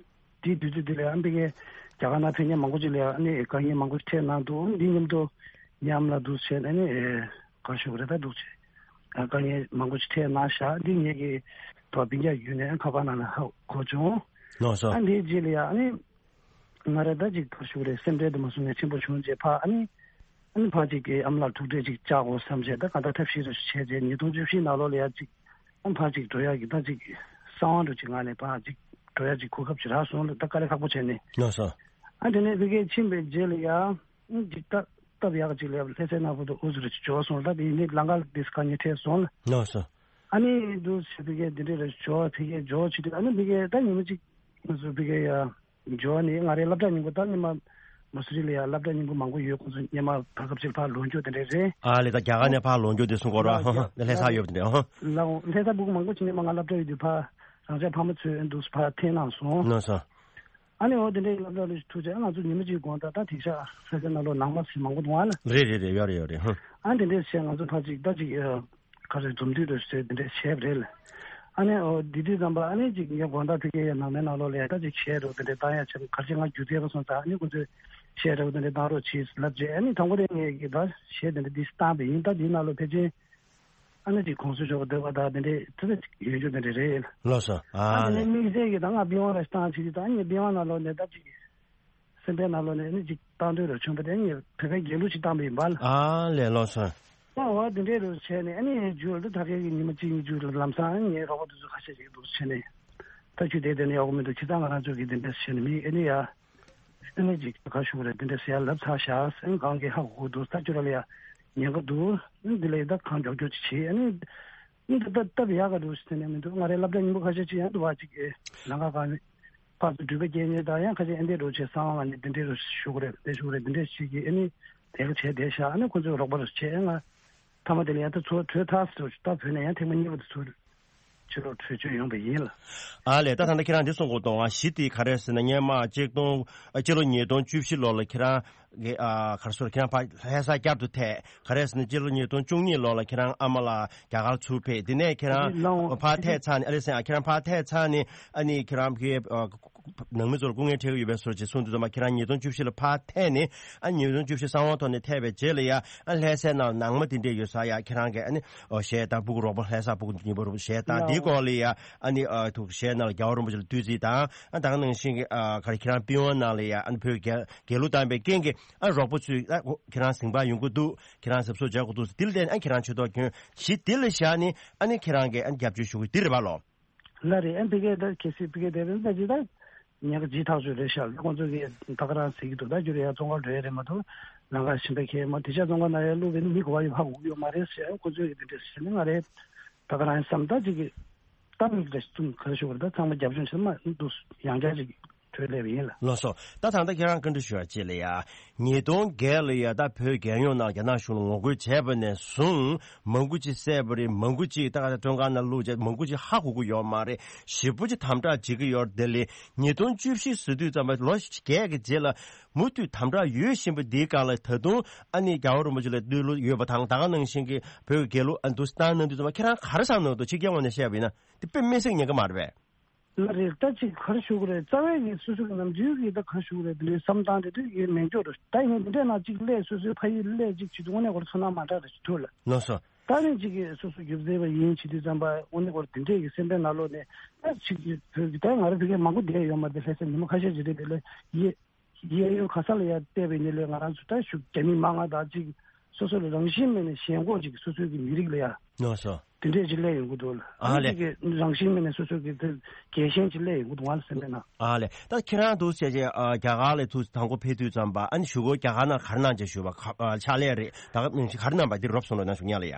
དེའི་དུས་ཚོད་འདི་ལ་ཡང་ཨ་ནི་ཕ་གིའི་རྒྱ་གར་ནང་ཕེབས་མཁན་མང་པོ་ཅིག་ལ་ཡང་ཨ་ནི་དཀའ་ངལ་མང་པོ་འཕྲད་གནང་འདུག་འདི་མཉམ་དུ་ཉམས་ལ་འདུག་བྱས་ཨ་ནི་ག་ཞུ་གི་རེད་ད་འདུག་བྱས་དཀའ་ངལ་མང་པོ་ཅིག་འཕྲད་གནང་བཞག་འདི་ངེད་ཀྱི་ཐོག་སྤུན་ཀྱག་བརྒྱུད་ནས་ཁ་པར་ནང་ལ་ཧ་གོ་བྱུང་། ལགས་སོ། ཨ་འདིའི་རྗེས་ལ་ཡང་ཨ་ནི། ང་རེ་ད་ཅིག་ཐོར་ཞུགས་རེད་སེམས་ཁྲལ་དུ་མ་སོང་ནས་ཆེན་པོ་བྱུང་རྗེས་ཕ་ཨ་ནི་ཨ་ནི་ཕ་ཅིག་གིས་ཨ་མ་ལགས་ཐུག་འཕྲད་ཅིག་བཅག་དགོས་བསམ་བྱས་ད་ག་ད་ཐབས་ཤེས་རེ་བྱས་རྗེས་ཉིས་སྟོང་བཅུ་བཞི་ནང་ལོགས་ལ་ཡ་ཅིག་ཨ་ཕ་ཅིག་འགྲོ་ཡག་གི་ད་ཅིག་གསང་བ་འདྲ་ཅིག་ང་ནས་ཕ་ཅིག་འགྲོ་ཡག་ཅིག་གོ་སྐབས་ཅིག་རག་སོང་ལ་ད་དཀའ་ལས་ཁག་པོ་བྱས་ནས་ལགས་སོ། ཨ་དེ་ནས་ཕ་གིར་ཕྱིན་པའི་རྗེས་ལ་ཡ་ཨ་ཅིག་ད་སྟབས་ཡག་ཅིག་ལ་ཡ་ལྷ་སའི་ནང་བུ་དུ་ཨུ་ཚུ་རེ་ཅིག་འབྱོར་སོང་ལ་ད་དེ་ནས་ལམ་ཁ་ལ་དེ་དཀའ་ངལ་འཕྲད་སོང་ལ། ལགས་སོ། ཨ་ནི་འདུག་ཕ་གིར་འདི་འདྲ་རེ་འབྱོར་ཕ་གིར་འབྱོར་བྱེད་དུས་ཨ་ནི་ཕ་གིར་ད་ཉི་མ་ཅིག་ང་ཚོ་ཕ་གིར་ཡ། འབྱོར་ནི་ང་རའི་སློབ་གྲྭ་སྙིང་པོ་ད་སྔོན་མ་མ་སུ་རི་ལ་ཡང་སློབ་གྲྭ་སྙིང་པོ་མང་པོ་ཡོད། ཁོང་ཚོ་སྔོན་མ་བར་སྐབས་ཅིག་ཕར་ལོག་འགྱོ་དེ་འདྲས་རེད། ཨ་ལས་ད་རྒྱ་གར་ནས་ཕར་ལོག་འགྱོ་དེ་གསུང་གོ་ར་ལ་ཧ་ཧ་ལྷ་ས་ཡོད་དེ་འདྲས་ཧ། ལ་ལྷ་ས་སྦུག་མང་པོ་ཅིག་སྔོན་མ་ང་སློབ་གྲྭ་ཡོད་དུས་ཕར་རང་ཅག་ཕ་མ་ཚོས་འདུག་ཕར་འཐེན་གནང་སོང་། ལགས་སོ། ཨ་ནི་འོ་དེ་འདྲས་སློབ་གྲྭ་ལ་ཐུག་རྗེས་ང་ཚོ་ཉི་མ་གཅིག་གོང་ད་ད་དེང་སང་ལྷ་ས་ནང་ལོགས་ནང་མ་ཟིན་མང་པོ་འདུག་ཨ་ལ། རེད་རེད་རེད་ཡོད་རེད་ཡོད་རེད་ཧ། ཨ་དེ་འདྲས་བྱས་ང་ཚོ་ཕར་ཅིག་ད་ཅིག་ཁ་རེ་འཛོམས་འདུས་རེ་ཟེར་དེ་འདྲས་བྱས་པ་རེད་ལ། ཨ་ནི་འོ་དེ་དུས་ཙམ་པ་ཨ་ནི་ཅིག་ངས་དགོང་དག་ཕ་གིའི་ཡ་ནང་མའི་ནང་ལོགས་ལ་ཡ་ད་ཅིག་བྱས་རོགས་དེ་འདྲས་བཏང་ཡ་བྱས་ག་རེ་ཅིག་ང་རྒྱུ་མཚན་པ་སོང་ཙང་ཨ་ནི་ཁོ་ཚོས་བྱས་རོགས་དེ་འདྲས་བཏང་རོགས་བྱེད་ལབ་རྗེས་ཨ་ནི་དང་པོ་དེ་ངས་ཀྱི་ད་བྱས་དེ་འདྲས་འདི་བཏང་པ་ཡིན། ད་འདིའི་ནང་ལོགས་ཕལ་ཆེར་ཨ་ནི་ཅིག་གོང་ས་མཆོག་གི་འདོད་པ་ད་དེ་འདྲས་ཙི་ཙི་ཅིག་ཡོད་རྒྱུ་དེ་འདྲས་རེད། ལགས་སོ། ཨ་ཨ་དེ་ནས་ལས། དམིགས་བསལ་གྱི་ད་ང་པི་ཝང་ར་ཞིག་བཏང་བྱེད་ཀྱི་ད་ཨ་ནི་པི་ཝང་ནང་ལོགས་ནས་ད་ཅིག་སེམས་པའི་ནང་ལོགས་ནས་ནི་ཅིག་བཏང་འདོད་རུ་བྱུང་བ་དེ་ངས་བོད་པའི་རྒྱལ་གླུ་ཅིག་བཏང་པ་ཡིན་པ་ལ། ཨ་ལས་ལོ་སོང་། ཨ་འོ་དེ་འདྲའི་རུ་བྱས་ནས་ཨ་ནི་རྒྱུ་ལ་ད་ཕ་གི་ཉི་མ་གཅིག་གཉིས་རྒྱུ་ལ་ལམ་སང་ཨ་ནི་ངའི་རོགས་པ་དེ་ཚོ་ཁ་ཤས་ཅིག་འདུག་བྱས་ནས་ད་ཁྱོད་དེ་དེ་ནས་ཡག་པོ་མི་འདུག་ཁྱེད་ཚང་ང་རང་ཚོ་གི་དེ་འདྲ་བྱས་ནས་མི་ཨ་ནི་ཡ་ཨ་ནི་ཅིག་ག་ཞུ་གི་རེད་དེ་འདྲ་ཟེར་ཡ་ལབ་ཚར་བཞག་ཨ་ནི་གང་གི་ཧ་གོ་གི་འདུག་ད་ཁྱོད་ར་ལ་ཡ་ཉེན་ཁ་འདུག་ཨ་ནི་དེ་ལ་ཡ་ད་གང་མགྱོགས་མགྱོགས་ཅིག་བྱེད་ཨ་ནི། ཨིན་ད་ད་སྟབས་ཡག་ག་འདུག་ཟེར་ནས་མི་འདུག་ང་རའི་སློབ་གྲྭ་སྙིང་པོ་ཁ་ཤས་ཅིག་ཡང་འདུག་བ་ཅིག་གི་ལམ་ཁ་གང་ནས་ཕར་ཚུར་འགྲུལ་པ་སྐྱེལ་མཁན་དང་ཡང་ཁ་ཤས་ཨེ་འདྲས་རོགས་བྱས་གསང་བ་ནས་དེ་འདྲས་རོགས་ཞུ་གི་རེད་དེ་ཞུ་གི་རེད་དེ་འདྲས་ཞིག་གིས་ཨ་ནི་དེ་ག་བྱས་བསྡད་ཤག་ཨ་ནི་ཁོ་ཚོས་རོགས་པ་རོགས་བྱས་ང་མཐའ་མ་དེ་ལ་ཡང་ད་ཚུར་བྲོས་ཐག་ཟེར་ད་བོད་ནས་ཡང་ཐེངས་མ་གཉིས་པ་དེ་ཚུར་ཕྱིར་ལོག་བྲོས་བྱོལ་ཡོང་པ་ཡིན་ལ། ཨ་ལས་ད་ད་ལྟ་ཁྱེད་རང་འདི་གསུང་གོ་གཏོང་བ་གཞི་དེ་ག་རེ་ཟེར་ན་སྔོན་མ་གཅིག་སྟོང་ཨ་སྤྱི་ལོ་ཉིས་སྟོང་བཅུ་བཞི་ལོ་ལ་ཁྱེད་རང་གི་ཨ་ག་རེ་ཟེར་ཁྱེད་རང་ཕར་ལྷ་ས་བསྐྱར་དུ་ཐད་ག་རེ་ཟེར་ན་སྤྱི་ལོ་ཉིས་སྟོང་བཅུ་གཉིས་ལོ་ལ་ཁྱེད་རང་ཨ་མ་ལགས་རྒྱ་གར་ཚུར་ཕེབས། དེ་ནས་ཁྱེད་རང་ལའོ་ཕར་ཐད་ཚར་ནས་ཨ་རེ་ཟེར་ཨ་ཁྱེད་རང་ཕར་ཐད་ཚར་ནས་ཨ་ནི་ཁྱེད་རང་གི་ཨ་ནང་མི་ཚོར་སྐུ་ངལ་འཕྲད་ཀྱི་ཡོད་པའི་བཟོ་ཅིག་གསུངས་དུས་ཙམ་པ་ཁྱེད་རང་ཉིས་སྟོང་བཅུ་བཞི་ལ་ཕར་ཐད་ནས་ཨ་ཉིས་སྟོང་བཅུ་བཞི་གསང་བ་ཐོག་ནས་ཐད་པའི་རྗེས་ལ་ཡ་ཨ་ལྷ་སའི་ནང་ནང་མ་དེ་འདྲས་ཡོད་ས་ཡ་ཁྱེད་རང་གི་ཨ་ནི་ཨོ་གཞས་དང་སྤུ་གུ་རོགས་པ་ལྷ་ས་སྤུ་གུ་ཉིན་པ་རོགས་པ་གཞས་དང་འདིའི་སྐོར་ལ་ཡ་ཨ་ནི་ཨ་ཐུག་གཞས་ནང་ལ་རྒྱལ་བ་རིན་པོ་ཆེ་ལ་བསྟོད་ཚིག་དང་ཨ་ད་ག་ནང་བཞིན་གྱི་ཨ་ག་རེ་ཁྱེད་རང་པི་ཝང་ནང་ལ་ཡ་ཨ་ནི་བོད་རྒྱལ་རྒྱལ་གླུ་བཏང་པའི་རྐྱེན་གྱིས་ཨ་རོགས་པ་ཚོས་ཨ་ཁྱེད་རང་ཟིང་པ་ཡོང་གི་འདུག་ཁྱེད་རང་གཟབ་གཟབ་བྱ་དགོས་འདུག་འདི་ལ་བརྟེན་ཨ་ཁྱེད་རང་ཆེ་མཐོང་གྱོན་གཞི་འདི་ལ་བཞག་ནས་ཨ་ནི་ཁྱེད་རང་གིས་ཨ་ནི་རྒྱབ་སྐྱོར་ཞུ་གི་འདི་རེད་པ་ལོ། ལ་རེད། ཨ་ཕ་གིར་ད་གལ་སྲིད་ཕ་གིར་བསྡད་པའི་ད་ཅི་ད་ཉེན་ཁ་ཇི་ཐག་ཆོད་རེད་ཤག་ཁོང་ཚོ་གིས་ད་ག་རང་ཟེར་གྱི་འདུག་ད་རྒྱུ་རེད་ཡ་བཙོན་ཁང་འགྲོ་ཡ་རེད་མ་གཏོགས་ལམ་ཁ་གཞན་པ་ཁྱེར་མ་དེ་ཤ་བཙོན་ཁང་ནང་ཡ་བླུགས་པའི་མི་གོ་བ་ཡོད་ཧ་གོ་གི་ཡོད་མ་རེད་ཟེར་ཁོང་ཚོས་གི་དེ་འདྲ་ཟེར་ནས་ང་རེད་ད་ག་རང་བསམ་ད་ཅིག་གི་ད་མིག་ལ་བཙུམ་ག་རེ་ཞུ་དགོས་རེད་ད་ཚང་མ་རྒྱབ་ལྗོངས་ཆེན་མ་འདུག་ཡང་བསྐྱར་ཅིག་གྲོས་སླེབས་ཡིན་ལ། ལགས་སོ། ད་ད་ལྟ་ཁྱེད་རང་བཀའ་འདྲི་ཞུ་བ་ཅིག་ལ་ཡ། ཉིས་སྟོང་བརྒྱད་ལ་ཡ་ད་བོད་རྒྱལ་ཡོངས་ནང་རྒྱ་ནག་གཞུང་ལ་ངོ་རྒོལ་བྱས་པ་ནས་བཟུང་མང་པོ་ཅིག་བསད་པ་རེད། མང་པོ་ཅིག་ད་ག་ད་བཙོན་ཁང་ནང་བླུགས་བྱས་མང་པོ་ཅིག་ཧ་གོ་གི་ཡོད་མ་རེད། ཞེ་པོ་ཅིག་དམ་དྲག་བྱེད་ཀྱི་ཡོད་རེད། དེ་ལས་ཉིས་སྟོང་བཅུ་བཞི་ཟེར་དུས་ཙམ་པ་ལོ་བརྒྱད་ཀྱི་རྗེས་ལ་མུ་མཐུད་དམ་དྲག་ཡོད་བཞིན་པ་འདིའི་སྒང་ལ་ད་དུང་ཨ་ནི་རྒྱལ་བ་རིན་པོ་ཆེ་ལ་བསྟོད་གླུ་ཡོད་པ་དང་ད་ག་ནང་བཞིན་གྱི་བོད་ཀྱི་རྒྱལ་གླུ་ཨ་འདུག་སེ་བཏང་གནང་དུས་ཙམ་པ་ཁྱེད་རང་ག་རེ་བསམ་གནང་འདུག་ཕྱི་རྒྱལ་ངོས་ནས་བཤད་པ་ཡིན་ན་དེ་དཔེ་མི་སྲིད་ཉེན་ཁ་མ་རེད་པས། ལ་རེད། ད་ཅིག་ག་རེ་ཞུ་གི་རེད། རྩ་བའི་གི་སོ་སོ་གི་ནམ་རྒྱུན་གི་ད་ག་རེ་ཞུ་གི་རེད། དེ་འདྲའི་བསམ་སྟངས་དེ་དུས་ཡོད་མེད་འགྱུར་རོ། ད་ཡིན་ནའི་འདི་འདྲའི་ནང་ཅིག་སླེབས། སོ་སོའི་ཕ་ཡུལ་སླེབས་ཅིག་བྱེད་དུས་དངོས་གནས་ཁོ་རང་ཚོར་སྣང་མ་འདྲ་རེ་ཞིག་ཐུག་ལ། ལགས་སོ། ད་ནི་ཅིག་གི་སོ་སོ་སྒྱུ་རྩལ་པ་ཡིན་བྱེད་དུས་ཙམ་པ་དངོས་གནས་ཁོ་རང་དེ་འདྲས་ཀྱི་སེམས་པའི་ནང་ལོགས་ནས་ད་ཅིག་གི་བོད་ཀྱི་ད་ང་རང་ཕ་གིར་མང་པོ་བསྡད་ཡོད་མ་རེད། ལྷ་ས་ཉི་མ་ཁ་ཤས་ཅིག་རེད་དེ་ལས་ཡེ་གཡས་གཡོན་ག་ས་ལ་ཡ་བལྟས་པའི་ནི་ལས་ང་རང་ཚོ་ད་ཞུ་རྒྱ་མི་མང་ང་ད་ཅིག་སོ་སོ་ལ་རང་བཞིན་མེད་ནས་ཞེན་ཁོག་ཅིག་སོ་སོའི་གི་མི་རིགས་ལ་ཡ། ལགས་སོ། དེ་འདྲས་ཅིག་སླེབས་ཡོང་གི་འདུག་ལ། ཨ་ཨ་ནི་ལས། ཅིག་གི་རང་བཞིན་མེད་ནས་སོ་སོ་གི་དེ་རྒྱལ་ཞེན་ཅིག་སླེབས་ཡོང་གི་འདུག་ང་ལ་སེམས་པའི་ནང་། ཨ་ལས། ད་ཁྱེད་རང་འདུག་བྱས་རྗེས་ཨ་རྒྱ་གར་ལ་ཐུག་དང་པོ་ཕེབས་དུས་ཙམ་པ་ཨ་ནི་གཞུག་གུ་རྒྱ་གར་ནང་ག་རེ་གནང་བྱས་བཞུགས་པ་ག་ཨ་ཕྱག་ལས་རེད། ད་ག་ནང་བཞིན་ག་རེ་གནང་པ་འདི་རོབ་གསུངས་རོགས་གནང་ཞུ་ཉག་ལ་ཡ།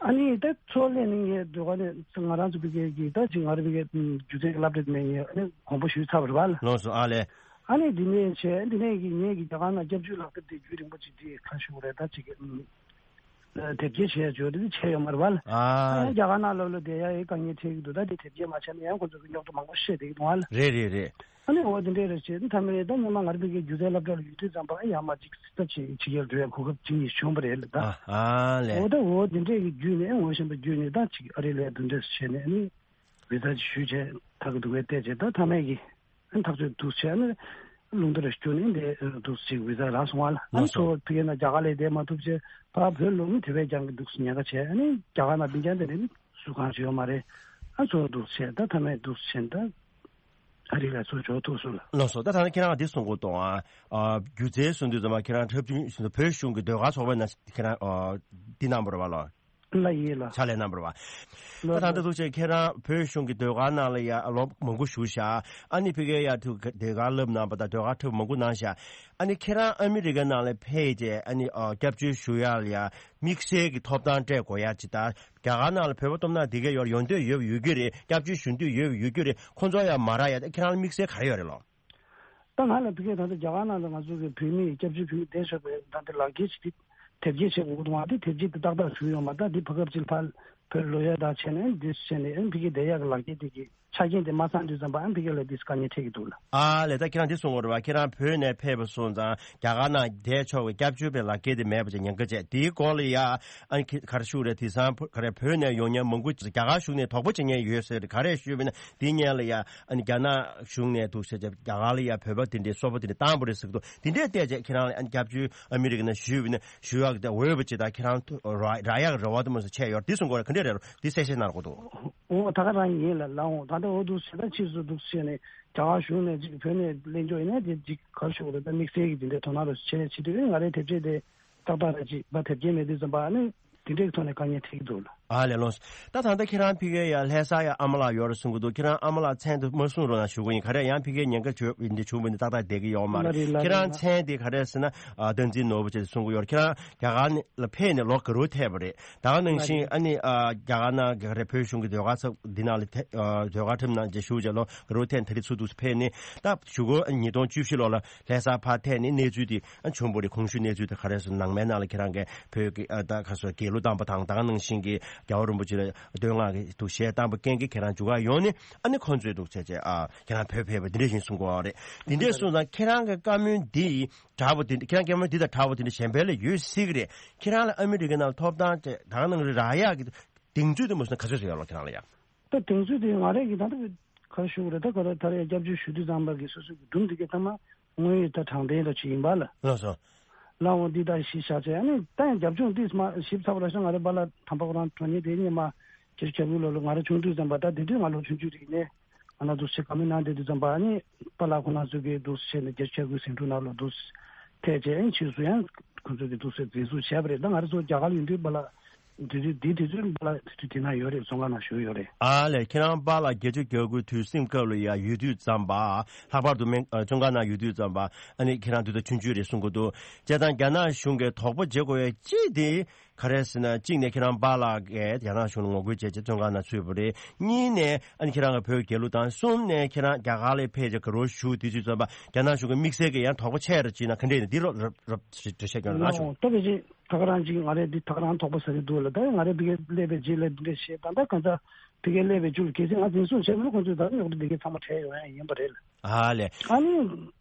ཨ་ནི་ད་ཚོ་ལས་ནི་ངས་འདོད་པ་ནི་ང་རང་ཚོ་ཕ་གི་གི་ད་ཅིག་ང་རང་ཕ་གི་སྒྱུ་རྩལ་གྱི་སློབ་གྲྭ་དེ་ནས་ངས་ཨ་ནི་དགོངས་པ་ཞུས་ཚར་བ་རེད་པ་ལ། ལགས་སོ། ཨ་ལས། ཨ་ནི་འདི་ནས་བྱས་འདི་ནས་ཀྱི་ངེད་ཀྱི་རྒྱ་གར་ནང་སྐྱབས་བཅོལ་ལག་དེབ་དེ་རྒྱུན་རིང་པོ་ཅིག་དེ་ཁ་ཞུ་རེད། ད་ཅིག་ཨུམ། དེབ་སྐྱེལ་བྱས་བྱོས་དེ་བྱས་ཡོད་མ་རེད་པ་ལ། ཨ། ཨ་ཡང་རྒྱ་གར་ནང་ལོགས་ལ་བསྡད་ཡ་ཡི་དཀའ་ངལ་འཕྲད་ཀྱི་འདུག་ད་དེ་དེབ་སྐྱེལ་མ་བྱས་ན་ཡང་ཁོ་ཚོ་གི་རྙོག་དྲ་མང་པོ་བཤད་བསྡད་ཀྱི་འདུག་ཨ་ལ། རེད་རེད་རེད། ཨ་ནི་འོ་དེ་འདྲས་རེད་བྱས་ད་མཐའ་མ་རེད། ད་སྔོན་མ་ང་རང་ཕ་གི་སྒྱུ་རྩལ་སློབ་གྲྭ་ལ་ཡོད་དུས་ཙམ་པ་ཨ་ཡར་མར་ཅིག་ད་ཅིག་ཕྱི་རྒྱལ་འགྲོ་ཡ་གོ་སྐབས་ཅིག་ཡིན་བྱུང་བ་རེད་ལ་ད། ཨ་ཨ་ལས། འོ་ད་འོ་དེ་འདྲས་ཀྱི་བརྒྱུད་ནས་ངོ་ཤེས་པ་བརྒྱུད་ནས་ད་ཅིག་ཨ་རི་ལ་འདི་འདྲས་བྱས་ནས་ཨ་ནི། བི་ཟ་ཅིག་ཞུས་བྱས་ད་གི་འདུག་པས་བལྟས་བྱས་ད་མཐའ་མའི་གི་ཨ་ཐག་གཅོད་འདུག་བྱས་ནས་རླུང་རྟ་ར་བསྐྱུར་ནས་འདི་འདུག་ཅིག་བི་ཟ་རག་སོང་བ་ལ། ཨ་ནི་ལགས་སོ། གཙོ་བོ་ཕ་གི་ནང་རྒྱ་གར་ལ་བསྡད་མ་ཐུབ་བྱས་ཕར་བོད་ལོག་ནས་དེ་བས་ཀྱང་གི་འདུག་ཉེན་ཁ་བྱས། ཨ་ནི་རྒྱ་གར་ནང་སྡིངས་ཆ་འདི་ནས་སུ་གང་ཞིག་ཡོད་མ་རེད། ཨ་གཙོ་བོ་འདུག་བྱས་ད་མཐའ་མའི་འདུག་བྱས་ད་ཨ་རི་ལ་ཚུར་འབྱོར་ཐུབ་སོང་ལ། ལགས་སོ། ད་ད་ནི་ཁྱེད་རང་འདི་གསུང་གི་འདུག་ཨ། སྒྱུ་རྩལ་གསུང་དུས་ཙམ་པ་ཁྱེད་རང་འཁྲབ་ཆུང་བོད་གཞུང་གི་ཟློས་གར་ཚོགས་པའི་ནང་ཁྱེད་རང་འདི་གནང་བ་རེད་པ་ལགས། ལ་ཡིན་ལ། ཕྱག་ལས་གནང་བ་རེད་པ། ལ་ད་ད་ལྟ་ཐུགས་རྗེ་ཁྱེད་རང་བོད་གཞུང་གི་ཟློས་གར་ནང་ལ་ཡ་ལོ་མང་པོ་བཞུགས་ཤག་ཨ་ནི་ཕ་གིར་ཡ་ཐུག་ཟློས་གར་བསླབ་གནང་བ་དང་ཟློས་གར་འཁྲབ་མང་པོ་གནང་ཤག་ཨ་ནི་ཁྱེད་རང་ཨ་མི་རི་ཀ་ནང་ལ་ཕེབས་རྗེས་ཨ་ནི་ཨ་སྐྱབས་བཅོལ་ཞུ་ཡ་ལ་ཡ་དམིགས་བསལ་གྱི་ཐོབ་ཐང་སྤྲད་དགོས་ཡ་ཅིག་དང་རྒྱ་གར་ནང་ལ་བོད་པ་སྟོབས་ན་འདི་ག་ཡོད་ཡོང་འདོད་ཡོད་ཡོད་ཀྱི་རེད། སྐྱབས་བཅོལ་ཞུ་འདོད་ཡོད་ཡོད་ཀྱི་རེད། ཁོང་ཚོ་ཡ་མ་རག་ཡ་ད་ཁྱེད་རང་ལ་དམིགས་བསལ་ག་རེ་ཡོད་རེད་ལོ། ད་ང་ལ་ཕ་གིར་ད་ལྟ་རྒྱ་གར་ནང་ལ་ང་ཚོ་གི་བོད་མི་སྐྱབས་བཅོལ་བོད་མི་བསྡད་ཆོག་པའི་ད་ལྟ་ལག་འཁྱེར་ཅིག་དེ་དེབ་སྐྱེལ་བྱེད་དགོས་འདུག་བ། དེ་དེབ་སྐྱེལ་དེ་ཏག་ཏག་བྱུང་ཡོད་མ། ད་འདི་ཕ་སྐབས་ཅིག་ཕར་བོད་ལོག་ཡ་ད་བྱས་ནས་འདི་བྱས་ནས་ཨ་ཕ་གིར་བསྡད་ཡ་གི་ལག་འཁྱེར་དེ་གི་ཆ་རྐྱེན་དེ་མ་ཚང་དུས་ཙམ་པ་ཨ་ཕ་གི་ལ་འདི་དཀའ་ངལ་འཕྲད་ཀྱི་འདུག་ལ། ཨ་ལས། ད་ཁྱེད་རང་འདི་གསུང་དགོས་རེད་པ། ཁྱེད་རང་བོད་ནས་ཕེབས་པ་སོང་ཙང་རྒྱ་གར་ནང་བསྡད་ཆོག་པའི་སྐྱབས་བཅོལ་བའི་ལག་འཁྱེར་དེ་མེད་པ་བྱས་ཉེན་ཁ་བྱས། དེའི་སྐོར་ལ་ཡ་ཨ་ནི་ཁྱེད་ག་རེ་ཞུ་རེད། དེང་སང་ཕ་ག་རེ་བོད་ནས་ཡོང་མཁན་མང་པོ་རྒྱ་གར་གཞུང་ནས་དོགས་པ་བྱེད་མཁན་ཡོད་ཟེར། ག་རེ་ཞུས་པ་ཡིན་ན་འདི་སྔོན་ལ་ཡ་ཨ་ནི་རྒྱ་ནག་གཞུང་ནས་འདུག་བྱས་རྒྱ་གར་ལ་ཡ་བོད་པ་དེ་འདྲའི་སོ་པ་དེ་འདྲ་བཏང་བ་རེད་ཟེར་གི་འདུག་དེ་འདྲས་བལྟས་རྗེས་ཁྱེད་རང་ལ་ཨ་ནི་སྐྱབས་བཅོལ་ཨ་མི་རི་ཀ་ནང་ཞུས་པ་ཡིན་ན་ཞུ་ཡག་དེ་འོས་པ་ཅིག་དང་ཁྱེད་རང་ཐུ་རག་རག་ཡག་གི་རེ་བ་དེ་མོ་ཟེར་བྱས་ཡོད་རེད། འདི་གསུང་དགོས་རེད། ག་འདྲས་རེད་རོ། འདི་གསལ་བཤད་གནང་རོགས་གྱིས། འོ་ད་ག་རང་ཡིན་ལ་ལ་འོང་། ད་ལྟ་འོ་འདུག་བྱས་ད་ཕྱིས་སུ་འདུག་བྱས་ནས་རྒྱ་གར་གཞུང་ནས་ཅིག་བོད་ནས་གླེང་ཕྱོགས་ཡིན་ན་དེ་ཅིག་ག་རེ་ཞུ་དགོས་རེད། ད་དམིགས་བསལ་གྱི་དེ་འདྲའི་དོ་སྣང་རོགས་བྱས་བྱེད་དུས་ང་རའི་དེབ་ཆས་དེ་ཏག་ཏག་རེད་ཅིག་ཕར་དེབ་སྐྱེལ་མེད་དུས་ཙམ་པ་ཨ་ནི་དེ་འདྲའི་ཐོག་ནས་དཀའ་ངལ་འཕྲད་ཀྱི་འདུག་ལ། ཨ་ལས། ལགས་སོ། ད་ད་ལྟ་ཁྱེད་རང་ཕ་གིར་ཡ་ལྷ་ས་ཡ་ཨ་མ་ལགས་ཡོད་རེད་གསུང་གི་འདུག་ཁྱེད་རང་ཨ་མ་ལགས་མཚན་དེ་མ་གསུང་རོགས་གནང་ཞུ་གི་ཡིན། ག་རེ་ཡང་ཕ་གིར་ཉེན་ཁ་བྱུང་འདི་བྱུང་བ་ནི་ཏག་ཏག་བསྡད་ཀྱི་ཡོད་མ་རེད། ལ་རེད་ལ་ཁྱེད་རང་རེད་ལ། མཚན་དེ་ག་རེ་ཟེར་ན་ཨ་བསྟན་འཛིན་ནོར་བུ་བྱས་ཏེ་གསུང་གི་ཡོད་རེད། ཁྱེད་རང་རྒྱ་གར་ནས་ལ་ཕེབས་ནས་ལོ་ག་རེ་ཐེབས་པ་རེད། ད་ག་ནང་བཞིན་ཨ་ནི་ཨ་རྒྱ་གར་ནང་ག་རེ་བོད་གཞུང་གི་ཟློས་གར་ཚོགས་འདི་ནང་ལ་ཐེ་ཨ་ཟློས་གར་འཁྲབ་གནང་བྱས་བཞུགས་བྱས་ལོ་ག་རེ་ཐེབས་ནས་ད་རེས་ཚུར་འདུག་ཕེབས་ནས་ད་གཞུག་གུ་ཉིས་སྟོང་བཅུ་བཞི་ལོ་ལ་ལྷ་སར་ཕར་ཐེབས་ནས་གནས་ཚུལ་དེ་ཨ་བྱུང་བ་རེད། གོང་ཞུས་གནས་ཚུལ་དེ་ག་རེ་ཟེར་ན་ནང་མའི་ནང་ལ་ཁྱེད་རང་གིས་བོད་ཀྱི་ཨ་ད་ག་སོ་དགེ་ལུགས་བཏང་པ་དང་ད་ག་ནང་བཞིན་གྱི་རྒྱལ་བ་རིན་པོ་ཆེ་ལ་བསྟོད་བསྔགས་ཀྱི་འདུག་གཞས་བཏང་པ་རྐྱེན་གྱིས་ཁྱེད་རང་འཇུ་གར་ཡོང་ནས་ཨ་ནི་ཁོང་ཚོས་འདུག་བྱས་བྱས་ཨ་ཁྱེད་རང་བོད་ཕེབས་པ་འདི་འདྲ་ཞིག་གསུང་གི་ཡོད་རེད། འདི་འདྲས་གསུངས་ཙང་ཁྱེད་རང་གི་བཀའ་མོལ་འདི་འདྲ་བོ་དེ་ཁྱེད་རང་བཀའ་མོལ་འདི་དང་འདྲ་བོ་དེ་འདྲ་གཞན་པ་ལ་ཡོད་སྲིད་ཀྱི་རེད། ཁྱེད་རང་ལ་ཨ་མི་རི་ཀའི་ནང་ལ་ཐོབ་ཐང་ཅིག་ད་ག་ནང་རེ་རག་ཡག་གི་གདེང་ཚོད་དེ་མ་སོང་ན་ག་ཚོད་ཙམ་ཡོད་ལོ་ཁྱེད་རང་ལ་ཡ། ད་གདེང་ཚོད་དེ་ང་རང་གི་ད་ལྟ་ག་རེ་ཞུ་དགོས་རེད། ད་ག་རེ་ད་རེས་སྐྱབས་བཅོལ་ཞུ་དུས་ཙམ་པ་གི་སོ་སོ་གི་སྒྲུང་དེ་གའི་ཐ་མ་དངོས་ཡོད་ད་དྲང་བདེན་འདྲ་ཅིག་ཡིན་པ་ལ། ལགས་སོ། ལགས་འོང་འདི་ལྟར་གཞི་བཞག་བྱས་ཨ་ནི་ད་ཡང་རྒྱབ་ལྗོངས་འདི་མ་ཞིབ་ཚགས་པ་ར་ཤག་ང་རའི་པཱ་ལགས་དམ་པ་ཁོ་རང་དྲང་ཉེ་དེ་ཉེ་མ་བརྒྱད་ཅུ་གྱ་དགུ་ལོ་ལ་ང་རང་ཆུང་དུས་ཙམ་པ་ད་དེ་དུས་ང་ལོ་ཆུང་ཆུང་རིག་ནས་ང་རང་འདུག་སེ་བཀའ་མོལ་གནང་བསྡད་དུས་ཙམ་པ་ཨ་ནི་པཱ་ལགས་ཁོ་རང་ཚོ་གིས་འདུག་སེ་བྱས་ནས་བརྒྱད་ཅུ་གྱ་དགུ་ཟིང་འཁྲུག་ནང་ལོགས་འདུག་སེ་ཐད་བྱས་ཨ་ནི་ཕྱིས་སུ་ཡང་ཁོ་ཚོ་གིས་འདུག་སེ་འཛིན་བཟུང་བྱས་པ་རེད། ད་ང་རང་ཚོ་རྒྱ་གར་ལ་ཡོད་དུས་པཱ་ལགས་དེ་དུས་དེ་དུས་ཙམ་པཱ་ལགས་དེ་དུས་དེ་ན་ཡོད་རེད། བཙོན་ཁང་ནང་བཞུགས་ཡོད་རེད། ཨ་ལས། ཁྱེད་རང་པཱ་ལགས་བརྒྱད་ཅུ་གྱ་དགུ་དུས་ཟིང་སྐབས་ལ་ཡ་ཡོད་དུས་ཙམ་པ་ལྷག་པར་དུ་སྨན་ཨ་བཙོན་ཁང་ནང་ཡོད་དུས་ཙམ་པ་ཨ་ནི་ཁྱེད་རང་དུས་ད་ཆུང་ཆུང་རེད་གསུང་གི་འདུག་བྱས་ཙང་རྒྱ་ནག་གཞུང་གིས་དོགས་པ་བྱེད་དགོས་ཡ་གཅིག་དེ་ག་རེ་ཟེར་ན། གཅིག་ནས་ཁྱེད་རང་པཱ་ལགས་ཀྱིས་རྒྱ་ནག་གཞུང་ལ་ངོ་རྒོལ་བྱས་བྱས་བཙོན་ཁང་ནང་ཚུད་པ་རེད། གཉིས་ནས་ཨ་ནི་ཁྱེད་རང་གི་བོད་རྒྱལ་གླུ་དང་། གསུམ་ནས་ཁྱེད་རང་རྒྱ་གར་ལ་ཕེབས་བྱས་ག་རེ་ཞུ་དུས་ཚོད་ཙམ་པ་རྒྱ་ནག་གཞུང་གི་དམིགས་བསལ་གྱི་ཡང་དོགས་པ་ཆེ་རུ་ཕྱིན་ན་ག་འདྲས་ཡིན་འདི་རོབ་རོབ་རོབ་འགྲེལ་བཤད་སྐྱོན་རོགས་གནང་ཞུ། ད་ག་ཅིག་ད་ག་རང་ཅིག་ང་རས་འདི་ད་ག་རང་དོགས་པ་ཟ་གི་འདུག་ལ། ད་ང་རས་ཕ་གིར་སླེབས་པའི་རྗེས་ལ་འདི་འདྲ་བཤད་ད་ལྟ་གང་ལྟར་ཕ་གིར་སླེབས་པའི་རྒྱུ་ལ་གལ་སྲིད་ང་འཛིན་བཟུང་བྱས་ན་ཁོང་ཚོས་ད་རྙོག་དྲ་འདི་གའི་ཚང་མ་བྲལ་ཡོང་ཡ་ཡིན་པ་རེད་ལ། ཨ་ལས། ཨ་ནི་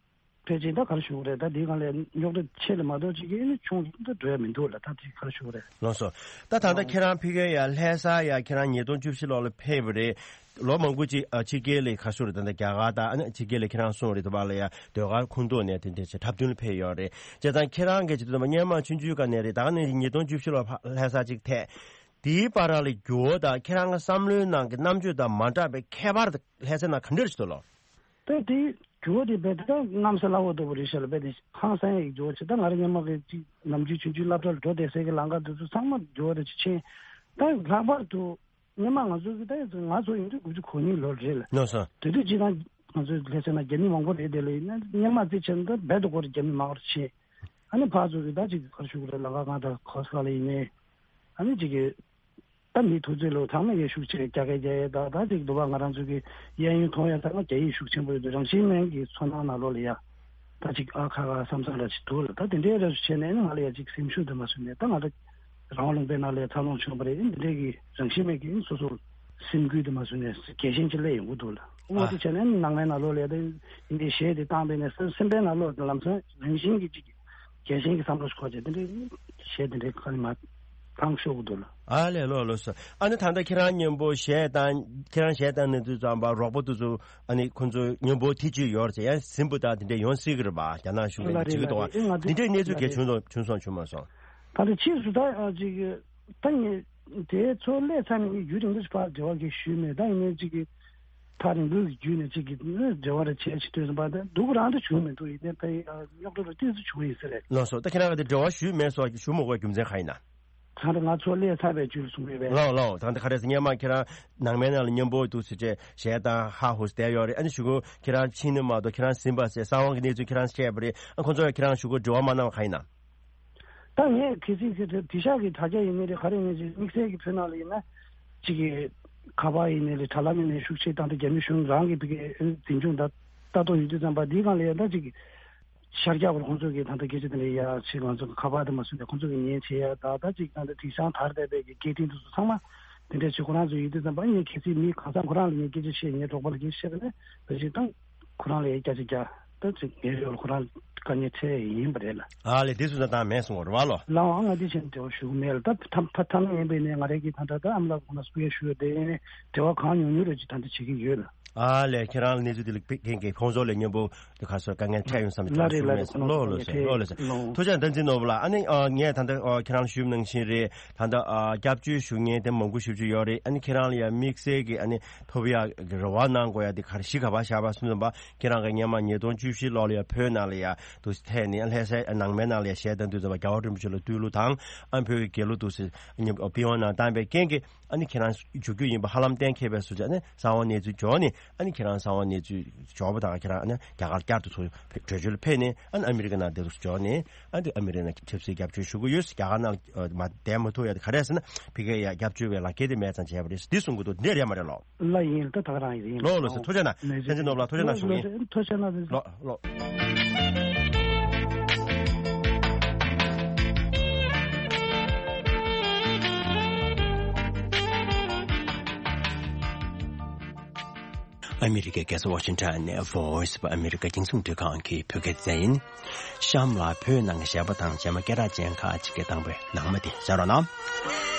ཕལ་ཆེར་ད་ག་རེ་ཞུ་དགོས་རེད། ད་འདི་སྒང་ལ་རྙོག་དྲ་ཆེ་ལ་མ་གཏོགས་ཅིག་གི་ཨ་ནི་ཆུང་ད་འགྲོ་ཡ་མི་འདུག་ལ། ད་འདི་ག་རེ་ཞུ་དགོས་རེད། ལགས་སོ། ད་ད་ལྟ་ཁྱེད་རང་ཕ་གིར་ཡ་ལྷ་ས་ཡ་ཁྱེད་རང་ཉིས་སྟོང་བཅུ་བཞི་ལོ་ལ་ཕེབས་པ་རེད། ལོ་མང་པོ་ཅིག་ཨ་ཕྱི་རྒྱལ་ལ་ཁ་ཤོར་རེད། ད་ལྟ་རྒྱ་གར་དང་ཨ་ནི་ཕྱི་རྒྱལ་ལ་ཁྱེད་རང་སོང་རེད། དུ་བ་ལ་ཡ་ཟློས་གར་ཁུངས་གཏུགས་ནས་དེ་འདྲ་བྱས་འཁྲབ་སྟོན་ལ་ཕེབས་ཡོད་རེད། བྱས་ཙང་ཁྱེད་རང་གིས་ཅིག་ཏུ་སྔོན་མ་ཆུང་ཆུང་སྒང་ནས་རེད། ད་ག་ནས་ཉིས་སྟོང་བཅུ་བཞི་ལོ་ལྷ་ས་ཅིག་ཐད། དེའི་བར་ལ་འགྱུར་བ་དང་ཁྱེད་རང་གི་བསམ་བློའི་ནང་གི་རྣམ་དཔྱོད་དང་མ་འདྲ་བའི་ཁྱད་པར་དེ་ལྷ་སའི་ནང་ག་འདྲ་ཞིག་འདུག་ལོ། ད་དེ་འགྱུར་བ་དེ་རྦད་དེ་ད་གནམ་ས་བླ་འོག་ལྟ་བུ་རེད་ཤག་ལ། རྦད་དེ་ཧང་སང་ཡག་གི་འགྱུར་བ་ཆེ། ད་ང་རང་སྔོན་མ་གི་ཅིག་ནམ་རྒྱུན་ཆུང་ཆུང་སློབ་གྲྭ་ལ་འགྲོ་བསྡད་སའི་གི་ལམ་ཁ་དེ་ཚོ་ཚང་མ་འགྱུར་བ་དེ་ཅིག་ཕྱིན། ད་ལྷག་པར་དུ་སྔོན་མ་ང་ཚོ་གི་ད་ང་ཚོ་ཡིན་དུས་དགུ་བཅུ་གོ་གཉིས་ལོ་རེད་ལ། ལགས་སོ། དེ་དུས་ཅིག་ད་ང་ཚོ་ལྷ་སའི་ནང་རྒྱ་མི་མང་པོ་རེད་དེ་ལ། ཡིན་ན་སྔོན་མ་དེ་བྱས་ན་ད་རྦད་དེ་སྒོར་རྒྱ་མི་མང་པོ་ཕྱིན། ཨ་ནི་ཕར་ཚུར་གྱི་ད་ཅིག་ག་རེ་ཞུ་དགོས་རེད། ལམ་ཁ་སྒང་དང་ག་ས་ལ་ཡིན་ནའི། ཨ་ནི་ཅིག་གི་ད་མི་ཐུག་ཚོད་ལོ་ཚང་མས་ཀྱི་ཤུགས་ཆེ་རྒྱ་སྐད་རྒྱག་ཡས། ད་ད་ཅིག་འདུག་པ། ང་རང་ཚོ་གི་གཡས་གཡོན་མཐོང་ཡས་ཚང་མ་རྒྱ་ཡིག་ཤུགས་ཆེན་པོ་ཡོད་དུས། རང་བཞིན་མེད་ཀྱི་ཚོར་སྣང་ནང་ལོགས་ལ་ཡ་ད་ཅིག་ཨ་ཁ་ཁ་བསམ་བསམ་འདྲ་ཅིག་འདུག་ལ། ད་དེ་འདྲའི་འདྲ་ཞིག་བྱས་ནས་ང་ལ་ཡ་ཅིག་སེམས་ཤུགས་དེ་མ་བཟོད་ནས། ད་ང་ད་རང་དབང་ལུང་པའི་ནང་ལ་ཡ་འཚར་ལོངས་བྱུང་བ་རེད། འདི་འདྲའི་གི་རང་བཞིན་མེད་ཀྱི་སོ་སོ་སེམས་འགུལ་དེ་མ་བཟོད་ནས་རྒྱལ་ཞེན་ཅིག་སླེབས་ཡོང་གི་འདུག་ལ། འོ་དེ་བྱས་ནས་ནང་མའི་ནང་ལོགས་ལ་ཡ་ད་འདི་འདྲའི་གཞས་དེ་བཏང་བས་ནས་སེམས་པའི་ནང་ལོགས་ལམ་སང་རང་བཞིན་གྱི་ཅིག་རྒྱལ་ཞེན་གྱི་བསམ་བློ་ཞིག་འཁོར་བྱས། དེ་འདྲའི་གཞས་དེ་འདྲའི་ཁ་ནས་མར་བཏང་ཤོག་གི་འདུག་ལ། ཨ་ལས། ལགས་ལགས་སོ། ཨ་ནི་ད་ལྟ་ཁྱེད་རང་མཉམ་པོ་གཞས་བཏང་། ཁྱེད་རང་གཞས་བཏང་ནས་དུས་ཙམ་པ་རོགས་པ་དེ་ཚོ་ཨ་ནི་ཁོང་ཚོ་མཉམ་པོ་དེ་ཅིག་ཡོད་རེད་ཟེར། ཡང་ཟིན་པ་དང་དེ་འདྲ་ཡོང་སྲིད་ཀྱི་རེད་པ། རྒྱ་ནག་གཞུང་ལ་ལ་རེད་ཅིག་ལ་གཏོང་བ། རེད། ཨེ་ང་དེ་འདྲའི་གནས་ཚུལ་ལ་གལ་རེད། བྱུང་སོང་བྱུང་སོང་བྱུང་མ་སོང་། ད་ལྟ་ཕྱིས་སུ་ད་ཨ་ཅིག་ད་ངས་དེ་ཚོ་སླེབས་ཚར་ནས་ངས་ཡུན་རིང་པོ་ཞིག་ཕར་འབྲེལ་བ་གི་ཞུས་མེད། ད་ཡིན་ནའི་ཅིག་གི་ཐག་རིང་པོའི་བརྒྱུད་ནས་ཅིག་གི་འབྲེལ་བ་རེ་བྱས་ཤིག་ལྟོས་ཙམ་པ། ད་སྡུག་རང་དུ་བྱུང་མི་འདུག། ཡིན་ནའི་ཕ་གི་རྙོག་དྲ་རུ་ཏོག་ཙམ་བྱུང་ཡིན་ས་རེད། ལགས་སོ། ད་ཁྱེད་རང་གིས་དེ་འབྲེལ་བ་ཞུས་མེད་སོགས་ཞུ་མ་དགོས་རྒྱུ་མཚན་གང་ཡིན་ན། ད་ལྟ་ང་ཚོ་སླེབས་ཚར་བའི་རྒྱུད་ལ་གསུང་གི་ཡོད་པས། ལགས་ལགས། ད་ལྟ་ག་རེ་ཟེར། སྔོན་མ་ཁྱེད་རང་ནང་མའི་ནང་ལ་མཉམ་པོ་འདུག་ཟེར་བྱས་གཞས་བཏང་ཧ་ཧུ་བསྡད་ཡོད་རེད། ཨ་ནི་གཞུག་གུ་ཁྱེད་རང་ཕྱིན་ནས་མ་གཏོགས་ཁྱེད་རང་ཟིན་པ་ཟེར་གསང་བ་གི་གནས་ཚུལ་ཁྱེད་རང་བཤད་པ་རེད། ཨ་ཁོང་ཚོ་ལ་ཁྱེད་རང་གཞུག་གུ་འབྲེལ་བ་མ་གནང་བ་གང་ཡིན་ན། ད་ངས་གལ་སྲིད་ཀྱི་དེ་ཤག་གི་དྲ་རྒྱ་ཡིན་ནའི་རེད། ག་རེ་ཡིན་ནའི་རེད། དམིགས་བསལ་གྱི་བོད་ནང་ལ་ཡིན་ན་ཅིག་གི་ཁ་པར་ཡིན་ནའི་རེད། དྲ་ལམ་ཡིན་ནའི་རེད། ཤུགས་ཆེ་བཏང་སྟེ་རྒྱ་མི་གཞུང་རང་གི་བི་གའི་འཛིན་སྐྱོང་ད་ལྟ་རྟོག་ཡོད་དུས་ཙམ་པ་འདིའི་སྒང་ལ་ཡ་ད་ཅིག་གི་ཤར་རྒྱག་པར་ཁོང་ཚོ་གི་ད་ལྟ་སྐད་ཆ་དེ་འདྲ་ཡ་ཅིག་ང་ཚོ་གི་ཁ་པར་དེ་མ་བཟོས་ནས་ཁོང་ཚོ་གི་ཉན་བྱེད་ཡ། ད་ད་ཅིག་ད་ལྟ་དེང་སང་དར་བསྡད་པའི་གི་སྐད་འཕྲིན་དེ་ཚོ་ཚང་མ་དེ་འདྲ་ཅིག་ཁོ་རང་ཚོ་ཡོད་དུས་ཙམ་པ། ངས་གལ་སྲིད་མི་གང་ཟག་ཁོ་རང་ལ་ངས་སྐད་ཆ་བཤད། ངའི་གྲོགས་པོ་ལ་སྐད་ཆ་བཤད་པ་ན་ད་ཅིག་ད། ཁོ་རང་ལ་ཡང་སྐད་ཆ་རྒྱག་ད་ཅིག་ངའི་ཡོད་ལ་ཁོ་རང་དཀའ་ངལ་འཕྲད་ཡིན་པ་རེད་ལ། ཨ་ལས། དེ་སུ་ད་བཏང་མེད་སོང་བ་རེད་བ་ལོ། ལའང་ང་འདི་བཞིན་འབྲེལ་བ་ཞུ་གི་མེད་ལ། ད་ཐ་ཐ་ཐ་ན་ཡིན་པའི་ནས་ང་རའི་གི་ད་ད་ད་ཨམ་ལགས་ཁོང་ལ་སྐུ་ཡ་ཞུ་ཡོད་དེ། ཡིན་ནའི་འབྲེལ་བ་གང་ཉུང་ཉུང་རེ་ཅིག་ད་ད་བྱེད་ཀྱི་ཡོད་ལ། ཨ་ལས། ཁྱེད་རང་ལ་གནས་ཚུལ་འདི་ལ་དཔེ་རྒན་གྱི་ཁོང་ཚོ་ལ་མཉམ་པོ་དེ་ག་སོ་དཀའ་ངལ་འཕྲད་ཡོང་བསམ་ལ་ལ་རེད་ལ་རེད། ཁོང་ཚོ་ལོ་ལོ་ལ་སོ་ལོ་ལོ་སོ། ལོ། ཐུགས་རྗེ་བསྟན་འཛིན་ནོར་བུ་ལགས། ཨ་ནི་ཨ་ངས་ད་ལྟ་ཨ་ཁྱེད་རང་ལ་ཞུས་ནང་བཞིན་རེད། ད་ལྟ་ཨ་སྐྱབས་བཅོལ་ཞུ་མཁན་དེ་མང་པོ་ཞེ་པོ་ཅིག་ཡོད་རེད། ཨ་ནི་ཁྱེད་རང་ལ་ཡང་དམིགས་བསལ་གྱི་ཨ་ནི་ཐོབ་ཡག་གི་རེ་བ་གནང་དགོས་ཡ་དེ་ག་རེ་གཞི་ག་པར་བཞག་པ་སོང་ཙམ་པ། ཁྱེད་རང་གིས་སྔོན་མ་ཉིས་སྟོང་བཅུ་བཞི་ལོ་ལ་ཡ་བོད་ནང་ལ་ཡ་འདུག་སེ་ཐད་ནས་ལྷ་སའི་ནང་མའི་ནང་ལ་ཡ་གཞས་བཏང་དུས་ཙམ་པ་རྒྱལ་བ་རིན་པོ་ཆེ་ལ་བསྟོད་གླུ་དང་། ཨ་བོད་ཀྱི་རྒྱལ་གླུ་འདུག་སེ་མཉམ་པི་ཝན་ནང་བཏང་བའི་རྐྱེན་གྱིས། ཨ་ནི་ཁྱེད་རང་འཇུག་རྒྱུ་ཡིན་པ་ཧ་ལམ་གཏན་འཁེལ་བའི་བཟོ་བྱས། ཨ་ནི་གསང་བ་གནས་ཚུལ་འབྱོར་ནས། ཨ་ནི་ཁྱེད་རང་གསང་བ་གནས་ཚུལ་འབྱོར་བ་དང་ཁྱེད་རང་ཨ་ནི་རྒྱ་གར་བསྐྱར་དུ་ཚུར་བྲོས་བྱོལ་ཕེབས་ནས། ཨ་ནི་ཨ་མི་རི་ཀ་ནང་བསྡད་དུ་འབྱོར་ནས། ཨ་ནི་ཨ་མི་རི་ཀ་ནང་ཆབ་སྲིད་སྐྱབས་བཅོལ་ཞུ་གི་ཡོད། རྒྱ་གར་ནང་ཨ་མ་བསྡད་མ་ཐུབ་ཡ་དེ་ག་རེ་ཟེར་ན། ཕ་གི་ཡ་སྐྱབས་བཅོལ་བའི་ལག་འཁྱེར་དེ་མེད་ཙང་བྱས་པ་རེད། འདི་གསུང་གི་འདུག། འདི་རེད་མ་རེད་ལོ། ལ་ཡིན་ད་ད་ག་རང་ཡིན། ལོ་ལོ་སོ། ཐུགས་རྗེ་གནང་། ལོ་བསྟན་འཛིན་ནོར་བུ་ལགས། ཐུགས་རྗེ་གནང་ཞུ་གི་ཡིན། ཐུགས་རྗེ་གནང་། ལོ་ལོ། ཨ་མི་རི་ཀའི་རྒྱལ་ས་ཝ་ཤིང་ཊོན་ནས་Voice of America རྒྱང་སྲིང་རླུང་འཕྲིན་ཁང་གི་བོད་སྐད་སྡེ་ཚན་ཡིན། གཤམ་ལ་བོད་ནང་གི་གཞས་པ་དང་གཞས་མ་སྐད་གྲགས་ཅན་ཁག་ཅིག་གིས་བཏང་བའི་ནང་མ་དེ་གསན་རོགས་གནང་།